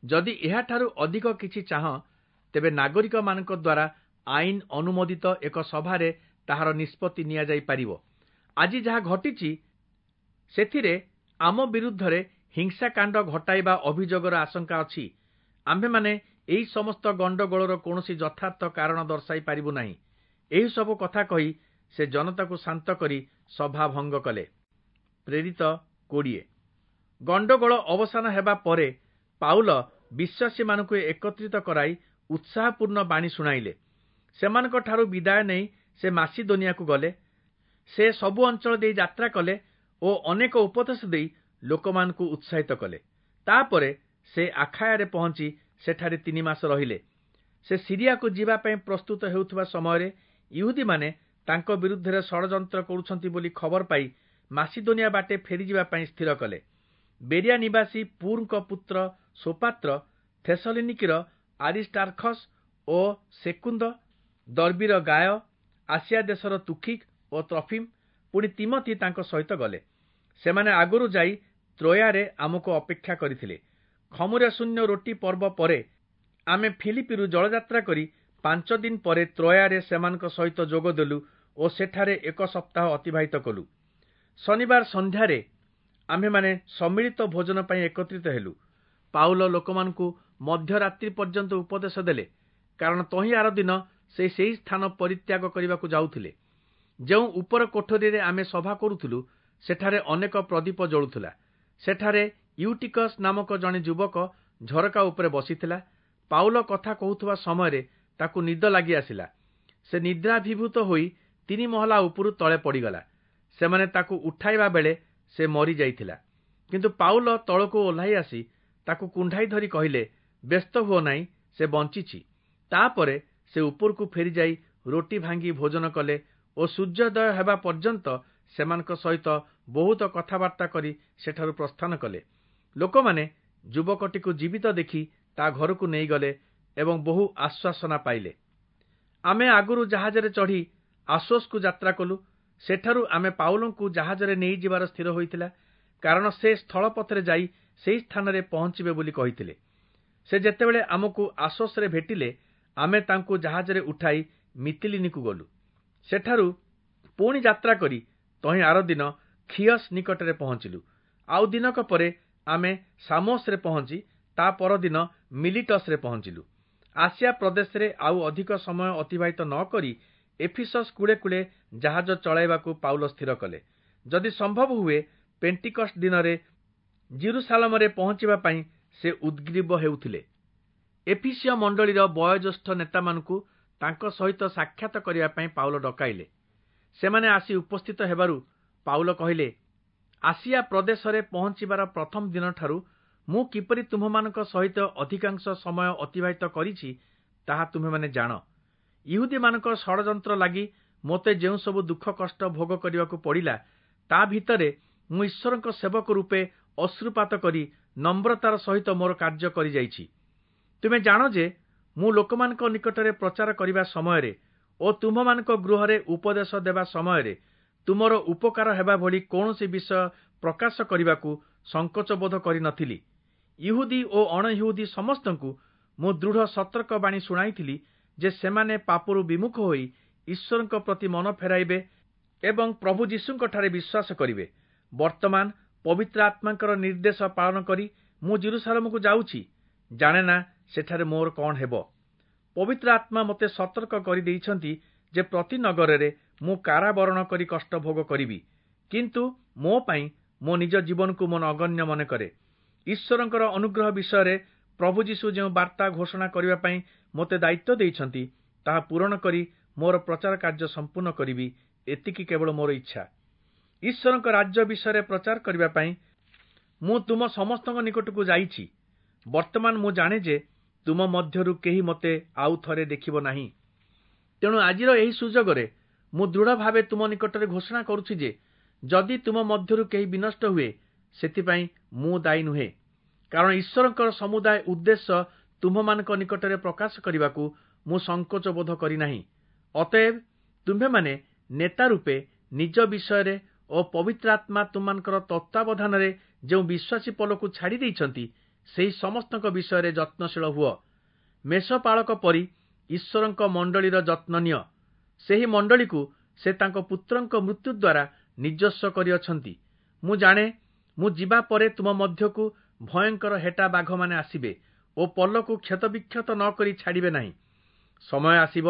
A: ଯଦି ଏହାଠାରୁ ଅଧିକ କିଛି ଚାହଁ, ତେବେ ନାଗରିକମାନଙ୍କ ଦ୍ୱାରା ଆଇନ ଅନୁମୋଦିତ ଏକ ସଭାରେ ତାହାର ନିଷ୍ପତ୍ତି ନିଆଯାଇପାରିବ। ଆଜି ଯାହା ଘଟିଛି ସେଥିରେ ଆମ ବିରୁଦ୍ଧରେ ହିଂସାକାଣ୍ଡ ଘଟାଇବା ଅଭିଯୋଗର ଆଶଙ୍କା ଅଛି। ଆମ୍ଭେମାନେ ଏହି ସମସ୍ତ ଗଣ୍ଡଗୋଳର କୌଣସି ଯଥାର୍ଥ କାରଣ ଦର୍ଶାଇ ପାରିବୁ ନାହିଁ। ଏହିସବୁ କଥା କହି ସେ ଜନତାକୁ ଶାନ୍ତ କରି ସଭା ଭଙ୍ଗ କଲେ। ପ୍ରେରିତ 20। ଗଣ୍ଡଗୋଳ ଅବସାନ ହେବା ପରେ ପାଉଲ ବିଶ୍ୱାସୀମାନଙ୍କୁ ଏକତ୍ରିତ କରାଇ ଉତ୍ସାହପୂର୍ଣ୍ଣ ବାଣୀ ଶୁଣାଇଲେ। ସେମାନଙ୍କଠାରୁ ବିଦାୟ ନେଇ ସେ ମାସିଦୋନିଆକୁ ଗଲେ। ସେ ସବୁ ଅଞ୍ଚଳ ଦେଇ ଯାତ୍ରା କଲେ ଓ ଅନେକ ଉପଦେଶ ଦେଇ ଲୋକମାନଙ୍କୁ ଉତ୍ସାହିତ କଲେ। ତାପରେ ସେ ଆଖାୟାରେ ପହଞ୍ଚି ସେଠାରେ 3 ମାସ ରହିଲେ। ସେ ସିରିଆକୁ ଯିବା ପାଇଁ ପ୍ରସ୍ତୁତ ହେଉଥିବା ସମୟରେ ଇହୁଦୀମାନେ ତାଙ୍କ ବିରୁଦ୍ଧରେ ଷଡ଼ଯନ୍ତ୍ର କରୁଛନ୍ତି ବୋଲି ଖବର ପାଇ ମାସିଦୋନିଆ ବାଟେ ଫେରିଯିବା ପାଇଁ ସ୍ଥିର କଲେ। ବେରିଆ ନିବାସୀ ପୁରଙ୍କ ପୁତ୍ର ସୋପାତ୍ର, ଥେସଲିନିକିର ଆରିଷ୍ଟାର୍ଖସ୍ ଓ ସେକୁନ୍ଦ, ଦର୍ବିର ଗାୟ, ଆସିଆ ଦେଶର ତୁଖିକ୍ ଓ ତ୍ରଫିମ୍, ପୁଣି ତିମଥି ତାଙ୍କ ସହିତ ଗଲେ। ସେମାନେ ଆଗରୁ ଯାଇ ତ୍ରୋୟାରେ ଆମକୁ ଅପେକ୍ଷା କରିଥିଲେ। ଖମୁରା ଶୂନ୍ୟ ରୋଟି ପର୍ବ ପରେ ଆମେ ଫିଲିପିରୁ ଜଳଯାତ୍ରା କରି 5 ଦିନ ପରେ ତ୍ରୋୟାରେ ସେମାନଙ୍କ ସହିତ ଯୋଗ ଦେଲୁ ଓ ସେଠାରେ 1 ସପ୍ତାହ ଅତିବାହିତ କଲୁ। ଶନିବାର ସନ୍ଧ୍ୟାରେ ଆମ୍ଭେମାନେ ସମ୍ମିଳିତ ଭୋଜନ ପାଇଁ ଏକତ୍ରିତ ହେଲୁ। ପାଉଲ ଲୋକମାନଙ୍କୁ ମଧ୍ୟରାତ୍ରି ପର୍ଯ୍ୟନ୍ତ ଉପଦେଶ ଦେଲେ, କାରଣ ତହିଁ ଆର ଦିନ ସେ ସେହି ସ୍ଥାନ ପରିତ୍ୟାଗ କରିବାକୁ ଯାଉଥିଲେ। ଯେଉଁ ଉପର କୋଠରୀରେ ଆମେ ସଭା କରୁଥିଲୁ, ସେଠାରେ ଅନେକ ପ୍ରଦୀପ ଜଳୁଥିଲା। ସେଠାରେ ୟୁଟିକସ୍ ନାମକ ଜଣେ ଯୁବକ ଝରକା ଉପରେ ବସିଥିଲା। ପାଉଲ କଥା କହୁଥିବା ସମୟରେ ତାକୁ ନିଦ ଲାଗି ଆସିଲା। ସେ ନିଦ୍ରାଭିଭୂତ ହୋଇ 3 ମହଲା ଉପରୁ ତଳେ ପଡ଼ିଗଲା। ସେମାନେ ତାକୁ ଉଠାଇବା ବେଳେ ସେ ମରିଯାଇଥିଲା। କିନ୍ତୁ ପାଉଲ ତଳକୁ ଓହ୍ଲାଇ ଆସି ତାକୁ କୁଣ୍ଢାଇ ଧରି କହିଲେ, ବ୍ୟସ୍ତ ହୁଅ ନାହିଁ, ସେ ବଞ୍ଚିଛି। ତାପରେ ସେ ଉପରକୁ ଫେରିଯାଇ ରୋଟି ଭାଙ୍ଗି ଭୋଜନ କଲେ ଓ ସୂର୍ଯ୍ୟୋଦୟ ହେବା ପର୍ଯ୍ୟନ୍ତ ସେମାନଙ୍କ ସହିତ ବହୁତ କଥାବାର୍ତ୍ତା କରି ସେଠାରୁ ପ୍ରସ୍ଥାନ କଲେ। ଲୋକମାନେ ଯୁବକଟିକୁ ଜୀବିତ ଦେଖି ତା ଘରକୁ ନେଇଗଲେ ଏବଂ ବହୁ ଆଶ୍ୱାସନା ପାଇଲେ। ଆମେ ଆଗରୁ ଜାହାଜରେ ଚଢ଼ି ଆସୋସକୁ ଯାତ୍ରା କଲୁ। ସେଠାରୁ ଆମେ ପାଉଲଙ୍କୁ ଜାହାଜରେ ନେଇଯିବାର ସ୍ଥିର ହୋଇଥିଲା, କାରଣ ସେ ସ୍ଥଳପଥରେ ଯାଇ ସେହି ସ୍ଥାନରେ ପହଞ୍ଚିବେ ବୋଲି କହିଥିଲେ। ସେ ଯେତେବେଳେ ଆମକୁ ଆସୋସରେ ଭେଟିଲେ, ଆମେ ତାଙ୍କୁ ଜାହାଜରେ ଉଠାଇ ମିତିଲିନିକୁ ଗଲୁ। ସେଠାରୁ ପୁଣି ଯାତ୍ରା କରି ତହିଁ ଆରଦିନ ଖିଅସ୍ ନିକଟରେ ପହଞ୍ଚିଲୁ। ଆଉ ଦିନକ ପରେ ଆମେ ସାମୋସରେ ପହଞ୍ଚି ତା ପରଦିନ ମିଲିଟସରେ ପହଞ୍ଚିଲୁ। ଆସିଆ ପ୍ରଦେଶରେ ଆଉ ଅଧିକ ସମୟ ଅତିବାହିତ ନ କରି ଏଫିସସ୍ କୂଳେ କୂଳେ ଜାହାଜ ଚଳାଇବାକୁ ପାଉଲ ସ୍ଥିର କଲେ। ଯଦି ସମ୍ଭବ ହୁଏ ପେଣ୍ଟିକଷ୍ଟ ଦିନରେ ଜିରୁସାଲମରେ ପହଞ୍ଚିବା ପାଇଁ ସେ ଉଦ୍ଗ୍ରୀବ ହେଉଥିଲେ। ଏଫିସୀୟ ମଣ୍ଡଳୀର ବୟୋଜ୍ୟେଷ୍ଠ ନେତାମାନଙ୍କୁ ତାଙ୍କ ସହିତ ସାକ୍ଷାତ କରିବା ପାଇଁ ପାଉଲ ଡକାଇଲେ। ସେମାନେ ଆସି ଉପସ୍ଥିତ ହେବାରୁ ପାଉଲ କହିଲେ, ଆସିଆ ପ୍ରଦେଶରେ ପହଞ୍ଚିବାର ପ୍ରଥମ ଦିନଠାରୁ ମୁଁ କିପରି ତୁମ୍ଭମାନଙ୍କ ସହିତ ଅଧିକାଂଶ ସମୟ ଅତିବାହିତ କରିଛି, ତାହା ତୁମ୍ଭେମାନେ ଜାଣ। ଇହୁଦୀମାନଙ୍କ ଷଡ଼ଯନ୍ତ୍ର ଲାଗି ମୋତେ ଯେଉଁସବୁ ଦୁଃଖ କଷ୍ଟ ଭୋଗ କରିବାକୁ ପଡ଼ିଲା, ତା ଭିତରେ ମୁଁ ଈଶ୍ୱରଙ୍କ ସେବକ ରୂପେ ଅଶ୍ରୁପାତ କରି ନମ୍ରତାର ସହିତ ମୋର କାର୍ଯ୍ୟ କରିଯାଇଛି। ତୁମେ ଜାଣ ଯେ ମୁଁ ଲୋକମାନଙ୍କ ନିକଟରେ ପ୍ରଚାର କରିବା ସମୟରେ ଓ ତୁମ୍ଭମାନଙ୍କ ଗୃହରେ ଉପଦେଶ ଦେବା ସମୟରେ ତୁମର ଉପକାର ହେବା ଭଳି କୌଣସି ବିଷୟ ପ୍ରକାଶ କରିବାକୁ ସଙ୍କୋଚ ବୋଧ କରିନଥିଲି। ଇହୁଦୀ ଓ ଅଣଇହୁଦୀ ସମସ୍ତଙ୍କୁ ମୁଁ ଦୃଢ଼ ସତର୍କ ବାଣୀ ଶୁଣାଇଥିଲି ଯେ ସେମାନେ ପାପରୁ ବିମୁଖ ହୋଇ ଈଶ୍ୱରଙ୍କ ପ୍ରତି ମନ ଫେରାଇବେ ଏବଂ ପ୍ରଭୁ ଯୀଶୁଙ୍କଠାରେ ବିଶ୍ୱାସ କରିବେ। ବର୍ତ୍ତମାନ ପବିତ୍ର ଆତ୍ମାଙ୍କର ନିର୍ଦ୍ଦେଶ ପାଳନ କରି ମୁଁ ଯିରୂଶାଲମକୁ ଯାଉଛି। ଜାଣେ ନା ସେଠାରେ ମୋର କଣ ହେବ। ପବିତ୍ର ଆତ୍ମା ମୋତେ ସତର୍କ କରିଦେଇଛନ୍ତି ଯେ ପ୍ରତି ନଗରରେ ମୁଁ କାରାବରଣ କରି କଷ୍ଟ ଭୋଗ କରିବି। କିନ୍ତୁ ମୋ ପାଇଁ ମୋ ନିଜ ଜୀବନକୁ ମୁଁ ନଗଣ୍ୟ ମନେ କରେ। ଈଶ୍ୱରଙ୍କର ଅନୁଗ୍ରହ ବିଷୟରେ ପ୍ରଭୁ ଯୀଶୁ ଯେଉଁ ବାର୍ତ୍ତା ଘୋଷଣା କରିବା ପାଇଁ ମୋତେ ଦାୟିତ୍ୱ ଦେଇଛନ୍ତି, ତାହା ପୂରଣ କରି ମୋର ପ୍ରଚାର କାର୍ଯ୍ୟ ସମ୍ପୂର୍ଣ୍ଣ କରିବି, ଏତିକି କେବଳ ମୋର ଇଚ୍ଛା। ଈଶ୍ୱରଙ୍କ ରାଜ୍ୟ ବିଷୟରେ ପ୍ରଚାର କରିବା ପାଇଁ ମୁଁ ତୁମ ସମସ୍ତଙ୍କ ନିକଟକୁ ଯାଇଛି। ବର୍ତ୍ତମାନ ମୁଁ ଜାଣେ ଯେ ତୁମ ମଧ୍ୟରୁ କେହି ମୋତେ ଆଉ ଥରେ ଦେଖିବ ନାହିଁ। ତେଣୁ ଆଜିର ଏହି ସୁଯୋଗରେ ମୁଁ ଦୃଢ଼ ଭାବେ ତୁମ ନିକଟରେ ଘୋଷଣା କରୁଛି ଯେ ଯଦି ତୁମ ମଧ୍ୟରୁ କେହି ବିନଷ୍ଟ ହୁଏ, ସେଥିପାଇଁ ମୁଁ ଦାୟୀ ନୁହେଁ। କାରଣ ଈଶ୍ୱରଙ୍କର ସମୁଦାୟ ଉଦ୍ଦେଶ୍ୟ ତୁମ୍ଭମାନଙ୍କ ନିକଟରେ ପ୍ରକାଶ କରିବାକୁ ମୁଁ ସଙ୍କୋଚ ବୋଧ କରିନାହିଁ। ଅତଏବ ତୁମ୍ଭେମାନେ ନେତା ରୂପେ ନିଜ ବିଷୟରେ ଓ ପବିତ୍ର ଆତ୍ମା ତୁମମାନଙ୍କର ତତ୍ତ୍ୱାବଧାନରେ ଯେଉଁ ବିଶ୍ୱାସୀ ପଲକୁ ଛାଡ଼ି ଦେଇଛନ୍ତି, ସେହି ସମସ୍ତଙ୍କ ବିଷୟରେ ଯତ୍ନଶୀଳ ହୁଅ। ମେଷପାଳକ ପରି ଈଶ୍ୱରଙ୍କ ମଣ୍ଡଳୀର ଯତ୍ନ ନିଅ। ସେହି ମଣ୍ଡଳୀକୁ ସେ ତାଙ୍କ ପୁତ୍ରଙ୍କ ମୃତ୍ୟୁ ଦ୍ୱାରା ନିଜସ୍ୱ କରିଅଛନ୍ତି। ମୁଁ ଜାଣେ ମୁଁ ଯିବା ପରେ ତୁମ ମଧ୍ୟକୁ ଭୟଙ୍କର ହେଟା ବାଘମାନେ ଆସିବେ ଓ ପଲକୁ କ୍ଷତବିକ୍ଷତ ନ କରି ଛାଡ଼ିବେ ନାହିଁ। ସମୟ ଆସିବ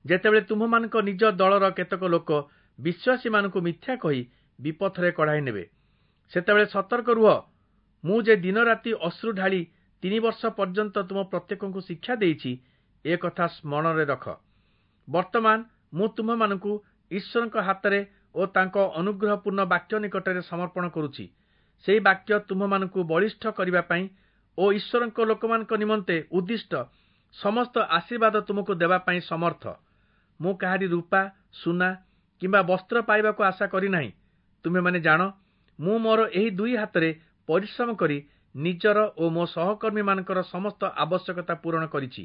A: ଯେତେବେଳେ ତୁମ୍ଭମାନଙ୍କ ନିଜ ଦଳର କେତେକ ଲୋକ ବିଶ୍ୱାସୀମାନଙ୍କୁ ମିଥ୍ୟା କହି ବିପଥରେ କଢ଼ାଇ ନେବେ। ସେତେବେଳେ ସତର୍କ ରୁହ। ମୁଁ ଯେ ଦିନରାତି ଅଶ୍ରୁ ଢାଳି 3 ବର୍ଷ ପର୍ଯ୍ୟନ୍ତ ତୁମ ପ୍ରତ୍ୟେକଙ୍କୁ ଶିକ୍ଷା ଦେଇଛି, ଏ କଥା ସ୍ମରଣରେ ରଖ। ବର୍ତ୍ତମାନ ମୁଁ ତୁମ୍ଭମାନଙ୍କୁ ଈଶ୍ୱରଙ୍କ ହାତରେ ଓ ତାଙ୍କ ଅନୁଗ୍ରହପୂର୍ଣ୍ଣ ବାକ୍ୟ ନିକଟରେ ସମର୍ପଣ କରୁଛି। ସେହି ବାକ୍ୟ ତୁମ୍ଭମାନଙ୍କୁ ବଳିଷ୍ଠ କରିବା ପାଇଁ ଓ ଈଶ୍ୱରଙ୍କ ଲୋକମାନଙ୍କ ନିମନ୍ତେ ଉଦ୍ଦିଷ୍ଟ ସମସ୍ତ ଆଶୀର୍ବାଦ ତୁମକୁ ଦେବା ପାଇଁ ସମର୍ଥ। ମୁଁ କାହାରି ରୂପା, ସୁନା କିମ୍ବା ବସ୍ତ୍ର ପାଇବାକୁ ଆଶା କରିନାହିଁ। ତୁମେମାନେ ଜାଣ, ମୁଁ ମୋର ଏହି 2 ହାତରେ ପରିଶ୍ରମ କରି ନିଜର ଓ ମୋ ସହକର୍ମୀମାନଙ୍କର ସମସ୍ତ ଆବଶ୍ୟକତା ପୂରଣ କରିଛି।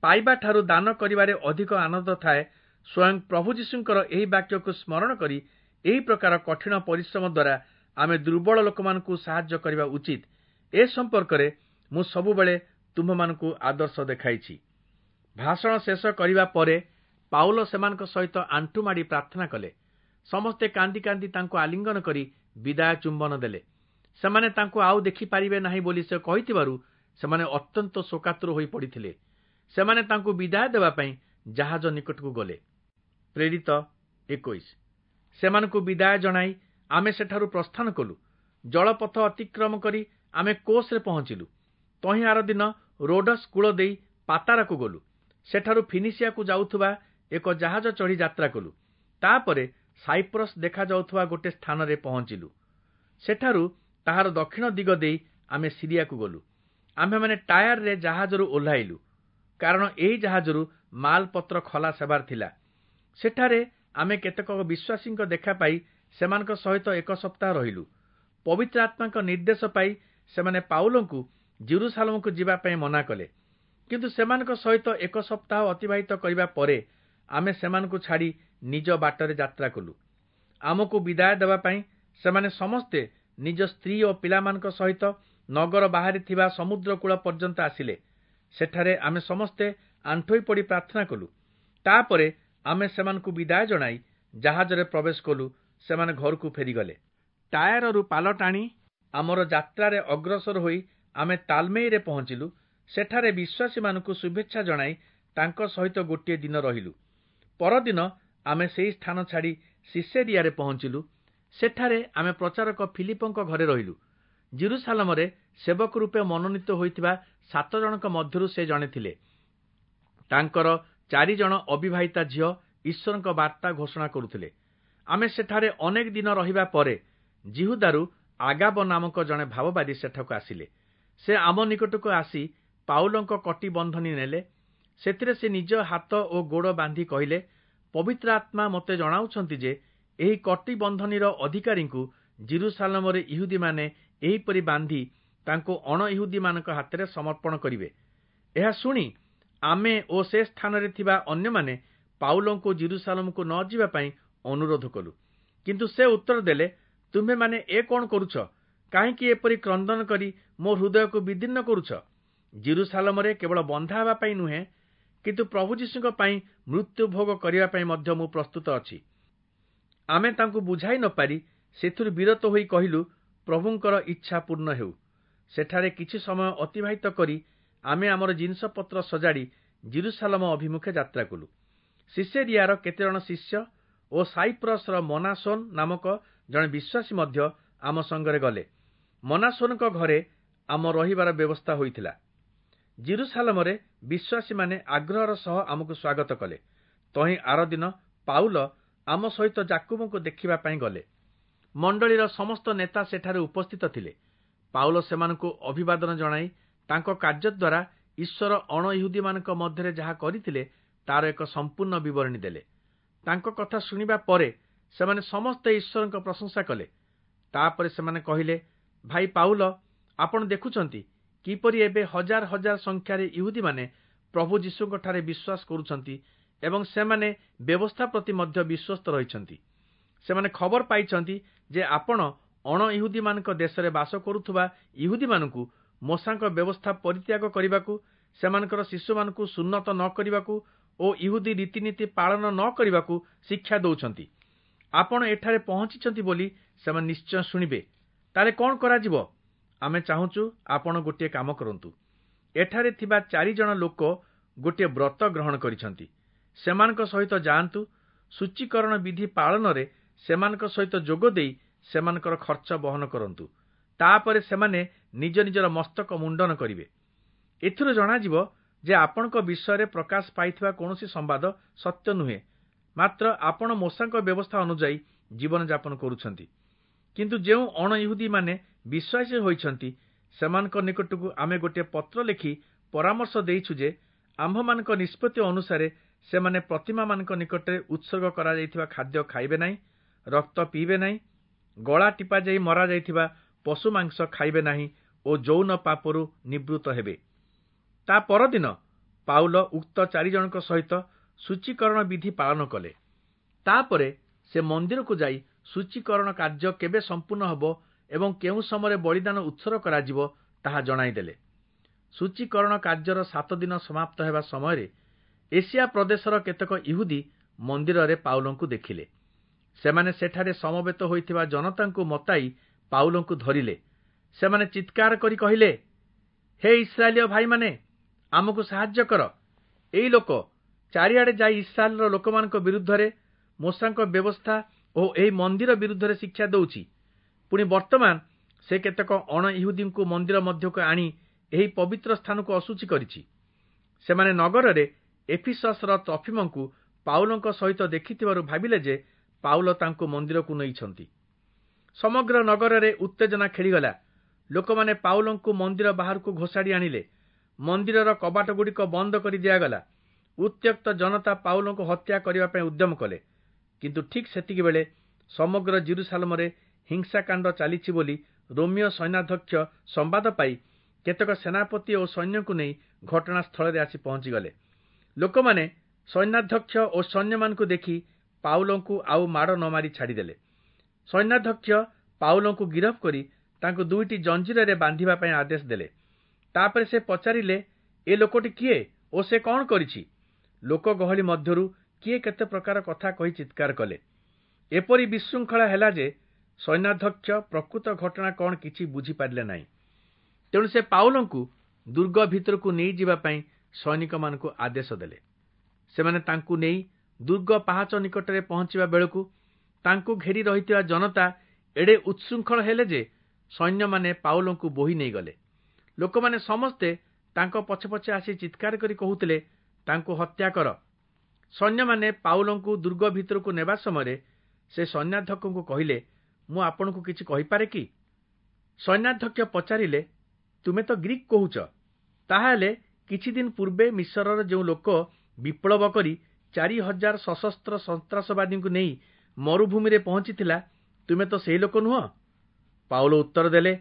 A: ପାଇବା ଠାରୁ ଦାନ କରିବାରେ ଅଧିକ ଆନନ୍ଦ ଥାଏ। ସ୍ୱୟଂ ପ୍ରଭୁ ଯୀଶୁଙ୍କର ଏହି ବାକ୍ୟକୁ ସ୍ମରଣ କରି ଏହି ପ୍ରକାର କଠିନ ପରିଶ୍ରମ ଦ୍ୱାରା ଆମେ ଦୁର୍ବଳ ଲୋକମାନଙ୍କୁ ସାହାଯ୍ୟ କରିବା ଉଚିତ। ଏ ସମ୍ପର୍କରେ ମୁଁ ସବୁବେଳେ ତୁମ୍ଭମାନଙ୍କୁ ଆଦର୍ଶ ଦେଖାଇଛି। ଭାଷଣ ଶେଷ କରିବା ପରେ ପାଉଲ ସେମାନଙ୍କ ସହିତ ଆଣ୍ଠୁ ମାଡ଼ି ପ୍ରାର୍ଥନା କଲେ। ସମସ୍ତେ କାନ୍ଦି କାନ୍ଦି ତାଙ୍କୁ ଆଲିଙ୍ଗନ କରି ବିଦାୟ ଚୁମ୍ବନ ଦେଲେ। ସେମାନେ ତାଙ୍କୁ ଆଉ ଦେଖିପାରିବେ ନାହିଁ ବୋଲି ସେ କହିଥିବାରୁ ସେମାନେ ଅତ୍ୟନ୍ତ ଶୋକାତୁର ହୋଇ ପଡ଼ିଥିଲେ। ସେମାନେ ତାଙ୍କୁ ବିଦାୟ ଦେବା ପାଇଁ ଜାହାଜ ନିକଟକୁ ଗଲେ। ପ୍ରେରିତ 21। ସେମାନଙ୍କୁ ବିଦାୟ ଜଣାଇ ଆମେ ସେଠାରୁ ପ୍ରସ୍ଥାନ କଲୁ। ଜଳପଥ ଅତିକ୍ରମ କରି ଆମେ କୋଷରେ ପହଞ୍ଚିଲୁ। ତହିଁ ଆର ଦିନ ରୋଡସ୍ କୂଳ ଦେଇ ପାତାରାକୁ ଗଲୁ। ସେଠାରୁ ଫିନିସିଆକୁ ଯାଉଥିବା ଏକ ଜାହାଜ ଚଢ଼ି ଯାତ୍ରା କଲୁ। ତାପରେ ସାଇପ୍ରସ୍ ଦେଖାଯାଉଥିବା ଗୋଟେ ସ୍ଥାନରେ ପହଞ୍ଚିଲୁ। ସେଠାରୁ ତାହାର ଦକ୍ଷିଣ ଦିଗ ଦେଇ ଆମେ ସିରିଆକୁ ଗଲୁ। ଆମ୍ଭେମାନେ ଟାୟାରରେ ଜାହାଜରୁ ଓହ୍ଲାଇଲୁ, କାରଣ ଏହି ଜାହାଜରୁ ମାଲପତ୍ର ଖଲାସ ହେବାର ଥିଲା। ସେଠାରେ ଆମେ କେତେକ ବିଶ୍ୱାସୀଙ୍କ ଦେଖା ପାଇ ସେମାନଙ୍କ ସହିତ 1 ସପ୍ତାହ ରହିଲୁ। ପବିତ୍ର ଆତ୍ମାଙ୍କ ନିର୍ଦ୍ଦେଶ ପାଇ ସେମାନେ ପାଉଲଙ୍କୁ ଯିରୂଶାଲମକୁ ଯିବା ପାଇଁ ମନା କଲେ। କିନ୍ତୁ ସେମାନଙ୍କ ସହିତ 1 ସପ୍ତାହ ଅତିବାହିତ କରିବା ପରେ ଆମେ ସେମାନଙ୍କୁ ଛାଡ଼ି ନିଜ ବାଟରେ ଯାତ୍ରା କଲୁ। ଆମକୁ ବିଦାୟ ଦେବା ପାଇଁ ସେମାନେ ସମସ୍ତେ ନିଜ ସ୍ତ୍ରୀ ଓ ପିଲାମାନଙ୍କ ସହିତ ନଗର ବାହାରେ ଥିବା ସମୁଦ୍ର କୂଳ ପର୍ଯ୍ୟନ୍ତ ଆସିଲେ। ସେଠାରେ ଆମେ ସମସ୍ତେ ଆଣ୍ଠୋଇ ପଡ଼ି ପ୍ରାର୍ଥନା କଲୁ। ତାପରେ ଆମେ ସେମାନଙ୍କୁ ବିଦାୟ ଜଣାଇ ଜାହାଜରେ ପ୍ରବେଶ କଲୁ। ସେମାନେ ଘରକୁ ଫେରିଗଲେ। ଟାୟାରରୁ ପାଲ ଟାଣି ଆମର ଯାତ୍ରାରେ ଅଗ୍ରସର ହୋଇ ଆମେ ତାଲମେଇରେ ପହଞ୍ଚିଲୁ। ସେଠାରେ ବିଶ୍ୱାସୀମାନଙ୍କୁ ଶୁଭେଚ୍ଛା ଜଣାଇ ତାଙ୍କ ସହିତ ଗୋଟିଏ ଦିନ ରହିଲୁ। ପରଦିନ ଆମେ ସେହି ସ୍ଥାନ ଛାଡ଼ି ସିସେରିଆରେ ପହଞ୍ଚିଲୁ। ସେଠାରେ ଆମେ ପ୍ରଚାରକ ଫିଲିପଙ୍କ ଘରେ ରହିଲୁ। ଯିରୂଶାଲମରେ ସେବକ ରୂପେ ମନୋନୀତ ହୋଇଥିବା 7 ଜଣଙ୍କ ମଧ୍ୟରୁ ସେ ଜଣେ ଥିଲେ। ତାଙ୍କର 4 ଜଣ ଅବିବାହିତା ଝିଅ ଈଶ୍ୱରଙ୍କ ବାର୍ତ୍ତା ଘୋଷଣା କରୁଥିଲେ। ଆମେ ସେଠାରେ ଅନେକ ଦିନ ରହିବା ପରେ ଯିହୁଦାରୁ ଆଗାବ ନାମକ ଜଣେ ଭାବବାଦୀ ସେଠାକୁ ଆସିଲେ। ସେ ଆମ ନିକଟକୁ ଆସି ପାଉଲଙ୍କ କଟି ବନ୍ଧନୀ ନେଲେ। ସେଥିରେ ସେ ନିଜ ହାତ ଓ ଗୋଡ଼ ବାନ୍ଧି କହିଲେ, ପବିତ୍ର ଆତ୍ମା ମୋତେ ଜଣାଉଛନ୍ତି ଯେ ଏହି କଟିବନ୍ଧନୀର ଅଧିକାରୀଙ୍କୁ ଯିରୂଶାଲମରେ ଇହୁଦୀମାନେ ଏହିପରି ବାନ୍ଧି ତାଙ୍କୁ ଅଣଇହୁଦୀମାନଙ୍କ ହାତରେ ସମର୍ପଣ କରିବେ। ଏହା ଶୁଣି ଆମେ ଓ ସେ ସ୍ଥାନରେ ଥିବା ଅନ୍ୟମାନେ ପାଉଲଙ୍କୁ ଯିରୂଶାଲମକୁ ନ ଯିବା ପାଇଁ ଅନୁରୋଧ କଲୁ। କିନ୍ତୁ ସେ ଉତ୍ତର ଦେଲେ, ତୁମ୍ଭେମାନେ ଏ କଣ କରୁଛ? କାହିଁକି ଏପରି କ୍ରନ୍ଦନ କରି ମୋ ହୃଦୟକୁ ବିଦୀର୍ଣ୍ଣ କରୁଛ? ଯିରୂଶାଲମରେ କେବଳ ବନ୍ଧା ହେବା ପାଇଁ ନୁହେଁ, କିନ୍ତୁ ପ୍ରଭୁ ଯୀଶୁଙ୍କ ପାଇଁ ମୃତ୍ୟୁ ଭୋଗ କରିବା ପାଇଁ ମଧ୍ୟ ମୁଁ ପ୍ରସ୍ତୁତ ଅଛି। ଆମେ ତାଙ୍କୁ ବୁଝାଇ ନ ପାରି ସେଥିରୁ ବିରତ ହୋଇ କହିଲୁ, ପ୍ରଭୁଙ୍କର ଇଚ୍ଛା ପୂର୍ଣ୍ଣ ହେଉ। ସେଠାରେ କିଛି ସମୟ ଅତିବାହିତ କରି ଆମେ ଆମର ଜିନିଷପତ୍ର ସଜାଡ଼ି ଯିରୂଶାଲମ ଅଭିମୁଖେ ଯାତ୍ରା କଲୁ। ସିସେରିଆର କେତେଜଣ ଶିଷ୍ୟ ଓ ସାଇପ୍ରସର ମନାସୋନ ନାମକ ଜଣେ ବିଶ୍ୱାସୀ ମଧ୍ୟ ଆମ ସଙ୍ଗରେ ଗଲେ। ମନାସୋନଙ୍କ ଘରେ ଆମ ରହିବାର ବ୍ୟବସ୍ଥା ହୋଇଥିଲା। ଯିରୂଶାଲମରେ ବିଶ୍ୱାସୀମାନେ ଆଗ୍ରହର ସହ ଆମକୁ ସ୍ୱାଗତ କଲେ। ତହିଁ ଆରଦିନ ପାଉଲ ଆମ ସହିତ ଯାକୁବଙ୍କୁ ଦେଖିବା ପାଇଁ ଗଲେ। ମଣ୍ଡଳୀର ସମସ୍ତ ନେତା ସେଠାରେ ଉପସ୍ଥିତ ଥିଲେ। ପାଉଲ ସେମାନଙ୍କୁ ଅଭିବାଦନ ଜଣାଇ ତାଙ୍କ କାର୍ଯ୍ୟ ଦ୍ୱାରା ଈଶ୍ୱର ଅଣଇହୁଦୀମାନଙ୍କ ମଧ୍ୟରେ ଯାହା କରିଥିଲେ ତାର ଏକ ସମ୍ପୂର୍ଣ୍ଣ ବିବରଣୀ ଦେଲେ। ତାଙ୍କ କଥା ଶୁଣିବା ପରେ ସେମାନେ ସମସ୍ତେ ଈଶ୍ୱରଙ୍କ ପ୍ରଶଂସା କଲେ। ତାପରେ ସେମାନେ କହିଲେ, ଭାଇ ପାଉଲ, ଆପଣ ଦେଖୁଛନ୍ତି କିପରି ଏବେ ହଜାର ହଜାର ସଂଖ୍ୟାରେ ଇହୁଦୀମାନେ ପ୍ରଭୁ ଯୀଶୁଙ୍କଠାରେ ବିଶ୍ୱାସ କରୁଛନ୍ତି ଏବଂ ସେମାନେ ବ୍ୟବସ୍ଥା ପ୍ରତି ମଧ୍ୟ ବିଶ୍ୱସ୍ତ ରହିଛନ୍ତି। ସେମାନେ ଖବର ପାଇଛନ୍ତି ଯେ ଆପଣ ଅଣଇହୁଦୀମାନଙ୍କ ଦେଶରେ ବାସ କରୁଥିବା ଇହୁଦୀମାନଙ୍କୁ ମୋଶାଙ୍କ ବ୍ୟବସ୍ଥା ପରିତ୍ୟାଗ କରିବାକୁ, ସେମାନଙ୍କର ଶିଶୁମାନଙ୍କୁ ସୁନ୍ନତ ନ କରିବାକୁ ଓ ଇହୁଦୀ ରୀତିନୀତି ପାଳନ ନ କରିବାକୁ ଶିକ୍ଷା ଦେଉଛନ୍ତି। ଆପଣ ଏଠାରେ ପହଞ୍ଚିଛନ୍ତି ବୋଲି ସେମାନେ ନିଶ୍ଚୟ ଶୁଣିବେ। ତାହେଲେ କଣ କରାଯିବ? ଆମେ ଚାହୁଁଛୁ ଆପଣ ଗୋଟିଏ କାମ କରନ୍ତୁ। ଏଠାରେ ଥିବା 4 ଜଣ ଲୋକ ଗୋଟିଏ ବ୍ରତ ଗ୍ରହଣ କରିଛନ୍ତି। ସେମାନଙ୍କ ସହିତ ଯାଆନ୍ତୁ। ସୂଚୀକରଣ ବିଧି ପାଳନରେ ସେମାନଙ୍କ ସହିତ ଯୋଗ ଦେଇ ସେମାନଙ୍କର ଖର୍ଚ୍ଚ ବହନ କରନ୍ତୁ। ତାପରେ ସେମାନେ ନିଜ ନିଜର ମସ୍ତକ ମୁଣ୍ଡନ କରିବେ। ଏଥିରୁ ଜଣାଯିବ ଯେ ଆପଣଙ୍କ ବିଷୟରେ ପ୍ରକାଶ ପାଇଥିବା କୌଣସି ସମ୍ବାଦ ସତ୍ୟ ନୁହେଁ, ମାତ୍ର ଆପଣ ମୋଶାଙ୍କ ବ୍ୟବସ୍ଥା ଅନୁଯାୟୀ ଜୀବନଯାପନ କରୁଛନ୍ତି। କିନ୍ତୁ ଯେଉଁ ଅଣଇହୁଦୀମାନେ ବିଶ୍ୱାସୀ ହୋଇଛନ୍ତି, ସେମାନଙ୍କ ନିକଟକୁ ଆମେ ଗୋଟିଏ ପତ୍ର ଲେଖି ପରାମର୍ଶ ଦେଇଛୁ ଯେ ଆମ୍ଭମାନଙ୍କ ନିଷ୍ପତ୍ତି ଅନୁସାରେ ସେମାନେ ପ୍ରତିମାମାନଙ୍କ ନିକଟରେ ଉତ୍ସର୍ଗ କରାଯାଇଥିବା ଖାଦ୍ୟ ଖାଇବେ ନାହିଁ, ରକ୍ତ ପିଇବେ ନାହିଁ, ଗଳା ଟିପାଯାଇ ମରାଯାଇଥିବା ପଶୁ ମାଂସ ଖାଇବେ ନାହିଁ ଓ ଯୌନ ପାପରୁ ନିବୃତ୍ତ ହେବେ। ତା ପରଦିନ ପାଉଲ ଉକ୍ତ 4 ଜଣଙ୍କ ସହିତ ସୂଚୀକରଣ ବିଧି ପାଳନ କଲେ। ତାପରେ ସେ ମନ୍ଦିରକୁ ଯାଇ ସୂଚୀକରଣ କାର୍ଯ୍ୟ କେବେ ସମ୍ପୂର୍ଣ୍ଣ ହେବ ଏବଂ କେଉଁ ସମୟରେ ବଳିଦାନ ଉତ୍ସର୍ଗ କରାଯିବ ତାହା ଜଣାଇଦେଲେ। ସୂଚୀକରଣ କାର୍ଯ୍ୟର 7 ଦିନ ସମାପ୍ତ ହେବା ସମୟରେ ଏସିଆ ପ୍ରଦେଶର କେତେକ ଇହୁଦୀ ମନ୍ଦିରରେ ପାଉଲଙ୍କୁ ଦେଖିଲେ। ସେମାନେ ସେଠାରେ ସମବେତ ହୋଇଥିବା ଜନତାଙ୍କୁ ମତାଇ ପାଉଲଙ୍କୁ ଧରିଲେ। ସେମାନେ ଚିତ୍କାର କରି କହିଲେ, ହେ ଇସ୍ରାଏଲୀୟ ଭାଇମାନେ, ଆମକୁ ସାହାଯ୍ୟ କର। ଏଇ ଲୋକ ଚାରିଆଡ଼େ ଯାଇ ଇସ୍ରାଏଲର ଲୋକମାନଙ୍କ ବିରୁଦ୍ଧରେ, ମୋଶାଙ୍କ ବ୍ୟବସ୍ଥା ଓ ଏହି ମନ୍ଦିର ବିରୁଦ୍ଧରେ ଶିକ୍ଷା ଦେଉଛି। ପୁଣି ବର୍ତ୍ତମାନ ସେ କେତେକ ଅଣଇହୁଦୀଙ୍କୁ ମନ୍ଦିର ମଧ୍ୟକୁ ଆଣି ଏହି ପବିତ୍ର ସ୍ଥାନକୁ ଅଶୁଚି କରିଛି। ସେମାନେ ନଗରରେ ଏଫିସସର ତ୍ରଫିମଙ୍କୁ ପାଉଲଙ୍କ ସହିତ ଦେଖିଥିବାରୁ ଭାବିଲେ ଯେ ପାଉଲ ତାଙ୍କୁ ମନ୍ଦିରକୁ ନେଇଛନ୍ତି। ସମଗ୍ର ନଗରରେ ଉତ୍ତେଜନା ଖେଳିଗଲା। ଲୋକମାନେ ପାଉଲଙ୍କୁ ମନ୍ଦିର ବାହାରକୁ ଘୋଷାଡ଼ି ଆଣିଲେ। ମନ୍ଦିରର କବାଟଗୁଡ଼ିକ ବନ୍ଦ କରି ଦିଆଗଲା। ଉତ୍ତ୍ୟକ୍ତ ଜନତା ପାଉଲଙ୍କୁ ହତ୍ୟା କରିବା ପାଇଁ ଉଦ୍ୟମ କଲେ। କିନ୍ତୁ ଠିକ୍ ସେତିକିବେଳେ ସମଗ୍ର ଯିରୂଶାଲମରେ ହିଂସାକାଣ୍ଡ ଚାଲିଛି ବୋଲି ରୋମୀୟ ସୈନ୍ୟାଧ୍ୟକ୍ଷ ସମ୍ବାଦ ପାଇ କେତେକ ସେନାପତି ଓ ସୈନ୍ୟଙ୍କୁ ନେଇ ଘଟଣାସ୍ଥଳରେ ଆସି ପହଞ୍ଚିଗଲେ। ଲୋକମାନେ ସୈନ୍ୟାଧ୍ୟକ୍ଷ ଓ ସୈନ୍ୟମାନଙ୍କୁ ଦେଖି ପାଉଲଙ୍କୁ ଆଉ ମାଡ଼ ନ ମାରି ଛାଡ଼ିଦେଲେ। ସୈନ୍ୟାଧ୍ୟକ୍ଷ ପାଉଲଙ୍କୁ ଗିରଫ କରି ତାଙ୍କୁ 2ଟି ଜଞ୍ଜିରରେ ବାନ୍ଧିବା ପାଇଁ ଆଦେଶ ଦେଲେ। ତାପରେ ସେ ପଚାରିଲେ, ଏ ଲୋକଟି କିଏ ଓ ସେ କଣ କରିଛି? ଲୋକ ଗହଳି ମଧ୍ୟରୁ କିଏ କେତେ ପ୍ରକାର କଥା କହି ଚିତ୍କାର କଲେ। ଏପରି ବିଶୃଙ୍ଖଳା ହେଲା ଯେ ସୈନ୍ୟାଧ୍ୟକ୍ଷ ପ୍ରକୃତ ଘଟଣା କଣ କିଛି ବୁଝିପାରିଲେ ନାହିଁ। ତେଣୁ ସେ ପାଉଲଙ୍କୁ ଦୁର୍ଗ ଭିତରକୁ ନେଇଯିବା ପାଇଁ ସୈନିକମାନଙ୍କୁ ଆଦେଶ ଦେଲେ। ସେମାନେ ତାଙ୍କୁ ନେଇ ଦୁର୍ଗ ପାହାଚ ନିକଟରେ ପହଞ୍ଚିବା ବେଳକୁ ତାଙ୍କୁ ଘେରି ରହିଥିବା ଜନତା ଏଡ଼େ ଉତ୍ଶୃଙ୍ଖଳ ହେଲେ ଯେ ସୈନ୍ୟମାନେ ପାଉଲଙ୍କୁ ବୋହି ନେଇଗଲେ। ଲୋକମାନେ ସମସ୍ତେ ତାଙ୍କ ପଛେ ପଛେ ଆସି ଚିତ୍କାର କରି କହୁଥିଲେ, ତାଙ୍କୁ ହତ୍ୟା କର। ସୈନ୍ୟମାନେ ପାଉଲଙ୍କୁ ଦୁର୍ଗ ଭିତରକୁ ନେବା ସମୟରେ ସେ ସୈନ୍ୟାଧ୍ୟକ୍ଷଙ୍କୁ କହିଲେ, ମୁଁ ଆପଣଙ୍କୁ କିଛି କହିପାରେ କି? ସୈନ୍ୟାଧ୍ୟକ୍ଷ ପଚାରିଲେ, ତୁମେ ତ ଗ୍ରୀକ୍ କହୁଛ, ତାହାହେଲେ କିଛି ଦିନ ପୂର୍ବେ ମିଶରର ଯେଉଁ ଲୋକ ବିପ୍ଳବ କରି 4000 ସଶସ୍ତ୍ର ସନ୍ତ୍ରାସବାଦୀଙ୍କୁ ନେଇ ମରୁଭୂମିରେ ପହଞ୍ଚିଥିଲା, ତୁମେ ତ ସେହି ଲୋକ ନୁହଁ? ପାଉଲ ଉତ୍ତର ଦେଲେ,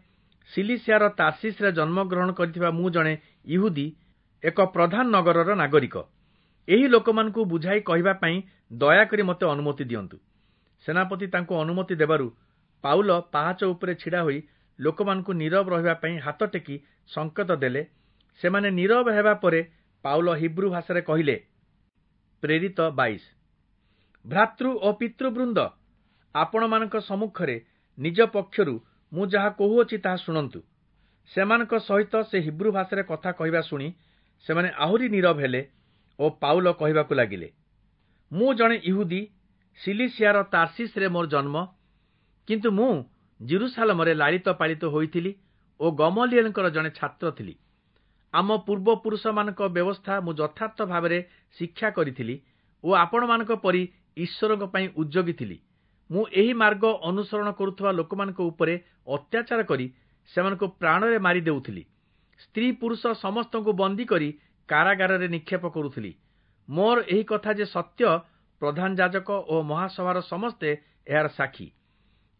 A: ସିଲିସିଆର ତାର୍ସିସରେ ଜନ୍ମଗ୍ରହଣ କରିଥିବା ମୁଁ ଜଣେ ଇହୁଦୀ, ଏକ ପ୍ରଧାନ ନଗରର ନାଗରିକ। ଏହି ଲୋକମାନଙ୍କୁ ବୁଝାଇ କହିବା ପାଇଁ ଦୟାକରି ମୋତେ ଅନୁମତି ଦିଅନ୍ତୁ। ସେନାପତି ତାଙ୍କୁ ଅନୁମତି ଦେବାରୁ ପାଉଲ ପାହାଚ ଉପରେ ଛିଡ଼ା ହୋଇ ଲୋକମାନଙ୍କୁ ନୀରବ ରହିବା ପାଇଁ ହାତ ଟେକି ସଂକେତ ଦେଲେ। ସେମାନେ ନୀରବ ହେବା ପରେ ପାଉଲ ହିବ୍ରୁ ଭାଷାରେ କହିଲେ, ପ୍ରେରିତ 22। ଭ୍ରାତୃ ଓ ପିତୃବୃନ୍ଦ, ଆପଣମାନଙ୍କ ସମ୍ମୁଖରେ ନିଜ ପକ୍ଷରୁ ମୁଁ ଯାହା କହୁଅଛି ତାହା ଶୁଣନ୍ତୁ। ସେମାନଙ୍କ ସହିତ ସେ ହିବ୍ରୁ ଭାଷାରେ କଥା କହିବା ଶୁଣି ସେମାନେ ଆହୁରି ନୀରବ ହେଲେ ଓ ପାଉଲ କହିବାକୁ ଲାଗିଲେ, ମୁଁ ଜଣେ ଇହୁଦୀ, ସିଲିସିଆର ତାର୍ସିସରେ ମୋର ଜନ୍ମ, କିନ୍ତୁ ମୁଁ ଜିରୁସାଲମରେ ଲାଳିତ ପାଳିତ ହୋଇଥିଲି ଓ ଗମଲିଏଲଙ୍କର ଜଣେ ଛାତ୍ର ଥିଲି। ଆମ ପୂର୍ବପୁରୁଷମାନଙ୍କ ବ୍ୟବସ୍ଥା ମୁଁ ଯଥାର୍ଥ ଭାବରେ ଶିକ୍ଷା କରିଥିଲି ଓ ଆପଣମାନଙ୍କ ପରି ଈଶ୍ୱରଙ୍କ ପାଇଁ ଉଦ୍ଯୋଗୀ ଥିଲି। ମୁଁ ଏହି ମାର୍ଗ ଅନୁସରଣ କରୁଥିବା ଲୋକମାନଙ୍କ ଉପରେ ଅତ୍ୟାଚାର କରି ସେମାନଙ୍କୁ ପ୍ରାଣରେ ମାରି ଦେଉଥିଲି। ସ୍ତ୍ରୀ ପୁରୁଷ ସମସ୍ତଙ୍କୁ ବନ୍ଦୀ କରି କାରାଗାରରେ ନିକ୍ଷେପ କରୁଥିଲି। ମୋର ଏହି କଥା ଯେ ସତ୍ୟ, ପ୍ରଧାନ ଯାଜକ ଓ ମହାସଭାର ସମସ୍ତେ ଏହାର ସାକ୍ଷୀ।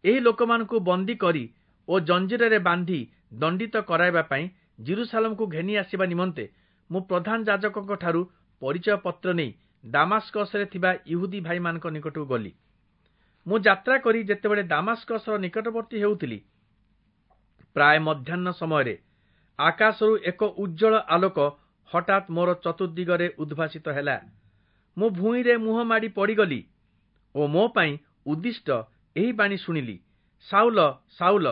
A: ଏହି ଲୋକମାନଙ୍କୁ ବନ୍ଦୀ କରି ଓ ଜଞ୍ଜିରରେ ବାନ୍ଧି ଦଣ୍ଡିତ କରାଇବା ପାଇଁ ଜିରୁସାଲମକୁ ଘେନି ଆସିବା ନିମନ୍ତେ ମୁଁ ପ୍ରଧାନ ଯାଜକଙ୍କ ଠାରୁ ପରିଚୟ ପତ୍ର ନେଇ ଦାମାସ୍କସରେ ଥିବା ଇହୁଦୀ ଭାଇମାନଙ୍କ ନିକଟକୁ ଗଲି। ମୁଁ ଯାତ୍ରା କରି ଯେତେବେଳେ ଦାମାସ୍କସର ନିକଟବର୍ତ୍ତୀ ହେଉଥିଲି, ପ୍ରାୟ ମଧ୍ୟାହ୍ନ ସମୟରେ ଆକାଶରୁ ଏକ ଉଜ୍ଜ୍ୱଳ ଆଲୋକ ହଠାତ୍ ମୋର ଚତୁର୍ଦିଗରେ ଉଦ୍ଭାସିତ ହେଲା। ମୁଁ ଭୂଇଁରେ ମୁହଁ ମାଡ଼ି ପଡ଼ିଗଲି ଓ ମୋ ପାଇଁ ଉଦ୍ଦିଷ୍ଟ ଏହି ବାଣୀ ଶୁଣିଲି, ସାଉଲ, ସାଉଲ,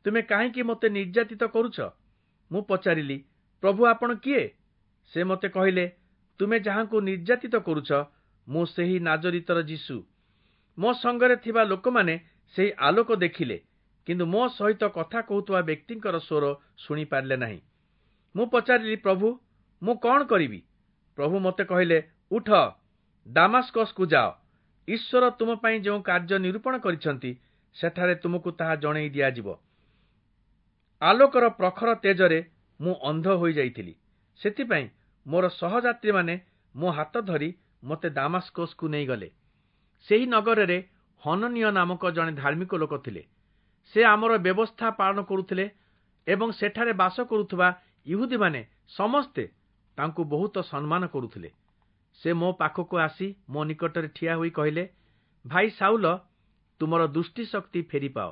A: ତୁମେ କାହିଁକି ମୋତେ ନିର୍ଯାତିତ କରୁଛ? ମୁଁ ପଚାରିଲି, ପ୍ରଭୁ, ଆପଣ କିଏ? ସେ ମୋତେ କହିଲେ, ତୁମେ ଯାହାଙ୍କୁ ନିର୍ଯାତିତ କରୁଛ, ମୁଁ ସେହି ନାଜରିତର ଯୀଶୁ। ମୋ ସଙ୍ଗରେ ଥିବା ଲୋକମାନେ ସେହି ଆଲୋକ ଦେଖିଲେ, କିନ୍ତୁ ମୋ ସହିତ କଥା କହୁଥିବା ବ୍ୟକ୍ତିଙ୍କର ସ୍ୱର ଶୁଣିପାରିଲେ ନାହିଁ। ମୁଁ ପଚାରିଲି, ପ୍ରଭୁ, ମୁଁ କଣ କରିବି? ପ୍ରଭୁ ମୋତେ କହିଲେ, ଉଠ, ଦାମାସ୍କସକୁ ଯାଅ। ଈଶ୍ୱର ତୁମ ପାଇଁ ଯେଉଁ କାର୍ଯ୍ୟ ନିରୂପଣ କରିଛନ୍ତି, ସେଠାରେ ତୁମକୁ ତାହା ଜଣେଇ ଦିଆଯିବ। ଆଲୋକର ପ୍ରଖର ତେଜରେ ମୁଁ ଅନ୍ଧ ହୋଇଯାଇଥିଲି। ସେଥିପାଇଁ ମୋର ସହଯାତ୍ରୀମାନେ ମୋ ହାତ ଧରି ମୋତେ ଦାମାସ୍କସକୁ ନେଇଗଲେ। ସେହି ନଗରରେ ହନନୀୟ ନାମକ ଜଣେ ଧାର୍ମିକ ଲୋକ ଥିଲେ। ସେ ଆମର ବ୍ୟବସ୍ଥା ପାଳନ କରୁଥିଲେ ଏବଂ ସେଠାରେ ବାସ କରୁଥିବା ଇହୁଦୀମାନେ ସମସ୍ତେ ତାଙ୍କୁ ବହୁତ ସମ୍ମାନ କରୁଥିଲେ। ସେ ମୋ ପାଖକୁ ଆସି ମୋ ନିକଟରେ ଠିଆ ହୋଇ କହିଲେ, ଭାଇ ସାଉଲ, ତୁମର ଦୃଷ୍ଟିଶକ୍ତି ଫେରିପାଅ।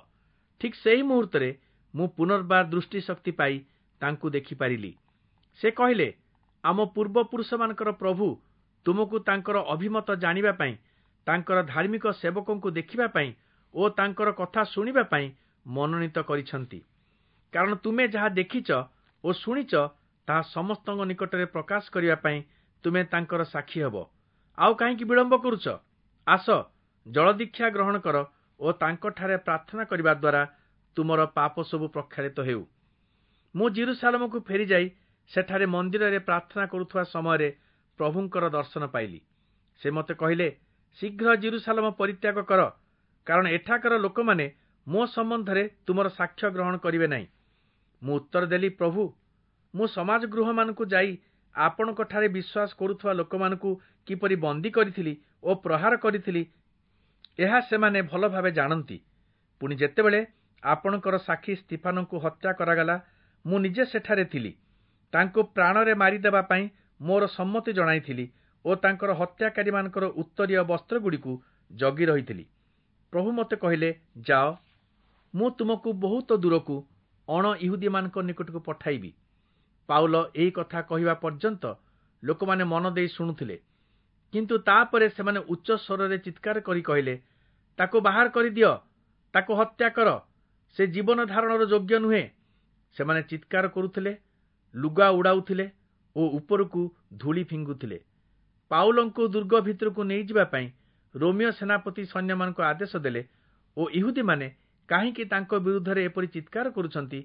A: ଠିକ୍ ସେହି ମୁହୂର୍ତ୍ତରେ ମୁଁ ପୁନର୍ବାର ଦୃଷ୍ଟିଶକ୍ତି ପାଇ ତାଙ୍କୁ ଦେଖିପାରିଲି। ସେ କହିଲେ, ଆମ ପୂର୍ବପୁରୁଷମାନଙ୍କର ପ୍ରଭୁ ତୁମକୁ ତାଙ୍କର ଅଭିମତ ଜାଣିବା ପାଇଁ, ତାଙ୍କର ଧାର୍ମିକ ସେବକଙ୍କୁ ଦେଖିବା ପାଇଁ ଓ ତାଙ୍କର କଥା ଶୁଣିବା ପାଇଁ ମନୋନୀତ କରିଛନ୍ତି। କାରଣ ତୁମେ ଯାହା ଦେଖିଛ ଓ ଶୁଣିଛ, ତାହା ସମସ୍ତଙ୍କ ନିକଟରେ ପ୍ରକାଶ କରିବା ପାଇଁ ତୁମେ ତାଙ୍କର ସାକ୍ଷୀ ହେବ। ଆଉ କାହିଁକି ବିଳମ୍ବ କରୁଛ? ଆସ, ଜଳଦୀକ୍ଷା ଗ୍ରହଣ କର ଓ ତାଙ୍କଠାରେ ପ୍ରାର୍ଥନା କରିବା ଦ୍ୱାରା ତୁମର ପାପ ସବୁ ପ୍ରକ୍ଷାଳିତ ହେଉ। ମୁଁ ଜିରୁସାଲମକୁ ଫେରିଯାଇ ସେଠାରେ ମନ୍ଦିରରେ ପ୍ରାର୍ଥନା କରୁଥିବା ସମୟରେ ପ୍ରଭୁଙ୍କର ଦର୍ଶନ ପାଇଲି। ସେ ମୋତେ କହିଲେ, ଶୀଘ୍ର ଜିରୁସାଲମ ପରିତ୍ୟାଗ କର, କାରଣ ଏଠାକାର ଲୋକମାନେ ମୋ ସମ୍ବନ୍ଧରେ ତୁମର ସାକ୍ଷ୍ୟ ଗ୍ରହଣ କରିବେ ନାହିଁ। ମୁଁ ଉତ୍ତର ଦେଲି, ପ୍ରଭୁ, ମୁଁ ସମାଜ ଗୃହମାନଙ୍କୁ ଯାଇ ଆପଣଙ୍କଠାରେ ବିଶ୍ୱାସ କରୁଥିବା ଲୋକମାନଙ୍କୁ କିପରି ବନ୍ଦୀ କରିଥିଲି ଓ ପ୍ରହାର କରିଥିଲି, ଏହା ସେମାନେ ଭଲ ଭାବେ ଜାଣନ୍ତି। ପୁଣି ଯେତେବେଳେ ଆପଣଙ୍କର ସାକ୍ଷୀ ସ୍ତିଫାନଙ୍କୁ ହତ୍ୟା କରାଗଲା, ମୁଁ ନିଜେ ସେଠାରେ ଥିଲି। ତାଙ୍କୁ ପ୍ରାଣରେ ମାରିଦେବା ପାଇଁ ମୋର ସମ୍ମତି ଜଣାଇଥିଲି ଓ ତାଙ୍କର ହତ୍ୟାକାରୀମାନଙ୍କର ଉତ୍ତରୀୟ ବସ୍ତ୍ରଗୁଡ଼ିକୁ ଜଗି ରହିଥିଲି। ପ୍ରଭୁ ମୋତେ କହିଲେ, ଯାଅ, ମୁଁ ତୁମକୁ ବହୁତ ଦୂରକୁ ଅଣ ଇହୁଦୀମାନଙ୍କ ନିକଟକୁ ପଠାଇବି। ପାଉଲ ଏହି କଥା କହିବା ପର୍ଯ୍ୟନ୍ତ ଲୋକମାନେ ମନ ଦେଇ ଶୁଣୁଥିଲେ, କିନ୍ତୁ ତାପରେ ସେମାନେ ଉଚ୍ଚ ସ୍ୱରରେ ଚିତ୍କାର କରି କହିଲେ, ତାକୁ ବାହାର କରିଦିଅ, ତାକୁ ହତ୍ୟା କର, ସେ ଜୀବନ ଧାରଣର ଯୋଗ୍ୟ ନୁହେଁ। ସେମାନେ ଚିତ୍କାର କରୁଥିଲେ, ଲୁଗା ଉଡ଼ାଉଥିଲେ ଓ ଉପରକୁ ଧୂଳି ଫିଙ୍ଗୁଥିଲେ। ପାଉଲଙ୍କୁ ଦୁର୍ଗ ଭିତରକୁ ନେଇଯିବା ପାଇଁ ରୋମୀୟ ସେନାପତି ସୈନ୍ୟମାନଙ୍କୁ ଆଦେଶ ଦେଲେ ଓ ଇହୁଦୀମାନେ କାହିଁକି ତାଙ୍କ ବିରୁଦ୍ଧରେ ଏପରି ଚିତ୍କାର କରୁଛନ୍ତି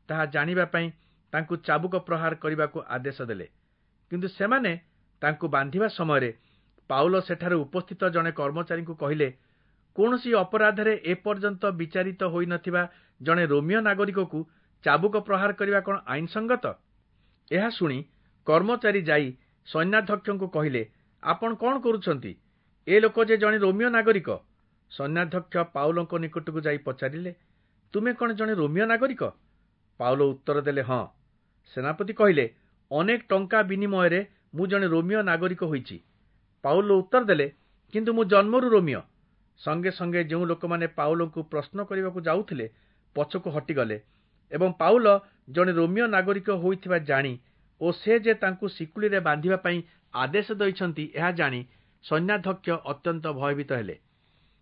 A: ତାହା ଜାଣିବା ପାଇଁ ତାଙ୍କୁ ଚାବୁକ ପ୍ରହାର କରିବାକୁ ଆଦେଶ ଦେଲେ। କିନ୍ତୁ ସେମାନେ ତାଙ୍କୁ ବାନ୍ଧିବା ସମୟରେ ପାଉଲ ସେଠାରେ ଉପସ୍ଥିତ ଜଣେ କର୍ମଚାରୀଙ୍କୁ କହିଲେ, କୌଣସି ଅପରାଧରେ ଏପର୍ଯ୍ୟନ୍ତ ବିଚାରିତ ହୋଇନଥିବା ଜଣେ ରୋମୀୟ ନାଗରିକକୁ ଚାବୁକ ପ୍ରହାର କରିବା କ'ଣ ଆଇନସଙ୍ଗତ? ଏହା ଶୁଣି କର୍ମଚାରୀ ଯାଇ ସୈନ୍ୟାଧ୍ୟକ୍ଷଙ୍କୁ କହିଲେ, ଆପଣ କଣ କରୁଛନ୍ତି? ଏ ଲୋକ ଯେ ଜଣେ ରୋମୀୟ ନାଗରିକ। ସୈନ୍ୟାଧ୍ୟକ୍ଷ ପାଉଲଙ୍କ ନିକଟକୁ ଯାଇ ପଚାରିଲେ, ତୁମେ କଣ ଜଣେ ରୋମୀୟ ନାଗରିକ? ପାଉଲ ଉତ୍ତର ଦେଲେ, ହଁ। ସେନାପତି କହିଲେ, ଅନେକ ଟଙ୍କା ବିନିମୟରେ ମୁଁ ଜଣେ ରୋମୀୟ ନାଗରିକ ହୋଇଛି। ପାଉଲ ଉତ୍ତର ଦେଲେ, କିନ୍ତୁ ମୁଁ ଜନ୍ମରୁ ରୋମୀୟ। ସଙ୍ଗେ ସଙ୍ଗେ ଯେଉଁ ଲୋକମାନେ ପାଉଲଙ୍କୁ ପ୍ରଶ୍ନ କରିବାକୁ ଯାଉଥିଲେ ପଛକୁ ହଟିଗଲେ ଏବଂ ପାଉଲ ଜଣେ ରୋମୀୟ ନାଗରିକ ହୋଇଥିବା ଜାଣି ଓ ସେ ଯେ ତାଙ୍କୁ ଶିକୁଳିରେ ବାନ୍ଧିବା ପାଇଁ ଆଦେଶ ଦେଇଛନ୍ତି ଏହା ଜାଣି ସୈନ୍ୟାଧ୍ୟକ୍ଷ ଅତ୍ୟନ୍ତ ଭୟଭୀତ ହେଲେ।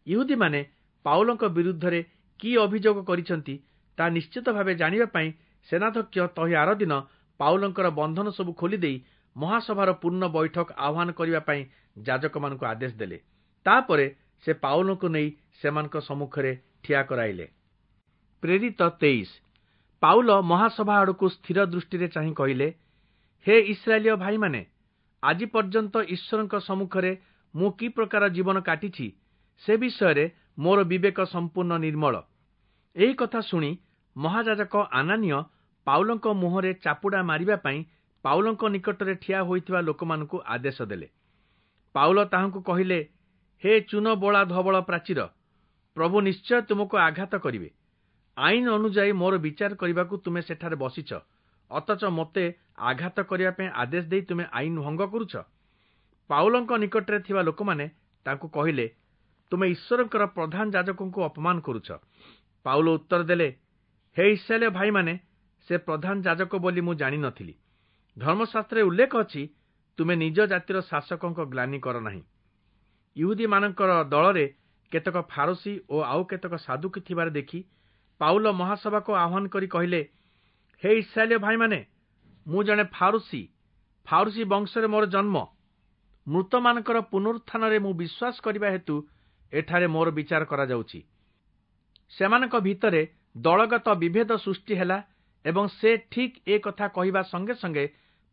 A: ଇହୁଦୀମାନେ ପାଉଲଙ୍କ ବିରୁଦ୍ଧରେ କି ଅଭିଯୋଗ କରିଛନ୍ତି ତାହା ନିଶ୍ଚିତ ଭାବେ ଜାଣିବା ପାଇଁ ସେନାଧ୍ୟକ୍ଷ ତହିଁ ଆରଦିନ ପାଉଲଙ୍କର ବନ୍ଧନ ସବୁ ଖୋଲିଦେଇ ମହାସଭାର ପୂର୍ଣ୍ଣ ବୈଠକ ଆହ୍ୱାନ କରିବା ପାଇଁ ଯାଜକମାନଙ୍କୁ ଆଦେଶ ଦେଲେ। ତାପରେ ସେ ପାଉଲଙ୍କୁ ନେଇ ସେମାନଙ୍କ ସମ୍ମୁଖରେ ଠିଆ କରାଇଲେ। ପ୍ରେରିତ 23। ପାଉଲ ମହାସଭା ଆଡ଼କୁ ସ୍ଥିର ଦୃଷ୍ଟିରେ ଚାହିଁ କହିଲେ, ହେ ଇସ୍ରାଏଲୀୟ ଭାଇମାନେ, ଆଜି ପର୍ଯ୍ୟନ୍ତ ଈଶ୍ୱରଙ୍କ ସମ୍ମୁଖରେ ମୁଁ କି ପ୍ରକାର ଜୀବନ କାଟିଛି ସେ ବିଷୟରେ ମୋର ବିବେକ ସମ୍ପୂର୍ଣ୍ଣ ନିର୍ମଳ। ଏହି କଥା ଶୁଣି ମହାଯାଜକ ଆନାନୀୟ ପାଉଲଙ୍କ ମୁହଁରେ ଚାପୁଡ଼ା ମାରିବା ପାଇଁ ପାଉଲଙ୍କ ନିକଟରେ ଠିଆ ହୋଇଥିବା ଲୋକମାନଙ୍କୁ ଆଦେଶ ଦେଲେ। ପାଉଲ ତାହାଙ୍କୁ କହିଲେ, ହେ ଚୂନ ବୋଳା ଧବଳ ପ୍ରାଚୀର, ପ୍ରଭୁ ନିଶ୍ଚୟ ତୁମକୁ ଆଘାତ କରିବେ। ଆଇନ ଅନୁଯାୟୀ ମୋର ବିଚାର କରିବାକୁ ତୁମେ ସେଠାରେ ବସିଛ, ଅଥଚ ମୋତେ ଆଘାତ କରିବା ପାଇଁ ଆଦେଶ ଦେଇ ତୁମେ ଆଇନ ଭଙ୍ଗ କରୁଛ। ପାଉଲଙ୍କ ନିକଟରେ ଥିବା ଲୋକମାନେ ତାଙ୍କୁ କହିଲେ, ତୁମେ ଈଶ୍ୱରଙ୍କର ପ୍ରଧାନ ଯାଜକଙ୍କୁ ଅପମାନ କରୁଛ। ପାଉଲ ଉତ୍ତର ଦେଲେ, ହେ ଇସ୍ରାଏଲୀୟ ଭାଇମାନେ, ସେ ପ୍ରଧାନ ଯାଜକ ବୋଲି ମୁଁ ଜାଣିନଥିଲି। ଧର୍ମଶାସ୍ତ୍ରରେ ଉଲ୍ଲେଖ ଅଛି, ତୁମେ ନିଜ ଜାତିର ଶାସକଙ୍କ ଗ୍ଲାନି କର ନାହିଁ। ଇହୁଦୀମାନଙ୍କର ଦଳରେ କେତେକ ଫାରସୀ ଓ ଆଉ କେତେକ ସାଦୁକୀ ଥିବାର ଦେଖି ପାଉଲ ମହାସଭାକୁ ଆହ୍ୱାନ କରି କହିଲେ, ହେ ଇସ୍ରାଏଲୀୟ ଭାଇମାନେ, ମୁଁ ଜଣେ ଫାରୁସୀ, ଫାରୁସୀ ବଂଶରେ ମୋର ଜନ୍ମ। ମୃତମାନଙ୍କର ପୁନରୁତ୍ଥାନରେ ମୁଁ ବିଶ୍ୱାସ କରିବା ହେତୁ ଏଠାରେ ମୋର ବିଚାର କରାଯାଉଛି। ସେମାନଙ୍କ ଭିତରେ ଦଳଗତ ବିଭେଦ ସୃଷ୍ଟି ହେଲା ଏବଂ ସେ ଠିକ୍ ଏ କଥା କହିବା ସଙ୍ଗେ ସଙ୍ଗେ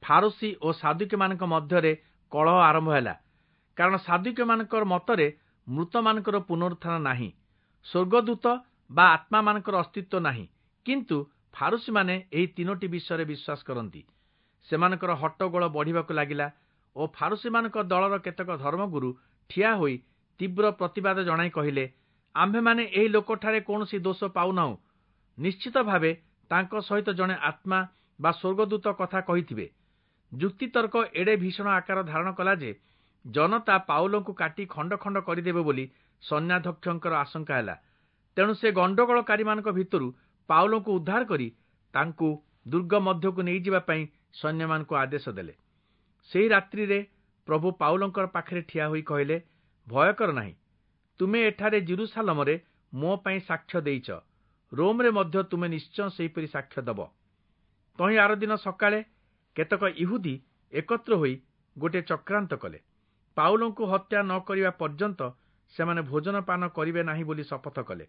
A: ଫାରୁସୀ ଓ ସାଦୁକୀମାନଙ୍କ ମଧ୍ୟରେ କଳହ ଆରମ୍ଭ ହେଲା। କାରଣ ସାଦୁକୀମାନଙ୍କର ମତରେ ମୃତମାନଙ୍କର ପୁନରୁତ୍ଥାନ ନାହିଁ, ସ୍ୱର୍ଗଦୂତ ବା ଆତ୍ମାମାନଙ୍କର ଅସ୍ତିତ୍ୱ ନାହିଁ। କିନ୍ତୁ ଫାରୁସୀମାନେ ଏହି ତିନୋଟି ବିଷୟରେ ବିଶ୍ୱାସ କରନ୍ତି। ସେମାନଙ୍କର ହଟ୍ଟଗୋଳ ବଢ଼ିବାକୁ ଲାଗିଲା ଓ ଫାରୁସୀମାନଙ୍କ ଦଳର କେତେକ ଧର୍ମଗୁରୁ ଠିଆ ହୋଇ ତୀବ୍ର ପ୍ରତିବାଦ ଜଣାଇ କହିଲେ, ଆମ୍ଭେମାନେ ଏହି ଲୋକଠାରେ କୌଣସି ଦୋଷ ପାଉନାହୁଁ। ନିଶ୍ଚିତ ଭାବେ ତାଙ୍କ ସହିତ ଜଣେ ଆତ୍ମା ବା ସ୍ୱର୍ଗଦୂତ କଥା କହିଥିବେ। ଯୁକ୍ତିତର୍କ ଏଡ଼େ ଭୀଷଣ ଆକାର ଧାରଣ କଲା ଯେ ଜନତା ପାଉଲଙ୍କୁ କାଟି ଖଣ୍ଡ ଖଣ୍ଡ କରିଦେବେ ବୋଲି ସୈନ୍ୟାଧ୍ୟକ୍ଷଙ୍କର ଆଶଙ୍କା ହେଲା। ତେଣୁ ସେ ଗଣ୍ଡଗୋଳକାରୀମାନଙ୍କ ଭିତରୁ ପାଉଲଙ୍କୁ ଉଦ୍ଧାର କରି ତାଙ୍କୁ ଦୁର୍ଗ ମଧ୍ୟକୁ ନେଇଯିବା ପାଇଁ ସୈନ୍ୟମାନଙ୍କୁ ଆଦେଶ ଦେଲେ। ସେହି ରାତ୍ରିରେ ପ୍ରଭୁ ପାଉଲଙ୍କର ପାଖରେ ଠିଆ ହୋଇ କହିଲେ, ଭୟ କର ନାହିଁ, ତୁମେ ଏଠାରେ ଯିରୂଶାଲମରେ ମୋ ପାଇଁ ସାକ୍ଷ୍ୟ ଦେଇଛ, ରୋମରେ ମଧ୍ୟ ତୁମେ ନିଶ୍ଚୟ ସେହିପରି ସାକ୍ଷ୍ୟ ଦେବ। ତହିଁ ଆରଦିନ ସକାଳେ କେତେକ ଇହୁଦୀ ଏକତ୍ର ହୋଇ ଗୋଟିଏ ଚକ୍ରାନ୍ତ କଲେ। ପାଉଲଙ୍କୁ ହତ୍ୟା ନ କରିବା ପର୍ଯ୍ୟନ୍ତ ସେମାନେ ଭୋଜନ ପାନ କରିବେ ନାହିଁ ବୋଲି ଶପଥ କଲେ।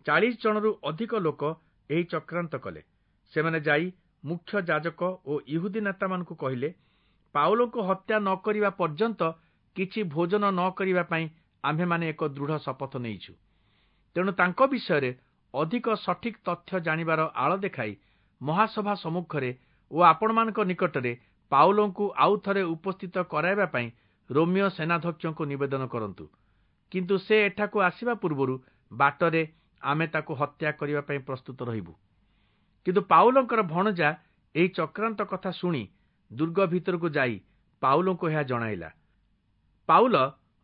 A: 40 ଜଣରୁ ଅଧିକ ଲୋକ ଏହି ଚକ୍ରାନ୍ତ କଲେ। ସେମାନେ ଯାଇ ମୁଖ୍ୟ ଯାଜକ ଓ ଇହୁଦୀ ନେତାମାନଙ୍କୁ କହିଲେ, ପାଉଲଙ୍କୁ ହତ୍ୟା ନ କରିବା ପର୍ଯ୍ୟନ୍ତ କିଛି ଭୋଜନ ନ କରିବା ପାଇଁ ଆମ୍ଭେମାନେ ଏକ ଦୃଢ଼ ଶପଥ ନେଇଛୁ। ତେଣୁ ତାଙ୍କ ବିଷୟରେ ଅଧିକ ସଠିକ୍ ତଥ୍ୟ ଜାଣିବାର ଆଳ ଦେଖାଇ ମହାସଭା ସମ୍ମୁଖରେ ଓ ଆପଣମାନଙ୍କ ନିକଟରେ ପାଉଲଙ୍କୁ ଆଉ ଥରେ ଉପସ୍ଥିତ କରାଇବା ପାଇଁ ରୋମୀୟ ସେନାଧ୍ୟକ୍ଷଙ୍କୁ ନିବେଦନ କରନ୍ତୁ। କିନ୍ତୁ ସେ ଏଠାକୁ ଆସିବା ପୂର୍ବରୁ ବାଟରେ ଆମେ ତାକୁ ହତ୍ୟା କରିବା ପାଇଁ ପ୍ରସ୍ତୁତ ରହିବୁ। କିନ୍ତୁ ପାଉଲଙ୍କର ଭଣଜା ଏହି ଚକ୍ରାନ୍ତ କଥା ଶୁଣି ଦୁର୍ଗ ଭିତରକୁ ଯାଇ ପାଉଲଙ୍କୁ ଏହା ଜଣାଇଲା। ପାଉଲ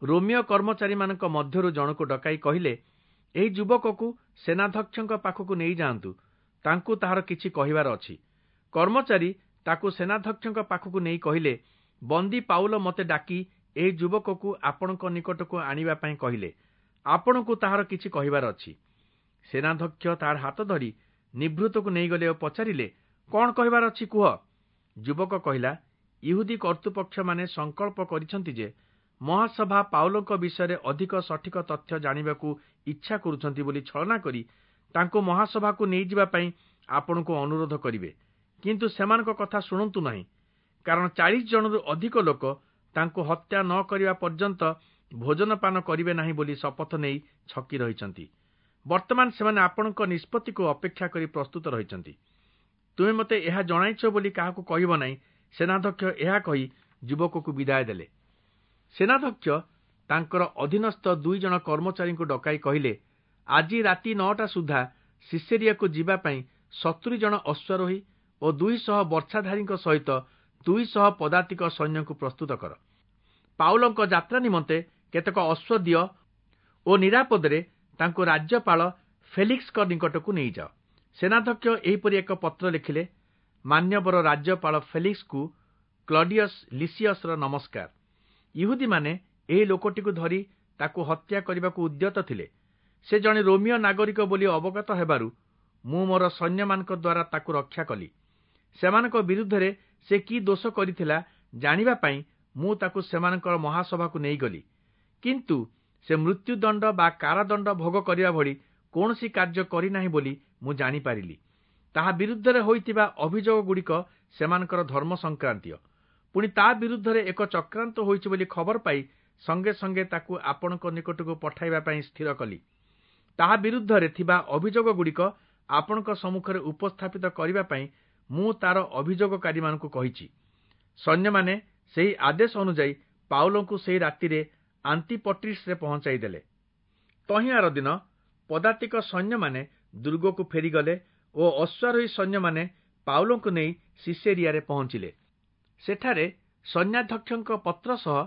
A: ରୋମୀୟ କର୍ମଚାରୀମାନଙ୍କ ମଧ୍ୟରୁ ଜଣକୁ ଡକାଇ କହିଲେ, ଏହି ଯୁବକକୁ ସେନାଧ୍ୟକ୍ଷଙ୍କ ପାଖକୁ ନେଇଯାଆନ୍ତୁ, ତାଙ୍କୁ ତାହାର କିଛି କହିବାର ଅଛି। କର୍ମଚାରୀ ତାକୁ ସେନାଧ୍ୟକ୍ଷଙ୍କ ପାଖକୁ ନେଇ କହିଲେ, ବନ୍ଦୀ ପାଉଲ ମୋତେ ଡାକି ଏହି ଯୁବକକୁ ଆପଣଙ୍କ ନିକଟକୁ ଆଣିବା ପାଇଁ କହିଲେ, ଆପଣଙ୍କୁ ତାହାର କିଛି କହିବାର ଅଛି। ସେନାଧ୍ୟକ୍ଷ ତାହାର ହାତ ଧରି ନିଭୃତକୁ ନେଇଗଲେ ଓ ପଚାରିଲେ, କଣ କହିବାର ଅଛି କୁହ। ଯୁବକ କହିଲା, ଇହୁଦୀ କର୍ତ୍ତୃପକ୍ଷମାନେ ସଂକଳ୍ପ କରିଛନ୍ତି ଯେ ମହାସଭା ପାଉଲଙ୍କ ବିଷୟରେ ଅଧିକ ସଠିକ ତଥ୍ୟ ଜାଣିବାକୁ ଇଚ୍ଛା କରୁଛନ୍ତି ବୋଲି ଛଳନା କରି ତାଙ୍କୁ ମହାସଭାକୁ ନେଇଯିବା ପାଇଁ ଆପଣଙ୍କୁ ଅନୁରୋଧ କରିବେ। କିନ୍ତୁ ସେମାନଙ୍କ କଥା ଶୁଣନ୍ତୁ ନାହିଁ, କାରଣ 40 ଜଣରୁ ଅଧିକ ଲୋକ ତାଙ୍କୁ ହତ୍ୟା ନ କରିବା ପର୍ଯ୍ୟନ୍ତ ଭୋଜନପାନ କରିବେ ନାହିଁ ବୋଲି ଶପଥ ନେଇ ଛକି ରହିଛନ୍ତି। ବର୍ତ୍ତମାନ ସେମାନେ ଆପଣଙ୍କ ନିଷ୍ପତ୍ତିକୁ ଅପେକ୍ଷା କରି ପ୍ରସ୍ତୁତ ରହିଛନ୍ତି। ତୁମେ ମୋତେ ଏହା ଜଣାଇଛ ବୋଲି କାହାକୁ କହିବ ନାହିଁ, ସେନାଧ୍ୟକ୍ଷ ଏହା କହି ଯୁବକକୁ ବିଦାୟ ଦେଲେ। ସେନାଧ୍ୟକ୍ଷ ତାଙ୍କର ଅଧୀନସ୍ଥ 2 ଜଣ କର୍ମଚାରୀଙ୍କୁ ଡକାଇ କହିଲେ, ଆଜି ରାତି 9ଟା ସୁଦ୍ଧା ସିସେରିଆକୁ ଯିବା ପାଇଁ 70 ଜଣ ଅଶ୍ୱାରୋହୀ ଓ 200 ବର୍ଚ୍ଛାଧାରୀଙ୍କ ସହିତ 200 ପଦାତିକ ସୈନ୍ୟଙ୍କୁ ପ୍ରସ୍ତୁତ କର। ପାଉଲଙ୍କ ଯାତ୍ରା ନିମନ୍ତେ କେତେକ ଅଶ୍ୱ ଦିଅ ଓ ନିରାପଦରେ ତାଙ୍କୁ ରାଜ୍ୟପାଳ ଫେଲିକ୍ସଙ୍କ ନିକଟକୁ ନେଇଯାଅ। ସେନାଧ୍ୟକ୍ଷ ଏହିପରି ଏକ ପତ୍ର ଲେଖିଲେ, ମାନ୍ୟବର ରାଜ୍ୟପାଳ ଫେଲିକ୍ସଙ୍କୁ କ୍ଲଡିୟସ୍ ଲିସିୟସର ନମସ୍କାର। ଇହୁଦୀମାନେ ଏହି ଲୋକଟିକୁ ଧରି ତାକୁ ହତ୍ୟା କରିବାକୁ ଉଦ୍ୟତ ଥିଲେ। ସେ ଜଣେ ରୋମୀୟ ନାଗରିକ ବୋଲି ଅବଗତ ହେବାରୁ ମୁଁ ମୋର ସୈନ୍ୟମାନଙ୍କ ଦ୍ୱାରା ତାକୁ ରକ୍ଷା କଲି। ସେମାନଙ୍କ ବିରୁଦ୍ଧରେ ସେ କି ଦୋଷ କରିଥିଲା ଜାଣିବା ପାଇଁ ମୁଁ ତାକୁ ସେମାନଙ୍କର ମହାସଭାକୁ ନେଇଗଲି। କିନ୍ତୁ ସେ ମୃତ୍ୟୁଦଣ୍ଡ ବା କାରାଦଣ୍ଡ ଭୋଗ କରିବା ଭଳି କୌଣସି କାର୍ଯ୍ୟ କରିନାହିଁ ବୋଲି ମୁଁ ଜାଣିପାରିଲି। ତାହା ବିରୁଦ୍ଧରେ ହୋଇଥିବା ଅଭିଯୋଗଗୁଡ଼ିକ ସେମାନଙ୍କର ଧର୍ମ ସଂକ୍ରାନ୍ତୀୟ। ପୁଣି ତା ବିରୁଦ୍ଧରେ ଏକ ଚକ୍ରାନ୍ତ ହୋଇଛି ବୋଲି ଖବର ପାଇ ସଙ୍ଗେ ସଙ୍ଗେ ତାକୁ ଆପଣଙ୍କ ନିକଟକୁ ପଠାଇବା ପାଇଁ ସ୍ଥିର କଲି। ତାହା ବିରୁଦ୍ଧରେ ଥିବା ଅଭିଯୋଗଗୁଡ଼ିକ ଆପଣଙ୍କ ସମ୍ମୁଖରେ ଉପସ୍ଥାପିତ କରିବା ପାଇଁ ମୁଁ ତାର ଅଭିଯୋଗକାରୀମାନଙ୍କୁ କହିଛି। ସୈନ୍ୟମାନେ ସେହି ଆଦେଶ ଅନୁଯାୟୀ ପାଉଲଙ୍କୁ ସେହି ରାତିରେ ଆନ୍ତିପଟ୍ରିସରେ ପହଞ୍ଚାଇ ଦେଲେ। ତହିଁ ଆର ଦିନ ପଦାତିକ ସୈନ୍ୟମାନେ ଦୁର୍ଗକୁ ଫେରିଗଲେ ଓ ଅଶ୍ୱାରୋହୀ ସୈନ୍ୟମାନେ ପାଉଲଙ୍କୁ ନେଇ ସିସେରିଆରେ ପହଞ୍ଚିଲେ। ସେଠାରେ ସୈନ୍ୟାଧ୍ୟକ୍ଷଙ୍କ ପତ୍ର ସହ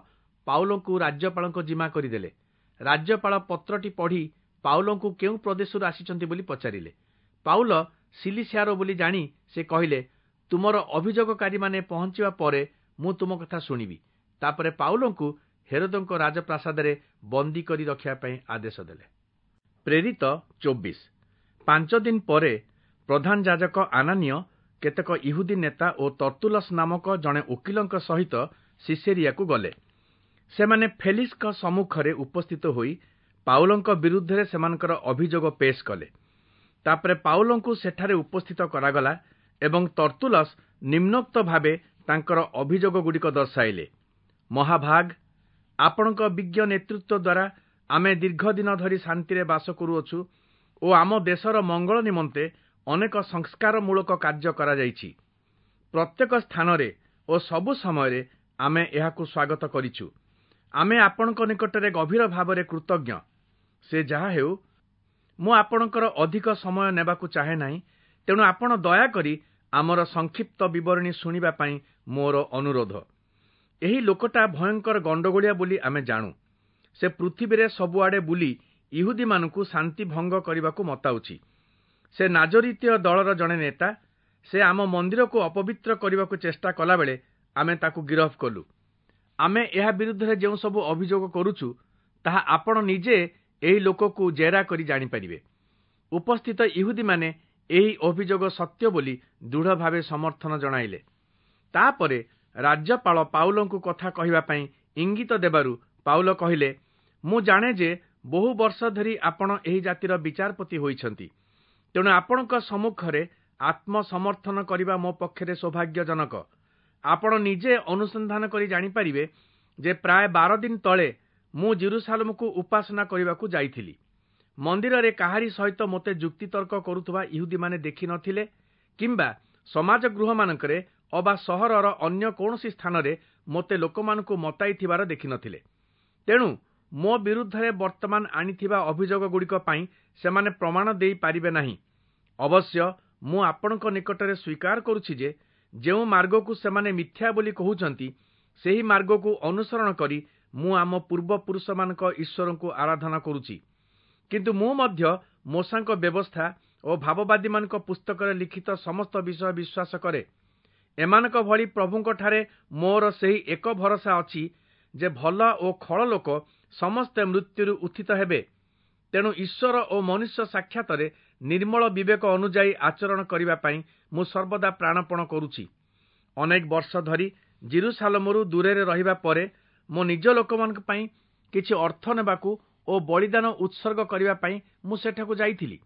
A: ପାଉଲଙ୍କୁ ରାଜ୍ୟପାଳଙ୍କ ଜିମା କରିଦେଲେ। ରାଜ୍ୟପାଳ ପତ୍ରଟି ପଢ଼ି ପାଉଲଙ୍କୁ କେଉଁ ପ୍ରଦେଶରୁ ଆସିଛନ୍ତି ବୋଲି ପଚାରିଲେ। ପାଉଲ ସିଲିସିଆର ବୋଲି ଜାଣି ସେ କହିଲେ, ତୁମର ଅଭିଯୋଗକାରୀମାନେ ପହଞ୍ଚିବା ପରେ ମୁଁ ତୁମ କଥା ଶୁଣିବି। ତାପରେ ପାଉଲଙ୍କୁ ହେରୋଦଙ୍କ ରାଜପ୍ରାସାଦରେ ବନ୍ଦୀ କରି ରଖିବା ପାଇଁ ଆଦେଶ ଦେଲେ। ପ୍ରେରିତ 24। 5 ଦିନ ପରେ ପ୍ରଧାନ ଯାଜକ ଆନାନୀୟ କେତେକ ଇହୁଦୀ ନେତା ଓ ତର୍ତ୍ତୁଲସ୍ ନାମକ ଜଣେ ଓକିଲଙ୍କ ସହିତ ସିସେରିଆକୁ ଗଲେ। ସେମାନେ ଫେଲିକ୍ସଙ୍କ ସମ୍ମୁଖରେ ଉପସ୍ଥିତ ହୋଇ ପାଉଲଙ୍କ ବିରୁଦ୍ଧରେ ସେମାନଙ୍କର ଅଭିଯୋଗ ପେଶ କଲେ। ତାପରେ ପାଉଲଙ୍କୁ ସେଠାରେ ଉପସ୍ଥିତ କରାଗଲା ଏବଂ ତର୍ତ୍ତୁଲସ୍ ନିମ୍ନୋକ୍ତ ଭାବେ ତାଙ୍କର ଅଭିଯୋଗଗୁଡ଼ିକ ଦର୍ଶାଇଲେ। ମହାଭାଗ, ଆପଣଙ୍କ ବିଜ୍ଞ ନେତୃତ୍ୱ ଦ୍ୱାରା ଆମେ ଦୀର୍ଘ ଦିନ ଧରି ଶାନ୍ତିରେ ବାସ କରୁଅଛୁ ଓ ଆମ ଦେଶର ମଙ୍ଗଳ ନିମନ୍ତେ ଅନେକ ସଂସ୍କାରମୂଳକ କାର୍ଯ୍ୟ କରାଯାଇଛି। ପ୍ରତ୍ୟେକ ସ୍ଥାନରେ ଓ ସବୁ ସମୟରେ ଆମେ ଏହାକୁ ସ୍ୱାଗତ କରିଛୁ। ଆମେ ଆପଣଙ୍କ ନିକଟରେ ଗଭୀର ଭାବରେ କୃତଜ୍ଞ। ସେ ଯାହା ହେଉ, ମୁଁ ଆପଣଙ୍କର ଅଧିକ ସମୟ ନେବାକୁ ଚାହେଁ ନାହିଁ, ତେଣୁ ଆପଣ ଦୟାକରି ଆମର ସଂକ୍ଷିପ୍ତ ବିବରଣୀ ଶୁଣିବା ପାଇଁ ମୋର ଅନୁରୋଧ। ଏହି ଲୋକଟା ଭୟଙ୍କର ଗଣ୍ଡଗୋଳିଆ ବୋଲି ଆମେ ଜାଣୁ। ସେ ପୃଥିବୀରେ ସବୁଆଡ଼େ ବୁଲି ଇହୁଦୀମାନଙ୍କୁ ଶାନ୍ତି ଭଙ୍ଗ କରିବାକୁ ମତାଉଛି। ସେ ନାଜରିତୀୟ ଦଳର ଜଣେ ନେତା। ସେ ଆମ ମନ୍ଦିରକୁ ଅପବିତ୍ର କରିବାକୁ ଚେଷ୍ଟା କଲାବେଳେ ଆମେ ତାକୁ ଗିରଫ କଲୁ। ଆମେ ଏହା ବିରୁଦ୍ଧରେ ଯେଉଁ ସବୁ ଅଭିଯୋଗ କରୁଛୁ, ତାହା ଆପଣ ନିଜେ ଏହି ଲୋକକୁ ଜେରା କରି ଜାଣିପାରିବେ। ଉପସ୍ଥିତ ଇହୁଦୀମାନେ ଏହି ଅଭିଯୋଗ ସତ୍ୟ ବୋଲି ଦୃଢ଼ ଭାବେ ସମର୍ଥନ ଜଣାଇଲେ। ତାପରେ ରାଜ୍ୟପାଳ ପାଉଲଙ୍କୁ କଥା କହିବା ପାଇଁ ଇଙ୍ଗିତ ଦେବାରୁ ପାଉଲ କହିଲେ, ମୁଁ ଜାଣେ ଯେ ବହୁ ବର୍ଷ ଧରି ଆପଣ ଏହି ଜାତିର ବିଚାରପତି ହୋଇଛନ୍ତି, ତେଣୁ ଆପଣଙ୍କ ସମ୍ମୁଖରେ ଆତ୍ମସମର୍ଥନ କରିବା ମୋ ପକ୍ଷରେ ସୌଭାଗ୍ୟଜନକ। ଆପଣ ନିଜେ ଅନୁସନ୍ଧାନ କରି ଜାଣିପାରିବେ ଯେ ପ୍ରାୟ 12 ଦିନ ତଳେ ମୁଁ ଜେରୁସାଲେମକୁ ଉପାସନା କରିବାକୁ ଯାଇଥିଲି। ମନ୍ଦିରରେ କାହାରି ସହିତ ମୋତେ ଯୁକ୍ତିତର୍କ କରୁଥିବା ଇହୁଦୀମାନେ ଦେଖିନଥିଲେ କିମ୍ବା ସମାଜ ଗୃହମାନଙ୍କରେ ଅବା ସହରର ଅନ୍ୟ କୌଣସି ସ୍ଥାନରେ ମୋତେ ଲୋକମାନଙ୍କୁ ମତାଇଥିବାର ଦେଖିନଥିଲେ। ତେଣୁ ମୋ ବିରୁଦ୍ଧରେ ବର୍ତ୍ତମାନ ଆଣିଥିବା ଅଭିଯୋଗଗୁଡ଼ିକ ପାଇଁ ସେମାନେ ପ୍ରମାଣ ଦେଇପାରିବେ ନାହିଁ। ଅବଶ୍ୟ ମୁଁ ଆପଣଙ୍କ ନିକଟରେ ସ୍ୱୀକାର କରୁଛି ଯେ ଯେଉଁ ମାର୍ଗକୁ ସେମାନେ ମିଥ୍ୟା ବୋଲି କହୁଛନ୍ତି, ସେହି ମାର୍ଗକୁ ଅନୁସରଣ କରି ମୁଁ ଆମ ପୂର୍ବପୁରୁଷମାନଙ୍କ ଈଶ୍ୱରଙ୍କୁ ଆରାଧନା କରୁଛି। କିନ୍ତୁ ମୁଁ ମଧ୍ୟ ମୋଶାଙ୍କ ବ୍ୟବସ୍ଥା ଓ ଭାବବାଦୀମାନଙ୍କ ପୁସ୍ତକରେ ଲିଖିତ ସମସ୍ତ ବିଷୟ ବିଶ୍ୱାସ କରେ। ଏମାନଙ୍କ ଭଳି ପ୍ରଭୁଙ୍କଠାରେ ମୋର ସେହି ଏକ ଭରସା ଅଛି ଯେ ଭଲ ଓ ଖଳ ଲୋକ ସମସ୍ତେ ମୃତ୍ୟୁରୁ ଉତ୍ଥିତ ହେବେ। ତେଣୁ ଈଶ୍ୱର ଓ ମନୁଷ୍ୟ ସାକ୍ଷାତରେ ନିର୍ମଳ ବିବେକ ଅନୁଯାୟୀ ଆଚରଣ କରିବା ପାଇଁ ମୁଁ ସର୍ବଦା ପ୍ରାଣପଣ କରୁଛି। ଅନେକ ବର୍ଷ ଧରି ଜେରୁସାଲେମରୁ ଦୂରରେ ରହିବା ପରେ ମୋ ନିଜ ଲୋକମାନଙ୍କ ପାଇଁ କିଛି ଅର୍ଥ ନେବାକୁ ଓ ବଳିଦାନ ଉତ୍ସର୍ଗ କରିବା ପାଇଁ ମୁଁ ସେଠାକୁ ଯାଇଥିଲି।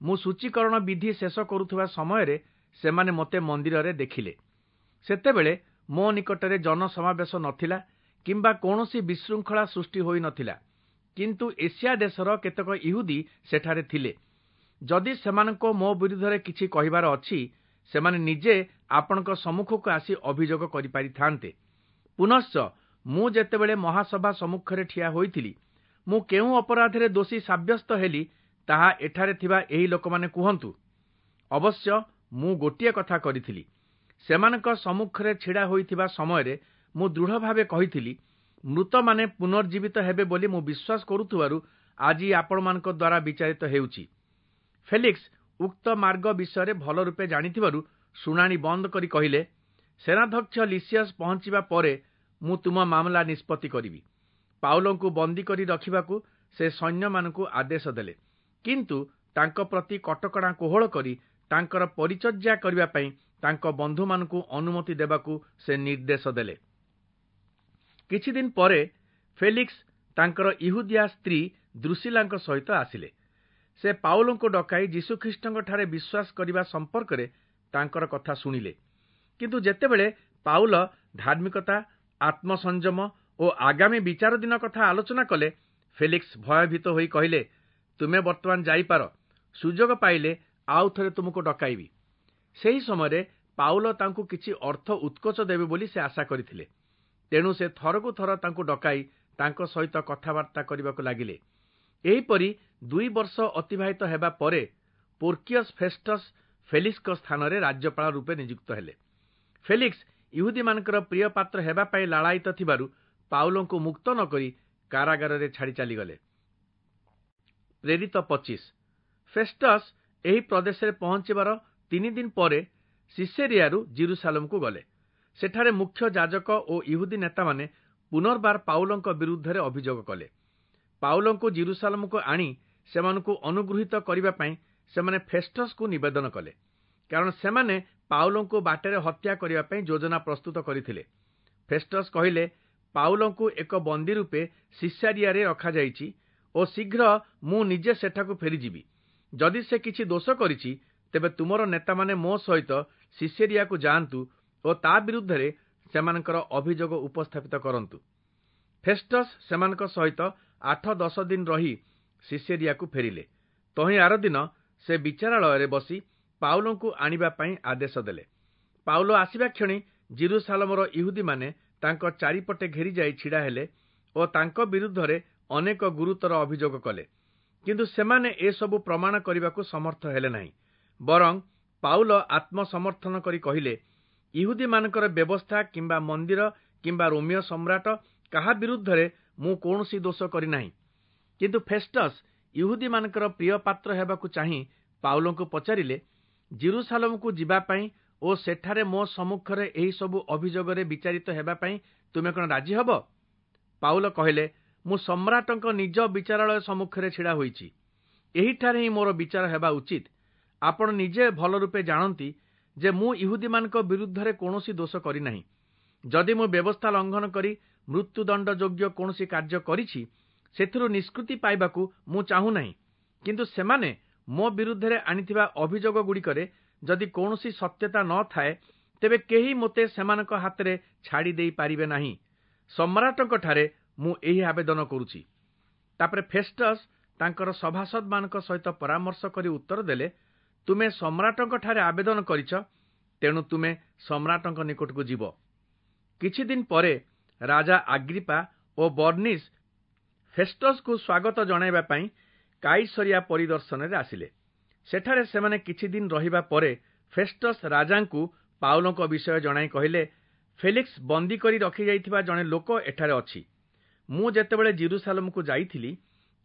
A: ମୁଁ ସୂଚୀକରଣ ବିଧି ଶେଷ କରୁଥିବା ସମୟରେ ସେମାନେ ମୋତେ ମନ୍ଦିରରେ ଦେଖିଲେ। ସେତେବେଳେ ମୋ ନିକଟରେ ଜନସମାବେଶ ନଥିଲା କିମ୍ବା କୌଣସି ବିଶୃଙ୍ଖଳା ସୃଷ୍ଟି ହୋଇନଥିଲା, କିନ୍ତୁ ଏସିଆ ଦେଶର କେତେକ ଇହୁଦୀ ସେଠାରେ ଥିଲେ। ଯଦି ସେମାନଙ୍କ ମୋ ବିରୁଦ୍ଧରେ କିଛି କହିବାର ଅଛି, ସେମାନେ ନିଜେ ଆପଣଙ୍କ ସମ୍ମୁଖକୁ ଆସି ଅଭିଯୋଗ କରିପାରିଥାନ୍ତେ। ପୁନଶ୍ଚ ମୁଁ ଯେତେବେଳେ ମହାସଭା ସମ୍ମୁଖରେ ଠିଆ ହୋଇଥିଲି, ମୁଁ କେଉଁ ଅପରାଧରେ ଦୋଷୀ ସାବ୍ୟସ୍ତ ହେଲି ତାହା ଏଠାରେ ଥିବା ଏହି ଲୋକମାନେ କୁହନ୍ତୁ। ଅବଶ୍ୟ ମୁଁ ଗୋଟିଏ କଥା କରିଥିଲି, ସେମାନଙ୍କ ସମ୍ମୁଖରେ ଛିଡ଼ା ହୋଇଥିବା ସମୟରେ ମୁଁ ଦୃଢ଼ ଭାବେ କହିଥିଲି, ମୃତମାନେ ପୁନର୍ଜୀବିତ ହେବେ ବୋଲି ମୁଁ ବିଶ୍ୱାସ କରୁଥିବାରୁ ଆଜି ଆପଣମାନଙ୍କ ଦ୍ୱାରା ବିଚାରିତ ହେଉଛି। ଫେଲିକ୍ସ ଉକ୍ତ ମାର୍ଗ ବିଷୟରେ ଭଲ ରୂପେ ଜାଣିଥିବାରୁ ଶୁଣାଣି ବନ୍ଦ କରି କହିଲେ, ସେନାଧ୍ୟକ୍ଷ ଲିସିୟସ୍ ପହଞ୍ଚିବା ପରେ ମୁଁ ତୁମ ମାମଲା ନିଷ୍ପତ୍ତି କରିବି। ପାଉଲଙ୍କୁ ବନ୍ଦୀ କରି ରଖିବାକୁ ସେ ସୈନ୍ୟମାନଙ୍କୁ ଆଦେଶ ଦେଲେ, କିନ୍ତୁ ତାଙ୍କ ପ୍ରତି କଟକଣା କୋହଳ କରି ତାଙ୍କର ପରିଚର୍ଯା କରିବା ପାଇଁ ତାଙ୍କ ବନ୍ଧୁମାନଙ୍କୁ ଅନୁମତି ଦେବାକୁ ସେ ନିର୍ଦ୍ଦେଶ ଦେଲେ। କିଛି ଦିନ ପରେ ଫେଲିକ୍ସ ତାଙ୍କର ଇହୁଦିଆ ସ୍ତ୍ରୀ ଦ୍ରୁସିଲାଙ୍କ ସହିତ ଆସିଲେ। ସେ ପାଉଲଙ୍କୁ ଡକାଇ ଯୀଶୁଖ୍ରୀଷ୍ଟଙ୍କଠାରେ ବିଶ୍ୱାସ କରିବା ସମ୍ପର୍କରେ ତାଙ୍କର କଥା ଶୁଣିଲେ। କିନ୍ତୁ ଯେତେବେଳେ ପାଉଲ ଧାର୍ମିକତା, ଆତ୍ମସଂଯମ ଓ ଆଗାମୀ ବିଚାର ଦିନ କଥା ଆଲୋଚନା କଲେ, ଫେଲିକ୍ସ ଭୟଭୀତ ହୋଇ କହିଲେ, ତୁମେ ବର୍ତ୍ତମାନ ଯାଇପାର, ସୁଯୋଗ ପାଇଲେ ଆଉ ଥରେ ତୁମକୁ ଡକାଇବି। ସେହି ସମୟରେ ପାଉଲ ତାଙ୍କୁ କିଛି ଅର୍ଥ ଉତ୍କୋଚ ଦେବେ ବୋଲି ସେ ଆଶା କରିଥିଲେ। ତେଣୁ ସେ ଥରକୁ ଥର ତାଙ୍କୁ ଡକାଇ ତାଙ୍କ ସହିତ କଥାବାର୍ତ୍ତା କରିବାକୁ ଲାଗିଲେ। ଏହିପରି 2 ବର୍ଷ ଅତିବାହିତ ହେବା ପରେ ପୋର୍କିୟସ୍ ଫେଷ୍ଟସ୍ ଫେଲିକ୍ସଙ୍କ ସ୍ଥାନରେ ରାଜ୍ୟପାଳ ରୂପେ ନିଯୁକ୍ତ ହେଲେ। ଫେଲିକ୍ସ ଇହୁଦୀମାନଙ୍କର ପ୍ରିୟ ପାତ୍ର ହେବା ପାଇଁ ଲାଳାୟିତ ଥିବାରୁ ପାଉଲଙ୍କୁ ମୁକ୍ତ ନ କରି କାରାଗାରରେ ଛାଡ଼ି ଚାଲିଗଲେ। ପ୍ରେରିତ 25। ଫେଷ୍ଟସ୍ ଏହି ପ୍ରଦେଶରେ ପହଞ୍ଚିବାର 3 ଦିନ ପରେ ସିସେରିଆରୁ ଜିରୁସାଲମକୁ ଗଲେ। ସେଠାରେ ମୁଖ୍ୟ ଯାଜକ ଓ ଇହୁଦୀ ନେତାମାନେ ପୁନର୍ବାର ପାଉଲଙ୍କ ବିରୁଦ୍ଧରେ ଅଭିଯୋଗ କଲେ। ପାଉଲଙ୍କୁ ଜିରୁସାଲମକୁ ଆଣି ସେମାନଙ୍କୁ ଅନୁଗୃହୀତ କରିବା ପାଇଁ ସେମାନେ ଫେଷ୍ଟସ୍କୁ ନିବେଦନ କଲେ, କାରଣ ସେମାନେ ପାଉଲଙ୍କୁ ବାଟରେ ହତ୍ୟା କରିବା ପାଇଁ ଯୋଜନା ପ୍ରସ୍ତୁତ କରିଥିଲେ। ଫେଷ୍ଟସ୍ କହିଲେ, ପାଉଲଙ୍କୁ ଏକ ବନ୍ଦୀ ରୂପେ ସିସାରିଆରେ ରଖାଯାଇଛି ଓ ଶୀଘ୍ର ମୁଁ ନିଜେ ସେଠାକୁ ଫେରିଯିବି। ଯଦି ସେ କିଛି ଦୋଷ କରିଛି, ତେବେ ତୁମର ନେତାମାନେ ମୋ ସହିତ ସିସେରିଆକୁ ଯାଆନ୍ତୁ ଓ ତା ବିରୁଦ୍ଧରେ ସେମାନଙ୍କର ଅଭିଯୋଗ ଉପସ୍ଥାପିତ କରନ୍ତୁ। ଫେଷ୍ଟସ୍ ସେମାନଙ୍କ ସହିତ 8-10 ଦିନ ରହି ସିସେରିଆକୁ ଫେରିଲେ। ତହିଁ ଆରଦିନ ସେ ବିଚାରାଳୟରେ ବସି ପାଉଲଙ୍କୁ ଆଣିବା ପାଇଁ ଆଦେଶ ଦେଲେ। ପାଉଲ ଆସିବା କ୍ଷଣି ଜିରୁସାଲମର ଇହୁଦୀମାନେ ତାଙ୍କ ଚାରିପଟେ ଘେରିଯାଇ ଛିଡ଼ା ହେଲେ ଓ ତାଙ୍କ ବିରୁଦ୍ଧରେ ଅନେକ ଗୁରୁତର ଅଭିଯୋଗ କଲେ। କିନ୍ତୁ ସେମାନେ ଏସବୁ ପ୍ରମାଣ କରିବାକୁ ସମର୍ଥ ହେଲେ ନାହିଁ। ବରଂ ପାଉଲ ଆତ୍ମସମର୍ଥନ କରି କହିଲେ, ଇହୁଦୀମାନଙ୍କର ବ୍ୟବସ୍ଥା କିମ୍ବା ମନ୍ଦିର କିମ୍ବା ରୋମୀୟ ସମ୍ରାଟ କାହା ବିରୁଦ୍ଧରେ ମୁଁ କୌଣସି ଦୋଷ କରିନାହିଁ। କିନ୍ତୁ ଫେଷ୍ଟସ୍ ଇହୁଦୀମାନଙ୍କର ପ୍ରିୟ ପାତ୍ର ହେବାକୁ ଚାହିଁ ପାଉଲଙ୍କୁ ପଚାରିଲେ, ଜିରୁସାଲମକୁ ଯିବା ପାଇଁ ଓ ସେଠାରେ ମୋ ସମ୍ମୁଖରେ ଏହିସବୁ ଅଭିଯୋଗରେ ବିଚାରିତ ହେବା ପାଇଁ ତୁମେ କ'ଣ ରାଜି ହେବ? ପାଉଲ କହିଲେ, ମୁଁ ସମ୍ରାଟଙ୍କ ନିଜ ବିଚାରାଳୟ ସମ୍ମୁଖରେ ଛିଡ଼ା ହୋଇଛି। ଏହିଠାରେ ହିଁ ମୋର ବିଚାର ହେବା ଉଚିତ। ଆପଣ ନିଜେ ଭଲ ରୂପେ ଜାଣନ୍ତି ଯେ ମୁଁ ଇହୁଦୀମାନଙ୍କ ବିରୁଦ୍ଧରେ କୌଣସି ଦୋଷ କରିନାହିଁ। ଯଦି ମୁଁ ବ୍ୟବସ୍ଥା ଲଙ୍ଘନ କରି ମୃତ୍ୟୁଦଣ୍ଡ ଯୋଗ୍ୟ କୌଣସି କାର୍ଯ୍ୟ କରିଛି, ସେଥିରୁ ନିଷ୍କୃତି ପାଇବାକୁ ମୁଁ ଚାହୁଁନାହିଁ। କିନ୍ତୁ ସେମାନେ ମୋ ବିରୁଦ୍ଧରେ ଆଣିଥିବା ଅଭିଯୋଗଗୁଡ଼ିକରେ ଯଦି କୌଣସି ସତ୍ୟତା ନ ଥାଏ, ତେବେ କେହି ମୋତେ ସେମାନଙ୍କ ହାତରେ ଛାଡ଼ି ଦେଇପାରିବେ ନାହିଁ। ସମ୍ରାଟଙ୍କଠାରେ ମୁଁ ଏହି ଆବେଦନ କରୁଛି। ତାପରେ ଫେଷ୍ଟସ୍ ତାଙ୍କର ସଭାସଦମାନଙ୍କ ସହିତ ପରାମର୍ଶ କରି ଉତ୍ତର ଦେଲେ, ତୁମେ ସମ୍ରାଟଙ୍କଠାରେ ଆବେଦନ କରିଛ, ତେଣୁ ତୁମେ ସମ୍ରାଟଙ୍କ ନିକଟକୁ ଯିବ। କିଛି ଦିନ ପରେ ରାଜା ଆଗ୍ରିପା ଓ ବର୍ନିସ୍ ଫେଷ୍ଟସ୍କୁ ସ୍ୱାଗତ ଜଣାଇବା ପାଇଁ କାଇସରିଆ ପରିଦର୍ଶନରେ ଆସିଲେ। ସେଠାରେ ସେମାନେ କିଛି ଦିନ ରହିବା ପରେ ଫେଷ୍ଟସ୍ ରାଜାଙ୍କୁ ପାଉଲଙ୍କ ବିଷୟ ଜଣାଇ କହିଲେ, ଫେଲିକ୍ସ ବନ୍ଦୀ କରି ରଖିଯାଇଥିବା ଜଣେ ଲୋକ ଏଠାରେ ଅଛି। ମୁଁ ଯେତେବେଳେ ଜିରୁସାଲମକୁ ଯାଇଥିଲି,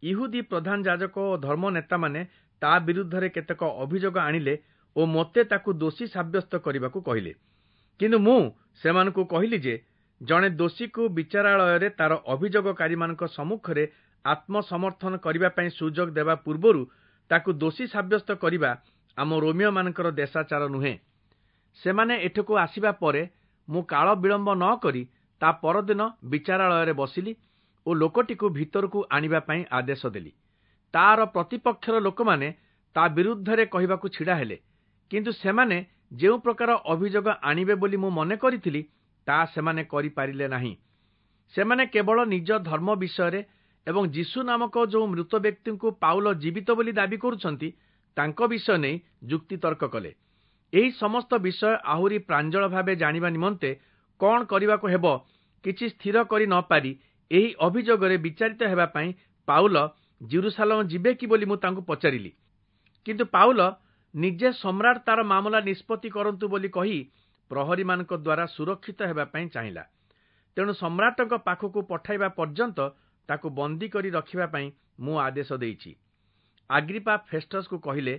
A: ଇହୁଦୀ ପ୍ରଧାନ ଯାଜକ ଓ ଧର୍ମ ନେତାମାନେ ତା ବିରୁଦ୍ଧରେ କେତେକ ଅଭିଯୋଗ ଆଣିଲେ ଓ ମୋତେ ତାକୁ ଦୋଷୀ ସାବ୍ୟସ୍ତ କରିବାକୁ କହିଲେ। କିନ୍ତୁ ମୁଁ ସେମାନଙ୍କୁ କହିଲି ଯେ ଜଣେ ଦୋଷୀକୁ ବିଚାରାଳୟରେ ତାର ଅଭିଯୋଗକାରୀମାନଙ୍କ ସମ୍ମୁଖରେ ଆତ୍ମସମର୍ଥନ କରିବା ପାଇଁ ସୁଯୋଗ ଦେବା ପୂର୍ବରୁ ତାକୁ ଦୋଷୀ ସାବ୍ୟସ୍ତ କରିବା ଆମ ରୋମୀୟମାନଙ୍କର ଦେଶାଚାର ନୁହେଁ। ସେମାନେ ଏଠାକୁ ଆସିବା ପରେ ମୁଁ କାଳ ବିଳମ୍ବ ନ କରି ତା ପରଦିନ ବିଚାରାଳୟରେ ବସିଲି ଓ ଲୋକଟିକୁ ଭିତରକୁ ଆଣିବା ପାଇଁ ଆଦେଶ ଦେଲି। ତାର ପ୍ରତିପକ୍ଷର ଲୋକମାନେ ତା ବିରୁଦ୍ଧରେ କହିବାକୁ ଛିଡ଼ା ହେଲେ, କିନ୍ତୁ ସେମାନେ ଯେଉଁ ପ୍ରକାର ଅଭିଯୋଗ ଆଣିବେ ବୋଲି ମୁଁ ମନେ କରିଥିଲି, ତାହା ସେମାନେ କରିପାରିଲେ ନାହିଁ। ସେମାନେ କେବଳ ନିଜ ଧର୍ମ ବିଷୟରେ ଏବଂ ଯୀଶୁ ନାମକ ଯେଉଁ ମୃତ ବ୍ୟକ୍ତିଙ୍କୁ ପାଉଲ ଜୀବିତ ବୋଲି ଦାବି କରୁଛନ୍ତି, ତାଙ୍କ ବିଷୟ ନେଇ ଯୁକ୍ତିତର୍କ କଲେ। ଏହି ସମସ୍ତ ବିଷୟ ଆହୁରି ପ୍ରାଞ୍ଜଳ ଭାବେ ଜାଣିବା ନିମନ୍ତେ କ'ଣ କରିବାକୁ ହେବ କିଛି ସ୍ଥିର କରି ନ ପାରି ଏହି ଅଭିଯୋଗରେ ବିଚାରିତ ହେବା ପାଇଁ ପାଉଲ ଜିରୁସାଲମ ଯିବେ କି ବୋଲି ମୁଁ ତାଙ୍କୁ ପଚାରିଲି। କିନ୍ତୁ ପାଉଲ ନିଜେ ସମ୍ରାଟ ତାର ମାମଲା ନିଷ୍ପତ୍ତି କରନ୍ତୁ ବୋଲି କହି ପ୍ରହରୀମାନଙ୍କ ଦ୍ୱାରା ସୁରକ୍ଷିତ ହେବା ପାଇଁ ଚାହିଁଲା। ତେଣୁ ସମ୍ରାଟଙ୍କ ପାଖକୁ ପଠାଇବା ପର୍ଯ୍ୟନ୍ତ ତାକୁ ବନ୍ଦୀ କରି ରଖିବା ପାଇଁ ମୁଁ ଆଦେଶ ଦେଇଛି। ଆଗ୍ରିପା ଫେଷ୍ଟସକୁ କହିଲେ,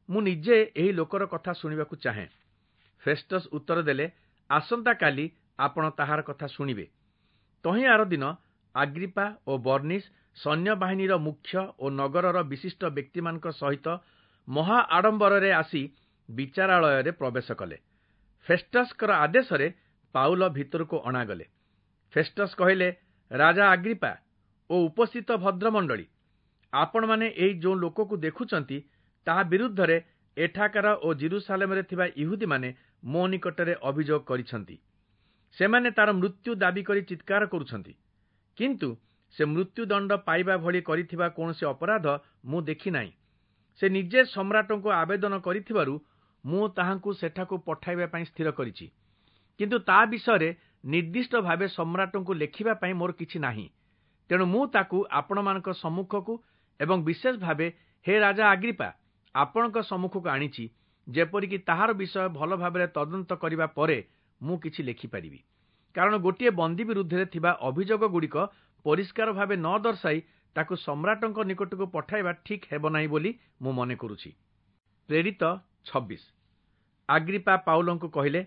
A: ମୁଁ ନିଜେ ଏହି ଲୋକର କଥା ଶୁଣିବାକୁ ଚାହେଁ। ଫେଷ୍ଟସ ଉତ୍ତର ଦେଲେ, ଆସନ୍ତାକାଲି ଆପଣ ତାହାର କଥା ଶୁଣିବେ। ତହିଁ ଆର ଦିନ ଆଗ୍ରିପା ଓ ବର୍ନିସ୍ ସୈନ୍ୟବାହିନୀର ମୁଖ୍ୟ ଓ ନଗରର ବିଶିଷ୍ଟ ବ୍ୟକ୍ତିମାନଙ୍କ ସହିତ ମହା ଆଡମ୍ବରରେ ଆସି ବିଚାରାଳୟରେ ପ୍ରବେଶ କଲେ। ଫେଷ୍ଟସଙ୍କର ଆଦେଶରେ ପାଉଲ ଭିତରକୁ ଅଣାଗଲେ। ଫେଷ୍ଟସ କହିଲେ, ରାଜା ଆଗ୍ରିପା ଓ ଉପସ୍ଥିତ ଭଦ୍ରମଣ୍ଡଳୀ, ଆପଣମାନେ ଏହି ଯେଉଁ ଲୋକକୁ ଦେଖୁଛନ୍ତି ତାହା ବିରୁଦ୍ଧରେ ଏଠାକାର ଓ ଜିରୁସାଲେମରେ ଥିବା ଇହୁଦୀମାନେ ମୋ ନିକଟରେ ଅଭିଯୋଗ କରିଛନ୍ତି। ସେମାନେ ତାର ମୃତ୍ୟୁ ଦାବି କରି ଚିତ୍କାର କରୁଛନ୍ତି, କିନ୍ତୁ ସେ ମୃତ୍ୟୁଦଣ୍ଡ ପାଇବା ଭଳି କରିଥିବା କୌଣସି ଅପରାଧ ମୁଁ ଦେଖିନାହିଁ। ସେ ନିଜେ ସମ୍ରାଟଙ୍କୁ ଆବେଦନ କରିଥିବାରୁ ମୁଁ ତାହାଙ୍କୁ ସେଠାକୁ ପଠାଇବା ପାଇଁ ସ୍ଥିର କରିଛି। କିନ୍ତୁ ତା ବିଷୟରେ ନିର୍ଦ୍ଦିଷ୍ଟ ଭାବେ ସମ୍ରାଟଙ୍କୁ ଲେଖିବା ପାଇଁ ମୋର କିଛି ନାହିଁ। ତେଣୁ ମୁଁ ତାକୁ ଆପଣମାନଙ୍କ ସମ୍ମୁଖକୁ ଏବଂ ବିଶେଷ ଭାବେ ହେ ରାଜା ଆଗ୍ରିପା, ଆପଣଙ୍କ ସମ୍ମୁଖକୁ ଆଣିଛି, ଯେପରିକି ତାହାର ବିଷୟ ଭଲ ଭାବରେ ତଦନ୍ତ କରିବା ପରେ ମୁଁ କିଛି ଲେଖିପାରିବି। କାରଣ ଗୋଟିଏ ବନ୍ଦୀ ବିରୁଦ୍ଧରେ ଥିବା ଅଭିଯୋଗଗୁଡ଼ିକ ପରିଷ୍କାର ଭାବେ ନ ଦର୍ଶାଇ ତାକୁ ସମ୍ରାଟଙ୍କ ନିକଟକୁ ପଠାଇବା ଠିକ୍ ହେବ ନାହିଁ ବୋଲି ମୁଁ ମନେ କରୁଛି। ପ୍ରେରିତ 26। ଆଗ୍ରିପା ପାଉଲଙ୍କୁ କହିଲେ,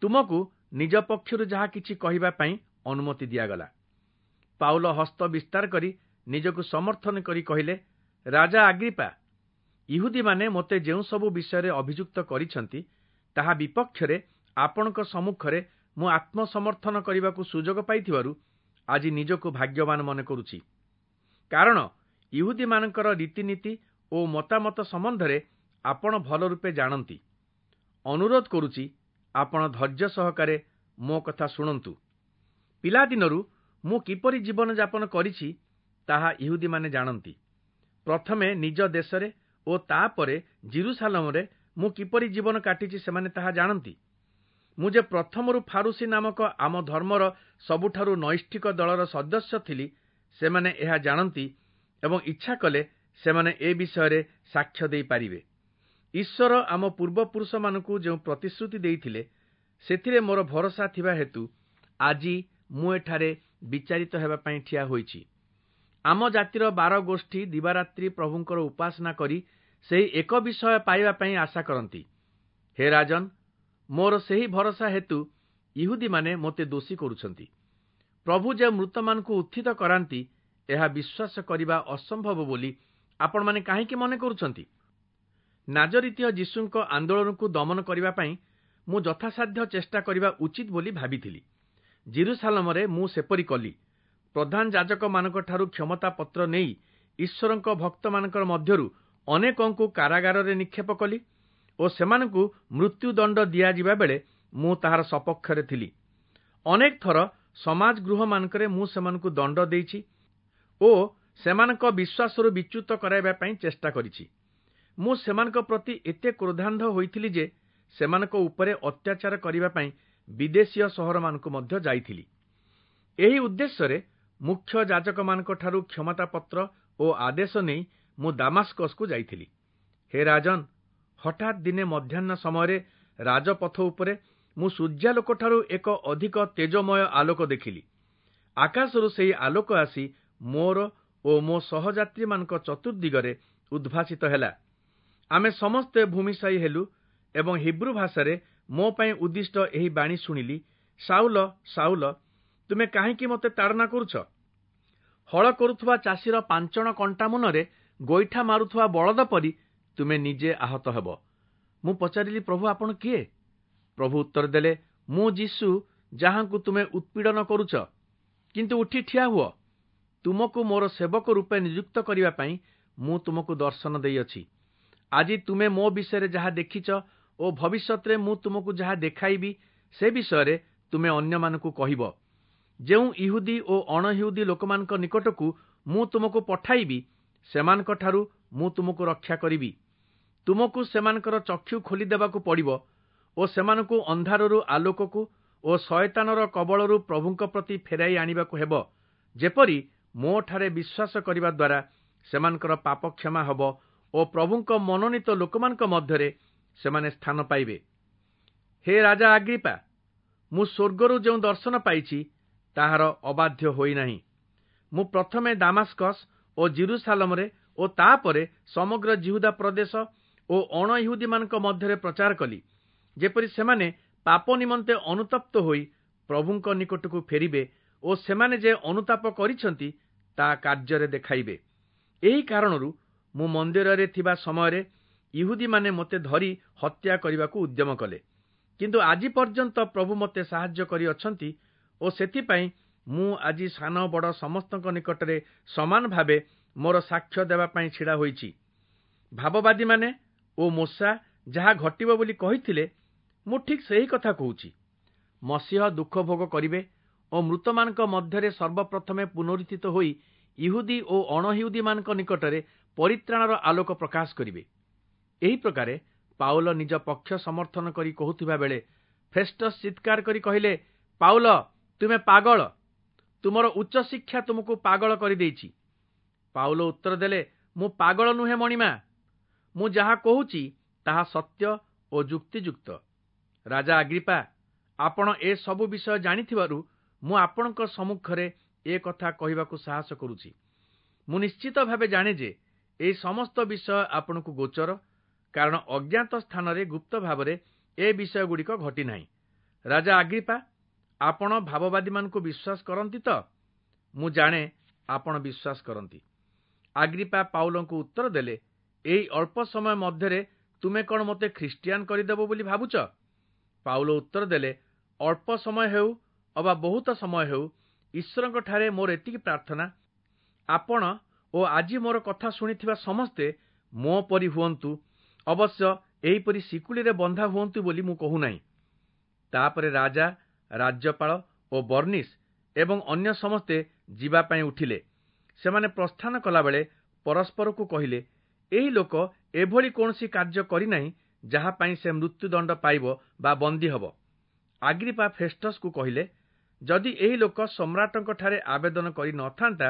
A: ତୁମକୁ ନିଜ ପକ୍ଷରୁ ଯାହା କିଛି କହିବା ପାଇଁ ଅନୁମତି ଦିଆଗଲା। ପାଉଲ ହସ୍ତ ବିସ୍ତାର କରି ନିଜକୁ ସମର୍ଥନ କରି କହିଲେ, ରାଜା ଆଗ୍ରିପା, ଇହୁଦୀମାନେ ମୋତେ ଯେଉଁ ସବୁ ବିଷୟରେ ଅଭିଯୁକ୍ତ କରିଛନ୍ତି ତାହା ବିପକ୍ଷରେ ଆପଣଙ୍କ ସମ୍ମୁଖରେ ମୁଁ ଆତ୍ମସମର୍ଥନ କରିବାକୁ ସୁଯୋଗ ପାଇଥିବାରୁ ଆଜି ନିଜକୁ ଭାଗ୍ୟବାନ ମନେ କରୁଛି। କାରଣ ଇହୁଦୀମାନଙ୍କର ରୀତିନୀତି ଓ ମତାମତ ସମ୍ବନ୍ଧରେ ଆପଣ ଭଲ ରୂପେ ଜାଣନ୍ତି। ଅନୁରୋଧ କରୁଛି, ଆପଣ ଧୈର୍ଯ୍ୟ ସହକାରେ ମୋ କଥା ଶୁଣନ୍ତୁ। ପିଲାଦିନରୁ ମୁଁ କିପରି ଜୀବନଯାପନ କରିଛି ତାହା ଇହୁଦୀମାନେ ଜାଣନ୍ତି। ପ୍ରଥମେ ନିଜ ଦେଶରେ ଓ ତାପରେ ଜିରୁସାଲମରେ ମୁଁ କିପରି ଜୀବନ କାଟିଛି ସେମାନେ ତାହା ଜାଣନ୍ତି। ମୁଁ ଯେ ପ୍ରଥମରୁ ଫାରୁସୀ ନାମକ ଆମ ଧର୍ମର ସବୁଠାରୁ ନୈଷ୍ଠିକ ଦଳର ସଦସ୍ୟ ଥିଲି ସେମାନେ ଏହା ଜାଣନ୍ତି ଏବଂ ଇଚ୍ଛା କଲେ ସେମାନେ ଏ ବିଷୟରେ ସାକ୍ଷ୍ୟ ଦେଇପାରିବେ। ଈଶ୍ୱର ଆମ ପୂର୍ବପୁରୁଷମାନଙ୍କୁ ଯେଉଁ ପ୍ରତିଶ୍ରୁତି ଦେଇଥିଲେ ସେଥିରେ ମୋର ଭରସା ଥିବା ହେତୁ ଆଜି ମୁଁ ଏଠାରେ ବିଚାରିତ ହେବା ପାଇଁ ଠିଆ ହୋଇଛି। ଆମ ଜାତିର 12 ଗୋଷ୍ଠୀ ଦିବାରାତ୍ରି ପ୍ରଭୁଙ୍କର ଉପାସନା କରି ସେହି ଏକ ବିଷୟ ପାଇବା ପାଇଁ ଆଶା କରନ୍ତି। ହେ ରାଜନ, ମୋର ସେହି ଭରସା ହେତୁ ଇହୁଦୀମାନେ ମୋତେ ଦୋଷୀ କରୁଛନ୍ତି। ପ୍ରଭୁ ଯେ ମୃତମାନଙ୍କୁ ଉତ୍ଥିତ କରାନ୍ତି ଏହା ବିଶ୍ୱାସ କରିବା ଅସମ୍ଭବ ବୋଲି ଆପଣମାନେ କାହିଁକି ମନେ କରୁଛନ୍ତି? ନାଜରିତୀୟ ଯୀଶୁଙ୍କ ଆନ୍ଦୋଳନକୁ ଦମନ କରିବା ପାଇଁ ମୁଁ ଯଥାସାଧ୍ୟ ଚେଷ୍ଟା କରିବା ଉଚିତ ବୋଲି ଭାବିଥିଲି। ଜିରୁସାଲମରେ ମୁଁ ସେପରି କଲି। ପ୍ରଧାନ ଯାଜକମାନଙ୍କଠାରୁ କ୍ଷମତାପତ୍ର ନେଇ ଈଶ୍ୱରଙ୍କ ଭକ୍ତମାନଙ୍କର ମଧ୍ୟରୁ ଅନେକଙ୍କୁ କାରାଗାରରେ ନିକ୍ଷେପ କଲି ଓ ସେମାନଙ୍କୁ ମୃତ୍ୟୁଦଣ୍ଡ ଦିଆଯିବା ବେଳେ ମୁଁ ତାହାର ସପକ୍ଷରେ ଥିଲି। ଅନେକ ଥର ସମାଜ ଗୃହମାନଙ୍କରେ ମୁଁ ସେମାନଙ୍କୁ ଦଣ୍ଡ ଦେଇଛି ଓ ସେମାନଙ୍କ ବିଶ୍ୱାସରୁ ବିଚ୍ୟୁତ କରାଇବା ପାଇଁ ଚେଷ୍ଟା କରିଛି। ମୁଁ ସେମାନଙ୍କ ପ୍ରତି ଏତେ କ୍ରୋଧାନ୍ଧ ହୋଇଥିଲି ଯେ ସେମାନଙ୍କ ଉପରେ ଅତ୍ୟାଚାର କରିବା ପାଇଁ ବିଦେଶୀୟ ସହରମାନଙ୍କୁ ମଧ୍ୟ ଯାଇଥିଲି। ଏହି ଉଦ୍ଦେଶ୍ୟରେ ମୁଖ୍ୟ ଯାଜକମାନଙ୍କଠାରୁ କ୍ଷମତାପତ୍ର ଓ ଆଦେଶ ନେଇ ମୁଁ ଦାମାସ୍କସକୁ ଯାଇଥିଲି। ହେ ରାଜନ, ହଠାତ୍ ଦିନେ ମଧ୍ୟାହ୍ନ ସମୟରେ ରାଜପଥ ଉପରେ ମୁଁ ସୂର୍ଯ୍ୟାଲୋକଠାରୁ ଏକ ଅଧିକ ତେଜମୟ ଆଲୋକ ଦେଖିଲି। ଆକାଶରୁ ସେହି ଆଲୋକ ଆସି ମୋର ଓ ମୋ ସହଯାତ୍ରୀମାନଙ୍କ ଚତୁର୍ଦିଗରେ ଉଦ୍ଭାସିତ ହେଲା। ଆମେ ସମସ୍ତେ ଭୂମିଶାୟୀ ହେଲୁ ଏବଂ ହିବ୍ରୁ ଭାଷାରେ ମୋ ପାଇଁ ଉଦ୍ଦିଷ୍ଟ ଏହି ବାଣୀ ଶୁଣିଲି, ସାଉଲ, ସାଉଲ, ତୁମେ କାହିଁକି ମୋତେ ତାଡ଼ନା କରୁଛ? ହଳ କରୁଥିବା ଚାଷୀର ପାଞ୍ଚଣ କଣ୍ଟା ମୁନରେ ଗୋଇଠା ମାରୁଥିବା ବଳଦ ପରି ତୁମେ ନିଜେ ଆହତ ହେବ। ମୁଁ ପଚାରିଲି, ପ୍ରଭୁ ଆପଣ କିଏ? ପ୍ରଭୁ ଉତ୍ତର ଦେଲେ, ମୁଁ ଯୀଶୁ, ଯାହାଙ୍କୁ ତୁମେ ଉତ୍ପୀଡ଼ନ କରୁଛ। କିନ୍ତୁ ଉଠି ଠିଆ ହୁଅ, ତୁମକୁ ମୋର ସେବକ ରୂପେ ନିଯୁକ୍ତ କରିବା ପାଇଁ ମୁଁ ତୁମକୁ ଦର୍ଶନ ଦେଇଅଛି। ଆଜି ତୁମେ ମୋ ବିଷୟରେ ଯାହା ଦେଖିଛ ଓ ଭବିଷ୍ୟତରେ ମୁଁ ତୁମକୁ ଯାହା ଦେଖାଇବି ସେ ବିଷୟରେ ତୁମେ ଅନ୍ୟମାନଙ୍କୁ କହିବ। ଯେଉଁ ଇହୁଦୀ ଓ ଅଣଇହୁଦୀ ଲୋକମାନଙ୍କ ନିକଟକୁ ମୁଁ ତୁମକୁ ପଠାଇବି ସେମାନଙ୍କଠାରୁ ମୁଁ ତୁମକୁ ରକ୍ଷା କରିବି। ତୁମକୁ ସେମାନଙ୍କର ଚକ୍ଷୁ ଖୋଲିଦେବାକୁ ପଡ଼ିବ ଓ ସେମାନଙ୍କୁ ଅନ୍ଧାରରୁ ଆଲୋକକୁ ଓ ଶୟତାନର କବଳରୁ ପ୍ରଭୁଙ୍କ ପ୍ରତି ଫେରାଇ ଆଣିବାକୁ ହେବ, ଯେପରି ମୋଠାରେ ବିଶ୍ୱାସ କରିବା ଦ୍ୱାରା ସେମାନଙ୍କର ପାପ କ୍ଷମା ହେବ ଓ ପ୍ରଭୁଙ୍କ ମନୋନୀତ ଲୋକମାନଙ୍କ ମଧ୍ୟରେ ସେମାନେ ସ୍ଥାନ ପାଇବେ। ହେ ରାଜା ଆଗ୍ରିପା, ମୁଁ ସ୍ୱର୍ଗରୁ ଯେଉଁ ଦର୍ଶନ ପାଇଛି ତାହାର ଅବାଧ୍ୟ ହୋଇନାହିଁ। ମୁଁ ପ୍ରଥମେ ଦାମାସ୍କସ୍ ଓ ଜିରୁସାଲମରେ ଓ ତାପରେ ସମଗ୍ର ଯିହୁଦା ପ୍ରଦେଶ ଓ ଅଣଇହୁଦୀମାନଙ୍କ ମଧ୍ୟରେ ପ୍ରଚାର କଲି, ଯେପରି ସେମାନେ ପାପ ନିମନ୍ତେ ଅନୁତପ୍ତ ହୋଇ ପ୍ରଭୁଙ୍କ ନିକଟକୁ ଫେରିବେ ଓ ସେମାନେ ଯେ ଅନୁତାପ କରିଛନ୍ତି ତା କାର୍ଯ୍ୟରେ ଦେଖାଇବେ। ଏହି କାରଣରୁ ମୁଁ ମନ୍ଦିରରେ ଥିବା ସମୟରେ ଇହୁଦୀମାନେ ମୋତେ ଧରି ହତ୍ୟା କରିବାକୁ ଉଦ୍ୟମ କଲେ। କିନ୍ତୁ ଆଜି ପର୍ଯ୍ୟନ୍ତ ପ୍ରଭୁ ମୋତେ ସାହାଯ୍ୟ କରିଅଛନ୍ତି ଓ ସେଥିପାଇଁ ମୁଁ ଆଜି ସାନ ବଡ଼ ସମସ୍ତଙ୍କ ନିକଟରେ ସମାନ ଭାବେ ମୋର ସାକ୍ଷ୍ୟ ଦେବା ପାଇଁ ଛିଡ଼ା ହୋଇଛି। ଭାବବାଦୀମାନେ ଓ ମୋଶା ଯାହା ଘଟିବ ବୋଲି କହିଥିଲେ, ମୁଁ ଠିକ୍ ସେହି କଥା କହୁଛି। ମସିହ ଦୁଃଖ ଭୋଗ କରିବେ ଓ ମୃତମାନଙ୍କ ମଧ୍ୟରେ ସର୍ବପ୍ରଥମେ ପୁନରୁତ୍ଥିତ ହୋଇ ଇହୁଦୀ ଓ ଅଣଇହୁଦୀମାନଙ୍କ ନିକଟରେ ପରିତ୍ରାଣର ଆଲୋକ ପ୍ରକାଶ କରିବେ। ଏହି ପ୍ରକାରେ ପାଉଲ ନିଜ ପକ୍ଷ ସମର୍ଥନ କରି କହୁଥିବା ବେଳେ ଫେଷ୍ଟସ୍ ଚିତ୍କାର କରି କହିଲେ, ପାଉଲ, ତୁମେ ପାଗଳ, ତୁମର ଉଚ୍ଚଶିକ୍ଷା ତୁମକୁ ପାଗଳ କରିଦେଇଛି। ପାଉଲ ଉତ୍ତର ଦେଲେ, ମୁଁ ପାଗଳ ନୁହେଁ ମଣିମା, ମୁଁ ଯାହା କହୁଛି ତାହା ସତ୍ୟ ଓ ଯୁକ୍ତିଯୁକ୍ତ। ରାଜା ଆଗ୍ରିପା, ଆପଣ ଏ ସବୁ ବିଷୟ ଜାଣିଥିବାରୁ ମୁଁ ଆପଣଙ୍କ ସମ୍ମୁଖରେ ଏ କଥା କହିବାକୁ ସାହସ କରୁଛି। ମୁଁ ନିଶ୍ଚିତ ଭାବେ ଜାଣେ ଯେ ଏହି ସମସ୍ତ ବିଷୟ ଆପଣଙ୍କୁ ଗୋଚର, କାରଣ ଅଜ୍ଞାତ ସ୍ଥାନରେ ଗୁପ୍ତ ଭାବରେ ଏ ବିଷୟଗୁଡ଼ିକ ଘଟିନାହିଁ। ରାଜା ଆଗ୍ରିପା, ଆପଣ ଭାବବାଦୀମାନଙ୍କୁ ବିଶ୍ୱାସ କରନ୍ତି ତ? ମୁଁ ଜାଣେ ଆପଣ ବିଶ୍ୱାସ କରନ୍ତି। ଆଗ୍ରିପା ପାଉଲଙ୍କୁ ଉତ୍ତର ଦେଲେ, ଏହି ଅଳ୍ପ ସମୟ ମଧ୍ୟରେ ତୁମେ କ'ଣ ମୋତେ ଖ୍ରୀଷ୍ଟିଆନ କରିଦେବ ବୋଲି ଭାବୁଛ? ପାଉଲ ଉତ୍ତର ଦେଲେ, ଅଳ୍ପ ସମୟ ହେଉ ଅବା ବହୁତ ସମୟ ହେଉ, ଈଶ୍ୱରଙ୍କଠାରେ ମୋର ଏତିକି ପ୍ରାର୍ଥନା, ଆପଣ ଓ ଆଜି ମୋର କଥା ଶୁଣିଥିବା ସମସ୍ତେ ମୋ ପରି ହୁଅନ୍ତୁ, ଅବଶ୍ୟ ଏହିପରି ଶିକୁଳିରେ ବନ୍ଧା ହୁଅନ୍ତୁ ବୋଲି ମୁଁ କହୁନାହିଁ। ତାପରେ ରାଜା, ରାଜ୍ୟପାଳ ଓ ବର୍ଣ୍ଣିସ୍ ଏବଂ ଅନ୍ୟ ସମସ୍ତେ ଯିବା ପାଇଁ ଉଠିଲେ। ସେମାନେ ପ୍ରସ୍ଥାନ କଲାବେଳେ ପରସ୍ପରକୁ କହିଲେ, ଏହି ଲୋକ ଏଭଳି କୌଣସି କାର୍ଯ୍ୟ କରିନାହିଁ ଯାହା ପାଇଁ ସେ ମୃତ୍ୟୁଦଣ୍ଡ ପାଇବ ବା ବନ୍ଦୀ ହେବ। ଆଗ୍ରିପା ଫେଷ୍ଟସ୍କୁ କହିଲେ, ଯଦି ଏହି ଲୋକ ସମ୍ରାଟଙ୍କଠାରେ ଆବେଦନ କରି ନଥାନ୍ତା,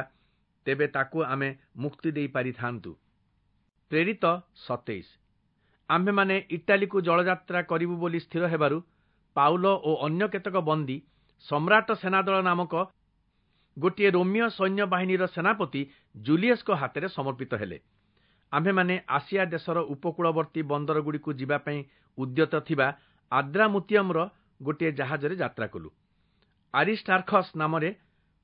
A: ତେବେ ତାକୁ ଆମେ ମୁକ୍ତି ଦେଇପାରିଥାନ୍ତୁ। ପ୍ରେରିତ 27। ଆମ୍ଭେମାନେ ଇଟାଲୀକୁ ଜଳଯାତ୍ରା କରିବୁ ବୋଲି ସ୍ଥିର ହେବାରୁ ପାଉଲ ଓ ଅନ୍ୟ କେତେକ ବନ୍ଦୀ ସମ୍ରାଟ ସେନାଦଳ ନାମକ ଗୋଟିଏ ରୋମୀୟ ସୈନ୍ୟବାହିନୀର ସେନାପତି ଜୁଲିୟସଙ୍କ ହାତରେ ସମର୍ପିତ ହେଲେ। ଆମ୍ଭେମାନେ ଆସିଆ ଦେଶର ଉପକୂଳବର୍ତ୍ତୀ ବନ୍ଦରଗୁଡ଼ିକୁ ଯିବା ପାଇଁ ଉଦ୍ୟତ ଥିବା ଆଦ୍ରାମୁତିୟମର ଗୋଟିଏ ଜାହାଜରେ ଯାତ୍ରା କଲୁ। ଆରିଷ୍ଟାର୍ଖସ୍ ନାମରେ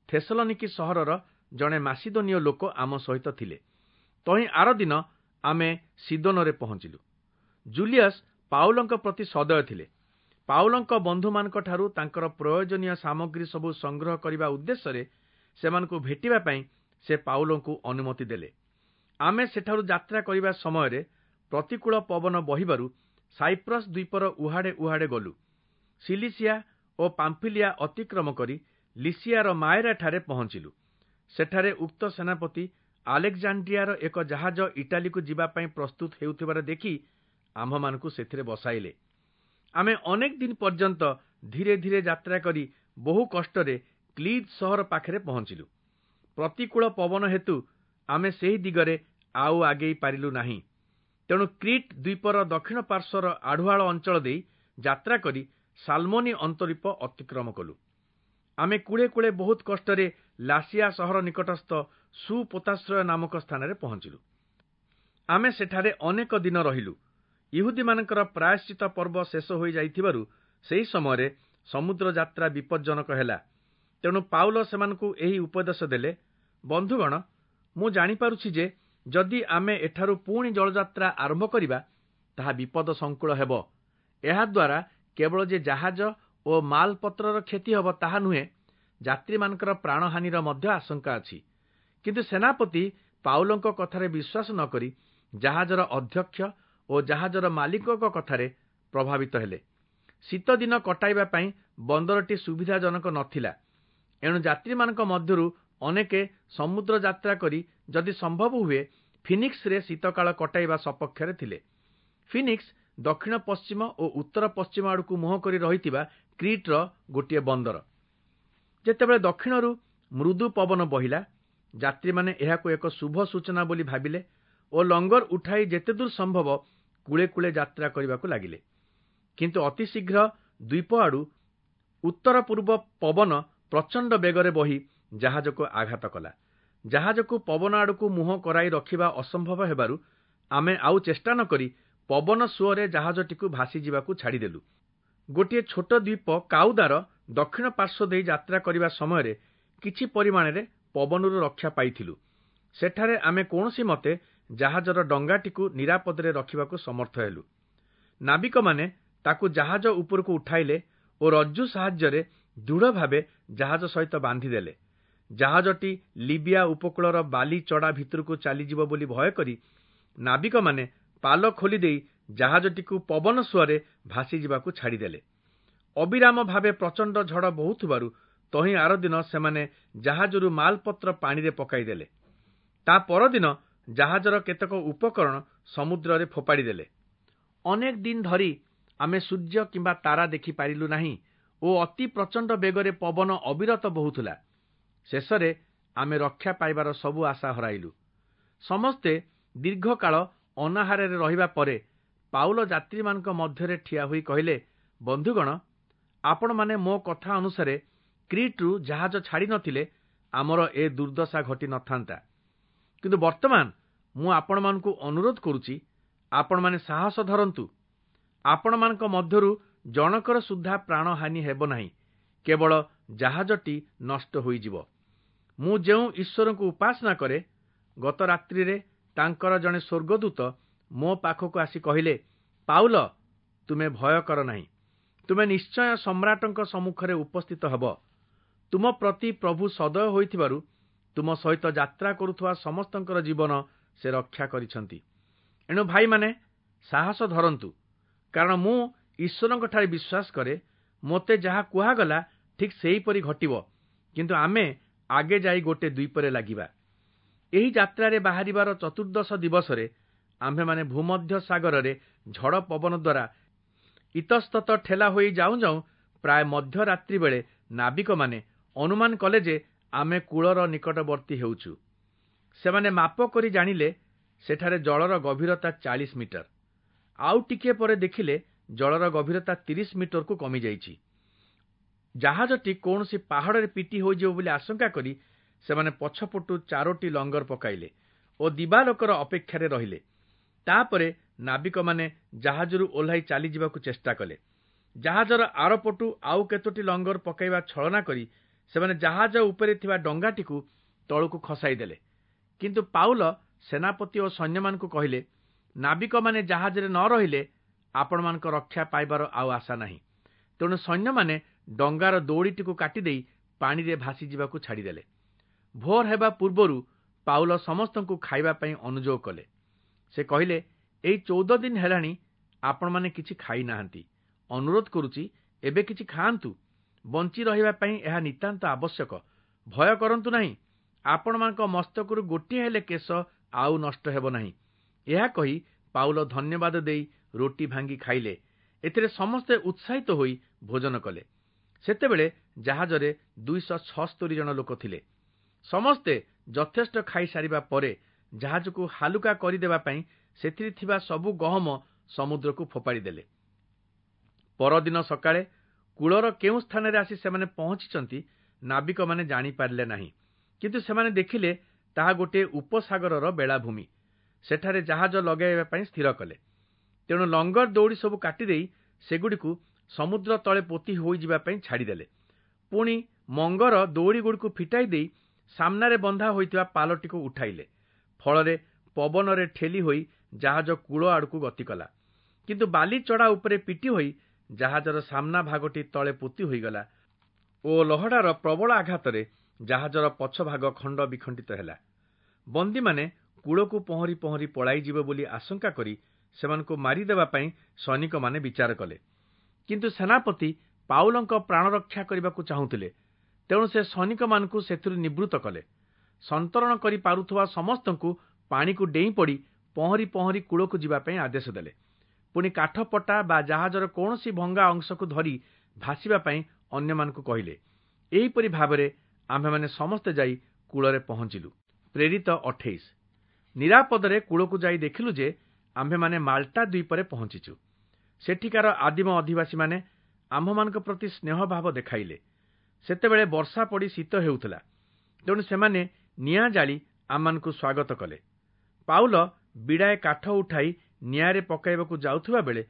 A: ଥେସଲନିକି ସହରର ଜଣେ ମାସିଦୋନୀୟ ଲୋକ ଆମ ସହିତ ଥିଲେ। ତହିଁ ଆରଦିନ ଆମେ ସିଦୋନରେ ପହଞ୍ଚିଲୁ। ଜୁଲିୟସ୍ ପାଉଲଙ୍କ ପ୍ରତି ସଦୟ ଥିଲେ। ପାଉଲଙ୍କ ବନ୍ଧୁମାନଙ୍କଠାରୁ ତାଙ୍କର ପ୍ରୟୋଜନୀୟ ସାମଗ୍ରୀ ସବୁ ସଂଗ୍ରହ କରିବା ଉଦ୍ଦେଶ୍ୟରେ ସେମାନଙ୍କୁ ଭେଟିବା ପାଇଁ ସେ ପାଉଲଙ୍କୁ ଅନୁମତି ଦେଲେ। ଆମେ ସେଠାରୁ ଯାତ୍ରା କରିବା ସମୟରେ ପ୍ରତିକୂଳ ପବନ ବହିବାରୁ ସାଇପ୍ରସ୍ ଦ୍ୱୀପର ଉହାଡ଼େ ଉହାଡ଼େ ଗଲୁ। ସିଲିସିଆ ଓ ପାମ୍ଫିଲିଆ ଅତିକ୍ରମ କରି ଲିସିଆର ମାଏରାଠାରେ ପହଞ୍ଚିଲୁ। ସେଠାରେ ଉକ୍ତ ସେନାପତି ଆଲେକ୍ଜାଣ୍ଡ୍ରିଆର ଏକ ଜାହାଜ ଇଟାଲୀକୁ ଯିବା ପାଇଁ ପ୍ରସ୍ତୁତ ହେଉଥିବାର ଦେଖି ଆମ୍ଭମାନଙ୍କୁ ସେଥିରେ ବସାଇଲେ। ଆମେ ଅନେକ ଦିନ ପର୍ଯ୍ୟନ୍ତ ଧୀରେ ଧୀରେ ଯାତ୍ରା କରି ବହୁ କଷ୍ଟରେ କ୍ଲିଦ୍ ସହର ପାଖରେ ପହଞ୍ଚିଲୁ। ପ୍ରତିକୂଳ ପବନ ହେତୁ ଆମେ ସେହି ଦିଗରେ ଆଉ ଆଗେଇ ପାରିଲୁ ନାହିଁ। ତେଣୁ କ୍ରିଟ୍ ଦ୍ୱୀପର ଦକ୍ଷିଣ ପାର୍ଶ୍ୱର ଆଢ଼ୁଆଳ ଅଞ୍ଚଳ ଦେଇ ଯାତ୍ରା କରି ସାଲମୋନି ଅନ୍ତରୀପ ଅତିକ୍ରମ କଲୁ। ଆମେ କୂଳେ କୂଳେ ବହୁତ କଷ୍ଟରେ ଲାସିଆ ସହର ନିକଟସ୍ଥ ସୁପୋତାଶ୍ରୟ ନାମକ ସ୍ଥାନରେ ପହଞ୍ଚିଲୁ। ଆମେ ସେଠାରେ ଅନେକ ଦିନ ରହିଲୁ। ଇହୁଦୀମାନଙ୍କର ପ୍ରାୟଶ୍ଚିତ ପର୍ବ ଶେଷ ହୋଇଯାଇଥିବାରୁ ସେହି ସମୟରେ ସମୁଦ୍ର ଯାତ୍ରା ବିପଜ୍ଜନକ ହେଲା। ତେଣୁ ପାଉଲ ସେମାନଙ୍କୁ ଏହି ଉପଦେଶ ଦେଲେ, ବନ୍ଧୁଗଣ, ମୁଁ ଜାଣିପାରୁଛି ଯେ ଯଦି ଆମେ ଏଠାରୁ ପୁଣି ଜଳଯାତ୍ରା ଆରମ୍ଭ କରିବା, ତାହା ବିପଦ ସଂକୁଳ ହେବ। ଏହାଦ୍ୱାରା କେବଳ ଯେ ଜାହାଜ ଓ ମାଲପତ୍ରର କ୍ଷତି ହେବ ତାହା ନୁହେଁ, ଯାତ୍ରୀମାନଙ୍କର ପ୍ରାଣହାନିର ମଧ୍ୟ ଆଶଙ୍କା ଅଛି। କିନ୍ତୁ ସେନାପତି ପାଉଲଙ୍କ କଥାରେ ବିଶ୍ୱାସ ନ କରି ଜାହାଜର ଅଧ୍ୟକ୍ଷ ଓ ଜାହାଜର ମାଲିକଙ୍କ କଥାରେ ପ୍ରଭାବିତ ହେଲେ। ଶୀତଦିନ କଟାଇବା ପାଇଁ ବନ୍ଦରଟି ସୁବିଧାଜନକ ନଥିଲା। ଏଣୁ ଯାତ୍ରୀମାନଙ୍କ ମଧ୍ୟରୁ ଅନେକେ ସମୁଦ୍ର ଯାତ୍ରା କରି ଯଦି ସମ୍ଭବ ହୁଏ ଫିନିକ୍ସରେ ଶୀତକାଳ କଟାଇବା ସପକ୍ଷରେ ଥିଲେ। ଫିନିକ୍ସ ଦକ୍ଷିଣ ପଶ୍ଚିମ ଓ ଉତ୍ତର ପଶ୍ଚିମ ଆଡ଼କୁ ମୁହଁ କରି ରହିଥିବା କ୍ରିଟ୍ର ଗୋଟିଏ ବନ୍ଦର। ଯେତେବେଳେ ଦକ୍ଷିଣରୁ ମୃଦୁ ପବନ ବହିଲା, ଯାତ୍ରୀମାନେ ଏହାକୁ ଏକ ଶୁଭ ସୂଚନା ବୋଲି ଭାବିଲେ ଓ ଲଙ୍ଗର ଉଠାଇ ଯେତେଦୂର ସମ୍ଭବ କୂଳେ କୂଳେ ଯାତ୍ରା କରିବାକୁ ଲାଗିଲେ। କିନ୍ତୁ ଅତିଶୀଘ୍ର ଦ୍ୱୀପ ଆଡ଼ୁ ଉତ୍ତର ପୂର୍ବ ପବନ ପ୍ରଚଣ୍ଡ ବେଗରେ ବହି ଜାହାଜକୁ ଆଘାତ କଲା। ଜାହାଜକୁ ପବନ ଆଡ଼କୁ ମୁହଁ କରାଇ ରଖିବା ଅସମ୍ଭବ ହେବାରୁ ଆମେ ଆଉ ଚେଷ୍ଟା ନ କରି ପବନ ସୁଅରେ ଜାହାଜଟିକୁ ଭାସିଯିବାକୁ ଛାଡ଼ିଦେଲୁ। ଗୋଟିଏ ଛୋଟ ଦ୍ୱୀପ କାଉଦାର ଦକ୍ଷିଣ ପାର୍ଶ୍ୱ ଦେଇ ଯାତ୍ରା କରିବା ସମୟରେ କିଛି ପରିମାଣରେ ପବନରୁ ରକ୍ଷା ପାଇଥିଲୁ। ସେଠାରେ ଆମେ କୌଣସି ମତେ ଜାହାଜର ଡଙ୍ଗାଟିକୁ ନିରାପଦରେ ରଖିବାକୁ ସମର୍ଥ ହେଲୁ। ନାବିକମାନେ ତାକୁ ଜାହାଜ ଉପରକୁ ଉଠାଇଲେ ଓ ରଜ୍ଜୁ ସାହାଯ୍ୟରେ ଦୃଢ଼ ଭାବେ ଜାହାଜ ସହିତ ବାନ୍ଧିଦେଲେ। ଜାହାଜଟି ଲିବିଆ ଉପକୂଳର ବାଲି ଚଡ଼ା ଭିତରକୁ ଚାଲିଯିବ ବୋଲି ଭୟ କରି ନାବିକମାନେ ପାଲ ଖୋଲିଦେଇ ଜାହାଜଟିକୁ ପବନ ସୁଅରେ ଭାସିଯିବାକୁ ଛାଡ଼ିଦେଲେ। ଅବିରାମ ଭାବେ ପ୍ରଚଣ୍ଡ ଝଡ଼ ବହୁଥିବାରୁ ତହିଁ ଆରଦିନ ସେମାନେ ଜାହାଜରୁ ମାଲପତ୍ର ପାଣିରେ ପକାଇଦେଲେ। ତା ପରଦିନ ଜାହାଜର କେତେକ ଉପକରଣ ସମୁଦ୍ରରେ ଫୋପାଡ଼ିଦେଲେ। ଅନେକ ଦିନ ଧରି ଆମେ ସୂର୍ଯ୍ୟ କିମ୍ବା ତାରା ଦେଖିପାରିଲୁ ନାହିଁ ଓ ଅତି ପ୍ରଚଣ୍ଡ ବେଗରେ ପବନ ଅବିରତ ବହୁଥିଲା। ଶେଷରେ ଆମେ ରକ୍ଷା ପାଇବାର ସବୁ ଆଶା ହରାଇଲୁ। ସମସ୍ତେ ଦୀର୍ଘକାଳ ଅନାହାରରେ ରହିବା ପରେ ପାଉଲ ଯାତ୍ରୀମାନଙ୍କ ମଧ୍ୟରେ ଠିଆ ହୋଇ କହିଲେ, ବନ୍ଧୁଗଣ, ଆପଣମାନେ ମୋ କଥା ଅନୁସାରେ କ୍ରିଟ୍ରୁ ଜାହାଜ ଛାଡ଼ି ନଥିଲେ ଆମର ଏ ଦୁର୍ଦ୍ଦଶା ଘଟି ନଥାନ୍ତା। କିନ୍ତୁ ବର୍ତ୍ତମାନ ମୁଁ ଆପଣମାନଙ୍କୁ ଅନୁରୋଧ କରୁଛି, ଆପଣମାନେ ସାହସ ଧରନ୍ତୁ। ଆପଣମାନଙ୍କ ମଧ୍ୟରୁ ଜଣକର ସୁଦ୍ଧା ପ୍ରାଣହାନି ହେବ ନାହିଁ, କେବଳ ଜାହାଜଟି ନଷ୍ଟ ହୋଇଯିବ। ମୁଁ ଯେଉଁ ଈଶ୍ୱରଙ୍କୁ ଉପାସନା କରେ, ଗତ ରାତ୍ରିରେ ତାଙ୍କର ଜଣେ ସ୍ୱର୍ଗଦୂତ ମୋ ପାଖକୁ ଆସି କହିଲେ, ପାଉଲ, ତୁମେ ଭୟ କର ନାହିଁ। ତୁମେ ନିଶ୍ଚୟ ସମ୍ରାଟଙ୍କ ସମ୍ମୁଖରେ ଉପସ୍ଥିତ ହେବ। ତୁମ ପ୍ରତି ପ୍ରଭୁ ସଦୟ ହୋଇଥିବାରୁ ତୁମ ସହିତ ଯାତ୍ରା କରୁଥିବା ସମସ୍ତଙ୍କର ଜୀବନ ସେ ରକ୍ଷା କରିଛନ୍ତି। ଏଣୁ ଭାଇମାନେ, ସାହସ ଧରନ୍ତୁ, କାରଣ ମୁଁ ଈଶ୍ୱରଙ୍କଠାରେ ବିଶ୍ୱାସ କରେ, ମୋତେ ଯାହା କୁହାଗଲା ଠିକ୍ ସେହିପରି ଘଟିବ। କିନ୍ତୁ ଆମେ ଆଗେ ଯାଇ ଗୋଟେ ଦ୍ୱୀପରେ ଲାଗିବା। ଏହି ଯାତ୍ରାରେ ବାହାରିବାର ଚତୁର୍ଦ୍ଦଶ ଦିବସରେ ଆମ୍ଭେମାନେ ଭୂମଧ୍ୟ ସାଗରରେ ଝଡ଼ ପବନ ଦ୍ୱାରା ଇତସ୍ତତ ଠେଲା ହୋଇ ଯାଉଁ ଯାଉଁ ପ୍ରାୟ ମଧ୍ୟରାତ୍ରି ବେଳେ ନାବିକମାନେ ଅନୁମାନ କଲେ ଯେ ଆମେ କୂଳର ନିକଟବର୍ତ୍ତୀ ହେଉଛୁ। ସେମାନେ ମାପ କରି ଜାଣିଲେ ସେଠାରେ ଜଳର ଗଭୀରତା 40 ମିଟର। ଆଉ ଟିକିଏ ପରେ ଦେଖିଲେ ଜଳର ଗଭୀରତା 30 ମିଟରକୁ କମିଯାଇଛି। ଜାହାଜଟି କୌଣସି ପାହାଡ଼ରେ ପିଟି ହୋଇଯିବ ବୋଲି ଆଶଙ୍କା କରି ସେମାନେ ପଛପଟୁ 4ଟି ଲଙ୍ଗର ପକାଇଲେ ଓ ଦିବାଲୋକର ଅପେକ୍ଷାରେ ରହିଲେ। ତାପରେ ନାବିକମାନେ ଜାହାଜରୁ ଓହ୍ଲାଇ ଚାଲିଯିବାକୁ ଚେଷ୍ଟା କଲେ। ଜାହାଜର ଆରପଟୁ ଆଉ କେତୋଟି ଲଙ୍ଗର ପକାଇବା ଛଳନା କରି ସେମାନେ ଜାହାଜ ଉପରେ ଥିବା ଡଙ୍ଗାଟିକୁ ତଳକୁ ଖସାଇଦେଲେ। କିନ୍ତୁ ପାଉଲ ସେନାପତି ଓ ସୈନ୍ୟମାନଙ୍କୁ କହିଲେ, ନାବିକମାନେ ଜାହାଜରେ ନ ରହିଲେ ଆପଣମାନଙ୍କ ରକ୍ଷା ପାଇବାର ଆଉ ଆଶା ନାହିଁ। ତେଣୁ ସୈନ୍ୟମାନେ ଡଙ୍ଗାର ଦଉଡ଼ିଟିକୁ କାଟିଦେଇ ପାଣିରେ ଭାସିଯିବାକୁ ଛାଡ଼ିଦେଲେ। ଭୋର ହେବା ପୂର୍ବରୁ ପାଉଲ ସମସ୍ତଙ୍କୁ ଖାଇବା ପାଇଁ ଅନୁଯୋଗ କଲେ। ସେ କହିଲେ, ଏଇ 14 ଦିନ ହେଲାଣି ଆପଣମାନେ କିଛି ଖାଇନାହାନ୍ତି। ଅନୁରୋଧ କରୁଛି, ଏବେ କିଛି ଖାଆନ୍ତୁ। ବଞ୍ଚି ରହିବା ପାଇଁ ଏହା ନିତାନ୍ତ ଆବଶ୍ୟକ। ଭୟ କରନ୍ତୁ ନାହିଁ, ଆପଣମାନଙ୍କ ମସ୍ତକରୁ ଗୋଟିଏ ହେଲେ କେଶ ଆଉ ନଷ୍ଟ ହେବ ନାହିଁ। ଏହା କହି ପାଉଲ ଧନ୍ୟବାଦ ଦେଇ ରୋଟି ଭାଙ୍ଗି ଖାଇଲେ। ଏଥିରେ ସମସ୍ତେ ଉତ୍ସାହିତ ହୋଇ ଭୋଜନ କଲେ। ସେତେବେଳେ ଜାହାଜରେ 276 ଜଣ ଲୋକ ଥିଲେ। ସମସ୍ତେ ଯଥେଷ୍ଟ ଖାଇସାରିବା ପରେ ଜାହାଜକୁ ହାଲୁକା କରିଦେବା ପାଇଁ ସେଥିରେ ଥିବା ସବୁ ଗହମ ସମୁଦ୍ରକୁ ଫୋପାଡ଼ି ଦେଲେ। ପରଦିନ ସକାଳେ କୂଳର କେଉଁ ସ୍ଥାନରେ ଆସି ସେମାନେ ପହଞ୍ଚିଛନ୍ତି ନାବିକମାନେ ଜାଣିପାରିଲେ ନାହିଁ। କିନ୍ତୁ ସେମାନେ ଦେଖିଲେ ତାହା ଗୋଟିଏ ଉପସାଗରର ବେଳାଭୂମି। ସେଠାରେ ଜାହାଜ ଲଗାଇବା ପାଇଁ ସ୍ଥିର କଲେ। ତେଣୁ ଲଙ୍ଗର ଦଉଡ଼ି ସବୁ କାଟିଦେଇ ସେଗୁଡ଼ିକୁ ସମୁଦ୍ର ତଳେ ପୋତି ହୋଇଯିବା ପାଇଁ ଛାଡ଼ିଦେଲେ। ପୁଣି ମଙ୍ଗର ଦଉଡ଼ିଗୁଡ଼ିକୁ ଫିଟାଇ ଦେଇ ସାମ୍ନାରେ ବନ୍ଧା ହୋଇଥିବା ପାଲଟିକୁ ଉଠାଇଲେ। ଫଳରେ ପବନରେ ଠେଲି ହୋଇ ଜାହାଜ କୂଳ ଆଡ଼କୁ ଗତି କଲା। କିନ୍ତୁ ବାଲି ଚଢ଼ା ଉପରେ ପିଟି ହୋଇ ଜାହାଜର ସାମ୍ନା ଭାଗଟି ତଳେ ପୋତି ହୋଇଗଲା ଓ ଲହଡ଼ାର ପ୍ରବଳ ଆଘାତରେ ଜାହାଜର ପଛ ଭାଗ ଖଣ୍ଡ ବିଖଣ୍ଡିତ ହେଲା। ବନ୍ଦୀମାନେ କୂଳକୁ ପହଁରି ପହଁରି ପଳାଇଯିବେ ବୋଲି ଆଶଙ୍କା କରି ସେମାନଙ୍କୁ ମାରିଦେବା ପାଇଁ ସୈନିକମାନେ ବିଚାର କଲେ। କିନ୍ତୁ ସେନାପତି ପାଉଲଙ୍କ ପ୍ରାଣରକ୍ଷା କରିବାକୁ ଚାହୁଁଥିଲେ। ତେଣୁ ସେ ସୈନିକମାନଙ୍କୁ ସେଥିରୁ ନିବୃତ୍ତ କଲେ। ସନ୍ତରଣ କରି ପାରୁଥିବା ସମସ୍ତଙ୍କୁ ପାଣିକୁ ଡେଇଁ ପଡ଼ି ପହଁରି ପହଁରି କୂଳକୁ ଯିବା ପାଇଁ ଆଦେଶ ଦେଲେ। ପୁଣି କାଠପଟା ବା ଜାହାଜର କୌଣସି ଭଙ୍ଗା ଅଂଶକୁ ଧରି ଭାସିବା ପାଇଁ ଅନ୍ୟମାନଙ୍କୁ କହିଲେ। ଏହିପରି ଭାବରେ ଆମ୍ଭେମାନେ ସମସ୍ତେ ଯାଇ କୂଳରେ ପହଞ୍ଚିଲୁ। ପ୍ରେରିତ 28। ନିରାପଦରେ କୂଳକୁ ଯାଇ ଦେଖିଲୁ ଯେ ଆମ୍ଭେମାନେ ମାଲ୍ଟା ଦ୍ୱୀପରେ ପହଞ୍ଚିଛୁ। ସେଠିକାର ଆଦିମ ଅଧିବାସୀମାନେ ଆମ୍ଭମାନଙ୍କ ପ୍ରତି ସ୍ନେହଭାବ ଦେଖାଇଲେ। ସେତେବେଳେ ବର୍ଷା ପଡ଼ି ଶୀତ ହେଉଥିଲା, ତେଣୁ ସେମାନେ ନିଆଁ ଜାଳି ଆମମାନଙ୍କୁ ସ୍ୱାଗତ କଲେ। ପାଉଲ ବିଡ଼ାଏ କାଠ ଉଠାଇ ନିଆଁରେ ପକାଇବାକୁ ଯାଉଥିବା ବେଳେ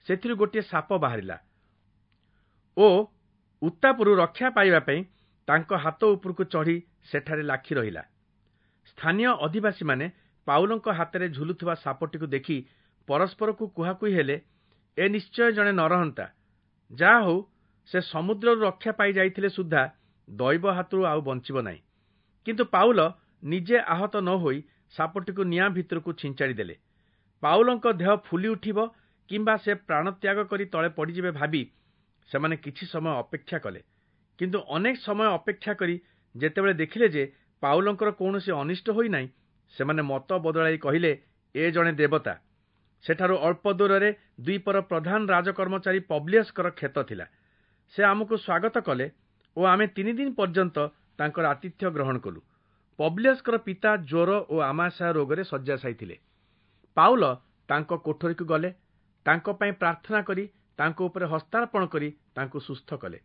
A: ସେଥିରୁ ଗୋଟିଏ ସାପ ବାହାରିଲା ଓ ଉତ୍ତାପରୁ ରକ୍ଷା ପାଇବା ପାଇଁ ତାଙ୍କ ହାତ ଉପରକୁ ଚଢ଼ି ସେଠାରେ ଲାଖି ରହିଲା। ସ୍ଥାନୀୟ ଅଧିବାସୀମାନେ ପାଉଲଙ୍କ ହାତରେ ଝୁଲୁଥିବା ସାପଟିକୁ ଦେଖି ପରସ୍ପରକୁ କୁହାକୁହି ହେଲେ, ଏ ନିଶ୍ଚୟ ଜଣେ ନରହନ୍ତା। ଯାହା ହେଉ, ସେ ସମୁଦ୍ରରୁ ରକ୍ଷା ପାଇଯାଇଥିଲେ ସୁଦ୍ଧା ଦୈବ ହାତରୁ ଆଉ ବଞ୍ଚିବ ନାହିଁ। କିନ୍ତୁ ପାଉଲ ନିଜେ ଆହତ ନ ହୋଇ ସାପଟିକୁ ନିଆଁ ଭିତରକୁ ଛିଞ୍ଚାଡ଼ି ଦେଲେ। ପାଉଲଙ୍କ ଦେହ ଫୁଲି ଉଠିବ କିମ୍ବା ସେ ପ୍ରାଣତ୍ୟାଗ କରି ତଳେ ପଡ଼ିଯିବେ ଭାବି ସେମାନେ କିଛି ସମୟ ଅପେକ୍ଷା କଲେ। କିନ୍ତୁ ଅନେକ ସମୟ ଅପେକ୍ଷା କରି ଯେତେବେଳେ ଦେଖିଲେ ଯେ ପାଉଲଙ୍କର କୌଣସି ଅନିଷ୍ଟ ହୋଇନାହିଁ, ସେମାନେ ମତ ବଦଳାଇ କହିଲେ, ଏ ଜଣେ ଦେବତା। ସେଠାରୁ ଅଳ୍ପ ଦୂରରେ ଦ୍ୱୀପର ପ୍ରଧାନ ରାଜକର୍ମଚାରୀ ପବ୍ଲିୟସଙ୍କର କ୍ଷେତ ଥିଲା। ସେ ଆମକୁ ସ୍ୱାଗତ କଲେ ଓ ଆମେ 3 ଦିନ ପର୍ଯ୍ୟନ୍ତ ତାଙ୍କର ଆତିଥ୍ୟ ଗ୍ରହଣ କଲୁ। ପବ୍ଲିୟସଙ୍କର ପିତା ଜ୍ୱର ଓ ଆମାଶୟ ରୋଗରେ ଶଯ୍ୟାଶାୟୀ ଥିଲେ। ପାଉଲ ତାଙ୍କ କୋଠରୀକୁ ଗଲେ, ତାଙ୍କ ପାଇଁ ପ୍ରାର୍ଥନା କରି ତାଙ୍କ ଉପରେ ହସ୍ତାର୍ପଣ କରି ତାଙ୍କୁ ସୁସ୍ଥ କଲେ।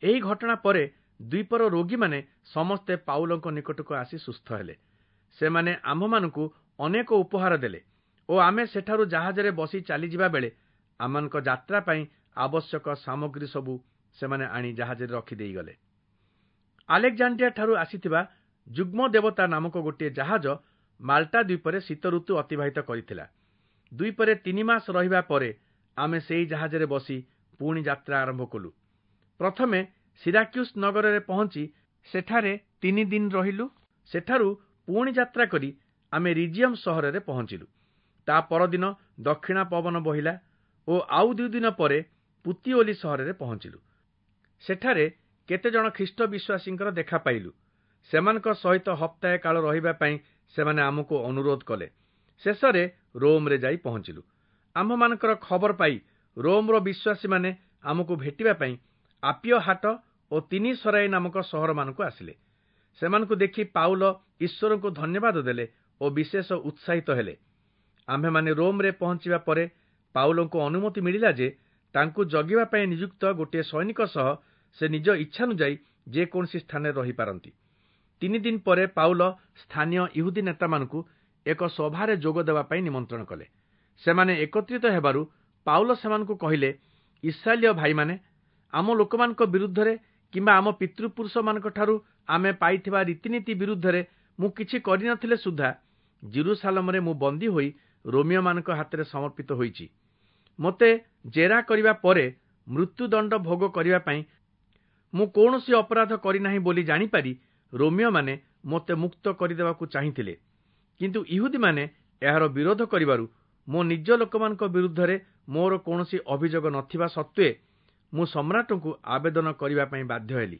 A: ଏହି ଘଟଣା ପରେ ଦ୍ୱୀପର ରୋଗୀମାନେ ସମସ୍ତେ ପାଉଲଙ୍କ ନିକଟକୁ ଆସି ସୁସ୍ଥ ହେଲେ। ସେମାନେ ଆମ୍ଭମାନଙ୍କୁ ଅନେକ ଉପହାର ଦେଲେ ଓ ଆମେ ସେଠାରୁ ଜାହାଜରେ ବସି ଚାଲିଯିବା ବେଳେ ଆମମାନଙ୍କ ଯାତ୍ରା ପାଇଁ ଆବଶ୍ୟକ ସାମଗ୍ରୀ ସବୁ ସେମାନେ ଆଣି ଜାହାଜରେ ରଖିଦେଇଗଲେ। ଆଲେକ୍ଜାଣ୍ଡ୍ରିଆ ଠାରୁ ଆସିଥିବା ଯୁଗ୍ମ ଦେବତା ନାମକ ଗୋଟିଏ ଜାହାଜ ମାଲ୍ଟା ଦ୍ୱୀପରେ ଶୀତ ଋତୁ ଅତିବାହିତ କରିଥିଲା। ଦ୍ୱୀପରେ 3 ମାସ ରହିବା ପରେ ଆମେ ସେହି ଜାହାଜରେ ବସି ପୁଣି ଯାତ୍ରା ଆରମ୍ଭ କଲୁ। ପ୍ରଥମେ ସିରାକ୍ୟୁସ୍ ନଗରରେ ପହଞ୍ଚି ସେଠାରେ 3 ଦିନ ରହିଲୁ। ସେଠାରୁ ପୁଣି ଯାତ୍ରା କରି ଆମେ ରିଜିୟମ୍ ସହରରେ ପହଞ୍ଚିଲୁ। ତା ପରଦିନ ଦକ୍ଷିଣା ପବନ ବହିଲା ଓ ଆଉ 2 ଦିନ ପରେ ପୁତିଓଲି ସହରରେ ପହଞ୍ଚିଲୁ। ସେଠାରେ କେତେଜଣ ଖ୍ରୀଷ୍ଟ ବିଶ୍ୱାସୀଙ୍କର ଦେଖା ପାଇଲୁ। ସେମାନଙ୍କ ସହିତ ହପ୍ତାଏ କାଳ ରହିବା ପାଇଁ ସେମାନେ ଆମକୁ ଅନୁରୋଧ କଲେ। ଶେଷରେ ରୋମ୍ରେ ଯାଇ ପହଞ୍ଚିଲୁ। ଆମ୍ଭମାନଙ୍କର ଖବର ପାଇ ରୋମ୍ର ବିଶ୍ୱାସୀମାନେ ଆମକୁ ଭେଟିବା ପାଇଁ ଆପିୟ ହାଟ ଓ 3 ସରାଇ ନାମକ ସହରମାନଙ୍କୁ ଆସିଲେ। ସେମାନଙ୍କୁ ଦେଖି ପାଉଲ ଈଶ୍ୱରଙ୍କୁ ଧନ୍ୟବାଦ ଦେଲେ ଓ ବିଶେଷ ଉତ୍ସାହିତ ହେଲେ। ଆମ୍ଭେମାନେ ରୋମ୍ରେ ପହଞ୍ଚିବା ପରେ ପାଉଲଙ୍କୁ ଅନୁମତି ମିଳିଲା ଯେ ତାଙ୍କୁ ଜଗିବା ପାଇଁ ନିଯୁକ୍ତ ଗୋଟିଏ ସୈନିକ ସହ ସେ ନିଜ ଇଚ୍ଛାନୁଯାୟୀ ଯେକୌଣସି ସ୍ଥାନରେ ରହିପାରନ୍ତି। 3 ଦିନ ପରେ ପାଉଲ ସ୍ଥାନୀୟ ଇହୁଦୀ ନେତାମାନଙ୍କୁ ଏକ ସଭାରେ ଯୋଗ ଦେବା ପାଇଁ ନିମନ୍ତ୍ରଣ କଲେ। ସେମାନେ ଏକତ୍ରିତ ହେବାରୁ ପାଉଲ ସେମାନଙ୍କୁ କହିଲେ, ଇସ୍ରାଏଲୀୟ ଭାଇମାନେ, ଆମ ଲୋକମାନଙ୍କ ବିରୁଦ୍ଧରେ କିମ୍ବା ଆମ ପିତୃପୁରୁଷମାନଙ୍କଠାରୁ ଆମେ ପାଇଥିବା ରୀତିନୀତି ବିରୁଦ୍ଧରେ ମୁଁ କିଛି କରିନଥିଲେ ସୁଦ୍ଧା ଜିରୁସାଲମରେ ମୁଁ ବନ୍ଦୀ ହୋଇ ରୋମିଓମାନଙ୍କ ହାତରେ ସମର୍ପିତ ହୋଇଛି। ମୋତେ ଜେରା କରିବା ପରେ ମୃତ୍ୟୁଦଣ୍ଡ ଭୋଗ କରିବା ପାଇଁ ମୁଁ କୌଣସି ଅପରାଧ କରିନାହିଁ ବୋଲି ଜାଣିପାରି ରୋମିଓମାନେ ମୋତେ ମୁକ୍ତ କରିଦେବାକୁ ଚାହିଁଥିଲେ। କିନ୍ତୁ ଇହୁଦୀମାନେ ଏହାର ବିରୋଧ କରିବାରୁ ମୋ ନିଜ ଲୋକମାନଙ୍କ ବିରୁଦ୍ଧରେ ମୋର କୌଣସି ଅଭିଯୋଗ ନଥିବା ସତ୍ତ୍ୱେ ମୁଁ ସମ୍ରାଟଙ୍କୁ ଆବେଦନ କରିବା ପାଇଁ ବାଧ୍ୟ ହେଲି।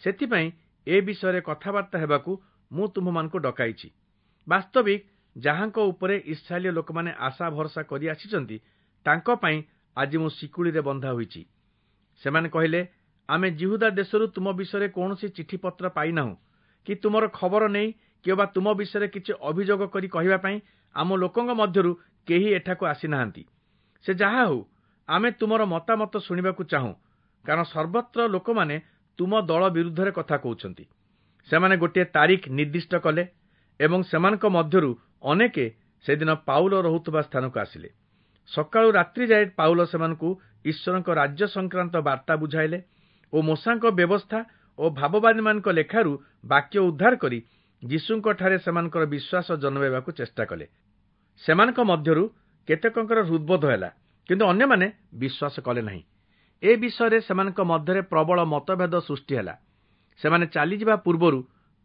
A: ସେଥିପାଇଁ ଏ ବିଷୟରେ କଥାବାର୍ତ୍ତା ହେବାକୁ ମୁଁ ତୁମ୍ଭମାନଙ୍କୁ ଡକାଇଛି। ବାସ୍ତବିକ ଯାହାଙ୍କ ଉପରେ ଇସ୍ରାଏଲୀୟ ଲୋକମାନେ ଆଶା ଭରସା କରି ଆସିଛନ୍ତି, ତାଙ୍କ ପାଇଁ ଆଜି ମୁଁ ଶିକୁଳିରେ ବନ୍ଧା ହୋଇଛି। ସେମାନେ କହିଲେ, ଆମେ ଯିହୁଦା ଦେଶରୁ ତୁମ ବିଷୟରେ କୌଣସି ଚିଠିପତ୍ର ପାଇନାହୁଁ କି ତୁମର ଖବର ନେଇ କିମ୍ବା ତୁମ ବିଷୟରେ କିଛି ଅଭିଯୋଗ କରି କହିବା ପାଇଁ ଆମ ଲୋକଙ୍କ ମଧ୍ୟରୁ କେହି ଏଠାକୁ ଆସିନାହାନ୍ତି। ସେ ଯାହା ହେଉ, ଆମେ ତୁମର ମତାମତ ଶୁଣିବାକୁ ଚାହୁଁ, କାରଣ ସର୍ବତ୍ର ଲୋକମାନେ ତୁମ ଦଳ ବିରୁଦ୍ଧରେ କଥା କହୁଛନ୍ତି। ସେମାନେ ଗୋଟିଏ ତାରିଖ ନିର୍ଦ୍ଦିଷ୍ଟ କଲେ ଏବଂ ସେମାନଙ୍କ ମଧ୍ୟରୁ ଅନେକେ ସେଦିନ ପାଉଲ ରହୁଥିବା ସ୍ଥାନକୁ ଆସିଲେ। ସକାଳୁ ରାତ୍ରି ଯାଏ ପାଉଲ ସେମାନଙ୍କୁ ଈଶ୍ୱରଙ୍କ ରାଜ୍ୟ ସଂକ୍ରାନ୍ତ ବାର୍ତ୍ତା ବୁଝାଇଲେ ଓ ମୋଶାଙ୍କ ବ୍ୟବସ୍ଥା ଓ ଭାବବାଦୀମାନଙ୍କ ଲେଖାରୁ ବାକ୍ୟ ଉଦ୍ଧାର କରି ଯୀଶୁଙ୍କଠାରେ ସେମାନଙ୍କର ବିଶ୍ୱାସ ଜନ୍ମାଇବାକୁ ଚେଷ୍ଟା କଲେ। ସେମାନଙ୍କ ମଧ୍ୟରୁ କେତେକଙ୍କର ହୃଦବୋଧ ହେଲା, କିନ୍ତୁ ଅନ୍ୟମାନେ ବିଶ୍ୱାସ କଲେ ନାହିଁ। ଏ ବିଷୟରେ ସେମାନଙ୍କ ମଧ୍ୟରେ ପ୍ରବଳ ମତଭେଦ ସୃଷ୍ଟି ହେଲା। ସେମାନେ ଚାଲିଯିବା ପୂର୍ବରୁ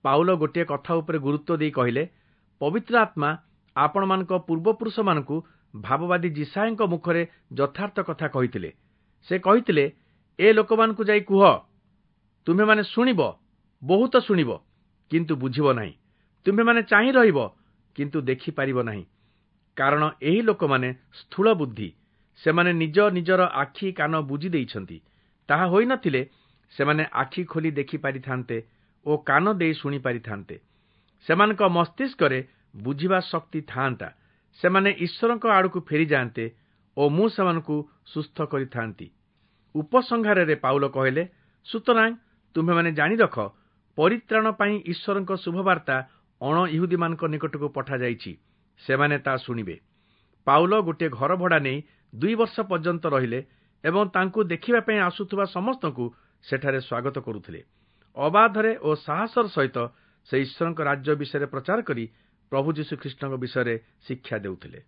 A: ପାଉଲ ଗୋଟିଏ କଥା ଉପରେ ଗୁରୁତ୍ୱ ଦେଇ କହିଲେ, ପବିତ୍ର ଆତ୍ମା ଆପଣମାନଙ୍କ ପୂର୍ବପୁରୁଷମାନଙ୍କୁ ଭାବବାଦୀ ଯିଶାଇୟଙ୍କ ମୁଖରେ ଯଥାର୍ଥ କଥା କହିଥିଲେ। ସେ କହିଥିଲେ, ଏ ଲୋକମାନଙ୍କୁ ଯାଇ କୁହ, ତୁମ୍ଭେମାନେ ଶୁଣିବ, ବହୁତ ଶୁଣିବ, କିନ୍ତୁ ବୁଝିବ ନାହିଁ। ତୁମ୍ଭେମାନେ ଚାହିଁ ରହିବ, କିନ୍ତୁ ଦେଖିପାରିବ ନାହିଁ। କାରଣ ଏହି ଲୋକମାନେ ସ୍ଥୂଳ ବୁଦ୍ଧି, ସେମାନେ ନିଜ ନିଜର ଆଖି କାନ ବୁଜି ଦେଇଛନ୍ତି। ତାହା ହୋଇନଥିଲେ ସେମାନେ ଆଖି ଖୋଲି ଦେଖି ପାରିଥାନ୍ତେ ଓ କାନ ଦେଇ ଶୁଣି ପାରିଥାନ୍ତେ। ସେମାନଙ୍କ ମସ୍ତିଷ୍କରେ ବୁଝିବା ଶକ୍ତି ଥାଆନ୍ତା। ସେମାନେ ଈଶ୍ୱରଙ୍କ ଆଡ଼କୁ ଫେରିଯାଆନ୍ତେ ଓ ମୁଁ ସେମାନଙ୍କୁ ସୁସ୍ଥ କରିଥାନ୍ତି। ଉପସଂହାରରେ ପାଉଲ କହିଲେ, ସୁତରାଂ ତୁମ୍ଭେମାନେ ଜାଣି ରଖ, ପରିତ୍ରାଣ ପାଇଁ ଈଶ୍ୱରଙ୍କ ଶୁଭବାର୍ତ୍ତା ଅଣ ଇହୁଦୀମାନଙ୍କ ନିକଟକୁ ପଠାଯାଇଛି, ସେମାନେ ତା ଶୁଣିବେ। ପାଉଲ ଗୋଟିଏ ଘର ଭଡ଼ା ନେଇ 2 ବର୍ଷ ପର୍ଯ୍ୟନ୍ତ ରହିଲେ ଏବଂ ତାଙ୍କୁ ଦେଖିବା ପାଇଁ ଆସୁଥିବା ସମସ୍ତଙ୍କୁ ସେଠାରେ ସ୍ୱାଗତ କରୁଥିଲେ। ଅବାଧରେ ଓ ସାହସର ସହିତ ସେ ଈଶ୍ୱରଙ୍କ ରାଜ୍ୟ ବିଷୟରେ ପ୍ରଚାର କରି ପ୍ରଭୁ ଯୀଶୁ ଖ୍ରୀଷ୍ଟଙ୍କ ବିଷୟରେ ଶିକ୍ଷା ଦେଉଥିଲେ।